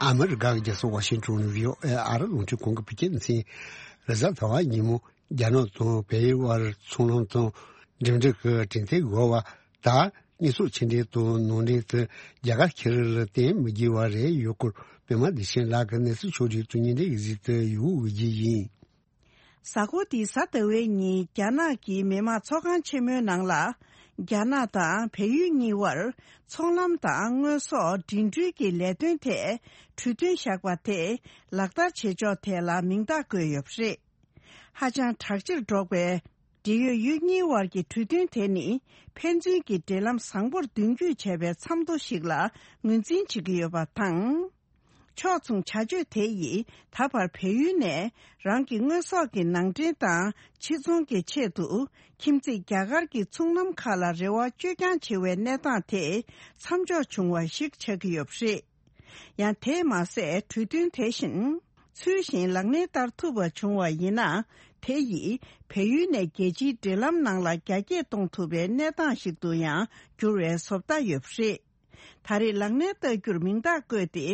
ཨ་མི་རི་ཀ་གི་རྒྱལ་ས་ཝ་ཤིང་ཊོན་ནས་བྷི་ཨོ་ཨེ་ཨ་རི་རླུང་འཕྲིན་ཁང་གི་བོད་སྐད་སྡེ་ཚན། རེས་གཟའ་ཟླ་བ་ཉིན་མོ་རྒྱ་ནག་དང་བལ་ཡུལ་དབར་ཚོང་ལམ་དང་འགྲིམ་འགྲུལ་གྱི་གྲོས་མཐུན་འོག་བ་ད་དངོས་ཟོག་ཕྱི་འདྲེན་དང་ནང་འདྲེན་དུ་རྒྱ་གར་ཁེ་རི་ལ་བརྟེན་མི་དགོས་པ་རེད་ཡོད་སྐོར་པད་མ་བདེ་ཆེན་ལགས་ཀྱི་གནས་ཚུལ་ཕྱོགས་སྒྲིག་ཏུ་ཉིན་རེ་གཟིགས་དུ་ཡོད་འོས་ཀྱི་ཡིན། གཟའ་འཁོར་འདིའི་གཟའ་ཟླ་བའི་ཉིན་རྒྱ་ནག་གི་མི་དམངས་ཚོགས་ཁང་ཆེན་མོའི་ནང་ལ། རྒྱ་ནག་དང་བལ་ཡུལ་གཉིས་བར་ཚོང་ལམ་དང་དངོས་ཟོག་འགྲིམ་འགྲུལ་གྱི་ལས་དོན་ཐད་གྲོས་མཐུན་བཞག་པ་དེ་ལག་བསྟར་བྱེད་ཕྱོགས་ཐད་ལ་མིང་རྟགས་བཀོད་ཡོད་པ་རེད། ཧ་ཅང་དྲག་ཆེར་འགྲོ་བའི་འབྲེལ་ཡོད་ཡུལ་གཉིས་བར་གྱི་གྲོས་མཐུན་དེ་ནི་ཕན་ཚུན་གྱི་འབྲེལ་ལམ་བཟང་པོར་མདུན་སྐྱོད་བྱས་པའི་མཚམས་ཐོ་ཞིག་ལ་ངོས་འཛིན་བྱེད་ཀྱི་ཡོད་པ་དང་། ཕྱོགས་མཚུངས་བྱ་སྤྱོད་དེ་ཡིས་ད་བར་བལ་ཡུལ་ནས་རང་གི་དངོས་ཟོག་གི་ནང་འདྲེན་དང་ཕྱིར་ཚོང་གི་ཆེད་དུ་ཁྱིམ་མཚེས་རྒྱ་གར་གྱི་ཚོང་ལམ་ཁག་ལ་རེ་བ་བཅོས་ཀྱང་ཆེ་བའི་གནས་སྟངས་དེ་མཚམས་འཇོག་བྱུང་བ་ཞིག་ཆགས་ཀྱི་ཡོད་པ་རེད། ཡང་དེས་མ་ཟད་གྲོས་མཐུན་དེ་བཞིན་ཚུལ་བཞིན་ལག་ལེན་བསྟར་ཐུབ་པ་བྱུང་བ་ཡིན་ན། དེ་ཡིས་བལ་ཡུལ་ནས་རྒྱལ་སྤྱིའི་འབྲེལ་ལམ་ནང་ལ་རྒྱ་སྐྱེད་གཏོང་ཐུབ་པའི་གནས་སྟངས་ཤིག་ཏུ་ཡང་འགྱུར་བའི་བཟོ་ལྟ་ཡོད་པ་རེད། ད་རེས་ལག་ལེན་བསྟར་རྒྱུར་མིང་རྟགས་བཀོད་དེ།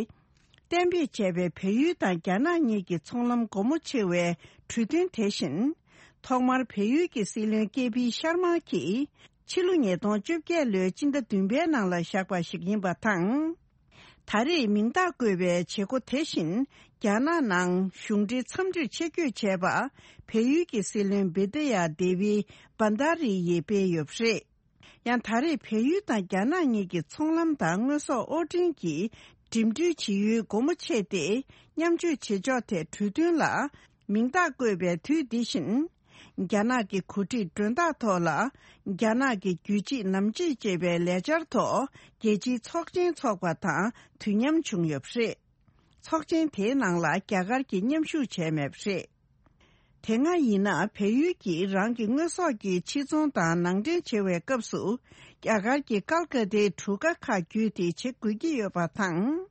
གཏན་འབེབས་བྱས་པའི་བལ་ཡུལ་དང་རྒྱ་ནག་གཉིས་ཀྱི་ཚོང་ལམ་སྒོ་མོ་ཕྱེ་བའི་གྲོས་མཐུན་དེ་བཞིན། ཐོག་མར་བལ་ཡུལ་གྱི་སྲིད་བློན་ཀེ་པི་ཤར་མ་གྱིས་ཕྱི་ལོ་ཉིས་སྟོང་བཅོ་བརྒྱད་ལོའི་སྤྱི་ཟླ་བདུན་པའི་ནང་ལ་བཞག་པ་ཞིག་ཡིན་པ་དང་། ད་རེས་མིང་རྟགས་བཀོད་པའི་བྱེད་སྒོ་དེ་བཞིན་རྒྱ་ནག་ནང་གཞུང་འབྲེལ་འཚམས་འདྲིར་ཆེད་བསྐྱོད་བྱས་པ་བལ་ཡུལ་གྱི་སྲིད་བློན་བི་དི་ཡ་དེ་བི་བྷན་དྷ་རི་ཡིས་སྤེལ་ཡོད་པ་རེད། ཡང་ད་རེས་བལ་ཡུལ་དང་རྒྱ་ནག་གཉིས་ཀྱི་ཚོང་ལམ་དང་དངོས་ཟོག་དབོར་འདྲེན་གྱི་འགྲིམ་འགྲུལ་བྱེད་ཡུལ་སྒོ་མོ་ཕྱེས་ཏེ་མཉམ་སྤྱོད་བྱེད་ཕྱོགས་ཐད་གྲོས་མཐུན་ལ་མིང་རྟགས་བཀོད་པའི་དུས་འདི་བཞིན། རྒྱ་ནག་གི་གོ་སྒྲིག་མགྲོན་བདག་ཐོག་ལ་རྒྱ་ནག་གི་རྒྱུད་གཅིག་ནམ་གཅིག་ཅེས་པའི་ལས་འཆར་ཐོག་རྒྱལ་སྤྱིའི་ཚོགས་ཆེན་འཚོགས་པ་དང་དུས་མཉམ་བྱུང་ཡོད་པ་རེད། ཚོགས་ཆེན་དེའི་ནང་ལ་རྒྱ་གར་གྱིས་མཉམ་ཞུགས་བྱས་མེད་པ་རེད། དེ་སྔ་ཡིན་ན་བལ་ཡུལ་གྱིས་རང་གི་དངོས་ཟོག་གི་ཕྱིར་ཚོང་དང་ནང་འདྲེན་བྱེད་པའི་སྐབས་སུ་རྒྱ་གར་གྱི་ཀལ་ཀ་ཏའི་གྲུ་ཁ་ཁག་བརྒྱུད་དེ་བྱེད་དགོས་ཀྱི་ཡོད་པ་དང་།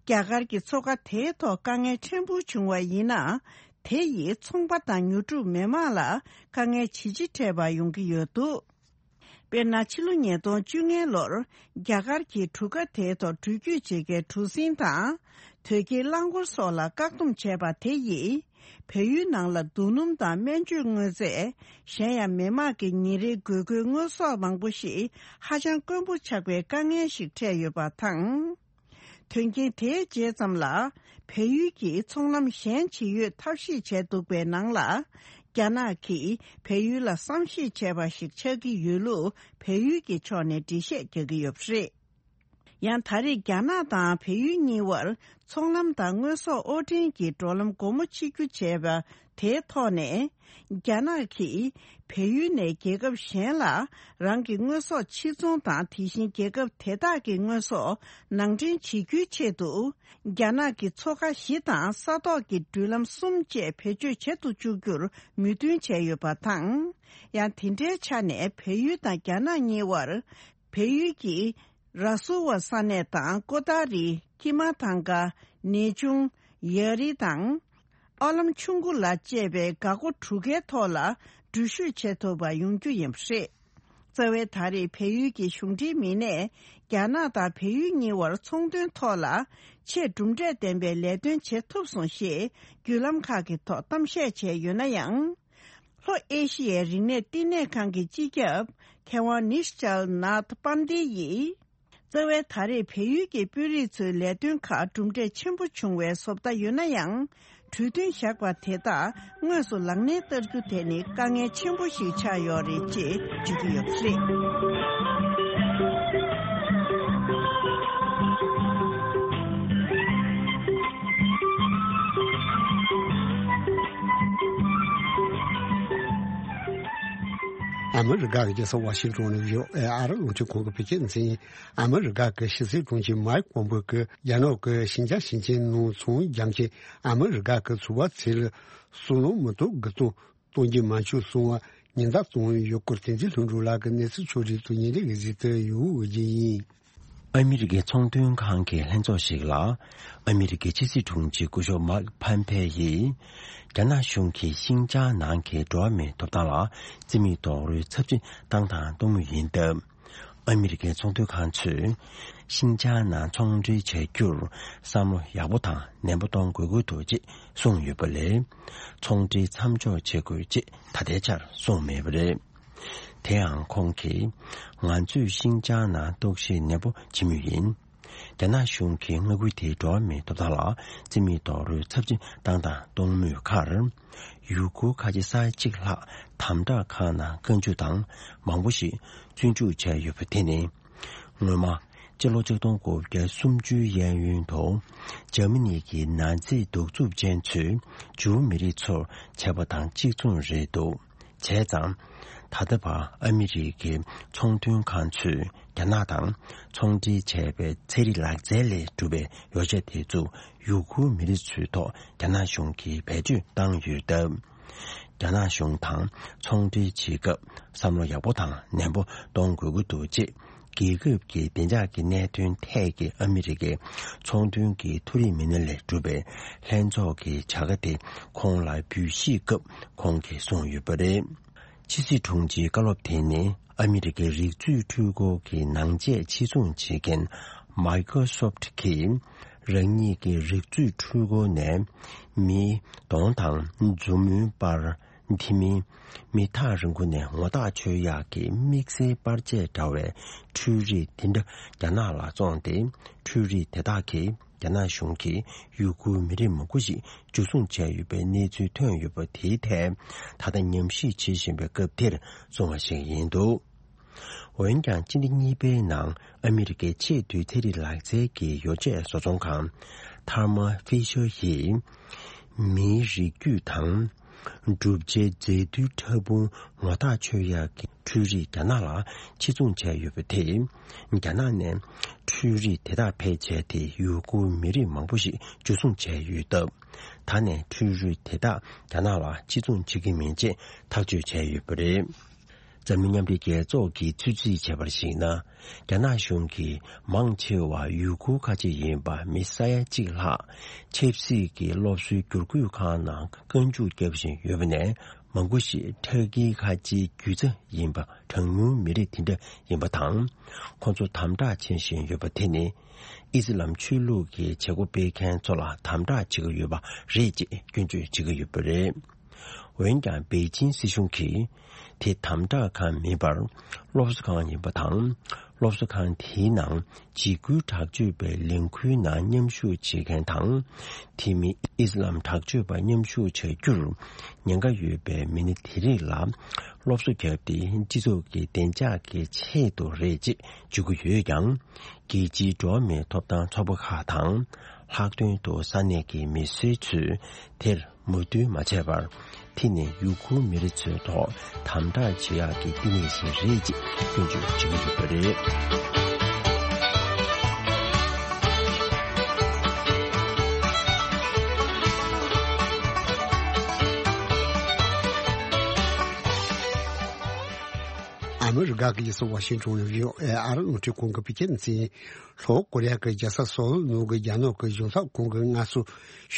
རྒྱ་གར་གྱི་མཚོ་ཁ་དེའི་ཐོག་དཀའ་ངལ་ཕྲན་བུ་བྱུང་བ་ཡིན་ན། དེ་ཡིས་ཚོང་པ་དང་ཉོ་སྒྲུབ་མི་མང་ལ་དཀའ་ངལ་ཇི་ཆེ་འཕྲད་པ་ཡོང་གི་ཡོད་འདུག་དཔེར་ན། ཕྱི་ལོ་ཉིས་སྟོང་བཅོ་ལྔ་ལོར་རྒྱ་གར་གྱིས་གྲུ་ཁ་དེའི་ཐོག་འགྲུལ་སྐྱོད་བྱེད་མཁན་གྲུ་གཟིངས་དང་། དོས་སྐྱེལ་རླངས་འཁོར་སོགས་ལ་བཀག་སྡོམ་བྱས་པ་དེ་ཡིས། བལ་ཡུལ་ནང་ལ་རྡོ་སྣུམ་དང་སྨན་བཅོས་དངོས་རྫས། གཞན་ཡང་མི་མང་གི་ཉིན་རེའི་དགོས་མཁོའི་དངོས་ཟོག་མང་པོ་ཞིག་ཧ་ཅང་དཀོན་པོ་ཆགས་པའི་དཀའ་ངལ་ཞིག་འཕྲད་ཡོད་པ་དང་། དོན་རྐྱེན་དེའི་རྗེས་ཙམ་ལ། བལ་ཡུལ་གྱིས་ཚོང་ལམ་གཞན་ཇི་ཡོད་ཐབས་ཤེས་བྱས་འདུག་པའི་ནང་ལ། རྒྱ་ནག་གིས་བལ་ཡུལ་ལ་བསམ་ཤེས་བྱས་པ་ཞིག་ཆགས་ཀྱི་ཡོད་ལུགས་བལ་ཡུལ་གྱི་ཕྱོགས་ནས་འགྲེལ་བཤད་རྒྱག་གི་ཡོད་པ་རེད། ཡང་ད་རེས་རྒྱ་ནག་དང་བལ་ཡུལ་གཉིས་བར་ཚོང་ལམ་དང་དངོས་ཟོག་དབོར་འདྲེན་གྱི་འགྲོ་ལམ་སྒོ་མོ་ཕྱེ་རྒྱུ་བྱས་པ་དེའི་ཐོག་ནས། རྒྱ་ནག་གིས་བལ་ཡུལ་ནས་རྒྱལ་ཁབ་གཞན་ལ་རང་གི་དངོས་ཟོག་ཕྱིར་ཚོང་དང་། དེ་བཞིན་རྒྱལ་ཁབ་དེ་དག་གི་དངོས་ཟོག་ནང་འདྲེན་བྱེད་རྒྱུའི་ཆེད་དུ། རྒྱ་ནག་གི་མཚོ་ཁ་བཞི་དང་ས་ཐོག་གི་འགྲུལ་ལམ་གསུམ་བཅས་བེད་སྤྱོད་བྱེད་དུ་བཅུག་རྒྱུར་མོས་མཐུན་བྱས་ཡོད་པ་དང་། ཡང་དེ་འདྲའི་ཆ་ནས་བལ་ཡུལ་དང་རྒྱ་ནག་གཉིས་བར། བལ་ཡུལ་གྱི་ར་སུ་ཝ་ས་གནས་དང་ཀོ་ཏཱ་རི། ཀི་མ་ཐང་ཀ། ནེ་ཆུང་། ཡ་རི་དང་། ཨ་ལམ་ཆུང་ཀུ་ལ་བཅས་པའི་འགག་སྒོ་དྲུག་ཀའི་ཐོག་ལ་འགྲུལ་བཞུད་བྱེད་ཐུབ་པ་ཡོང་རྒྱུ་ཡིན་པ་རེད། རྩ་བའི་ད་རེས་བལ་ཡུལ་གྱི་གཞུང་འབྲེལ་མི་སྣས་རྒྱ་ནག་དང་བལ་ཡུལ་གཉིས་བར་ཚོང་དོན་ཐོག་ལ་ཆེས་གྲུབ་འབྲས་ལྡན་པའི་ལས་དོན་བྱེད་ཐུབ་སོང་ཞེས་བརྒྱུད་ལམ་ཁག་གི་ཐོག་གཏམ་བཤད་བྱས་ཡོད་ན་ཡང་། ལྷོ་ཨེ་ཤི་ཡའི་རིག་གནས་བསྟི་གནས་ཁང་གི་སྤྱི་ཁྱབ་མཁས་དབང་ནིཤ་ཅལ་ནཱཐ་པན་དེ་ཡིས། རྩ་བའི་ད་རེས་བལ་ཡུལ་གྱི་དཔོན་རིགས་ཚོའི་ལས་དོན་ཁག་གྲུབ་འབྲས་ཆེན་པོ་བྱུང་བའི་བཟོ་ལྟ་ཡོད་ན་ཡང་། གྲོས་མཐུན་བཞག་པ་དེ་དག་དངོས་སུ་ལག་ལེན་བསྟར་རྒྱུ་དེ་ནི་དཀའ་ངལ་ཆེན་པོ་ཞིག་ཆགས་ཡོད་རེད་ཅེས་བརྗོད་ཀྱི་ཡོད་པ་རེད། ཨ་མི་རི་ཀ་གི་རྒྱལ་ས་ཝ་ཤིང་ཏོན་ནས་བྷི་ཨོ་ཨེ་ཨ་རི་རླུང་འཕྲིན་ཁང་གི་བོད་སྐད་སྡེ་ཚན་ཡིན། ཨ་མི་རི་ཀ་གི་ཕྱི་སྲིད་དྲུང་ཆེ་མའིག་པོམ་པེ་གིས་རྒྱ་ནག་གི་ཤིན་ཅང་ཞིང་ཆེན་ནང་ཚོང་རྒྱག་མཁན་ཨ་མི་རི་ཀ་གི་ཚོང་པ་ཚོ་ལ་སོ་ནམ་མི་ཐོག་དགུ་སྟོང་གཏོང་རྒྱུ་མ་བྱུང་སོང་བ་ཉེན་བརྡ་བཏང་ཡོད་སྐོར་བསྟན་འཛིན་ལྷུན་གྲུབ་ལགས་ཀྱིས་གནས་ཚུལ་ཕྱོགས་སྒྲིག་ཏུ་ཉིན་རེ་གི་གཟིགས་ཏེ་ཡོད་ཀྱི་ཡིན། ཨ་མི་རི་ཀའི་ཚོང་དོན་ཁང་གི་ལྷན་ཚོགས་ཤིག་ལ། ཨ་མི་རི་ཀའི་ཕྱི་སྲིད་དྲུང་ཆེ་སྐུ་ཞབས་མཱིག་ཕམ་ཕེ་ཡིས། རྒྱ་ནག་གཞུང་གིས་ཤིན་ཅང་ནང་གི་འགྲོ་བ་མིའི་ཐོབ་ཐང་ལ་རྩིས་མེད་རྡོག་རོལ་ཚབས་ཆེན་བཏང་དང་གཏོང་མུས་ཡིན་སྟབས། ཨ་མི་རི་ཀའི་ཚོང་དོན་ཁང་ཚོས། ཤིན་ཅང་ནང་ཚོང་འབྲེལ་བྱ་རྒྱུར་བསམ་བློ་ཡག་པོ་དང་ནན་པོ་གཏོང་དགོས་ཀྱི་འདུག་ཅེས་གསུངས་ཡོད་པ་ལས། ཚོང་འབྲེལ་མཚམས་འཇོག་བྱེད་དགོས་ཅེས་ད་ལྟའི་ཆར་གསུངས་མེད་པ་རེད། དེའང་ཁོང་གིས། ང་ཚོས་ཤིན་ཅང་ནང་རྟོག་ཞིབ་ནན་པོ་བྱེད་མུས་ཡིན། རྒྱ་ནག་གཞུང་གིས་མངའ་ཁུལ་དེའི་འགྲོ་བ་མིའི་ཐོབ་ཐང་ལ་བརྩི་མེད་རྡོག་རོལ་ཚབས་ཆེན་བཏང་དང་གཏོང་མུས་ཁར། ཡུ་གུར་ཁ་ཆེ་ས་ཡ་གཅིག་ལྷག་དམ་དྲག་ཁང་ནང་བཀའ་འཇུག་དང་མང་པོ་ཞིག་བཙོན་འཇུག་བྱས་ཡོད་པ་དེ་ནི། སྔོན་མ། སྤྱི་ལོ་ཆིག་སྟོང་དགུ་བརྒྱ་སུམ་ཅུའི་གཡས་གཡོན་དུ། འཇར་མ་ནི་གི་ནཱ་ཛི་གདུག་རྩུབ་ཅན་ཚོས་ཇུའུ་མི་རིགས་ཚོར་བྱས་པ་དང་གཅིག་མཚུངས་རེད་འདུག་བྱས་ཙང་། ད་ལྟ་བར་ཨ་མི་རི་ཀའི་ཚོང་དོན་ཁང་ཚོས་རྒྱ་ནག་དང་ཚོང་འབྲེལ་བྱས་པའི་ཚན་རིག་ལག་རྩལ་ལས་གྲུབ་པའི་ཡོ་བྱད་དེ་ཚོ་ཡུ་གུར་མི་རིགས་ཚོའི་ཐོག་རྒྱ་ནག་གཞུང་གིས་བེད་སྤྱོད་བཏང་ཡོད་སྟབས། རྒྱ་ནག་གཞུང་དང་ཚོང་འབྲེལ་བྱེད་སྐབས་བསམ་བློ་ཡག་པོ་དང་ནན་པོ་གཏོང་དགོས་ཀྱི་འདུག་ཅེས། རྒྱལ་ཁབ་ཀྱི་བདེ་འཇགས་ཀྱི་གནད་དོན་ཐད་ཀྱི་ཨ་མི་རི་ཀའི་ཚོང་དོན་གྱི་མཐོ་རིམ་མི་སྣ་ལས་གྲུབ་པའི་ལྷན་ཚོགས་ཀྱི་བྱ་དགའ་དེ་ཁོང་ལ་འབུལ་བཞེས་སྐབས་ཁོང་གིས་གསུངས་ཡོད་པ་རེད། ཕྱི་སྲིད་དྲུང་ཆེའི་བཀའ་སློབ་དེ་ནི་ཨ་མི་རི་ཀའི་རིག་མཛོད་འཕྲུལ་འཁོར་གྱི་ནང་ཆས་ཕྱིར་ཚོང་བྱེད་མཁན་Microsoft གིས་རང་ཉིད་ཀྱི་རིག་མཛོད་འཕྲུལ་འཁོར་ནས་མི་གདོང་དང་མཛུབ་མོའི་པར། དེ་མིན། མི་ཐག་རིང་པོ་ནས་ངོ་ཐག་ཆོད་ཡག་གི་དམིགས་བསལ་པར་ཆས་འདྲ་བའི་འཕྲུལ་རིགས་དེ་འདྲ་རྒྱ་ནག་ལ་བཙོངས་ཏེ། འཕྲུལ་རིགས་དེ་དག་གིས་རྒྱ་ནག་གཞུང་གིས་ཡུ་གུར་མི་རིགས་མང་པོ་ཞིག་འཇུ་བཟུང་བྱས་ཡོད་པའི་གནས་ཚུལ་ཐོན་ཡོད་པ་དེའི་ཐད། ད་ལྟ་ཉམས་ཞིབ་བྱེད་བཞིན་པའི་སྐབས་དེར་གསུངས་པ་ཞིག་ཡིན་འདུག་འོན་ཀྱང་སྤྱི་ཟླ་གཉིས་པའི་ནང་ཨ་མི་རི་ཀའི་ཆེས་མཐོའི་ཚན་རིག་ལག་རྩལ་གྱི་ཡོ་བྱད་བཟོ་ཚོང་ཁང་Thermo Fisher ཡིས། མིའི་རིགས་རྒྱུད་དང་། གྲུབ་ཆའི་རྫས་རྡུལ་ཕྲ་ཕུང་ངོ་ཐག་ཆོད་ཡག་གི་འཕྲུལ་རིགས་རྒྱ་ནག་ལ་ཕྱིར་ཚོང་བྱས་ཡོད་པ་དེས། རྒྱ་ནག་ནས་འཕྲུལ་རིགས་དེ་དག་ཕལ་ཆེར་དེ་ཡུ་གུར་མི་རིགས་མང་པོ་ཞིག་འཇུ་བཟུང་བྱས་ཡོད་སྟབས། ད་ནས་འཕྲུལ་རིགས་དེ་དག་རྒྱ་ནག་ལ་ཕྱིར་ཚོང་བྱེད་ཀྱི་མིན་ཅེས་ཐག་གཅོད་བྱས་ཡོད་པ་རེད། འཛམ་གླིང་མཉམ་འབྲེལ་རྒྱལ་ཚོགས་ཀྱིས་ཚོད་རྩིས་བྱས་པར་གཞིགས་ན། རྒྱ་ནག་གཞུང་གིས་མང་ཆེ་བ་ཡུ་གུར་ཁ་ཆེ་ཡིན་པ་མི་ས་ཡ་གཅིག་ལྷག་ཆབ་སྲིད་ཀྱི་སློབ་གསོའི་བསྒྱུར་བཀོད་ཁང་ནང་བཀའ་འཇུག་བརྒྱབ་བཞིན་ཡོད་པ་ནས། མང་པོ་ཞིག་ཊར་ཀིའི་ཁ་ཆེའི་རྒྱུད་རྩ་ཡིན་པ་གྲངས་ཉུང་མི་རིགས་དེ་འདྲ་ཡིན་པ་དང་། ཁོང་ཚོ་དམ་དྲག་བྱེད་བཞིན་ཡོད་པ་དེ་ནི། ཨི་སི་ལམ་ཆོས་ལུགས་ཀྱི་བྱེད་སྒོ་སྤེལ་མཁན་ཚོ་ལ་དམ་དྲག་བྱེད་ཀྱི་ཡོད་པ་རེད་ཅེས་སྐྱོན་བརྗོད་བྱེད་ཀྱི་ཡོད་པ་རེད། འོན་ཀྱང་པེ་ཅིན་སྲིད་གཞུང་གིས་དེ་དམ་དྲག་ཁང་མིན་པར་སློབ་གསོ་ཁང་ཡིན་པ་དང་། སློབ་གསོ་ཁང་དེའི་ནང་འཇིགས་སྐུལ་དྲག་སྤྱོད་པའི་ལས་འགུལ་ནང་མཉམ་ཞུགས་བྱེད་མཁན་དང་། དེ་མིན་ཨི་སི་ལམ་དྲག་སྤྱོད་པ་མཉམ་ཞུགས་བྱ་རྒྱུར་ཉེན་ཁ་ཡོད་པའི་མི་སྣ་དེ་རིགས་ལ་སློབ་གསོ་བརྒྱབ་སྟེ། སྤྱི་ཚོགས་ཀྱི་བདེ་འཇགས་ཀྱི་ཆེད་དུ་རེད་ཅེས་བརྗོད་ཀྱི་ཡོད་ཀྱང་། རྒྱལ་སྤྱིའི་འགྲོ་བ་མིའི་ཐོབ་ཐང་ཚོགས་པ་ཁག་དང་། ལྷག་དོན་དུ་ས་གནས་ཀྱི་མི་སེར་ཚོས་དེར་མོས་མཐུན་མ་བྱས་པར། དེ་ནི་ཡུ་གུར་མི་རིགས་ཚོའི་ཐོག་དམ་དྲག་བྱེད་ཡག་གི་བསྟི་གནས་ཤིག་རེད་ཅེས་སྐྱོན་བརྗོད་བྱེད་ཀྱི་ཡོད་པ་རེད། ཨ་མི་རི་ཀ་གི་རྒྱལ་ས་ཝ་ཤིང་ཊོན་ནས་བྷི་ཨོ་ཨེ་ཨ་རི་རླུང་འཕྲིན་ཁང་གི་བོད་སྐད་སྡེ་ཚན། ལྷོ་ཀོ་རི་ཡ་གི་རྒྱལ་ས་སོལ་ནང་གི་རྒྱ་ནག་གི་གཞུང་ཚབ་ཁང་གི་སྔ་སོར།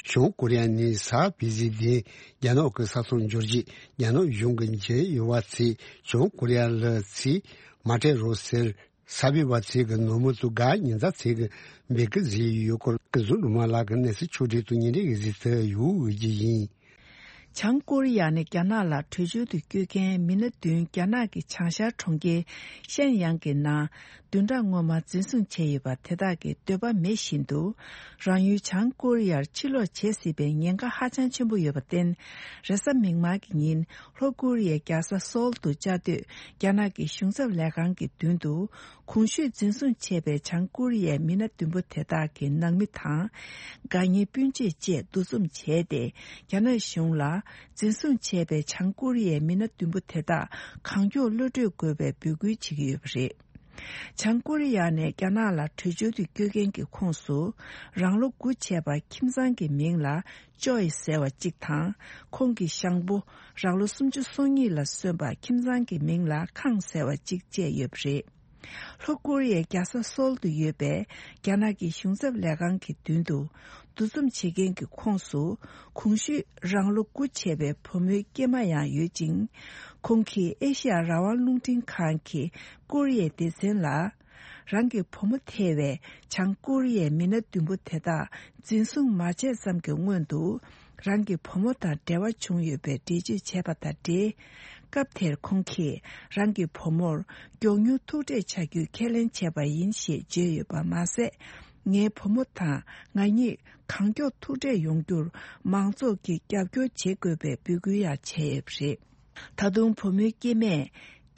བྱང་ཀོ་རི་ཡ་ནས་གཟའ་ཕུར་བུའི་ཉིན་རྒྱ་ནག་གི་ས་ཐོག་འབྱོར་རྗེས། རྒྱ་ནག་གཞུང་གི་འཇལ་ཡོང་བ་ཚོས་བྱང་ཀོ་རི་ཡ་ལ་ཚུར་མ་སྤྲད་རོགས་ཟེར། གཟའ་ཕུར་བུ་ཚེས་ཀྱི་ནངས་མོ་དང་གཟའ་ཉི་ཤུ་ཚེས་ཀྱི་འབོད་སྐུལ་བཟོས་ཡོད་སྐོར་སྐུ་ཟུར་ལུང་མ་ལགས་ཀྱི་གནས་ཚུལ་ཕྱོགས་བསྒྲིགས་དང་བརྙན་འཕྲིན་གྱི་གཟིགས་ཚུལ་ཡོད་འོས་ཀྱི་ཡིན། བྱང་ཀོ་རི་ཡ་ནས་རྒྱ་ནག་ལ་བྲོས་བྱོལ་དུ་བསྐྱོད་མཁན་མི་སྣ་བདུན་རྒྱ་ནག་གི་བྱང་ཤར་གྲོང་ཁྱེར་ཤན་ཡང་གི་ནང་བདུན་ཕྲག་སྔོན་མ་འཛིན་བཟུང་བྱས་ཡོད་པ་དེ་དག་གི་འདོད་པ་མེད་བཞིན་དུ། རང་ཡུལ་བྱང་ཀོ་རི་ཡར་ཕྱིར་ལོག་བྱེད་སྲིད་པའི་ཉེན་ཁ་ཧ་ཅང་ཆེན་པོ་ཡོད་པར་བརྟེན། རེས་གཟའ་མིག་དམར་གྱི་ཉིན་ལྷོ་ཀོ་རི་ཡའི་རྒྱལ་ས་སོལ་དུ་བཅའ་སྡོད་རྒྱ་ནག་གི་གཞུང་ཚབ་ལས་ཁང་གི་མདུན་དུ། གོང་ཞུས་འཛིན་བཟུང་བྱས་པའི་བྱང་ཀོ་རི་ཡའི་མི་སྣ་བདུན་པོ་དེ་དག་གི་ནང་མི་དང་། དགའ་ཉེ་སྤུན་མཆེད་བཅས་འདུ་འཛོམས་བྱས་ཏེ། རྒྱ་ནག་གཞུང་ལ་འཛིན་བཟུང་བྱས་པའི་བྱང་ཀོ་རི་ཡའི་མི་སྣ་བདུན་པོ་དེ་དག་གང་མགྱོགས་གློད་གྲོལ་དགོས་པའི་འབོད་སྐུལ་བྱེད་ཀྱི་ཡོད་པ་རེད། བྱང་ཀོ་རི་ཡ་ནས་རྒྱ་ནག་ལ་བྲོས་བྱོལ་དུ་བསྐྱོད་མཁན་གྱི་ཁོངས་སུ། རང་ལོ་དགུ་བྱས་པ་ཁྱིམ་ཚང་གི་མིང་ལ་ཅོའི་ཟེར་བ་གཅིག་དང་། ཁོང་གི་ཞང་པོ་རང་ལོ་སུམ་ཅུ་སོ་གཉིས་ལ་སོན་པ་ཁྱིམ་ཚང་གི་མིང་ལ་ཁང་ཟེར་བ་གཅིག་བཅས་ཡོད་པ་རེད། ལྷོ་ཀོ་རི་ཡའི་རྒྱལ་ས་སོལ་དུ་ཡོད་པའི་རྒྱ་ནག་གི་གཞུང་ཚབ་ལས་ཁང་གི་མདུན་དུ་འདུ་འཛོམས་བྱེད་མཁན་གྱི་ཁོངས་སུ། གོང་ཞུས་རང་ལོ་དགུ་བྱས་པའི་བུ་མོའི་སྐྱེས་མ་ཡང་ཡོད་ཅིང་། ཁོང་གིས་ཨེ་ཤི་ཡ་རང་དབང་རླུང་འཕྲིན་ཁང་གི་ཀོ་རི་ཡའི་སྡེ་ཚན་ལ། རང་གི་བུ་མོ་ཐེ་བའི་བྱང་ཀོ་རི་ཡའི་མི་སྣ་བདུན་པོ་དེ་དག་འཛིན་བཟུང་མ་བྱས་ཙམ་གྱི་སྔོན་དུ། རང་གི་བུ་མོ་དང་འབྲེལ་བ་བྱུང་ཡོད་པའི་འགྲེལ་བརྗོད་བྱས་པ་དང་འབྲེལ། སྐབས་དེར་ཁོང་གིས་རང་གི་བུ་མོར་མགྱོགས་མྱུར་ཐུག་འཕྲད་བྱ་རྒྱུའི་ཁས་ལེན་བྱས་པ་ཡིན་ཞེས་བརྗོད་ཡོད་པ་མ་ཟད། ངའི་བུ་མོ་དང་ང་གཉིས་གང་མགྱོགས་ཐུག་འཕྲད་ཡོང་རྒྱུར་མང་ཚོགས་ཀྱིས་རྒྱབ་སྐྱོར་བྱེད་དགོས་པའི་འབོད་སྐུལ་ཡང་བྱས་ཡོད་པ་རེད། ད་དུང་བུ་མོའི་སྐྱེ་དམན།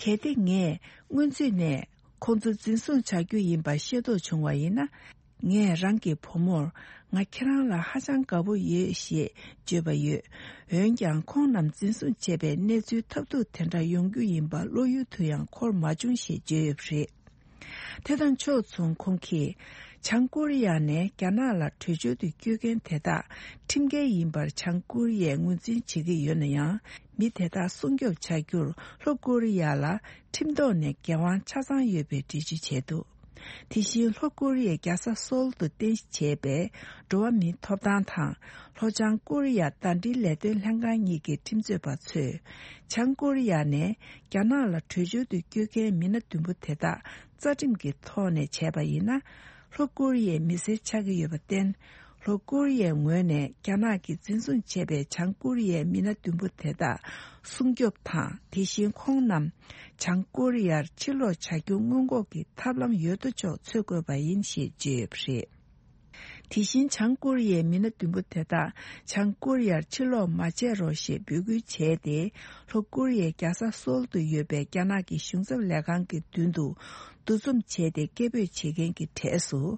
གལ་ཏེ་ངས་སྔོན་ཚུད་ནས་ཁོང་ཚོ་འཛིན་བཟུང་བྱ་རྒྱུ་ཡིན་པ་ཤེས་རྟོགས་བྱུང་བ་ཡིན་ན། ངས་རང་གི་བུ་མོར། ང་ཁྱེད་རང་ལ་ཧ་ཅང་དགའ་པོ་ཡོད་ཞེས་བརྗོད་པ་ཡོད། འོན་ཀྱང་ཁོང་རྣམས་འཛིན་བཟུང་བྱས་པའི་གནས་ཚུལ་ཐབས་སྡུག་དེ་འདྲ་ཡོང་རྒྱུ་ཡིན་པ་བློ་ཡུལ་དུ་ཡང་འཁོར་མ་བྱུང་ཞེས་བརྗོད་ཡོད་པ་རེད། དེ་དང་ཕྱོགས་མཚུངས་ཁོང་གིས། བྱང་ཀོ་རི་ཡ་ནས་རྒྱ་ནག་ལ་བྲོས་བྱོལ་དུ་བསྐྱོད་མཁན་དེ་དག་ཁྲིམས་འགལ་ཡིན་པར་བྱང་ཀོ་རི་ཡས་ངོས་འཛིན་བྱེད་ཀྱི་ཡོད་ན་ཡང་། མི་དེ་དག་སྲུང་སྐྱོབ་བྱ་རྒྱུར་ལྷོ་ཀོ་རི་ཡ་ལ་ཁྲིམས་ཐོག་ནས་འགན་དབང་ཆ་ཚང་ཡོད་པའི་འགྲེལ་བརྗོད་བྱས་འདུག་དེ་བཞིན་ལྷོ་ཀོ་རི་ཡའི་རྒྱལ་ས་སོལ་དུ་རྟེན་གཞི་བྱས་པའི་འགྲོ་བ་མིའི་ཐོབ་ཐང་དང་། ལྷོ་བྱང་ཀོ་རི་ཡ་ཟླ་སྒྲིལ་ལས་དོན་ལྷན་ཁང་གཉིས་ཀྱི་ཁྲིམས་རྩོད་པ་ཚོས། བྱང་ཀོ་རི་ཡ་ནས་རྒྱ་ནག་ལ་བྲོས་བྱོལ་དུ་བསྐྱོད་མཁན་མི་སྣ་བདུན་པོ་དེ་དག་རྩ་ཁྲིམས་ཀྱི་ཐོག་ནས་བྱས་པ་ཡིན་ན། ལྷོ་ཀོ་རི་ཡའི་མི་སེར་ཆགས་ཀྱི་ཡོད་པར་བརྟེན། ལྷོ་ཀོ་རི་ཡའི་ངོས་ནས་རྒྱ་ནག་གིས་འཛིན་བཟུང་བྱས་པའི་བྱང་ཀོ་རི་ཡའི་མི་སྣ་བདུན་པོ་དེ་དག་སྲུང་སྐྱོབ་དང་། དེ་བཞིན་ཁོང་རྣམས་བྱང་ཀོ་རི་ཡར་ཕྱིར་ལོག་བྱ་རྒྱུ་སྔོན་འགོག་གི་ཐབས་ལམ་ཡོད་དོ་ཅོག་འཚོལ་དགོས་པ་ཡིན་ཞེས་བརྗོད་ཡོད་པ་རེད། དེ་བཞིན་བྱང་ཀོ་རི་ཡའི་མི་སྣ་བདུན་པོ་དེ་དག་བྱང་ཀོ་རི་ཡར་ཕྱིར་ལོག་མ་བྱེད་རོགས་ཞེས་འབོད་སྐུལ་བྱས་ཏེ། ལྷོ་ཀོ་རི་ཡའི་རྒྱལ་ས་སོལ་དུ་ཡོད་པའི་རྒྱ་ནག་གི་གཞུང་ཚབ་ལས་ཁང་གི་མདུན་དུ་འདུ་འཛོམས་བྱས་ཏེ་སྐད་འབོད་བྱེད་མཁན་གྱི་གྲས་སུ།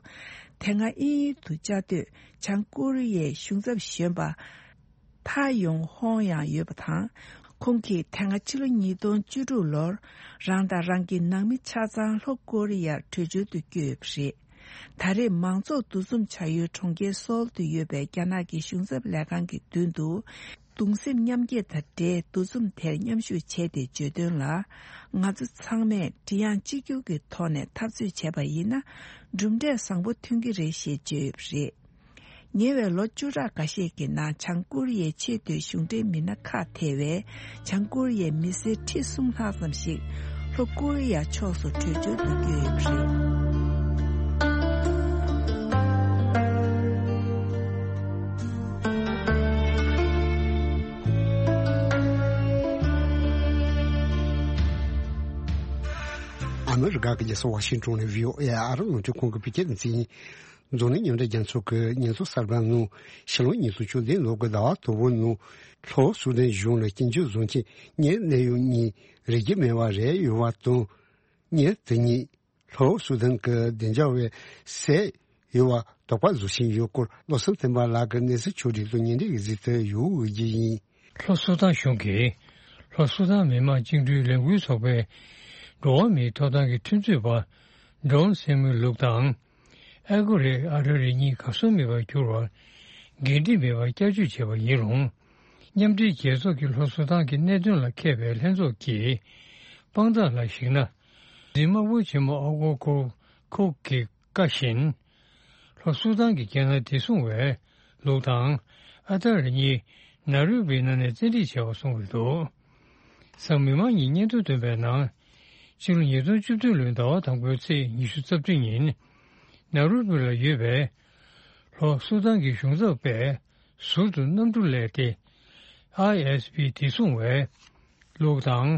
དེ་སྔ་དབྱིན་ཡུལ་དུ་བཅའ་སྡོད་བྱང་ཀོ་རི་ཡའི་གཞུང་ཚབ་གཞོན་པ། ཐ་ཡོང་ཧོང་ཡང་ཡོད་པ་དང་། ཁོང་གིས་དེ་སྔ་ཕྱི་ལོ་ཉིས་སྟོང་བཅུ་དྲུག་ལོར་རང་དང་རང་གི་ནང་མི་ཆ་ཚང་ལྷོ་ཀོ་རི་ཡར་བྲོས་བྱོལ་དུ་བསྐྱོད་ཡོད་པ་རེད། ད་རེས་མང་ཚོགས་འདུ་འཛོམས་བྱ་ཡུལ་གྲོང་ཁྱེར་སོལ་དུ་ཡོད་པའི་རྒྱ་ནག་གི་གཞུང་ཚབ་ལས་ཁང་གི་མདུན་དུ། གདུང་སེམས་མཉམ་སྐྱེད་དང་འབྲེལ་འདུ་འཛོམས་དེར་མཉམ་ཞུགས་བྱས་ཏེ་བརྗོད་དོན་ལ། ང་ཚོ་ཚང་མས་མགྲིན་དབྱངས་གཅིག་གྱུར་གྱི་ཐོག་ནས་འཐབ་རྩོད་བྱས་པ་ཡིན་ན། གྲུབ་འབྲས་བཟང་པོ་ཐོན་གྱི་རེད་ཞེས་བརྗོད་ཡོད་པ་རེད། ཉེ་བའི་ལོ་བཅུ་ཕྲག་འགའ་ཤས་ཀྱི་ནང་བྱང་ཀོ་རི་ཡའི་ཆེས་མཐོའི་གཞུང་འབྲེལ་མི་སྣ་ཁག་ཐེ་བའི་བྱང་ཀོ་རི་ཡའི་མི་སེར་ཁྲི་གསུམ་ལྷག་ཙམ་ཞིག་ལྷོ་ཀོ་རི་ཡ་ཕྱོགས་སུ་བྲོས་བྱོལ་དུ་བསྐྱོད་ཡོད་པ་རེད། ཨ་མི་རི་ཀ་གི་རྒྱལ་ས་ཝ་ཤིང་ཊོན་ནས་བྷི་ཨོ་ཨེ་ཨ་རི་རླུང་འཕྲིན་ཁང་གི་བོད་སྐད་སྡེ་ཚན་ཡིན། འཛམ་གླིང་མཉམ་འབྲེལ་རྒྱལ་ཚོགས་ཀྱི་སྙན་ཐོ་གསར་པའི་ནང་། ཕྱི་ལོ་ཉིས་སྟོང་བཅུ་བདུན་ལོ་གི་ཟླ་བ་དང་པོའི་ནང་ལྷོ་སུ་དན་གཞུང་ལ་སྐྱོན་བརྗོད་བཟོ་མཁན་གཉེར་གནས་ཡུལ་གཉིས་རིག་གི་མེད་པ་རེད་ཡོད་པ་དང་། གཉེར་དེ་གཉིས་ལྷོ་སུ་དན་གྱི་བདེ་འཇགས་པས་བསད་ཡོད་པ་དོགས་པ་བཟོ་བཞིན་ཡོད་སྐོར་བློ་བཟང་བསྟན་པ་ལགས་ཀྱིས་གནས་ཚུལ་ཕྱོགས་སྒྲིག་དང་སྙན་སྒྲོན་གྱི་གཟིགས་ཚུལ་ཡོད་འོས་ཀྱི་ཡིན། ལྷོ་སུ་དན་གཞུང་གིས་ལྷོ་སུ་དན་མི་དམངས་བཅིངས་འགྲོལ་ལས་འགུལ་ཚོགས་པའི་འགྲོ་བ་མིའི་ཐོབ་ཐང་གི་ཁྲིམས་རྩོད་པ་ཌོན་སེ་མུ་ལུག་དང་། ཨ་གོ་རེ་ཨ་ར་རི་གཉིས་གར་སོང་མེད་པར་གྱུར་བར་འགན་འཁྲི་མེད་པར་བསྐྱར་བཅོས་བྱས་པ་ཡིན་རུང་། མཉམ་འབྲེལ་རྒྱལ་ཚོགས་ཀྱི་ལྷོ་སུ་དན་གྱི་གནད་དོན་ལ་མཁས་པའི་ལྷན་ཚོགས་ཀྱི་དཔང་རྟགས་ལ་གཞིགས་ན། འཛིན་དམག་དཔོན་ཆེན་མོ་ཨ་གོར་ཁོ་ཁུག་གི་བཀའ་བཞིན། ལྷོ་སུ་དན་གྱི་རྒྱལ་ནང་བདེ་སྲུང་བས་ལུག་དང་ཨ་ཐར་རི་གཉིས་ནཱ་རོ་བི་ནང་ནས་བཙན་ཁྲིད་བྱས་པ་གསུངས་ཡོད་འདུག་གཟའ་མིག་དམར་ཉིན་སྙན་ཐོ་བཏོན་པའི་ནང་། ཕྱི་ལོ་ཉིས་སྟོང་བཅུ་བདུན་ལོའི་ཟླ་བ་དང་པོའི་ཚེས་ཉི་ཤུ་རྩ་བདུན་ཉིན། ནཱ་རོ་བི་ལ་ཡོད་པའི་ལྷོ་སུ་དན་གྱི་གཞུང་ཚབ་པས་ཟུར་དུ་གནམ་གྲུ་སླེབས་ཏེ། ཨའི་ཨེས་བི་བདེ་སྲུང་བས་ལུག་དང་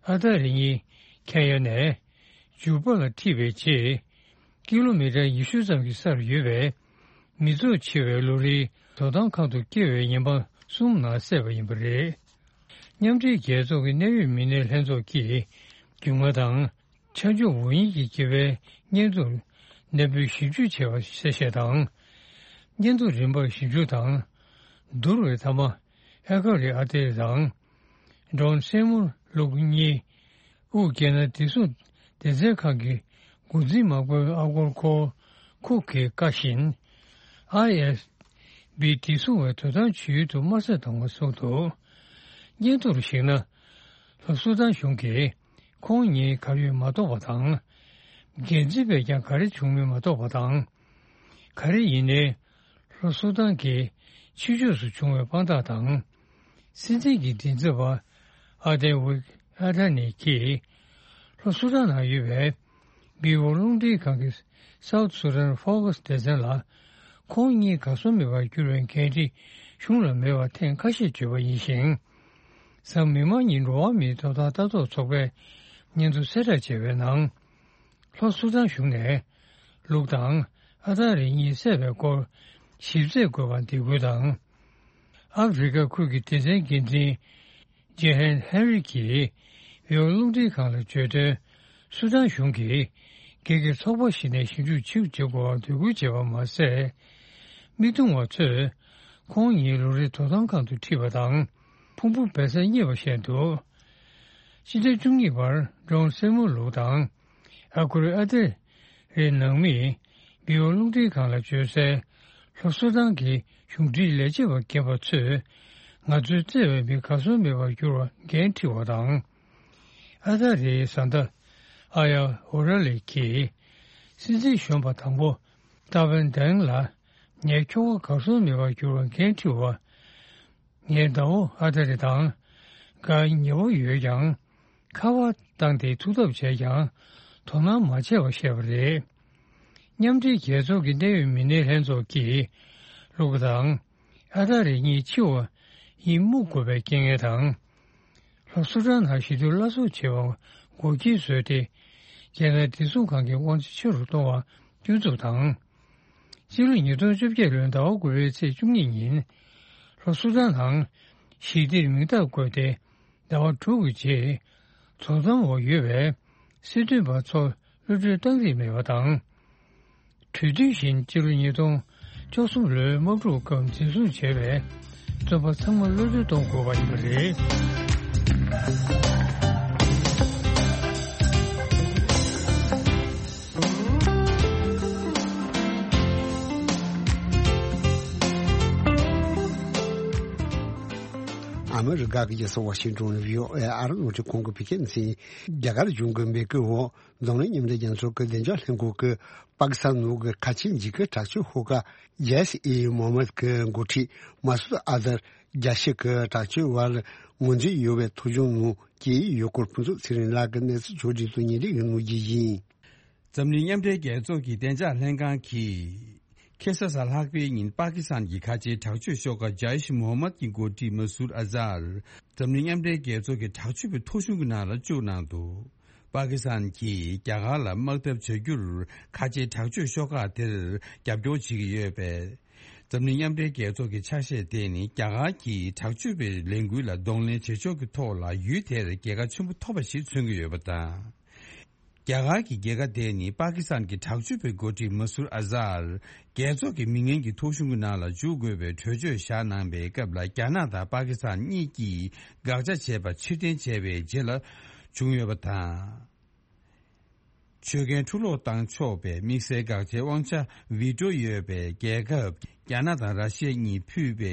ཨ་ཐར་རི་གཉིས་ཁེན་ཡ་ནས་ཇུ་པ་ལ་ཁྲིད་པའི་རྗེས། ཀི་ལོ་མི་ཊར་ཉི་ཤུ་ཙམ་གྱི་སར་ཡོད་པའི་མི་ཚོགས་ཆེ་བའི་ལོ་རེའི་དོ་དམ་ཁང་དུ་སྐྱེལ་བའི་ཉེན་པ་གསུམ་ནང་བསད་པ་ཡིན་པ་རེད། མཉམ་འབྲེལ་རྒྱལ་ཚོགས་ཀྱི་གནད་ཡོད་མི་སྣའི་ལྷན་ཚོགས་ཀྱིས་རྒྱུས་མངའ་དང་ཆ་འཇོག་འོས་ཡིན་གྱི་དགེ་བའི་སྙན་ཐོར་ནན་པོས་ཞིབ་འཇུག་བྱས་པ་གསལ་བཤད་དང་། སྙན་ཐོ་རིམ་པར་ཞིབ་འཇུག་དང་། བསྡུར་བའི་མཐའ་མ་ཨེ་ཀ་རི་ཨ་ཏེ་དང་། ཌོན་སེ་མུ་ལུག་གཉིས། དབུས་རྒྱལ་ནང་བདེ་སྲུང་སྡེ་ཚན་ཁང་གི་འགོ་འཛིན་དམག་དཔོན་ཨ་གོར་ཁོ་ཁུག་གི་བཀའ་བཞིན། ཨའི་ཨེས་བི་བདེ་སྲུང་བའི་དོ་དམ་བྱེད་ཡུལ་དུ་དམག་ས་དང་པོ་བཟུང་འདུག་སྙན་ཐོར་གཞིགས་ན། ལྷོ་སུ་དན་གཞུང་གིས་ཁོང་གཉིས་གར་ཡོད་མ་རྟོགས་པ་དང་། འགན་འཛིན་པས་ཀྱང་ག་རེ་བྱུང་མིན་མ་རྟོགས་པ་དང་། ག་རེ་ཡིན་ནའི། ལྷོ་སུ་དན་གྱི་ཕྱི་ཕྱོགས་སུ་བྱུང་བའི་དཔང་རྟགས་དང་། སྲིད་འཛིན་གྱི་མགྲིན་ཚབ་པ་ཨ་ཏེ་ཝིག་ཨ་ཐ་ནི་གིས་ལྷོ་སུ་དན་ནང་ཡོད་པའི་བི་ཨོ་རླུང་འཕྲིན་ཁང་གི་South Sudan Focus སྡེ་ཚན་ལ། ཁོང་གཉིས་གར་སོང་མེད་པར་གྱུར་བའི་འགན་འཁྲི་གཞུང་ལ་མེད་པ་ཐེངས་ཁ་ཤས་བརྗོད་པ་ཡིན་ཞིང་། གཟའ་མིག་དམར་ཉིན་འགྲོ་བ་མིའི་ཐོབ་ཐང་ལྟ་རྟོག་ཚོགས་པས་སྙན་ཐོ་གསལ་བསྒྲགས་བྱས་པའི་ནང་། ལྷོ་སུ་དན་གཞུང་ནས་ལུག་དང་ ཨ་ཐ་རི་གཉིས་བསད་པའི་སྐོར་ཞིབ་རྩད་དགོས་པར་འདེད་སྐུལ་དང་། ཨ་ཧྥེ་རི་ཁ་ཁུལ་གྱི་སྡེ་ཚན་འགན་འཛིན་ཇེ་ཧན་ཧེ་རི་གིས་བི་ཨོ་རླུང་འཕྲིན་ཁང་ལ་བརྗོད་དོན། སུ་དཱན་གཞུང་གིས་སྒེར་གྱི་ཚོགས་པ་ཞིག་ནས་ཞིབ་འཇུག་ཕྱིར་འབྱོར་དགོས་པར་འབོད་སྐུལ་བྱས་པ་མ་ཟད། མི་བརྡུང་བ་ཚོས་ཁོང་ཉིད་ལོ་རེའི་དོ་དམ་ཁང་དུ་ཁྲིད་པ་དང་། ཕུང་པོ་སྦས་ས་རྙེད་པ་བཤད་འདུག་སྤྱི་ཟླ་བཅུ་གཉིས་པར་ཌོན་སེ་མོ་ལུག་དང་། ཨ་ཁུ་རི་ཨ་ཏེ་རེའི་ནང་མིས་བི་ཨོ་རླུང་འཕྲིན་ཁང་ལ་བརྗོད་གསལ། ལྷོ་སུ་དཱན་གྱི་གཞུང་འབྲེལ་ལས་བྱེད་པ་རྒན་པ་ཚོས་ང་ཚོའི་བཙལ་བའི་མི་གར་སོང་མེད་པར་གྱུར་བར་འགན་འཁྲི་བ་དང་། ཨ་ཐ་རིའི་བཟའ་ཟླ་ཨ་ཡ་ཨོ་ར་ལི་གིས་སྲིད་འཛིན་གཞོན་པ་དང་པོ་ཏཱ་ཝན་དེང་ལ་ངའི་ཁྱོ་ག་གར་སོང་མེད་པར་གྱུར་བར་འགན་འཁྲི་བ། ངའི་ཟླ་བོ་ཨ་ཐ་རི་དང་དགའ་ཉེ་བོ་ཡོད་ཀྱང་། ཁ་པར་བཏང་སྟེ་ཐུག་ཐབས་བྱས་ཀྱང་དོ་སྣང་མ་བྱས་པ་བཤད་པ་རེད། མཉམ་འབྲེལ་རྒྱལ་ཚོགས་ཀྱི་གནད་ཡོད་མི་སྣའི་ལྷན་ཚོགས་ཀྱིས་ལུག་དང་ཨ་ཐ་རི་གཉིས་འཆི་བ་ཡི་སྨུག་དགོས་པའི་རྐྱེན་ངན་དང་། ལྷོ་སུ་དཱན་ནང་ཞི་དུལ་སླར་གསོ་བྱེད་པར་འགོག་རྐྱེན་བཟོས་ཏེ། རྒྱལ་ནང་བདེ་སྲུང་ཁང་གི་དབང་ཆ་ཆེ་རུ་གཏོང་བར་སྐྱོན་འཛུགས་དང་། ཕྱི་ལོ་ཉིས་སྟོང་བཅོ་བརྒྱད་ལོའི་ཟླ་བ་དགུ་པའི་ཚེས་བཅུ་གཉིས་ཉིན། ལྷོ་སུ་དཱན་ནང་ཞི་བདེར་མིང་རྟགས་བཀོད་དེ། ཟླ་བ་དྲུག་གི་རྗེས། བཙོན་ཁང་འོག་ཡོད་པའི་སྲིད་དོན་པ་ཚོར་གློད་གྲོལ་བཏང་རིགས་མེད་པ་དང་། གྲོས་མཐུན་བཞིན་ཕྱི་ལོ་ཉིས་སྟོང་བཅུ་གསུམ་ལོའི་དམག་འཁྲུག་སྐབས་འཛིན་བཟུང་བྱས་པའི་བཙོན་པ་ཚང་མ་གློད་གྲོལ་གཏོང་དགོས་པ་ཡིན་པ་རེད། ཨ་མི་རི་ཀ་གི་རྒྱལ་ས་ཝ་ཤིང་ཏོན་བྷི་ཨོ་ཨེ་ཨ་རི་རླུང་འཕྲིན་ཁང་གི་བོད་སྐད་སྡེ་ཚན། རྒྱ་གར་གཞུང་གི་འབོད་སྐུལ་འོག་འཛམ་གླིང་མཉམ་འབྲེལ་རྒྱལ་ཚོགས་ཀྱི་བདེ་འཇགས་ལྷན་ཁང་གིས་པ་ཀི་སི་ཐན་ནང་གི་ཁ་ཆེ་འཇིགས་སྐུལ་དྲག་སྤྱོད་ཤོག་ཁག་ཇེ་ཤི་ཨི་མོ་ཧམ་མད་ཀྱི་འགོ་ཁྲིད་མ་སུད་ཨ་ཛར་རྒྱལ་སྤྱི་གི་དྲག་སྤྱོད་པར་ངོས་འཛིན་ཡོད་པའི་ཐོ་གཞུང་ནང་སྐྱེས་ཡོད་སྐོར་ཕུན་ཚོགས་ཚེ་རིང་ལགས་ཀྱིས་གནས་ཚུལ་ཕྱོགས་སྒྲིག་ཏུ་ཉན་རིགས་ཀྱི་ནུས་རྒྱུ་ཡིན། འཛམ་གླིང་མཉམ་འབྲེལ་རྒྱལ་ཚོགས་ཀྱི་བདེ་འཇགས་ལྷན་ཁང་གིས། ཁ་སང་གཟའ་ལྷག་པའི་ཉིན་པ་ཀི་སི་ཐན་གྱི་ཁ་ཆེའི་དྲག་སྤྱོད་ཤོག་ཁག་ཇེ་ཤི་མོ་ཧམ་མད་ཀྱི་འགོ་ཁྲིད་མ་སུད་ཨ་ཛར། འཛམ་གླིང་མཉམ་འབྲེལ་རྒྱལ་ཚོགས་ཀྱི་དྲག་སྤྱོད་པའི་ཐོ་གཞུང་གི་ནང་ལ་བཅུག་གནང་འདུག་པ་ཀི་སི་ཐན་གྱིས་རྒྱ་གར་ལ་དམག་འཐབ་བྱ་རྒྱུར་ཁ་ཆེའི་དྲག་སྤྱོད་ཤོག་ཁག་དེར་རྒྱབ་སྐྱོར་བྱེད་ཀྱི་ཡོད་པས། འཛམ་གླིང་མཉམ་འབྲེལ་རྒྱལ་ཚོགས་ཀྱི་ཆ་ཤས་དེ་ནི་རྒྱ་གར་གྱིས་དྲག་སྤྱོད་པའི་ལས་འགུལ་ལ་གདོང་ལེན་བྱེད་ཕྱོགས་ཀྱི་ཐོག་ལ་ཡུལ་དེར་རྒྱལ་ཁ་ཆེན་པོ་ཐོབ་པ་ཞིག་མཚོན་གྱི་ཡོད་པ་དང་། རྒྱ་གར་གྱི་རྒྱལ་ཁ་དེ་ནི་པ་ཀི་སི་ཐན་གྱི་དྲག་སྤྱོད་པའི་འགོ་ཁྲིད་མ་སུར་ཨ་ཛར་རྒྱལ་ཚོགས་ཀྱི་མི་ངན་གྱི་ཐོ་གཞུང་གི་ནང་ལ་འཇུག་དགོས་པའི་གྲོས་ཆོད་བཞག་གནང་པའི་སྐབས་ལ། རྒྱ་ནག་དང་པ་ཀི་སི་ཐན་གཉིས་ཀྱིས་དགག་བྱ་བྱས་པ་ཕྱིར་འཐེན་བྱས་པའི་རྗེས་ལ་བྱུང་ཡོད་པ་དང་། ཆོད་གན་འཕྲུ་སློག་བཏང་ཆོག་པའི་དམིགས་བསལ་དགག་བྱའི་དབང་ཆ་བི་ཀྲོ་ཡོད་པའི་རྒྱལ་ཁབ་རྒྱ་ནག་དང་ར་ཤི་ཡ་གཉིས་ཕུད་པའི་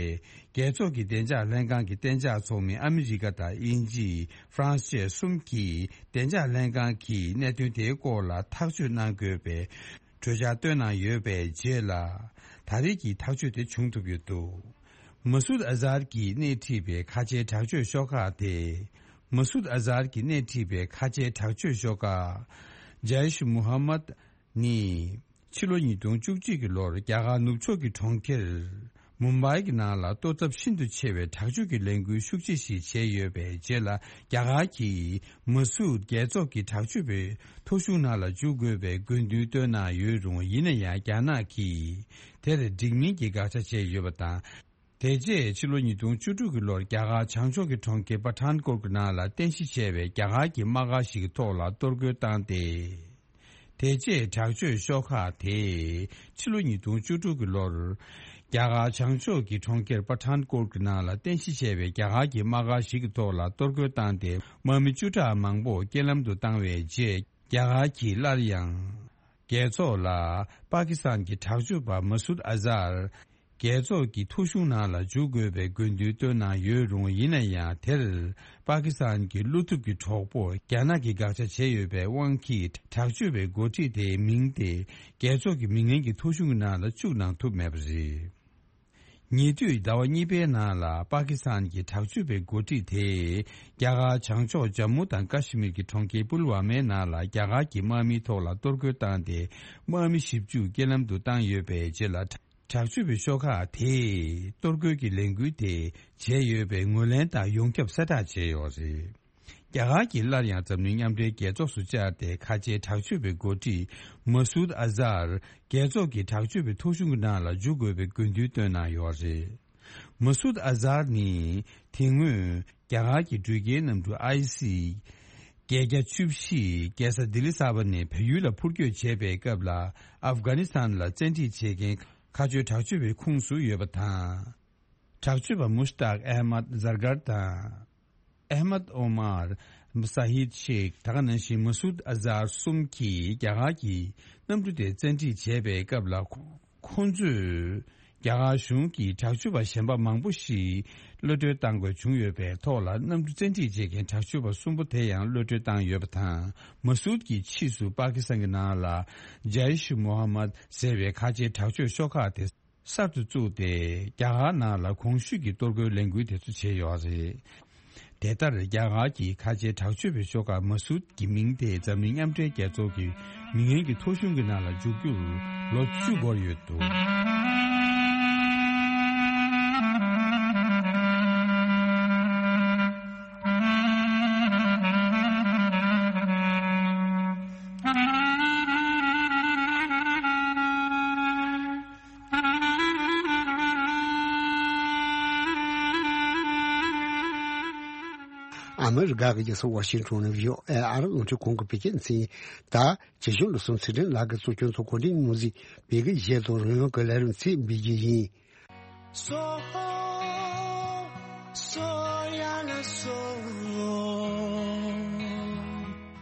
རྒྱལ་ཚོགས་ཀྱི་བདེ་འཇགས་ལྷན་ཁང་གི་གཏན་འཇགས་ཚོགས་མི་ཨ་མི་རི་ཀ་དང་དབྱིན་ཇི། ཧྥ་རན་སི་བཅས་གསུམ་གྱིས་བདེ་འཇགས་ལྷན་ཁང་གིས་གནད་དོན་དེའི་སྐོར་ལ་ཐག་གཅོད་གནང་དགོས་པའི་གྲོས་འཆར་བཏོན་གནང་ཡོད་པའི་རྗེས་ལ། ད་རེས་ཀྱི་ཐག་གཅོད་དེ་བྱུང་ཐུབ་ཡོད་འདུག་མ་སུད་ཨ་ཛར་གྱིས་སྣེ་ཁྲིད་པའི་ཁ་ཆེའི་དྲག་སྤྱོད་ཤོག་ཁག་དེ། མ་སུད་ཨ་ཛར་གྱིས་སྣེ་ཁྲིད་པའི་ཁ་ཆེའི་དྲག་སྤྱོད་ཤོག་ཁག་ཇའེ་ཤི་མུ་ཧམ་མད་ནི། ཕྱི་ལོ་ཉིས་སྟོང་བཅུ་གཅིག་གི་ལོར་རྒྱ་གར་ནུབ་ཕྱོགས་ཀྱི་གྲོང་ཁྱེར་མུམ་བྷའི་གི་ནང་ལ་གཏོར་ཚབས་ཤིན་ཏུ་ཆེ་བའི་དྲག་སྤྱོད་ཀྱི་ལས་འགུལ་ཤུགས་ཆེ་ཞིག་བྱས་ཡོད་པའི་རྗེས་ལ། རྒྱ་གར་གྱིས་མ་སུད་རྒྱལ་ཚོགས་ཀྱི་དྲག་སྤྱོད་པའི་ཐོ་གཞུང་ནང་ལ་འཇུག་དགོས་པའི་དགོས་འདུན་བཏོན་གནང་ཡོད་རུང་། ཡིན་ན་ཡང་རྒྱ་ནག་གིས་དེར་འགྲིག་མིན་གྱི་དགག་བྱ་བྱས་ཡོད་པ་དང་། དེ་རྗེས་ཕྱི་ལོ་ཉིས་སྟོང་བཅུ་དྲུག་གི་ལོར་རྒྱ་གར་བྱང་ཕྱོགས་ཀྱི་གྲོང་ཁྱེར་པ་ཐཱན་ཀོཊ་ཀྱི་ནང་ལ་རྟེན་གཞི་བྱས་པའི་རྒྱ་གར་གྱི་དམག་སྒར་ཞིག་གི་ཐོག་ལ་གཏོར་རྒོལ་བཏང་སྟེ། དེ་རྗེས་དྲག་སྤྱོད་ཤོག་ཁག་དེས་ཕྱི་ལོ་ཉིས་སྟོང་བཅུ་དྲུག་གི་ལོར། རྒྱ་གར་བྱང་ཕྱོགས་ཀྱི་གྲོང་ཁྱེར་པ་ཐཱན་ཀོཊ་ཀྱི་ནང་ལ་རྟེན་གཞི་བྱས་པའི་རྒྱ་གར་གྱི་དམག་སྒར་ཞིག་གི་ཐོག་ལ་གཏོར་རྒོལ་བཏང་སྟེ། དམག་མི་བཅུ་ཕྲག་མང་པོ་རྐྱེན་ལམ་དུ་བཏང་བའི་རྗེས། རྒྱ་གར་གྱིས་སླར་ཡང་། རྒྱལ་ཚོགས་ལ་པ་ཀི་སི་ཐན་གྱི་དྲག་སྤྱོད་པ་མ་སུད་ཨ་ཛར། རྒྱལ་ཚོགས་ཀྱི་ཐོ་གཞུང་ནང་ལ་འཇུག་དགོས་པའི་དགོས་འདུན་བཏོན་གནང་ཡོད་རུང་། ཡིན་ན་ཡང་དེར་པ་ཀི་སི་ཐན་གྱི་བློ་ཐུབ་ཀྱི་གྲོགས་པོ་རྒྱ་ནག་གིས་དགག་བྱ་བྱས་ཡོད་པའི་དབང་གིས། དྲག་སྤྱོད་པའི་འགོ་ཁྲིད་དེའི་མིང་དེ་རྒྱལ་ཚོགས་ཀྱི་མི་ངན་གྱི་ཐོ་གཞུང་གི་ནང་ལ་བཅུག་གནང་ཐུབ་མེད་པ་རེད། ཉེ་དུས་ཟླ་བ་གཉིས་པའི་ནང་ལ་པ་ཀི་སི་ཐན་གྱི་དྲག་སྤྱོད་པའི་འགོ་ཁྲིད་དེས། རྒྱ་གར་བྱང་ཕྱོགས་ཇམ་མུ་དང་ཀ་ཤི་མིར་གྱི་གྲོང་ཁྱེར་པུལ་ཝ་མའི་ནང་ལ་རྒྱ་གར་གྱི་དམག་མིའི་ཐོག་ལ་གཏོར་རྒོལ་བཏང་སྟེ། དམག་མི་བཞི་བཅུ་རྐྱེན་ལམ་དུ་བཏང་ཡོད་པའི་རྗེས་ལ། དྲག་སྤྱོད་པའི་ཤོག་ཁག་དེས་གཏོར་རྒོལ་གྱི་ལས་འགུལ་དེ་བྱས་ཡོད་པའི་ངོས་ལེན་དང་ཡོངས་ཁྱབ་གསལ་བསྒྲགས་བྱས་ཡོད་རེད། རྒྱ་གར་གྱིས་སླར་ཡང་འཛམ་གླིང་མཉམ་འབྲེལ་རྒྱལ་ཚོགས་སུ་བཅར་ཏེ། ཁ་ཆེའི་དྲག་སྤྱོད་པའི་འགོ་ཁྲིད་མ་སུད་ཨ་ཛར་རྒྱལ་ཚོགས་ཀྱི་དྲག་སྤྱོད་པའི་ཐོ་གཞུང་གི་ནང་ལ་འཇུག་དགོས་པའི་དགོས་འདུན་བཏོན་གནང་ཡོད་རེད། མ་སུད་ཨ་ཛར་ནི་དེ་སྔོན་རྒྱ་གར་གྱི་འགྲུལ་སྐྱེལ་གནམ་གྲུ་ཨའི་སི་བརྒྱད་བརྒྱ་བཅུ་བཞི་རྒྱལ་ས་ལྡི་ལི་གསར་པ་ནས་བལ་ཡུལ་ལ་འཕུར་སྐྱོད་བྱས་པའི་སྐབས་ལ། ཨབ་གྷ་ནི་སི་ཐན་ལ་བཙན་ཁྲིད་བྱེད་མཁན་ཁ་ཆེའི་དྲག་སྤྱོད་པའི་ཁོངས་སུ་ཡོད་པ་དང་། དྲག་སྤྱོད་པ་མུཤ་ཏག་ཨེ་མད་ཛར་གར་དང་། ཨེ་མད་ཨོ་མར་ས་ཧིད་ཤེག་ད་ག་ནང་བཞིན་མ་སུད་ཨ་ཛར་གསུམ་གྱིས་རྒྱ་གར་གྱི་གནམ་གྲུ་དེ་བཙན་ཁྲིད་བྱས་པའི་སྐབས་ལ། ཁོ་ཁོང་ཚོས་རྒྱ་གར་གཞུང་གིས་དྲག་སྤྱོད་པ་གཞན་པ་མང་པོ་ཞིག་གློད་གྲོལ་བཏང་དགོས་བྱུང་ཡོད་པའི་ཐོག་ལ། གནམ་གྲུ་བཙན་ཁྲིད་བྱེད་མཁན་དྲག་སྤྱོད་པ་གསུམ་པོ་དེ་ཡང་གློད་གྲོལ་བཏང་ཡོད་པ་དང་། མ་སུད་ཀྱི་ཕྱིས་སུ་པ་ཀི་སི་ཐན་གྱི་ནང་ལ་ཇའི་ཤི་མོ་ཧ་མད་ཟེར་བའི་ཁ་ཆེའི་དྲག་སྤྱོད་ཤོག་ཁག་དེ་གསར་དུ་བཙུགས་ཏེ། རྒྱ་གར་ནང་ལ་གོང་ཞུས་ཀྱི་གཏོར་རྒོལ་ལས་འགུལ་དེ་ཚོ་བྱས་ཡོད་རེད། དེ་ལྟར་རྒྱ་གར་གྱི་ཁ་ཆེའི་དྲག་སྤྱོད་པའི་ཤོག་ཁག་མ་སུད་ཀྱི་མིང་དེ་འཛམ་གླིང་མཉམ་འབྲེལ་རྒྱལ་ཚོགས་ཀྱི་མི་ངན་གྱི་ཐོ་གཞུང་གི་ནང་ལ་འཇུག་རྒྱུར་ལོ་བཅུ་འགོར་ཡོད་འདུག། ཨ་མི་རི་ཀ་གི་རྒྱལ་ས་ཝ་ཤིང་ཊོན་ནས་བྷི་ཨོ་ཨེ་ཨ་རི་རླུང་འཕྲིན་ཁང་གི་བོད་སྐད་སྡེ་ཚན་ད་བྱེད་ཞུ་ལོ་སུམ་ཚེ་རིང་ལགས་ཀྱིས་གཙོ་སྐྱོང་ཚོགས་གོ་སྒྲིག་ཉུང་ཟིག་བོད་སྐད་གཞས་དང་རོལ་དབྱངས་ཀྱི་ལས་རིམ་ཚིག་འབུལ་གྱི་ཡིན།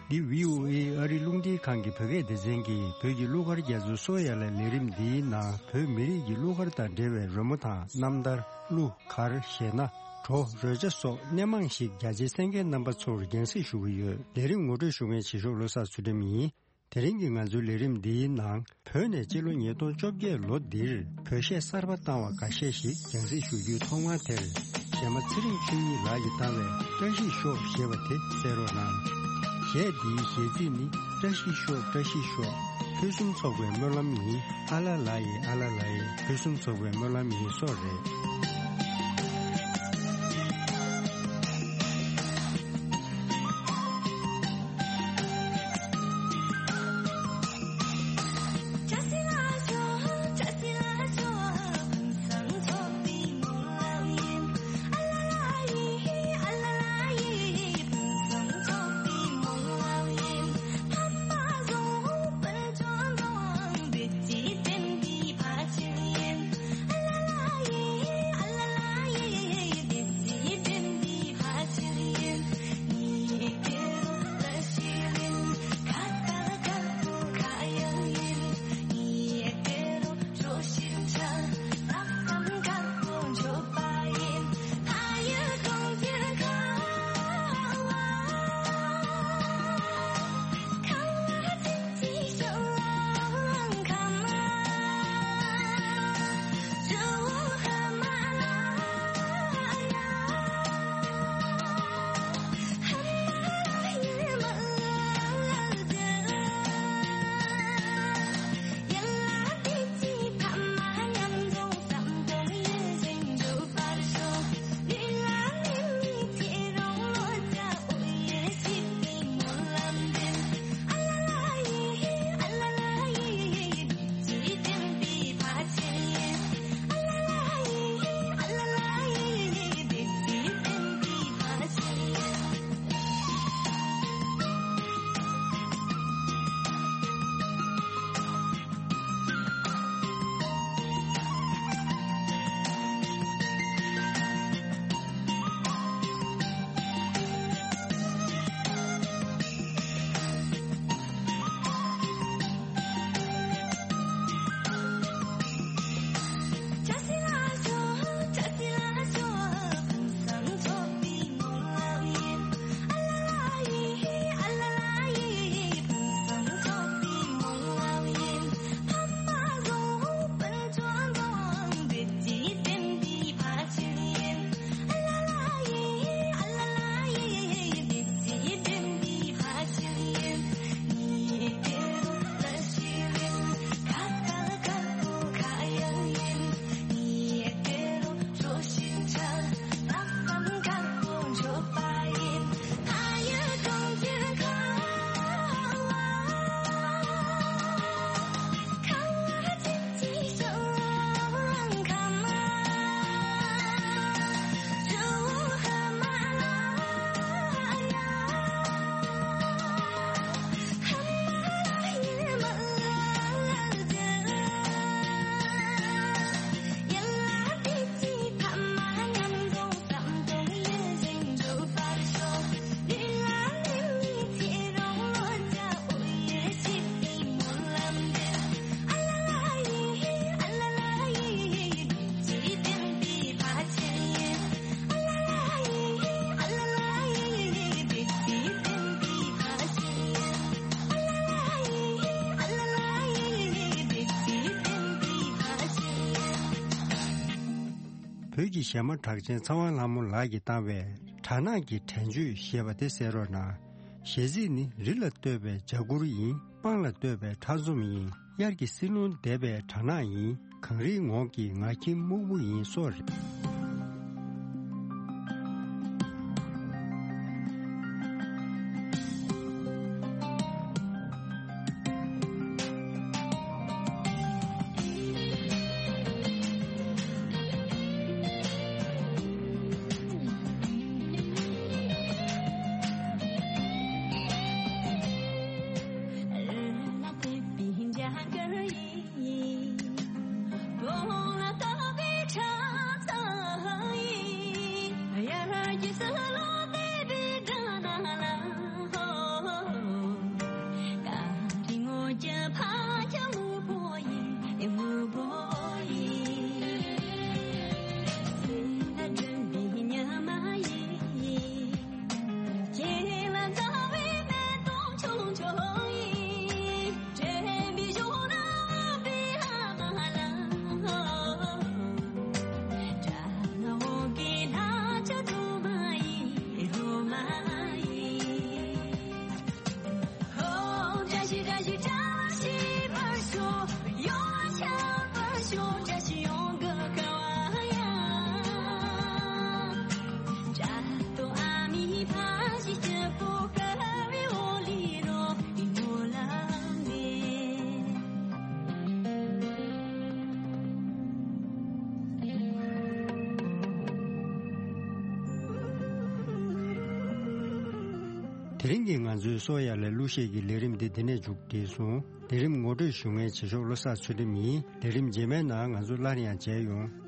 འདི་བྷི་ཨོ་ཨེ་ཨ་རི་རླུང་འཕྲིན་ཁང་གི་བོད་སྐད་སྡེ་ཚན་གྱིས་བོད་ཀྱི་གླུ་གར་རྒྱ་མཚོའི་སོ་ཡ་ལ་ལས་རིམ་འདིའི་ནང་བོད་མི་རིགས་ཀྱི་གླུ་གར་དང་འབྲེལ་བའི་རོལ་མོ་དང་རྣམ་ཐར། གླུ་གར་གཞས་སྣ། བྲོ་རོལ་ཆ་སོགས་སྣེ་མང་ཞིག་རྒྱ་ཆེའི་གསན་མཁན་རྣམ་པ་ཚོར་རྒྱང་སྲིང་ཞུ་གི་ཡོད། ལས་རིམ་ངོ་སྤྲོད་ཞུ་མཁན་བྱེད་ཞོག་བློ་བཟང་ཚུལ་ཁྲིམས་ཡིན། དེ་རིང་གི་ང་ཚོའི་ལས་རིམ་འདིའི་ནང་བོད་ནས་སྤྱི་ལོ་ཉིས་སྟོང་བཅོ་བརྒྱད་ལོ་འདིར་བོད་གཞས་གསར་པ་བཏང་བ་འགའ་ཤས་ཤིག་རྒྱང་སྲིང་ཞུ་རྒྱུའི་ཐོག་མར་དེར། གཞས་མ་ཚེ་རིང་ཆོས་ཉིད་ལགས་ཀྱིས་བཏང་བའི་བཀྲ་ཤིས་ཤོག་ཞེས་པ་དེ་གསན་རོགས་གནང་། གཞས་འདིའི་གཞས་ཚིག་ནི། བཀྲ་ཤིས་ཤོག་བཀྲ་ཤིས་ཤོག། ཕུན་སུམ་ཚོགས་པའི་སྨོན་ལམ་ཡིན། ཨ་ལ་ལ་ཡེ་ཨ་ལ་ལ་ཡེ། ཕུན་སུམ་ཚོགས་པའི་སྨོན་ལམ་ཡིན་སོགས་རེད། བོད་ཀྱི་གཞས་མ་གྲགས་ཅན་ཚེ་དབང་ལྷ་མོ་ལགས་ཀྱིས་བཏང་བའི་སྦྲ་ནག་གི་དྲན་བརྗོད་ཞེས་པ་དེ་གསན་རོགས་གནང་། གཞས་ཚིག་ནི། རི་ལ་བཏོད་པའི་འཇའ་གུར་ཡིན། སྤང་ལ་བཏོད་པའི་ཁྲ་འཛོམས་ཡིན། དབྱར་གྱི་བསིལ་རླུང་འདེབས་པའི་སྦྲ་ནག་ཡིན། གངས་རིའི་ངོགས་ཀྱི་ངར་ཁྱིམ་སྨུག་པོ་ཡིན་སོགས་རེད། དེ་རིང་གི་ང་ཚོའི་སོ་ཡ་ལ་གླུ་གཞས་ཀྱི་ལས་རིམ་འདི་འདི་ནས་མཇུག་བསྒྲིལ་སོང་། ལས་རིམ་ངོ་སྤྲོད་ཞུ་མཁན་བྱེད་ཤོག་བློ་བཟང་ཚུལ་ཁྲིམས་ཡིན། ལས་རིམ་རྗེས་མའི་ནང་ང་ཚོ་སླར་ཡང་མཇལ་ཡོང་།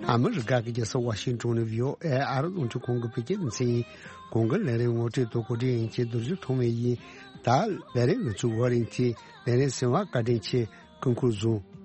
ཨ་མི་རི་ཀ་གི་རྒྱལ་ས་ཝ་ཤིང་ཏོན་ནས་བྷི་ཨོ་ཨེ་ཨ་རི་རླུང་འཕྲིན་ཁང་གི་བོད་སྐད་སྡེ་ཚན་ཡིན། གོང་གི་ལས་རིམ་ངོ་སྤྲོད་དང་གོ་སྒྲིག་ཡིན་གྱི་རྡོ་རྗེ་ཐོགས་མེད་ཡིན། ད་ལས་རིམ་ང་ཚོའི་བར་ཡིན་གྱི་ལས་རིམ་གསན་པར་བཀའ་དྲིན་ཆེ། སྐུ་ཁམས་བཟང་།